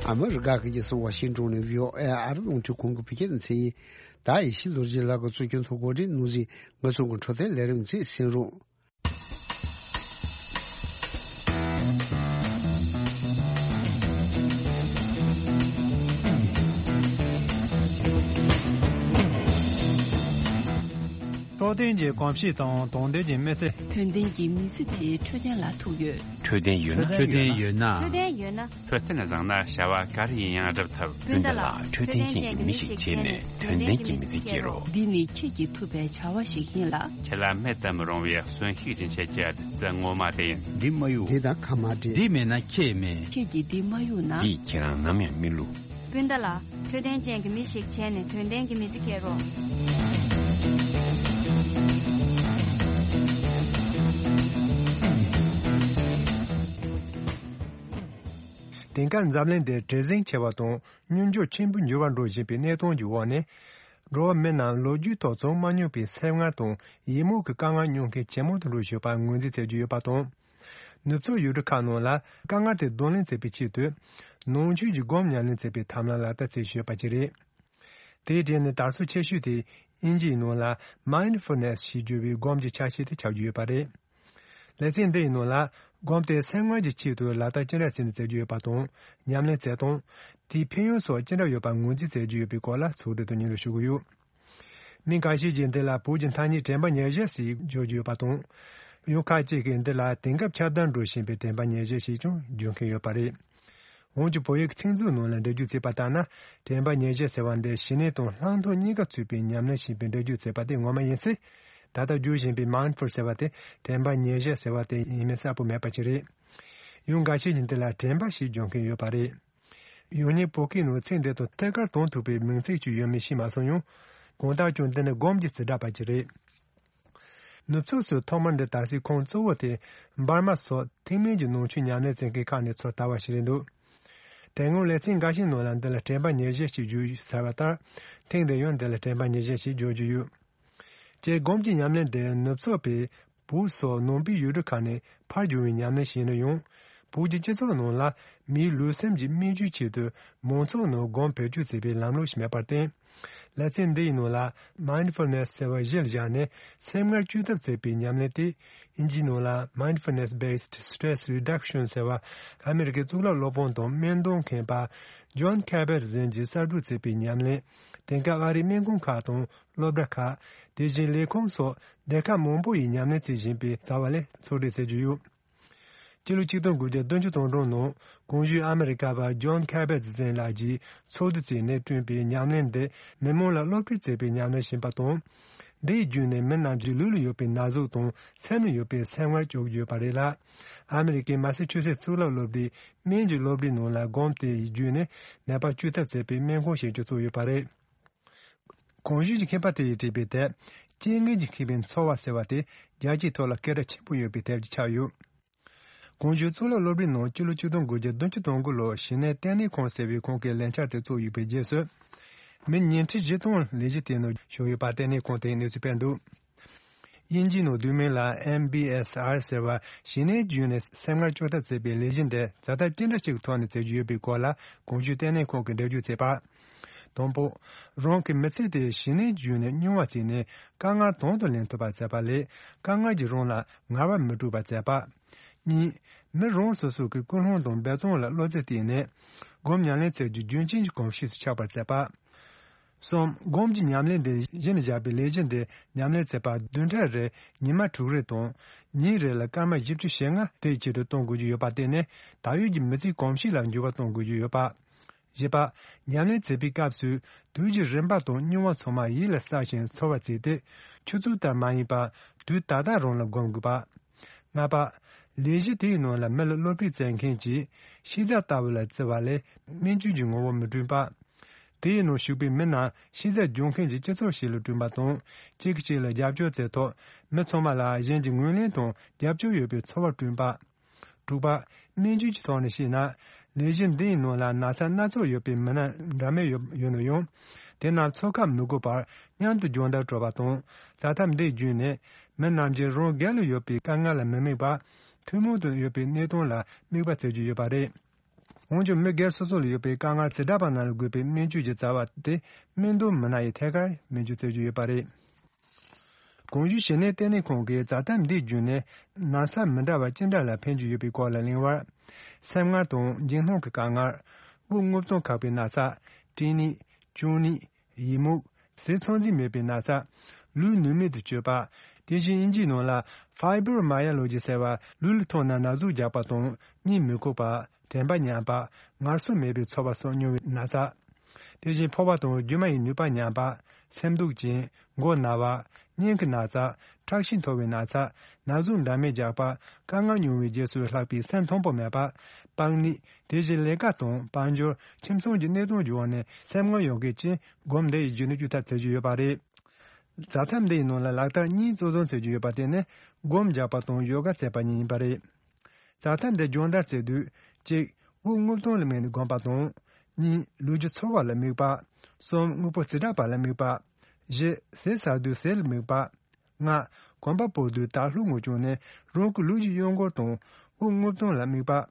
ཨ་མི་རི་ཀ་གི་རྒྱལ་ས་ཝ་ཤིང་ཏོན་ནས་བྷི་ཨོ་ཨེ་ཨ་རི་རླུང་འཕྲིན་ཁང་གི་བོད་སྐད་སྡེ་ཚན་ཡིན། ད་ཡེ་ཤེས་ལོ་རྒྱུས་ལགས་ཀྱིས་གཙོ་སྐྱོང་ཐོག་གོ་སྒྲིག་གནང་ཟིན་ངེད་ཚོ་གི་འཕྲོད་བསྟེན་ལས་རིམ་ཚོ་གསན་རོགས། འཕྲོད་བསྟེན་གྱི་གོམས་གཤིས་དང་དོན་ལྡན་གྱི་མི་ཚེ། དོན་ལྡན་གྱི་མི་ཚེ་དེ་འཕྲོད་བསྟེན་ལ་ཐུག་ཡོད། འཕྲོད་བསྟེན་ཡོད་ན། འཕྲོད་བསྟེན་ཡོད་ན། འཕྲོད་བསྟེན་ཡོད་ན། འཕྲོད་བསྟེན་བཟང་ན་བྱ་བ་ག་རེ་ཡིན་ཡང་སྒྲུབ་ཐུབ། སྤུན་ཟླ་ལགས། འཕྲོད་བསྟེན་ཅན་གྱི་མི་ཞིག་བྱས་ནས་དོན་ལྡན་གྱི་མི་ཚེ་སྐྱེལ་རོགས། འདི་ནི་ཁྱེད་ཀྱིས་ཐུབ་པའི་བྱ་བ་ཞིག་ཡིན་ལ། ཁྱེད་ལ་མེད་དུ་མི་རུང་བའི་གསོན་ཤུགས་སྦྱིན་བྱེད་ཀྱི་བདུད་རྩི་ངོ་མ་དེ་ཡིན། འདི་མ་གཡུག་འདི་དང་ཁ་མ་འབྲལ། འདི་མེད་ན་ཁྱེད་མེད། ཁྱེད་ཀྱིས་འདི་མ་གཡུག་ན། འདིས་ཁྱེད་རང་ནམ་ཡང་མི་བསླུ། སྤུན་ཟླ་ལགས། འཕྲོད་བསྟེན་ཅན་གྱི་མི་ཞིག་བྱས་ནས་དོན་ལྡན་གྱི་མི་ཚེ་སྐྱེལ་རོགས། དེང་སྐབས་འཛམ་གླིང་འདིར་བྲེལ་ཟིང་ཆེ་བ་དང་སྙོམས་འཇུག་ཆེན་པོ་འགྱུར་བ་འགྲོ་བཞིན་པའི་གནས་སྟངས་ཀྱི་འོག་ནས། འགྲོ་བ་མི་རྣམས་ལོ་རྒྱུས་ཐོག་མཚོན་མ་མྱོང་པའི་སེམས་ངལ་དང་ཡིད་སྨོན་གྱི་དཀའ་ངལ་མྱོང་མཁན་ཇེ་མང་དུ་འགྲོ་བཞིན་པར་ངོས་འཛིན་བྱེད་ཀྱི་ཡོད་པ་དང་། ནུབ་ཕྱོགས་ཡུལ་གྲུ་ཁག་ནང་ལ་དཀའ་ངལ་དེ་གདོང་ལེན་བྱེད་པའི་ཆེད་དུ། ནང་ཆོས་ཀྱི་སྒོམ་ཉམས་ལེན་བྱེད་པའི་ཐབས་ལམ་ལག་བསྟར་བྱེད་བཞིན་ཡོད་པ་ཅིག་རེད། དེའི་གྲས་ནས་དར་སྲོལ་ཆེ་ཤོས་དེ་དབྱིན་ཇིའི་ནང་ལ་Mindfulness ཞེས་བརྗོད་པའི་སྒོམ་གྱི་ཆ་ཤས་དེ་ཆགས་ཀྱི་ཡོད་པ་རེད། ལེ་ཚན་འདི་ཡི་ནང་ལ་སྒོམ་དེ་སེམས་ངལ་གྱི་ཆེད་དུ་ལག་བསྟར་ཅི་འདྲ་བྱས་ནས་མཛད་ཀྱི་ཡོད་པ་དང་། ཉམས་ལེན་བྱེད་སྟངས། དེའི་ཕན་ཡོན་སོགས་ཅི་འདྲ་ཡོད་པ་ངོས་འཛིན་མཛད་ཀྱི་ཡོད་པའི་སྐོར་ལ་ཚོགས་འདུ་དུ་སྙན་སྒྲོན་ཞུ་གི་ཡོད། མི་འགའ་ཤས་ཀྱིས་འདི་ལ་བོད་ཀྱི་ཐ་སྙད་དྲན་པ་ཉེར་བཞག་ཞེས་བརྗོད་ཀྱི་ཡོད་པ་དང་། ཡང་ཁ་ཅིག་གིས་འདི་ལ་དེང་སྐབས་ཁྱབ་གདལ་འགྲོ་བཞིན་པའི་དྲན་པ་ཉེར་བཞག་ཞེས་ཀྱང་བརྗོད་མཁན་ཡོད་པ་རེད། འོན་ཀྱང་བོད་ཡིག་ཚིག་མཛོད་ནང་ལ་འགྲེལ་བརྗོད་བྱས་པ་ལྟར་ན། དྲན་པ་ཉེར་བཞག་ཟེར་བ་འདི་ཞི་གནས་དང་ལྷག་མཐོང་གཉིས་ཀ་ཚུད་པའི་ཉམས་ལེན་བྱེད་པའི་འགྲེལ་བརྗོད་བྱས་པ་དེ་ངོ་མ་ཡིན་ཚེ། ད་ལྟ་བརྗོད་བཞིན་པའི་Mindful ཟེར་བ་དེ་དྲན་པ་ཉེར་བཞག་ཟེར་བ་དེ་ཡིན་མིན་གསལ་པོ་མེད་པ་ཅིག་རེད། ཡང་འགའ་ཤས་ཀྱིས་འདི་ལ་དྲན་པ་ཞེས་བརྗོད་མཁན་ཡོད་པ་རེད། ཡང་སྙིང་བོད་སྐད་ནང་ཚིག་འདི་དང་ཐད་ཀར་དོན་ཐུག་པའི་མིང་ཚིག་ཅིག་ཡོད་མེད་ཤེས་མ་སོང་ཡང་། གང་ལྟར་ཀྱང་འདི་ནི་སྒོམ་གྱི་རྩིས་འདྲ་པ་ཅིག་རེད། ནུབ་ཕྱོགས་སུ་ཐོག་མར་འདི་དར་སའི་ཁུངས་གཙོ་བོ་དེ་འབར་མ་སོགས་ཐེག་དམན་གྱི་ནང་ཆོས་ཉམས་ལེན་བྱེད་མཁན་ཁག་ནས་ཚུར་དར་བ་ཞིག་རེད་འདུག་དེ་སྔོན་ལེ་ཚན་འགའ་ཤས་ནང་ལ་འདི་ལ་དྲན་པ་ཉེར་བཞག་ཅེས་བརྗོད་ཟེར་བ་ལྟར། ཐེངས་འདིར་ཡང་འདི་ལ་དྲན་པ་ཉེར་བཞག་ཅེས་བརྗོད་ཀྱི་ཡོད། སྤྱིར་སྒོམ་གྱི་ཉམས་ལེན་དེ་ནུབ་ཕྱོགས་པས་བོད་སོགས་ནང་པའི་ཡུལ་གྲུ་ཁག་ནས་ཕར་བྱུང་བའི་ཉམས་ལེན་ཞིག་ཡིན་ན་ཡང་། བོད་ཀྱི་སྤྱི་ཚོགས་ནང་ལ་མིའི་ལུས་སེམས་ཀྱི་སྨིན་བྱེད་ཆེད་དུ་མང་ཚོགས་ནང་སྒོམ་བེད་སྤྱོད་བྱེད་པའི་ལམ་ལུགས་ཤིག་མེད་པར་བརྟེན། ལེ་ཚན་འདི་ཡི་ནང་ལ་Mindfulness ཟེར་བ་གཞིར་བཞག་ནས་སེམས་ངལ་བཅོས་ཐབས་བྱེད་པའི་ཉམས་ལེན་དེ། དབྱིན་ཇིའི་ནང་ལ་Mindfulness Based Stress Reduction ཟེར་བ། ཨ་མི་རི་ཀའི་གཙུག་ལག་སློབ་དཔོན་དང་སྨན་གཏོང་མཁན་པ་Jon Kabat་ཟེར་མཁན་གྱིས་གསར་སྒྲུབ་བྱས་པའི་ཉམས་ལེན། དེང་སྐབས་ཨ་རིའི་སྨན་ཁང་ཁག་དང་སློབ་གྲྭ་ཁག་དེ་བཞིན་ལས་ཁུངས་སོགས་སྡེ་ཁག་མང་པོ་ཡིས་ཉམས་ལེན་བྱེད་བཞིན་པའི་རྩ་བ་ལས་ཚོགས་སྒྲིག་བྱེད་ཀྱི་ཡོད། སྤྱི་ལོ་ཆིག་སྟོང་དགུ་བརྒྱ་བདུན་ཅུ་དོན་གྲངས་ནང་གོང་ཞུས་ཨ་མི་རི་ཀ་པ་Jon Kabat་ཟེར་མཁན་ལགས་ཀྱིས་ཚོགས་འདུ་བྱས་ནས་བསྐྲུན་པའི་ཉམས་ལེན་འདི་མི་མང་ལ་སློབ་ཁྲིད་བྱེད་པའི་ཉམས་ལེན་ཡིན་པ་དང་། འདི་ཡི་བརྒྱུད་ནས་མི་རྣམས་ཀྱི་ལུས་ལ་ཡོད་པའི་ན་ཟུག་དང་སེམས་ལ་ཡོད་པའི་སེམས་ངལ་བཅོས་ཀྱི་ཡོད་པ་རེད་ལ། ཨ་མི་རི་ཀའི་མ་སི་ཆུ་སེ་གཙུག་ལག་སློབ་གྲྭའི་སྨན་གྱི་སློབ་གྲྭའི་ནང་ལ་སྒོམ་དེ་ཡི་བརྒྱུད་ནས་ནད་པ་བཅོས་ཐབས་བྱེད་པའི་སྨན་ཁང་ཞིག་ཀྱང་བཙུགས་ཡོད་པ་རེད། གོང་ཞུས་ཀྱི་མཁས་པ་དེ་ཡིས་བྲིས་པའི་དེབ་རྐྱེན་ངན་གྱིས་ཁེངས་པའི་འཚོ་བ་ཟེར་བ་དེ་རྒྱལ་སྤྱིའི་ཐོག་ལ་སྐད་གྲགས་ཆེན་པོ་ཡོད་པའི་དེབ་ཅིག་ཆགས་ཡོད། གོང་ཞུས་གཙུག་ལག་སློབ་གྲྭའི་ནང་སྤྱི་ལོ་ཆིག་སྟོང་དགུ་བརྒྱ་བདུན་ཅུ་དོན་དགུ་ལོར་ཞི་གནས་ལྟེ་གནས་ཁང་ཟེར་བའི་ཁང་གིས་ལས་འཆར་དེ་བཙུགས་ཡོད་པའི་རྗེས་སུ། མི་ཉིས་ཁྲི་བཞི་སྟོང་ལས་གཞི་དེའི་ནང་ཞུགས་ཡོད་པ་ལྟེ་གནས་ཁང་དེས་གནས་ཚུལ་སྤེལ་འདུག་དབྱིན་ཇིའི་ནང་བསྡུས་མིང་ལ་ཨེམ་བྷི་ཨེས་ཨར་ཟེར་བ་ཞི་གནས་བརྒྱུད་ནས་སེམས་ངལ་བཅོས་ཐབས་བྱེད་པའི་ལས་གཞི་འདི་ཛ་དྲག་ཅི་འདྲ་ཞིག་གི་ཐོག་ནས་བྱེད་ཀྱི་ཡོད་པའི་སྐོར་ལ་གོང་ཞུས་ལྟེ་གནས་ཁང་གིས་འགྲེལ་བརྗོད་བྱས་པ། དང་པོ། རང་གི་མི་ཚེ་དེ་ཞི་གནས་བརྒྱུད་ནས་རྙིང་བ་བྱས་ནས་དཀའ་ངལ་དང་དུ་ལེན་ཐུབ་པ་བྱེད་པ་ལས་དཀའ་ངལ་གྱིས་རང་ལ་ངལ་བ་མི་སྤྲོད་པ་བྱེད་པ། གཉིས། མི་རང་སོ་སོ་གི་ཀུན་སློང་དང་འབད་བརྩོན་ལ་བློ་རྩེ་གཏད་ནས་སྒོམ་ཉམས་ལེན་བྱེད་རྒྱུ་རྒྱུན་ཆད་ཀྱི་གོམས་གཤིས་སུ་ཆགས་པར་བྱེད་པ། གསུམ། སྒོམ་གྱི་ཉམས་ལེན་འདི་གཞི་ནས་བཞག་པའི་ལས་གཞི་འདི་ཉམས་ལེན་བྱེད་པར་བདུན་ཕྲག་རེར་ཉི་མ་དྲུག་རེ་དང་། ཉིན་རེ་ལ་སྐར་མ་བཞི་བཅུ་ཞེ་ལྔ་དེའི་ཆེད་དུ་གཏོང་དགོས་ཀྱི་ཡོད་པ་བརྟེན་ནས་ད་ཡོད་ཀྱི་མི་ཚེའི་གོམས་གཤིས་ལ་འགྱུར་བ་གཏོང་དགོས་ཀྱི་ཡོད་པ། བཞི་པ། ཉམས་ལེན་བྱེད་པའི་སྐབས་སུ་དུས་ཀྱི་རིམ་པ་དང་རྙིང་བ་ཚང་མ་ཡིད་ལ་བསགས་ཤིང་ཚོར་བ་བྱས་ཏེ། ཆུ་ཚོད་ལྟར་མ་ཡིན་པར་དུས་ད་ལྟ་རང་ལ་སྒོམ་དགོས་པ། ལྔ་པ། ལས་གཞི་དེའི་ནང་ལ་མི་ལ་བློ་ཕིགས་བྱེད་མཁན་གྱིས་ཤེས་བྱ་ལྟ་བུ་ལ་བརྩི་བ་ལས་སྨན་བཅོས་ཀྱི་ངོ་བོ་མི་བསྐྲུན་པ། དེའི་ནང་ཞུགས་པའི་མི་རྣམས་ཤེས་བྱ་སྦྱོང་མཁན་གྱི་སྤྱི་ཚོགས་ཤིག་ལ་བསྐྲུན་པ་དང་། གཅིག་གིས་གཅིག་ལ་རྒྱབ་སྐྱོར་བྱས་ཐོག་མི་ཚང་མ་ལ་གཞན་གྱི་ངོས་ལེན་དང་རྒྱབ་སྐྱོར་ཡོད་པའི་ཚོར་བ་བསྐྲུན་པ། དྲུག་པ། སྨན་བཅོས་ཀྱི་ཐོག་ནས་བཤད་ན། ལས་གཞི་འདིའི་ནང་ལ་ན་ཚ་སྣ་ཚོགས་ཡོད་པའི་མི་སྣ་འདྲ་མིན་ཡོད་ཡོད་ན་ཡང་། དེ་རྣམས་འཚོ་ཁ་མི་དགོས་པར་མཉམ་དུ་སྦྱོང་བརྡར་སྤྲོད་པ་དང་། བྱ་ཐབས་འདི་བརྒྱུད་ནས་མི་རྣམས་ཀྱིས་རང་སྒེར་ལ་ཡོད་པའི་དཀའ་ངལ་ལ་མི་དམིགས་པར་ཐུན་མོང་དུ་ཡོད་པའི་གནས་སྟངས་ལ་དམིགས་པ་བྱེད་ཀྱི་ཡོད་པ་རེད། འོན་ཀྱང་མི་སྒེར་སོ་སོ་ལ་ཡོད་པའི་དཀའ་ངལ་ཚེ་འདྲ་པ་རྣམས་ལ་དགོས་པའི་སྨན་བཅོས་ཀྱི་རྩ་བ་དེ་སྨན་གཏོང་མི་སྣ་ཡིས་ཐད་ཀར་སྨན་བཅོས་བྱེད་ཀྱི་ཡོད་པ་རེད། གོང་ཞུས་ཞི་གནས་ལྟེ་གནས་ཁང་གིས་བྱ་ཐབས་འདི་བརྒྱུད་ནས་ན་ཚ་མི་འདྲ་བ་ཅི་འདྲ་ལ་ཕན་གྱི་ཡོད་པའི་སྐོར་ལ་གླེང་བར། སེམས་ངལ་དང་འཇིགས་སྣང་གི་དཀའ་ངལ། དབུགས་རྔུབ་གཏོང་ཁག་པའི་ན་ཚ། སྐྲན་ནད། གཅུང་ནད། ཡི་མུག། ཟས་ཚང་འཛིན་མེད་པའི་ན་ཚ། ལུས་ནུས་མེད་དུ་སྤྱོད་པ། དེ་བཞིན་དབྱིན་ཇིའི་ནང་ལ་Fibromyalgia་ཟེར་བ་ལུས་ལ་ཐུག་ན་ན་ཟུག་རྒྱག་པ་དང་གཉིད་མི་ཁུག་པ། དྲན་པ་ཉམས་པ། ངལ་གསོ་མེད་པའི་ཚོར་བ་སོགས་མྱོང་བའི་ན་ཚ། དེ་བཞིན་ཕོ་བ་དང་རྒྱུ་མ་ཡི་ནུས་པ་ཉམས་པ། སེམས་སྡུག་ཅན། མགོ་ན་བ། སྙིང་གི་ན་ཚ། ཁྲག་ཤེད་མཐོ་བའི་ན་ཚ། ན་ཟུག་འདྲ་མིན་རྒྱག་པ། དཀའ་ངལ་མྱོང་བའི་རྗེས་སུ་ལྷག་པའི་སེམས་མཐོན་པོ་མེད་པ། པགས་ནད། དེ་བཞིན་ལས་ཀ་དང་དཔལ་འབྱོར། ཁྱིམ་ཚང་གི་གནས་སྟངས་ཀྱི་འོག་ནས་སེམས་ངལ་ཡོང་མཁན་ཅན་སྒོམ་འདི་ཡི་རྒྱུ་ནི་བཅོས་ཐབས་བྱེད་ཀྱི་ཡོད་པ་རེད། ཛ་ཐབས་འདི་ཡི་ནང་ལ་ལག་བསྟར་གཉིས་གཙོ་འཛིན་བྱེད་ཀྱི་ཡོད་པ་དེ་ནི་སྒོམ་རྒྱག་པ་དང་ཡོ་ག་བྱེད་པ་གཉིས་ཡིན་པ་རེད། ཛ་ཐབས་འདི་སྦྱོང་བརྡར་བྱེད་དུས་གཅིག་དབུགས་རྔུབ་གཏོང་ལ་དམིགས་ནས་སྒོམ་པ་དང་། གཉིས། ལུས་ཀྱི་ཚོར་བ་ལ་དམིགས་པ། གསུམ། དངོས་པོ་བྱེ་བྲག་པ་ལ་དམིགས་པ། བཞི། ཟས་ཟ་དུས་ཟས་ལ་དམིགས་པ། ལྔ། གོམ་པ་སྤོ་དུས་དར་ལྷོག་ངོས་བྱུང་ནས་རང་གི་ལུས་ཀྱི་གཡོ་འགུལ་དང་ དབུགས་རྔུབ་སྟངས་ལ་དམིགས་པ།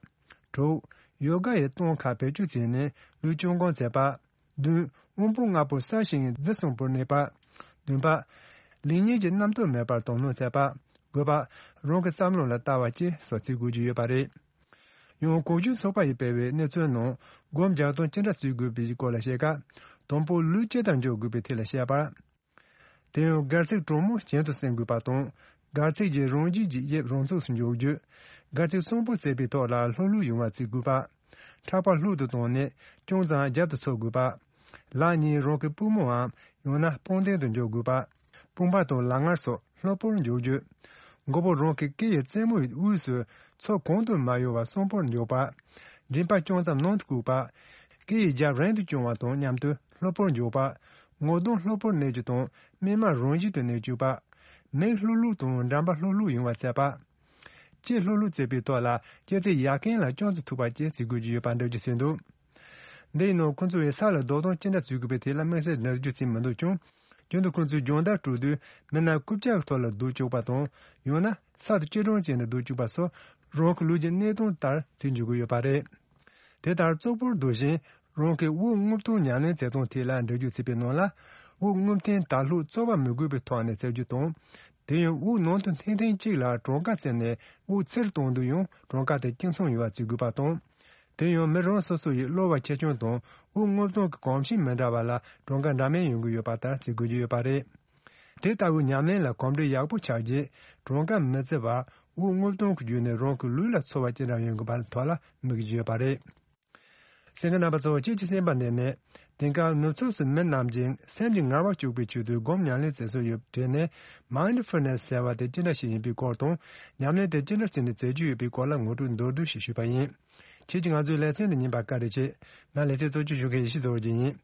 དྲུག་ཡོ་ག་ཡི་སྟངས་ཁག་བེད་སྤྱོད་བྱས་ནས་ལུས་སྤྱོད་སྒོམ་མཛད་པ། བདུན། དབང་པོ་ལྔ་པོ་གསལ་ཞིང་རྫི་གསུམ་པོར་གནས་པ། བདུན་པ། ལེགས་ཉེས་ཀྱི་རྣམ་རྟོག་མེད་པར་དོ་སྣང་མཛད་པ། དགུ་པ། རང་གི་བསམ་བློ་ལ་ལྟ་བ་བཅས་སོགས་བྱེད་དགོས་ཀྱི་ཡོད་པ་རེད། ཡང་གོང་ཞུས་ཚོགས་པ་ཡིས་སྤེལ་བའི་གནས་ཚུལ་ནང་སྒོམ་རྒྱག་སྟངས་ཅི་འདྲ་བྱེད་དགོས་པའི་སྐོར་ལ་བཤད་སྐབས། དང་པོ་ལུས་ཇི་ལྟར་འཇོག་དགོས་པའི་ཐད་ལ་བཤད་པ། དེ་ཡང་སྒལ་ཚིགས་གྲང་མོ་གྱེན་དུ་སྲིང་དགོས་པ་དང་། སྒལ་ཚིགས་ཀྱི་རང་བཞིན་གྱི་དབྱིབས་རང་ཚུགས་སུ་འཇོག་རྒྱུ། སྒལ་ཚིགས་གསོན་པོ་བྱེད་པའི་ཐོག་ལ་ལྷོད་ལྷོད་ཡོང་བ་བྱེད་དགོས་པ། ཕྲག་པ་ལྷོད་དུ་བཏང་ནས་ཅུང་ཙམ་རྒྱབ་ཏུ་འཚོ་དགོས་པ། ལག་གཉིས་རང་གི་པུས་མོའམ་ཡང་ན་དཔུང་གདན་དུ་འཇོག་དགོས་པ། དཔུང་པ་དང་ལག་ངར་སོགས་ལྷོད་པོར་འཇོག་རྒྱུ། མགོ་བོ་རང་གི་སྐེ་ཡི་རྩེ་མོའི་དབུས་སུ་ཚུར་གང་དུ་མ་གཡོ་བར་གསོན་པོར་འཇོག་པ། མགྲིན་པ་ཅུང་ཙམ་ནང་དུ་བཀུག་པ། སྐེ་ཡི་རྒྱབ་རིང་དུ་བརྐྱང་བ་དང་མཉམ་དུ་ལྷོད་པོར་འཇོག་པ། ངོ་གདོང་ལྷོད་པོར་གནས་རྒྱུ་དང་སྨིན་མ་རང་བཞིན་དུ་གནས་བཅུག་པ། མིག་ལྷོད་ལྷོད་དང་འགྲམ་པ་ལྷོད་ལྷོད་ཡོང་བ་མཛད་པ། ལྕེ་ལྷོད་ལྷོད་བྱེད་པའི་ཐོག་ལ་ལྕེ་རྩེ་ཡ་རྐན་ལ་ཅུང་ཙམ་ཐུག་པ་བཅས་བྱེད་དགོས་ཀྱི་ཡོད་པ་འགྲེལ་བརྗོད་བྱས་འདུག་འདི་ཡིན་ནོ་ཁོང་ཚོ་བས་ས་ལ་རྡོ་གཏོང་ཅི་འདྲ་བྱེད་དགོས་པའི་ཐད་ལ་དམིགས་བསལ་འགྲེལ་བརྗོད་བྱས་མི་འདུག་ཀྱང་། རྒྱུན་དུ་ཁོང་ཚོས་སྦྱོང་བརྡར་སྤྲོད་དུས་མི་སྣ་རྐུབ་བཀྱག་གི་ཐོག་ལ་སྡོད་བཅུག་པ་དང་། ཡང་ན་ས་དང་དཀྱིལ་གྲམ་ཅན་དུ་སྡོད་བཅུག་པ་སོགས་རང་གི་ལུས་ཀྱི་གནས་སྟངས་ལྟར་བྱེད་འཇུག་གི་ཡོད་པ་རེད། དེ་ལྟར་ཙོག་པུར་སྡོད་བཞིན་རང་གི་དབུགས་རྔུབ་སྟངས་ཉམས་ལེན་བྱེད་སྟངས་ཐད་ལ་འགྲེལ་བརྗོད་བྱས་པའི་ནང་ལ། དབུགས་རྔུབ་ཐེངས་དག་ལྷོད་རྩོལ་བ་མི་དགོས་པའི་ཐོག་ནས་བྱེད་རྒྱུ་དང་། དེ་ཡང་དབུགས་ནང་དུ་འཐེན་ཐེངས་གཅིག་ལ་གྲངས་ཀ་བརྩིས་ནས་དབུགས་ཚུར་གཏོང་དུས་ཡང་གྲངས་ཀ་དེ་གཅིག་མཚུངས་ཡོང་བ་བྱེད་དགོས་པ་དང་། དེ་ཡང་མི་རང་སོ་སོ་ཡི་གློ་བ་ཆེ་ཆུང་དང་དབུགས་རྔུབ་སྟངས་ཀྱི་གོམས་གཤིས་མི་འདྲ་བ་ལ་གྲངས་ཀ་འདྲ་མིན་ཡོང་གི་ཡོད་པ་ལྟར་བྱེད་དགོས་ཀྱི་ཡོད་པ་རེད། དེ་ལྟ་བུའི་ཉམས་ལེན་ལ་གོམས་འདྲིས་ཡག་པོ་ཆགས་རྗེས་གྲངས་ཀ་མི་བརྩི་བར་དབུགས་རྔུབ་སྟངས་ཀྱི་བརྒྱུད་ནས་རང་གི་ལུས་ལ་ཚོར་བ་ཅི་འདྲ་ཡོང་དགོས་པའི་ཐོག་ལ་དམིགས་ཀྱི་ཡོད་པ་རེད། གསན་མཁན་རྣམ་པ་ཚོ། ཁྱེད་ཀྱི་གསན་པ་འདི་ནས་དེང་སྐབས་ནུབ་ཕྱོགས་སུ་མི་རྣམས་ཀྱིས་སེམས་ཀྱི་ངལ་བ་སྐྱུག་པའི་ཆེད་དུ་སྒོམ་ཉམས་ལེན་བྱེད་སྲོལ་ཡོད་པའི་གྲས་ནས་མའིན་ཌི་ཕུལ་ནེ་སི་ཟེར་བ་དེ་ཅི་འདྲ་ཞིག་ཡིན་པའི་སྐོར་དང་། ཉམས་ལེན་དེ་ཅི་འདྲ་བྱས་ནས་མཛད་རྒྱུ་ཡོད་པའི་སྐོར་ལ་ངོ་སྤྲོད་མདོར་བསྡུས་ཤིག་ཞུས་པ་ཡིན། ཁྱེད་ཀྱིས་ང་ཚོའི་ལེ་ཚན་འདི་ཉན་པར་བཀའ་དྲིན་ཆེ། ང་ལེ་ཚན་གཙོ་སྐྱོང་ཞུ་མཁན་ཡེ་ཤེས་རྡོ་རྗེ་ཡིན།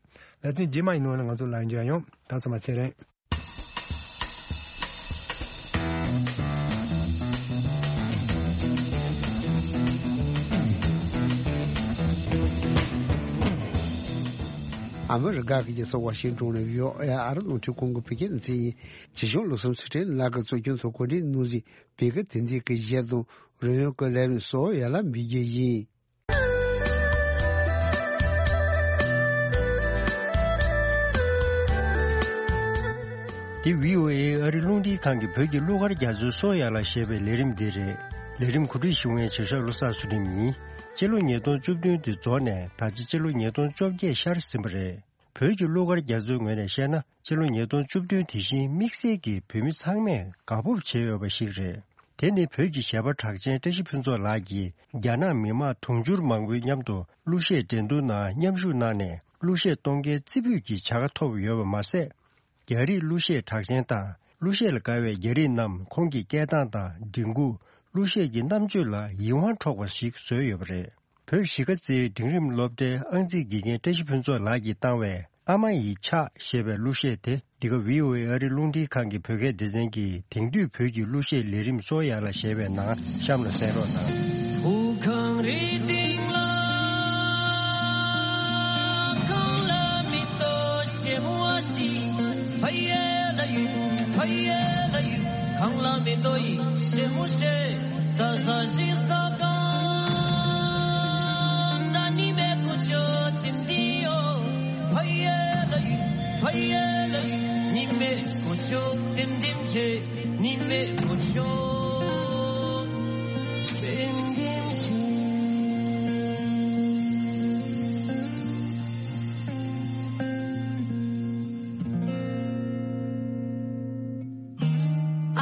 ལེ་ཚན་རྗེས་མ་ཡི་ནང་ལ་ང་ཚོ་ལམ་འགྱུར་ཡོང་། ད་སོ་མ་ཚེ་རིང་། ཨ་མི་རི་ཀ་གི་རྒྱལ་ས་ཝ་ཤིང་ཏོན་ནས་བྷི་ཨོ་ཨེ་ཨ་རི་རླུང་འཕྲིན་ཁང་གི་བོད་སྐད་སྡེ་ཚན་ཡིན། ཇི་བཞིན་བློ་བཟང་ཚུལ་ཁྲིམས་ལགས་ཀྱིས་གཙོ་སྐྱོང་དང་གོ་སྒྲིག་གནང་བཞིན་བོད་སྐད་དེབ་འདི་གི་གཞས་དང་རོལ་དབྱངས་ཀྱི་ལས་རིམ་སོགས་ཡར་ལ་འབུལ་རྒྱུ་ཡིན། འདི་བྷི་ཨོ་ཨེ་ཨ་རི་རླུང་འཕྲིན་ཁང་གི་བོད་ཀྱི་གླུ་གར་རྒྱ་མཚོའི་སོ་ཡར་ལ་ཞེས་པའི་ལས་རིམ་འདི་རེད། ལས་རིམ་གོ་སྒྲིག་ཞུ་མཁན་བྱེད་ཤག་བློ་བཟང་ཚུལ་ཁྲིམས་ཡིན། སྤྱི་ལོ་ཉིས་སྟོང་བཅུ་བདུན་དེ་རྫོགས་ནས་ད་ཆ་སྤྱི་ལོ་ཉིས་སྟོང་བཅོ་བརྒྱད་ཤར་ཟིན་པ་རེད། བོད་ཀྱི་གླུ་གར་རྒྱ་མཚོའི་ངོས་ནས་བཤད་ན། སྤྱི་ལོ་ཉིས་སྟོང་བཅུ་བདུན་དེ་བཞིན་དམིགས་བསལ་གྱིས་བོད་མི་ཚང་མས་དགའ་སྤོབས་བྱེད་འོས་པ་ཞིག་རེད། དེ་ནི་བོད་ཀྱི་གཞས་པ་གྲགས་ཅན་བཀྲ་ཤིས་ཕུན་ཚོགས་ལགས་ཀྱིས་རྒྱ་ནག་མི་མང་དུང་ཕྱུར་མང་པོའི་མཉམ་དུ་གླུ་གཞས་འགྲན་བསྡུར་ནང་མཉམ་ཞུགས་གནང་ནས་གླུ་གཞས་གཏོང་མཁན་རྩེ་ཕུད་ཀྱི་བྱ་དགའ་ཐོབ་ཡོད་པ་མ་ཟད། རྒྱ་རིགས་གླུ་གཞས་གྲགས་ཅན་དང་གླུ་གཞས་ལ་དགའ་བའི་རྒྱ་རིགས་རྣམས་ཁོང་གི་སྐད་གདངས་དང་མགྲིན་ཁུག་གླུ་གཞས་ཀྱི་རྣམ་དཔྱོད་ལ་ཡིད་དབང་འཕྲོག་པ་ཞིག་བཟོས་ཡོད་པ་རེད། བོད་གཞིས་ཀ་རྩེའི་འབྲིང་རིམ་སློབ་གྲྭའི་ཨང་རྩིས་དགེ་རྒན་བཀྲ་ཤིས་ཕུན་ཚོགས་ལགས་ཀྱིས་བཏང་བའི་ཨ་མ་ཡི་ཕྱག་ཞེས་པའི་གླུ་གཞས་དེ་འདི་ག་བྷི་ཨོ་ཨེ་ཨ་རི་རླུང་འཕྲིན་ཁང་གི་བོད་སྐད་སྡེ་ཚན་གྱི་དེང་དུས་བོད་ཀྱི་གླུ་གཞས་ལས་རིམ་སོ་ཡར་ལ་ཞེས་པའི་ནང་གཤམ་ལ་གསན་རོགས་གནང་། བོད་ཁང་རེ་སྟེང་ལ་གང་ལ་མི་ལྟོ་ཞེས་མོ་བ་ཞིག་ཕ་ཡེ་ལ་ཡུ་ཕ་ཡེ་ལ་ཡུ། གང་ལ་མི་ལྟོ་ཡི་ཞེ་མོ་ཞེ། ད་ས་ཞིག་ས་གང་ད་ནི་མེ་ཀུ་ཅོ་ཏིམ་ཏིའོ། ཕ་ཡེ་ལ་ཡུ་ཕ་ཡེ་ལ་ཡུ། ནི་མེ་ཀུ་ཅོ་ཏིམ་ཏིམ་ཆེ། ནི་མེ་ཀུ་ཅོ་ཏིམ་ཏིམ་ཆེ།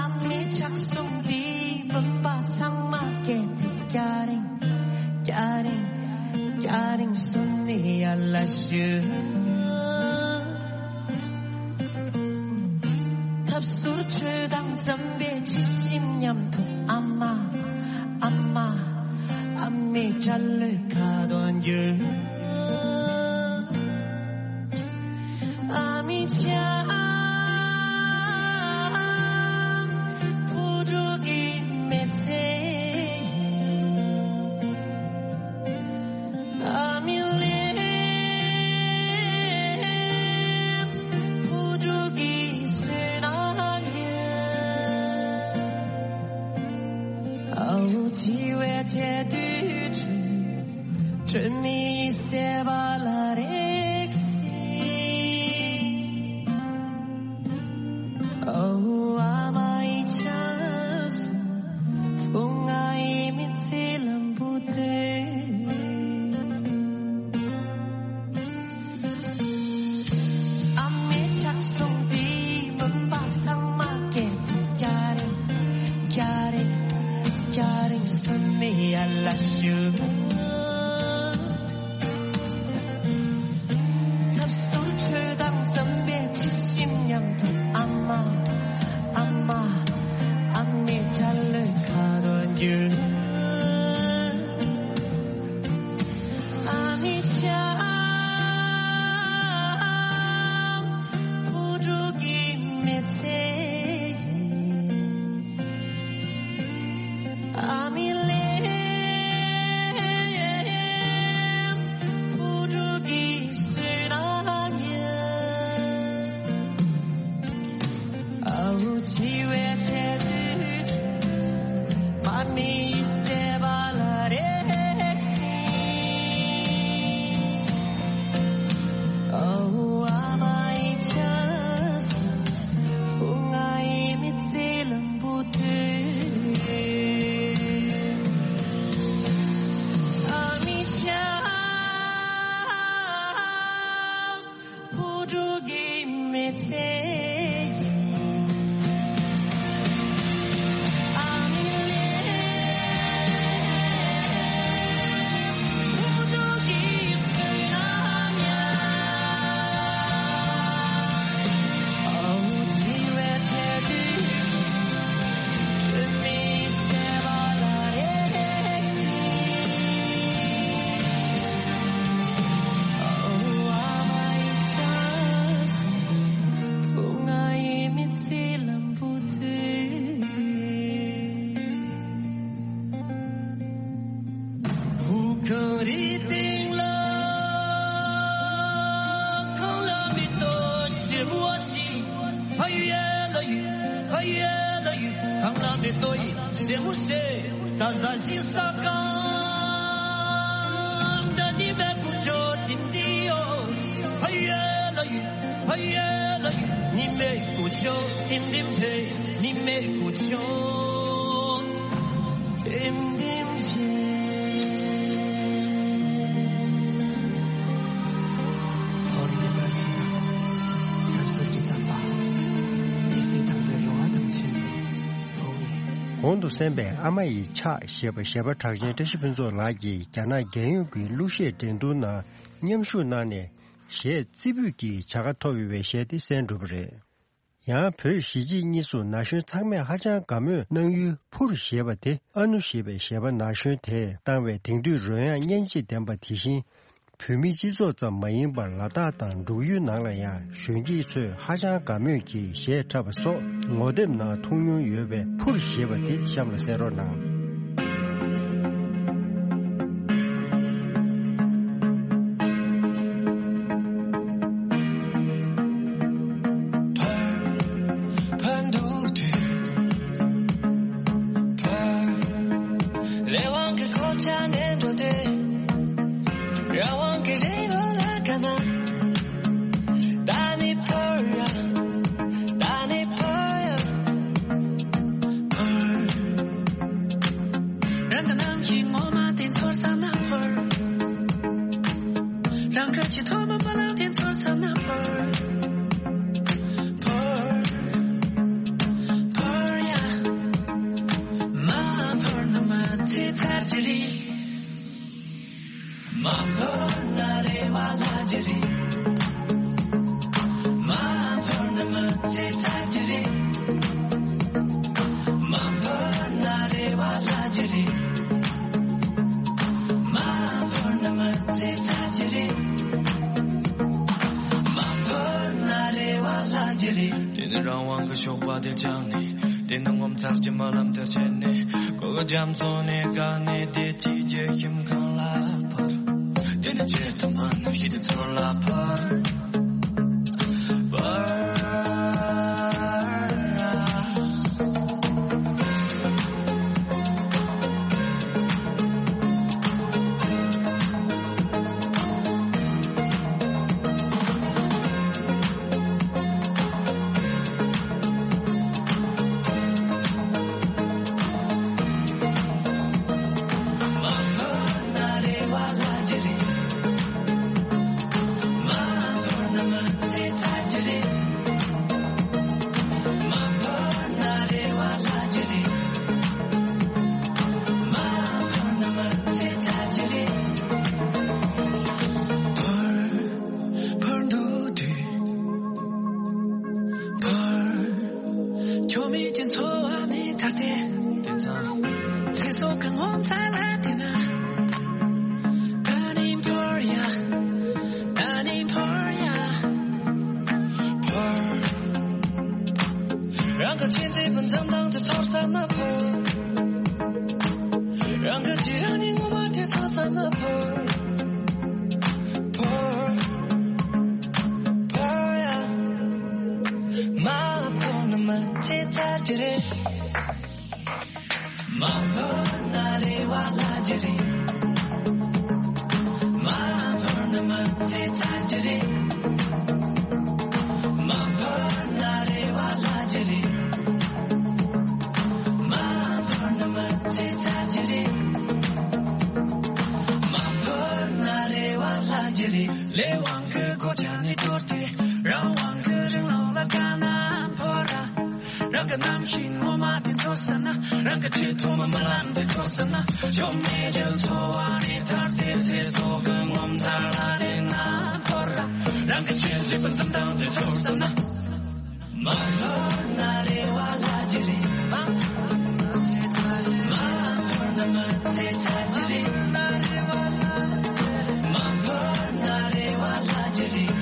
ཨ་མའི་ཕྱག་ཟུང་འདིས་བུམ་པ་ཚང་མ་སྐད་དེ་སྐྱ་རེངས། སྐྱ་རེངས། སྐྱ་རེངས་སུ་ནི་ཡར་ལ་ཞུ། ཐབ་ཟུར་ཆོས་དང་འཛམ་པའི་ཇི་བཞིན་མཉམ་དུ་ཨ་མ། ཨ་མ། ཨ་མའི་སྐྲ་ལོའི་ཁ་དོག་འགྱུར། ཨ་མའི་ཕྱག་བུ་ཕྲུག་གི་མི་ཚེ། ཨ་མའི་ལུས་བུ་ཕྲུག་གི་བསོད་ནམས་ཡིན། ཨ་བོ་འཆི་བའི་ དད་དུས་དྲི་མེད་སེམས་པ་ལ་རེག་སྲིད། ཨོ་ཨ་མ་ཡི་ཆ་སོང་། ཐུང་ང་ཡི་མི་ཚེ་ལམ་བུ་དེ། ཨ་མའི་ཆགས་སོང་དེའི་མུན་པ་ཚང་མ་སྐད་དུ་སྐྱ་རེངས། སྐྱ་རེངས། སྐྱ་རེངས་སོན་མའི་ཡལ་ལ་ཞུགས། ཐབ་ཟུར་ཁྲོད་དང་འཛམ་བུའི་དྲི་ཞིམ་མཉམ་དུ། ཨ་མ། ཨ་མ། ཨ་མའི་སྐྲ་ལོའི་ཁ་དོག་འགྱུར། ཨ་མའི་ཆ་བུ་ཕྲུག་གི་མི་ཚེ་ཡིན། ཨ་མའི་ལན་བུ་ཕྲུག་གི་བསོད་ནམས་ཡིན། ཨ་འུ་འཆི་བའི་ཚེ་དུས། མ་མི་སེམས་པ་ལ་རེག་སྲིད། ཨ་འུ་ཨ་མ་ཡི་ཆ་སོང་། ཐུང་ང་ཡི་མི་ཚེ་ལམ་བུ་དེ། ཨ་མའི་ཆ་བུ་ཕྲུག་གི་མི་ཚེ་ཡིན། ཨ་མའི་ལན་བུ་ཕྲུག་གི་བསོད་ནམས་ཡིན། ཨ་འུ་འཆི་བའི་ཚེ་དུས། དྲི་མེད་སེམས་པ་ལ་རེག་སྲིད། ཨ་འུ་ཨ་མ་ཡི་ཆ་སོང་། ཐུང་ང་ཡི་མི་ཚེ་ལམ་བུ་དེ། བུ་གངས་རིའི་སྟེང་ལ་གངས་ལ་མེ་ཏོག་སེར་མོ་ཞིག་ཕ་ཡུལ་ལ་ཡུལ། ཕ་ཡུལ་ལ་ཡུལ། གངས་ལ་མེ་ཏོག་ཡིན་སེར་མོ་ཞིག་ད་ཟ་ཞིང་ས་གང་ད་ནི་མེད་པུ་ཆོ་ཏིང་ཏིང་ཡོ། ཕ་ཡུལ་ལ་ཡུལ། ཕ་ཡུལ་ལ་ཡུལ། ཉི་མའི་སྐུ་མཆོག་ལྡེམ་ལྡེམ་བྱེད། ཉི་མའི་སྐུ་མཆོག་ལྡེམ་ལྡེམ་བྱེད། ཐོ་རེ་ཡོད་པ་ཅི་དང་། ཐབས་ཟུར་གྱི་ཟམ་པ། མི་སེར་དང་པོའི་རེ་བ་དང་ཆེད་དུ་ཐོག་ནས། གོང་དུ་གསན་པའི་ཨ་མ་ཡི་ཕྱག་ཞེས་པ་གཞས་པ་གྲགས་ཅན་བཀྲ་ཤིས་ཕུན་ཚོགས་ལགས་ཀྱིས་རྒྱ་ནག་རྒྱལ་ཡོངས་ཀྱི་གླུ་གཞས་འགྲན་བསྡུར་ནང་མཉམ་ཞུགས་གནང་ནས། གཞས་རྩེ་ཕུད་ཀྱི་བྱ་དགའ་ཐོབ་ཡོད་པའི་གཞས་དེ་གསན་གྲུབ་པ་རེད། ཡང་བོད་གཞིས་བྱེས་གཉིས་སུ་ན་གཞོན་ཚང་མས་ཧ་ཅང་དགའ་མོས་གནང་ཡུལ་ཕུར་ཞེས་པ་དེ། ཨ་ནུ་ཞེས་པའི་གཞས་པ་ན་གཞོན་དེས་བཏང་བའི་དེང་དུས་རོལ་དབྱངས་སྙན་འཇེབས་ལྡན་པ་དེ་བཞིན། བོད་མིའི་སྤྱི་ཚོགས་ཙམ་མ་ཡིན་པར་ལ་དྭགས་དང་འབྲུག་ཡུལ་ནང་ལ་ཡང་གཞོན་སྐྱེས་ཚོས་ཧ་ཅང་དགའ་མོས་ཀྱིས་གཞས་འཁྲབ་པ་སོགས་ངོ་དེབ་ནང་མཐོང་མྱོང་ཡོད་པས། ཕུར་ཞེས་པ་དེ་གཤམ་ལ་གསན་རོགས་གནང་། ཕར་འདུག་དུས་ཕར། ལས་དབང་གི་གོ་ཆ་ནས་འགྲོ་དུས། རང་དབང་གི་རིང་ལུགས་ལ་དགའ་ན། ད་ནི་ཕར་ཡ། ད་ནི་ཕར་ཡ། ཕར། རང་གི་ནམ་གྱི་ངོ་མ་དེ་ཚོར་བསམ་ན་ཕར། རང་གི་ཆེས་མཐོ་མོ་བ་ལང་དེ་ཚོར་བསམ་ན་ཕར། ཕར། ཕར་ཡ། མ་ཕར་ན་མི་ཚེ་ཚར་གྱི་རེད། མ་ཕར་ན་རེ་བ་ལྷག་གི་རེད། མ་ཕར་ན་མི་ཚེ་ཚར་གྱི་རེད། མ་ཕར་ན་རེ་བ་ལྷག་གི་རེད། མ་ཕར་ན་མི་ཚེ་ཚར་གྱི་རེད། མ་ཕར་ན་རེ་བ་ལྷག་གི་རེད། དེ་ནི་རང་དབང་གི་ཞོགས་པ་དེ་བཅངས་ནས། དེ་ནི་ངོ་མཚར་གྱི་རྨི་ལམ་དེ་བྱས་ནས། གོ་གི་རྒྱ་མཚོ་ནས་བཀག་ནས་བདེ་སྐྱིད་ཀྱི་ཁྱིམ་ཁང་ལ་ཕར། དེ་ནི་ཆེས་དུ་མ་ནུབ་ཞིག་དེ་ཚོར་ལ་ཕར། ཕར། མ་འབོར་ན་རེ་བ་ལྷག་རྒྱུ་རེད། མ་འབོར་ན་མི་ཚེ་ཚར་རྒྱུ་རེད། མ་འབོར་ན་རེ་བ་ལྷག་རྒྱུ་རེད། མ་འབོར་ན་མི་ཚེ་ཚར་རྒྱུ་རེད། མ་འབོར་ན་རེ་བ་ལྷག་རྒྱུ་རེད། ལས་དབང་གི་གོ་ཆ་ནས་དོར་ཏེ། རང་དབང་གི་རིང་ལུགས་ལ་དཀའ་ན་འཕོ་ར། རང་གི་རྣམ་ཤེས་ངོ་མ་དེ་འཆོར་ས་ན། རང་གི་ཆེས་ཐོག་མ་རྨི་ལམ་དེ་འཆོར་ས་ན། ཆོ་མེད་ཀྱི་འཚོ་བ་རེ་ཐར་ཏེ། ཚེ་སྲོག་གི་ངོ་མཚར་ལ་རེ་ན་འཐོར་ར། རང་གི་ཆེས་ལེགས་པའི་འཛུམ་མདངས་དེ་འཆོར་ས་ན། མ་འབོར་ན་རེ་བ་ལྷག་རྒྱུ་རེད། མ་འབོར་ན་མི་ཚེ་ཚར་རྒྱུ་རེད། མ་འབོར་ན་རེ་བ་ལྷག་རྒྱུ་རེད།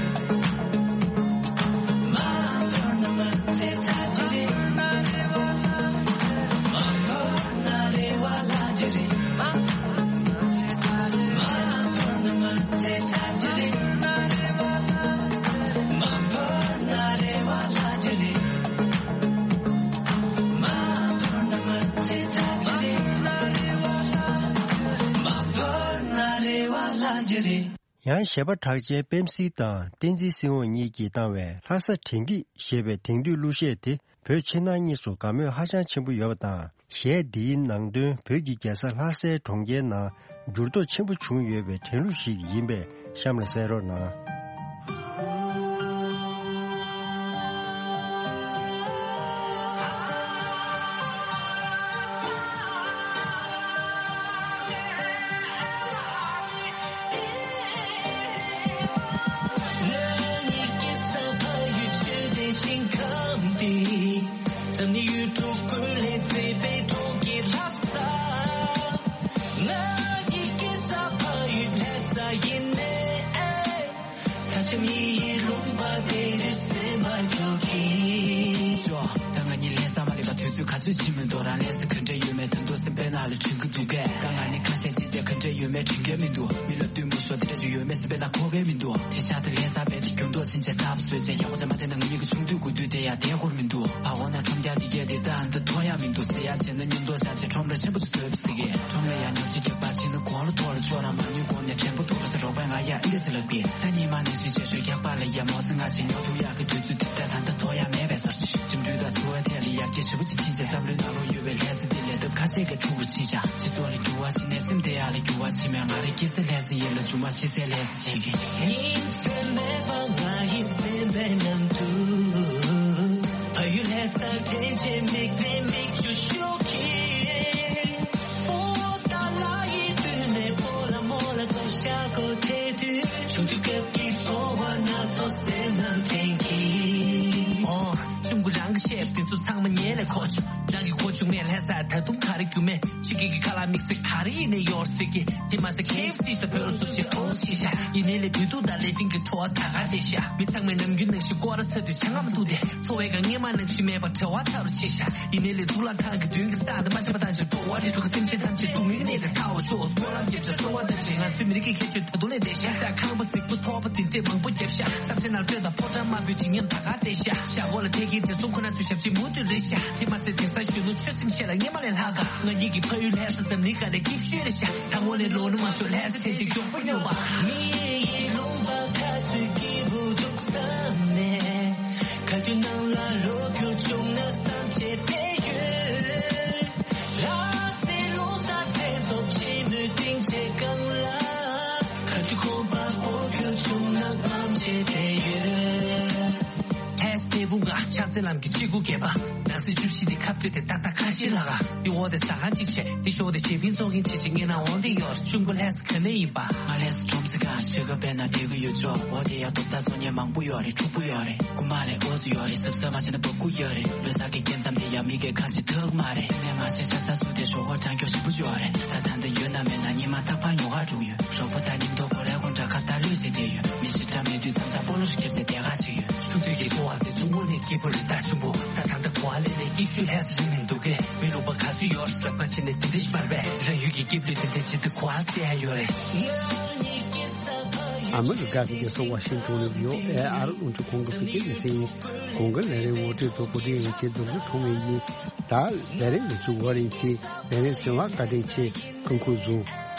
མ་འབོར་ན་མི་ཚེ་ཚར་རྒྱུ་རེད། མ་འབོར་ན་རེ་བ་ལྷག་རྒྱུ་རེད། མ་འབོར་ན་མི་ཚེ་ཚར་རྒྱུ་རེད། མ་འབོར་ན་རེ་བ་ལྷག་རྒྱུ་རེད། མ་འབོར་ན་མི་ཚེ་ཚར་རྒྱུ་རེད། མ་འབོར་ན་རེ་བ་ལྷག་རྒྱུ་རེད། ཡང་གཞས་པ་གྲགས་ཅན་པེམ་སི་དང་བསྟན་འཛིན་སྲིད་དབང་གཉིས་ཀྱིས་བཏང་བའི་ལྷ་ས་དྲན་སྐྱིད་ཞེས་པའི་དེང་དུས་གླུ་གཞས་དེ་བོད་ཕྱི་ནང་གཉིས་སུ་དགའ་མོས་ཧ་ཅང་ཆེན་པོ་ཡོད་པ་དང་། གཞས་འདིའི་ནང་དོན་བོད་ཀྱི་རྒྱལ་ས་ལྷ་སའི་གྲོང་ཁྱེར་ནང་འགྱུར་ལྡོག་ཆེན་པོ་བྱུང་ཡོད་པའི་དྲན་གླུ་ཞིག་ཡིན་པས་གཤམ་ལ་གསན་རོགས་གནང་། ང་གཉིས་ཀྱི་ས་ཕ་ཡུལ་ཆོས་ལྡན་ཞིང་ཁམས་འདི། འཛམ་གླིང་ཡུལ་གྲུ་ཀུན་ལས་མཛེས་པའི་གྲོང་ཁྱེར་ལྷ་ས། ང་གཉིས་ཀྱི་ས་ཕ་ཡུལ་ལྷ་ས་ཡིན་ནའི། ད་ཆ་མི་ཡི་ལུང་པ་དེ་རུ་སེམས་པ་འགྱུར་གྱིས། ཞོ། ད་ང་གཉིས་ལས་ས་མ་ལས་པ་དུས་ཚོད་ག་ཚོད་ཕྱིན་མི་འདུག་རང་ལས་ས་ག་འདྲ་ཡོད་མེད་ད་དུང་སེམས་པའི་ནང་ལ་དྲན་གྱི་འདུག་གས། ད་ང་ནི་ཁ་ཤས་ཅི་བྱེད་ག་འདྲ་ཡོད་མེད་དྲན་གྱི་མི་འདུག་མི་ལ་བསྟུན་མི་ཤོར་དེ་འདྲ་ཅིག་ཡོད་མེད་སེམས་པའི་ནང་འཁོར་གྱི་མི་འདུག་དེ་ཤ་དེ་ལས་ས་བས་དེ་རྒྱུན་དུ་ཕྱིན་ཆད་ས་བ་བཟོས་བྱས་ཡག་པོ་ཅིག་མ་བསྟན་ན་ང་གཉིས་ཀྱི་ཆུང་དུས་དགུ་དུས་དེ་ཡང་དེ་འཁོར་མི་འདུག་ཕ་འོ་ན་ཁྲོམ་རྒྱག་དེ་གས་དེ་ད་འདི་མཐོང་ཡག་མི་འདུག་ཟེར་ཡག་བྱས་ན་མཉམ་དུ་བཞག་བྱས་ཁྲོམ་ར་ཆེན་པོ་ཅིག་བཟོས་པ་ཟེར་གི་ཁྲོམ་ལ་ཡང་ཉོ་ཆ་རྒྱག་པ་ཕྱིན་ན་གོང་ལ་ཐོག་ལ་ཆོག་རང་མ་ཉོས་གོང་ནས་དྲན་པ་ཐོག་ལ་ཟེར་རོགས་པས་ང་ཡ་ཨི་འདྲ་ཟེར་ལབ་གི་ད་ཉི་མ་ནས་ཅི་བྱས་ཞོ་རྒྱག་པ་ལ་ཡ་མོ་ཟེར་ང་ཅིག་ཉོ་ཐུབ་ཡག་གི་དུས་ཚོད་དེ་ད་ད་ལྟ་ཐོག་ཡག་མེད་པའི་བཟོ་ཅིག་འགྲིམ་འགྲུལ་དང་འཚོ་བའི་ཐད་ལ་ཡར་རྒྱས་ཞེ་པོ་ཅིག་ཕྱིན་ཆད་བསམ་བློའི་ནང་ལོགས་ཡོད་པའི་ལས་ས་འདི་ལས་ཐབས་ཁ་ཤས་ཀྱི་འཁྲུག་རུ་ཕྱིན་ཤག་སྤྱི་ཚོགས་ལ་འགྱུར་བ་ཕྱིན་ནས་སེམས་བདེ་ཡག་ལ་འགྱུར་བ་ཕྱིན་མེད་ང་རའི་སྐྱེ་ས་ལྷ་ས་ཡིན་ལ་མཇུག་མ་ཕྱི་སའི་ལྷ་ས་བྱེད་ཀྱི། ཉིན་མཚན་མེད་པར་ང་ཡི་སེམས་པའི་ནང་དུ། ཕ་ཡུལ་ལྷ་སར་དྲན་བྱེད་མིག་ནས་མིག་ཆུ་ཤོར་གྱིས། ཕོ་ཏ་ལ་ཡི་དུས་ནས་ཕོ་ལ་མོ་ལ་སོ་ཤ་གོ་དེ་དུས་ཆུང་དུས་སྐབས་ཀྱི་ཚོར་བ་སྣ་ཚོགས་སེམས་ནང་དྲན་གྱིས། ཨོ། གཅུང་པོ་རང་གི་བཤད་དེ་ཚོ་ཚང་མ་ཉན་ལས་གོ་ཆུ། རང་གི་གོ་ཆུང་མེད་ལྷ་ས་ད་དུང་ག་རེ་རྒྱུ་མེད། ཕྱི་རྒྱལ་གྱི་ཁ་ལག་དམིགས་བསལ་ག་རེ་ཡིན་ནས་ཡོར་ཟེར་གི་དེ་མ་ཟད་ཁེ་ཨེཕ་སི་ཞིག་དང་བོད་ལ་བཙུགས་བྱས་ཨོ་ཆེ་ཤག་ཡིན་ནའི་ལས་དུས་དུས་དང་ལས་དིང་གི་བྲོ་བ་ད་ག་དེ་ཤག་མི་ཚང་མས་ནམ་རྒྱུན་ནང་བཞིན་སྐོར་ར་ཚ་དུས་ཆང་ངམ་འཐུང་དེ་འཚོ་བའི་སྒང་སྔས་མ་ནང་བཞིན་མེད་པར་བྲེལ་བ་ཚ་རུ་ཆེ་ཤག་ཡིན་ནའི་ལས་དུག་ལ་ཁང་གི་མདུན་གྱི་ས་དེ་མ་ཆགས་པ་དང་ཅིག་འགྲོ་བ་རིགས་དྲུག་གི་སེམས་ཅན་ཐམས་ཅད་སྡུག་བསྔལ་གནས་ལས་ཐར་བར་ཤོག་སྨོན་ལམ་རྒྱབ་བྱས་གསོལ་བ་བཏབ་བྱས་ང་ཚོའི་མི་རིགས་ཀྱི་ཁྱད་ཆོས་ད་དུང་ལས་འདས་ཤག་ས་ཁང་པ་རྫིག་པོ་ཐོག་པ་དེ་འདྲས་མང་པོ་བརྒྱབ་ཤག་ས་ཆ་ནང་སྤོས་དང་ཕོ་བྲང་དམར་པོའི་བརྗིད་ཉམས་ད་ག་བསྡད་ཤག་ཤག་འོག་ལ་ཐད་ཀའི་དྲི་བསུང་ཁོ་ན་ཚོའི་ཞབས་ཕྱི་མུ་མཐུད་རེད་ཤག་དེ་མ་ཟད་དེང་སང་གཞོན་ནུ་ཆོས་སེམས་བཤད་ལ་སྔས་མ་ལས་ལྷག་ག་ང་གཉིས་ཀྱི་ཕ་ཡུལ་ལྷ་ས་འཛམ་གླིང་སྒང་ལས་སྐྱིད་ཤོས་རེད་ཤག་ད་དངོས་གནས་ལོ་ན་མ་ཤོར་ལྷ་ས་ཆེན་གཅིག་མགྱོགས་པོ་སྙོབ་པ། མི་ཡི་ལུང་པ་ཁ་ཚུད་སྐྱིད་པོ་འདུག་བསམ་ནས། ག་དུས་ནང་ལ་ལོ་རྒྱུས་བྱུང་ན་བསམ་བྱས་བསྡད་ཡོད། ལྷ་སའི་ལོ་གསར་མཚན་ཐོབ་ཕྱི་མོའི་སྡིངས་ཆའི་སྒང་ལ། ག་དུས་ཁོམ་པ་སྤོ་རྒྱུ་བྱུང་ན་དམངས་ཆེད་བསྡད་ཡོད། ལྷ་ས་དེ་བུ་ང་ཕྱག་འཚལ་ལམ་གྱི་ཆེ་དགུ་བརྒྱད་པ། ནང་སྲིད་བཅུ་བཞི་དེ་ཁ་སྤྲོད་དེ་ཏག་ཏག་ཁ་ཤས་ལ་ག་འདི་འོག་དེ་ཟ་ཁང་གཅིག་བྱས་འདི་ཞོག་དེ་ཞེ་ཕིང་ཚོགས་མཁན་ཆེ་ཆེ་ངེད་ནང་འོང་དེ་ཡོད་ཆུང་པོ་ལྷ་ས་ག་ནས་ཡིན་པ། ང་ལྷ་ས་ཁྲོམ་ས་གང་ཞིག་ག་བས་ན་དེ་གི་ཡོད་ཆོག་འོག་དེ་ཡ་ཐོབ་ཐང་ཚོགས་ཉེ་མང་པོ་ཡོད་རེད་ཕྲུག་པོ་ཡོད་རེད་རྐུ་མ་ལས་འོ་ཚོ་ཡོད་རེད་གཟབ་གཟབ་མ་བྱས་ན་བ་རྐུ་ཡོད་རེད་ལོ་གསར་གི་སྐྱེ་མཚམས་དེ་ཡ་མི་གའི་ཁ་ཆེ་ཐག་མ་རེད་ངས་མ་བྱས་ཆ་ས་སུ་དེ་ཞོགས་པ་གྲང་སྐྱོ་ཞིབ་པོ་ཡོད་རེད་ད་ད་འདི་ཡོད་ན་མེད་ན་ཉི་མ་རྟག་པར་ཉོ་ག་འགྲོ་གི་ཡོད། རོགས་པ་དང་མཉམ་དུ་སྒོ་རའི་སྒོ་འགྲམ་ཁ་བརྡ་ལོས་བྱེད་བསྡད་ཡོད། མི་ཞིག་འདྲ་མེད་དུས་དམ་བཅའ་སྤོ་ལོ་ཞིག་བརྒྱབ་བྱས་བསྡད་ག་ཅིག་ཡོད། ཆུང་དུས་ཀྱི་འཚོ་བ་དེ་ཚོ་དངོས་གནས་སྐྱིད་པོ་རེད་ད་ཆུང་པོ། ད་ད་ལྟ་གོ་བ་ལེན་ནས་སྐྱིད་ཤོས་ལྷས་སུ་རིང་མི་འདུག་གས། མི་ལུག་པ་ག་ཚོད་ཡོད་རེད་ཟབ་ཁ་བྱས་ནས་དེ་འདྲ་ཞིག་བར་བས་རང་ཡུལ་གྱི་སྐྱིད་པོའི་དེ་འདྲ་ཇི་ལྟར་གོ་བ་སད་ཡ་ཡོད་རེད། ཨ་མི་རི་ཀ་གི་རྒྱལ་ས་ཝ་ཤིང་ཏོན་ནས་བི་ཨོ་ཨེ་ཨར་རླུང་འཕྲིན་ཁང་གི་བོད་སྐད་སྡེ་ཚན་ཡིན། གོང་གི་ལས་རིམ་ངོ་སྤྲོད་དུ་བོད་དོན་ཡིག་ཆའི་མདོར་བསྡུས་ཐོག་ནས་ཡིན། ད་ལས་རིམ་འདི་ཚོའི་འོག་ནས་ཀྱི་ལས་རིམ་གསན་པར་བཀའ་དྲིན་ཆེ། སྐུ་ཁམས་བཟང་།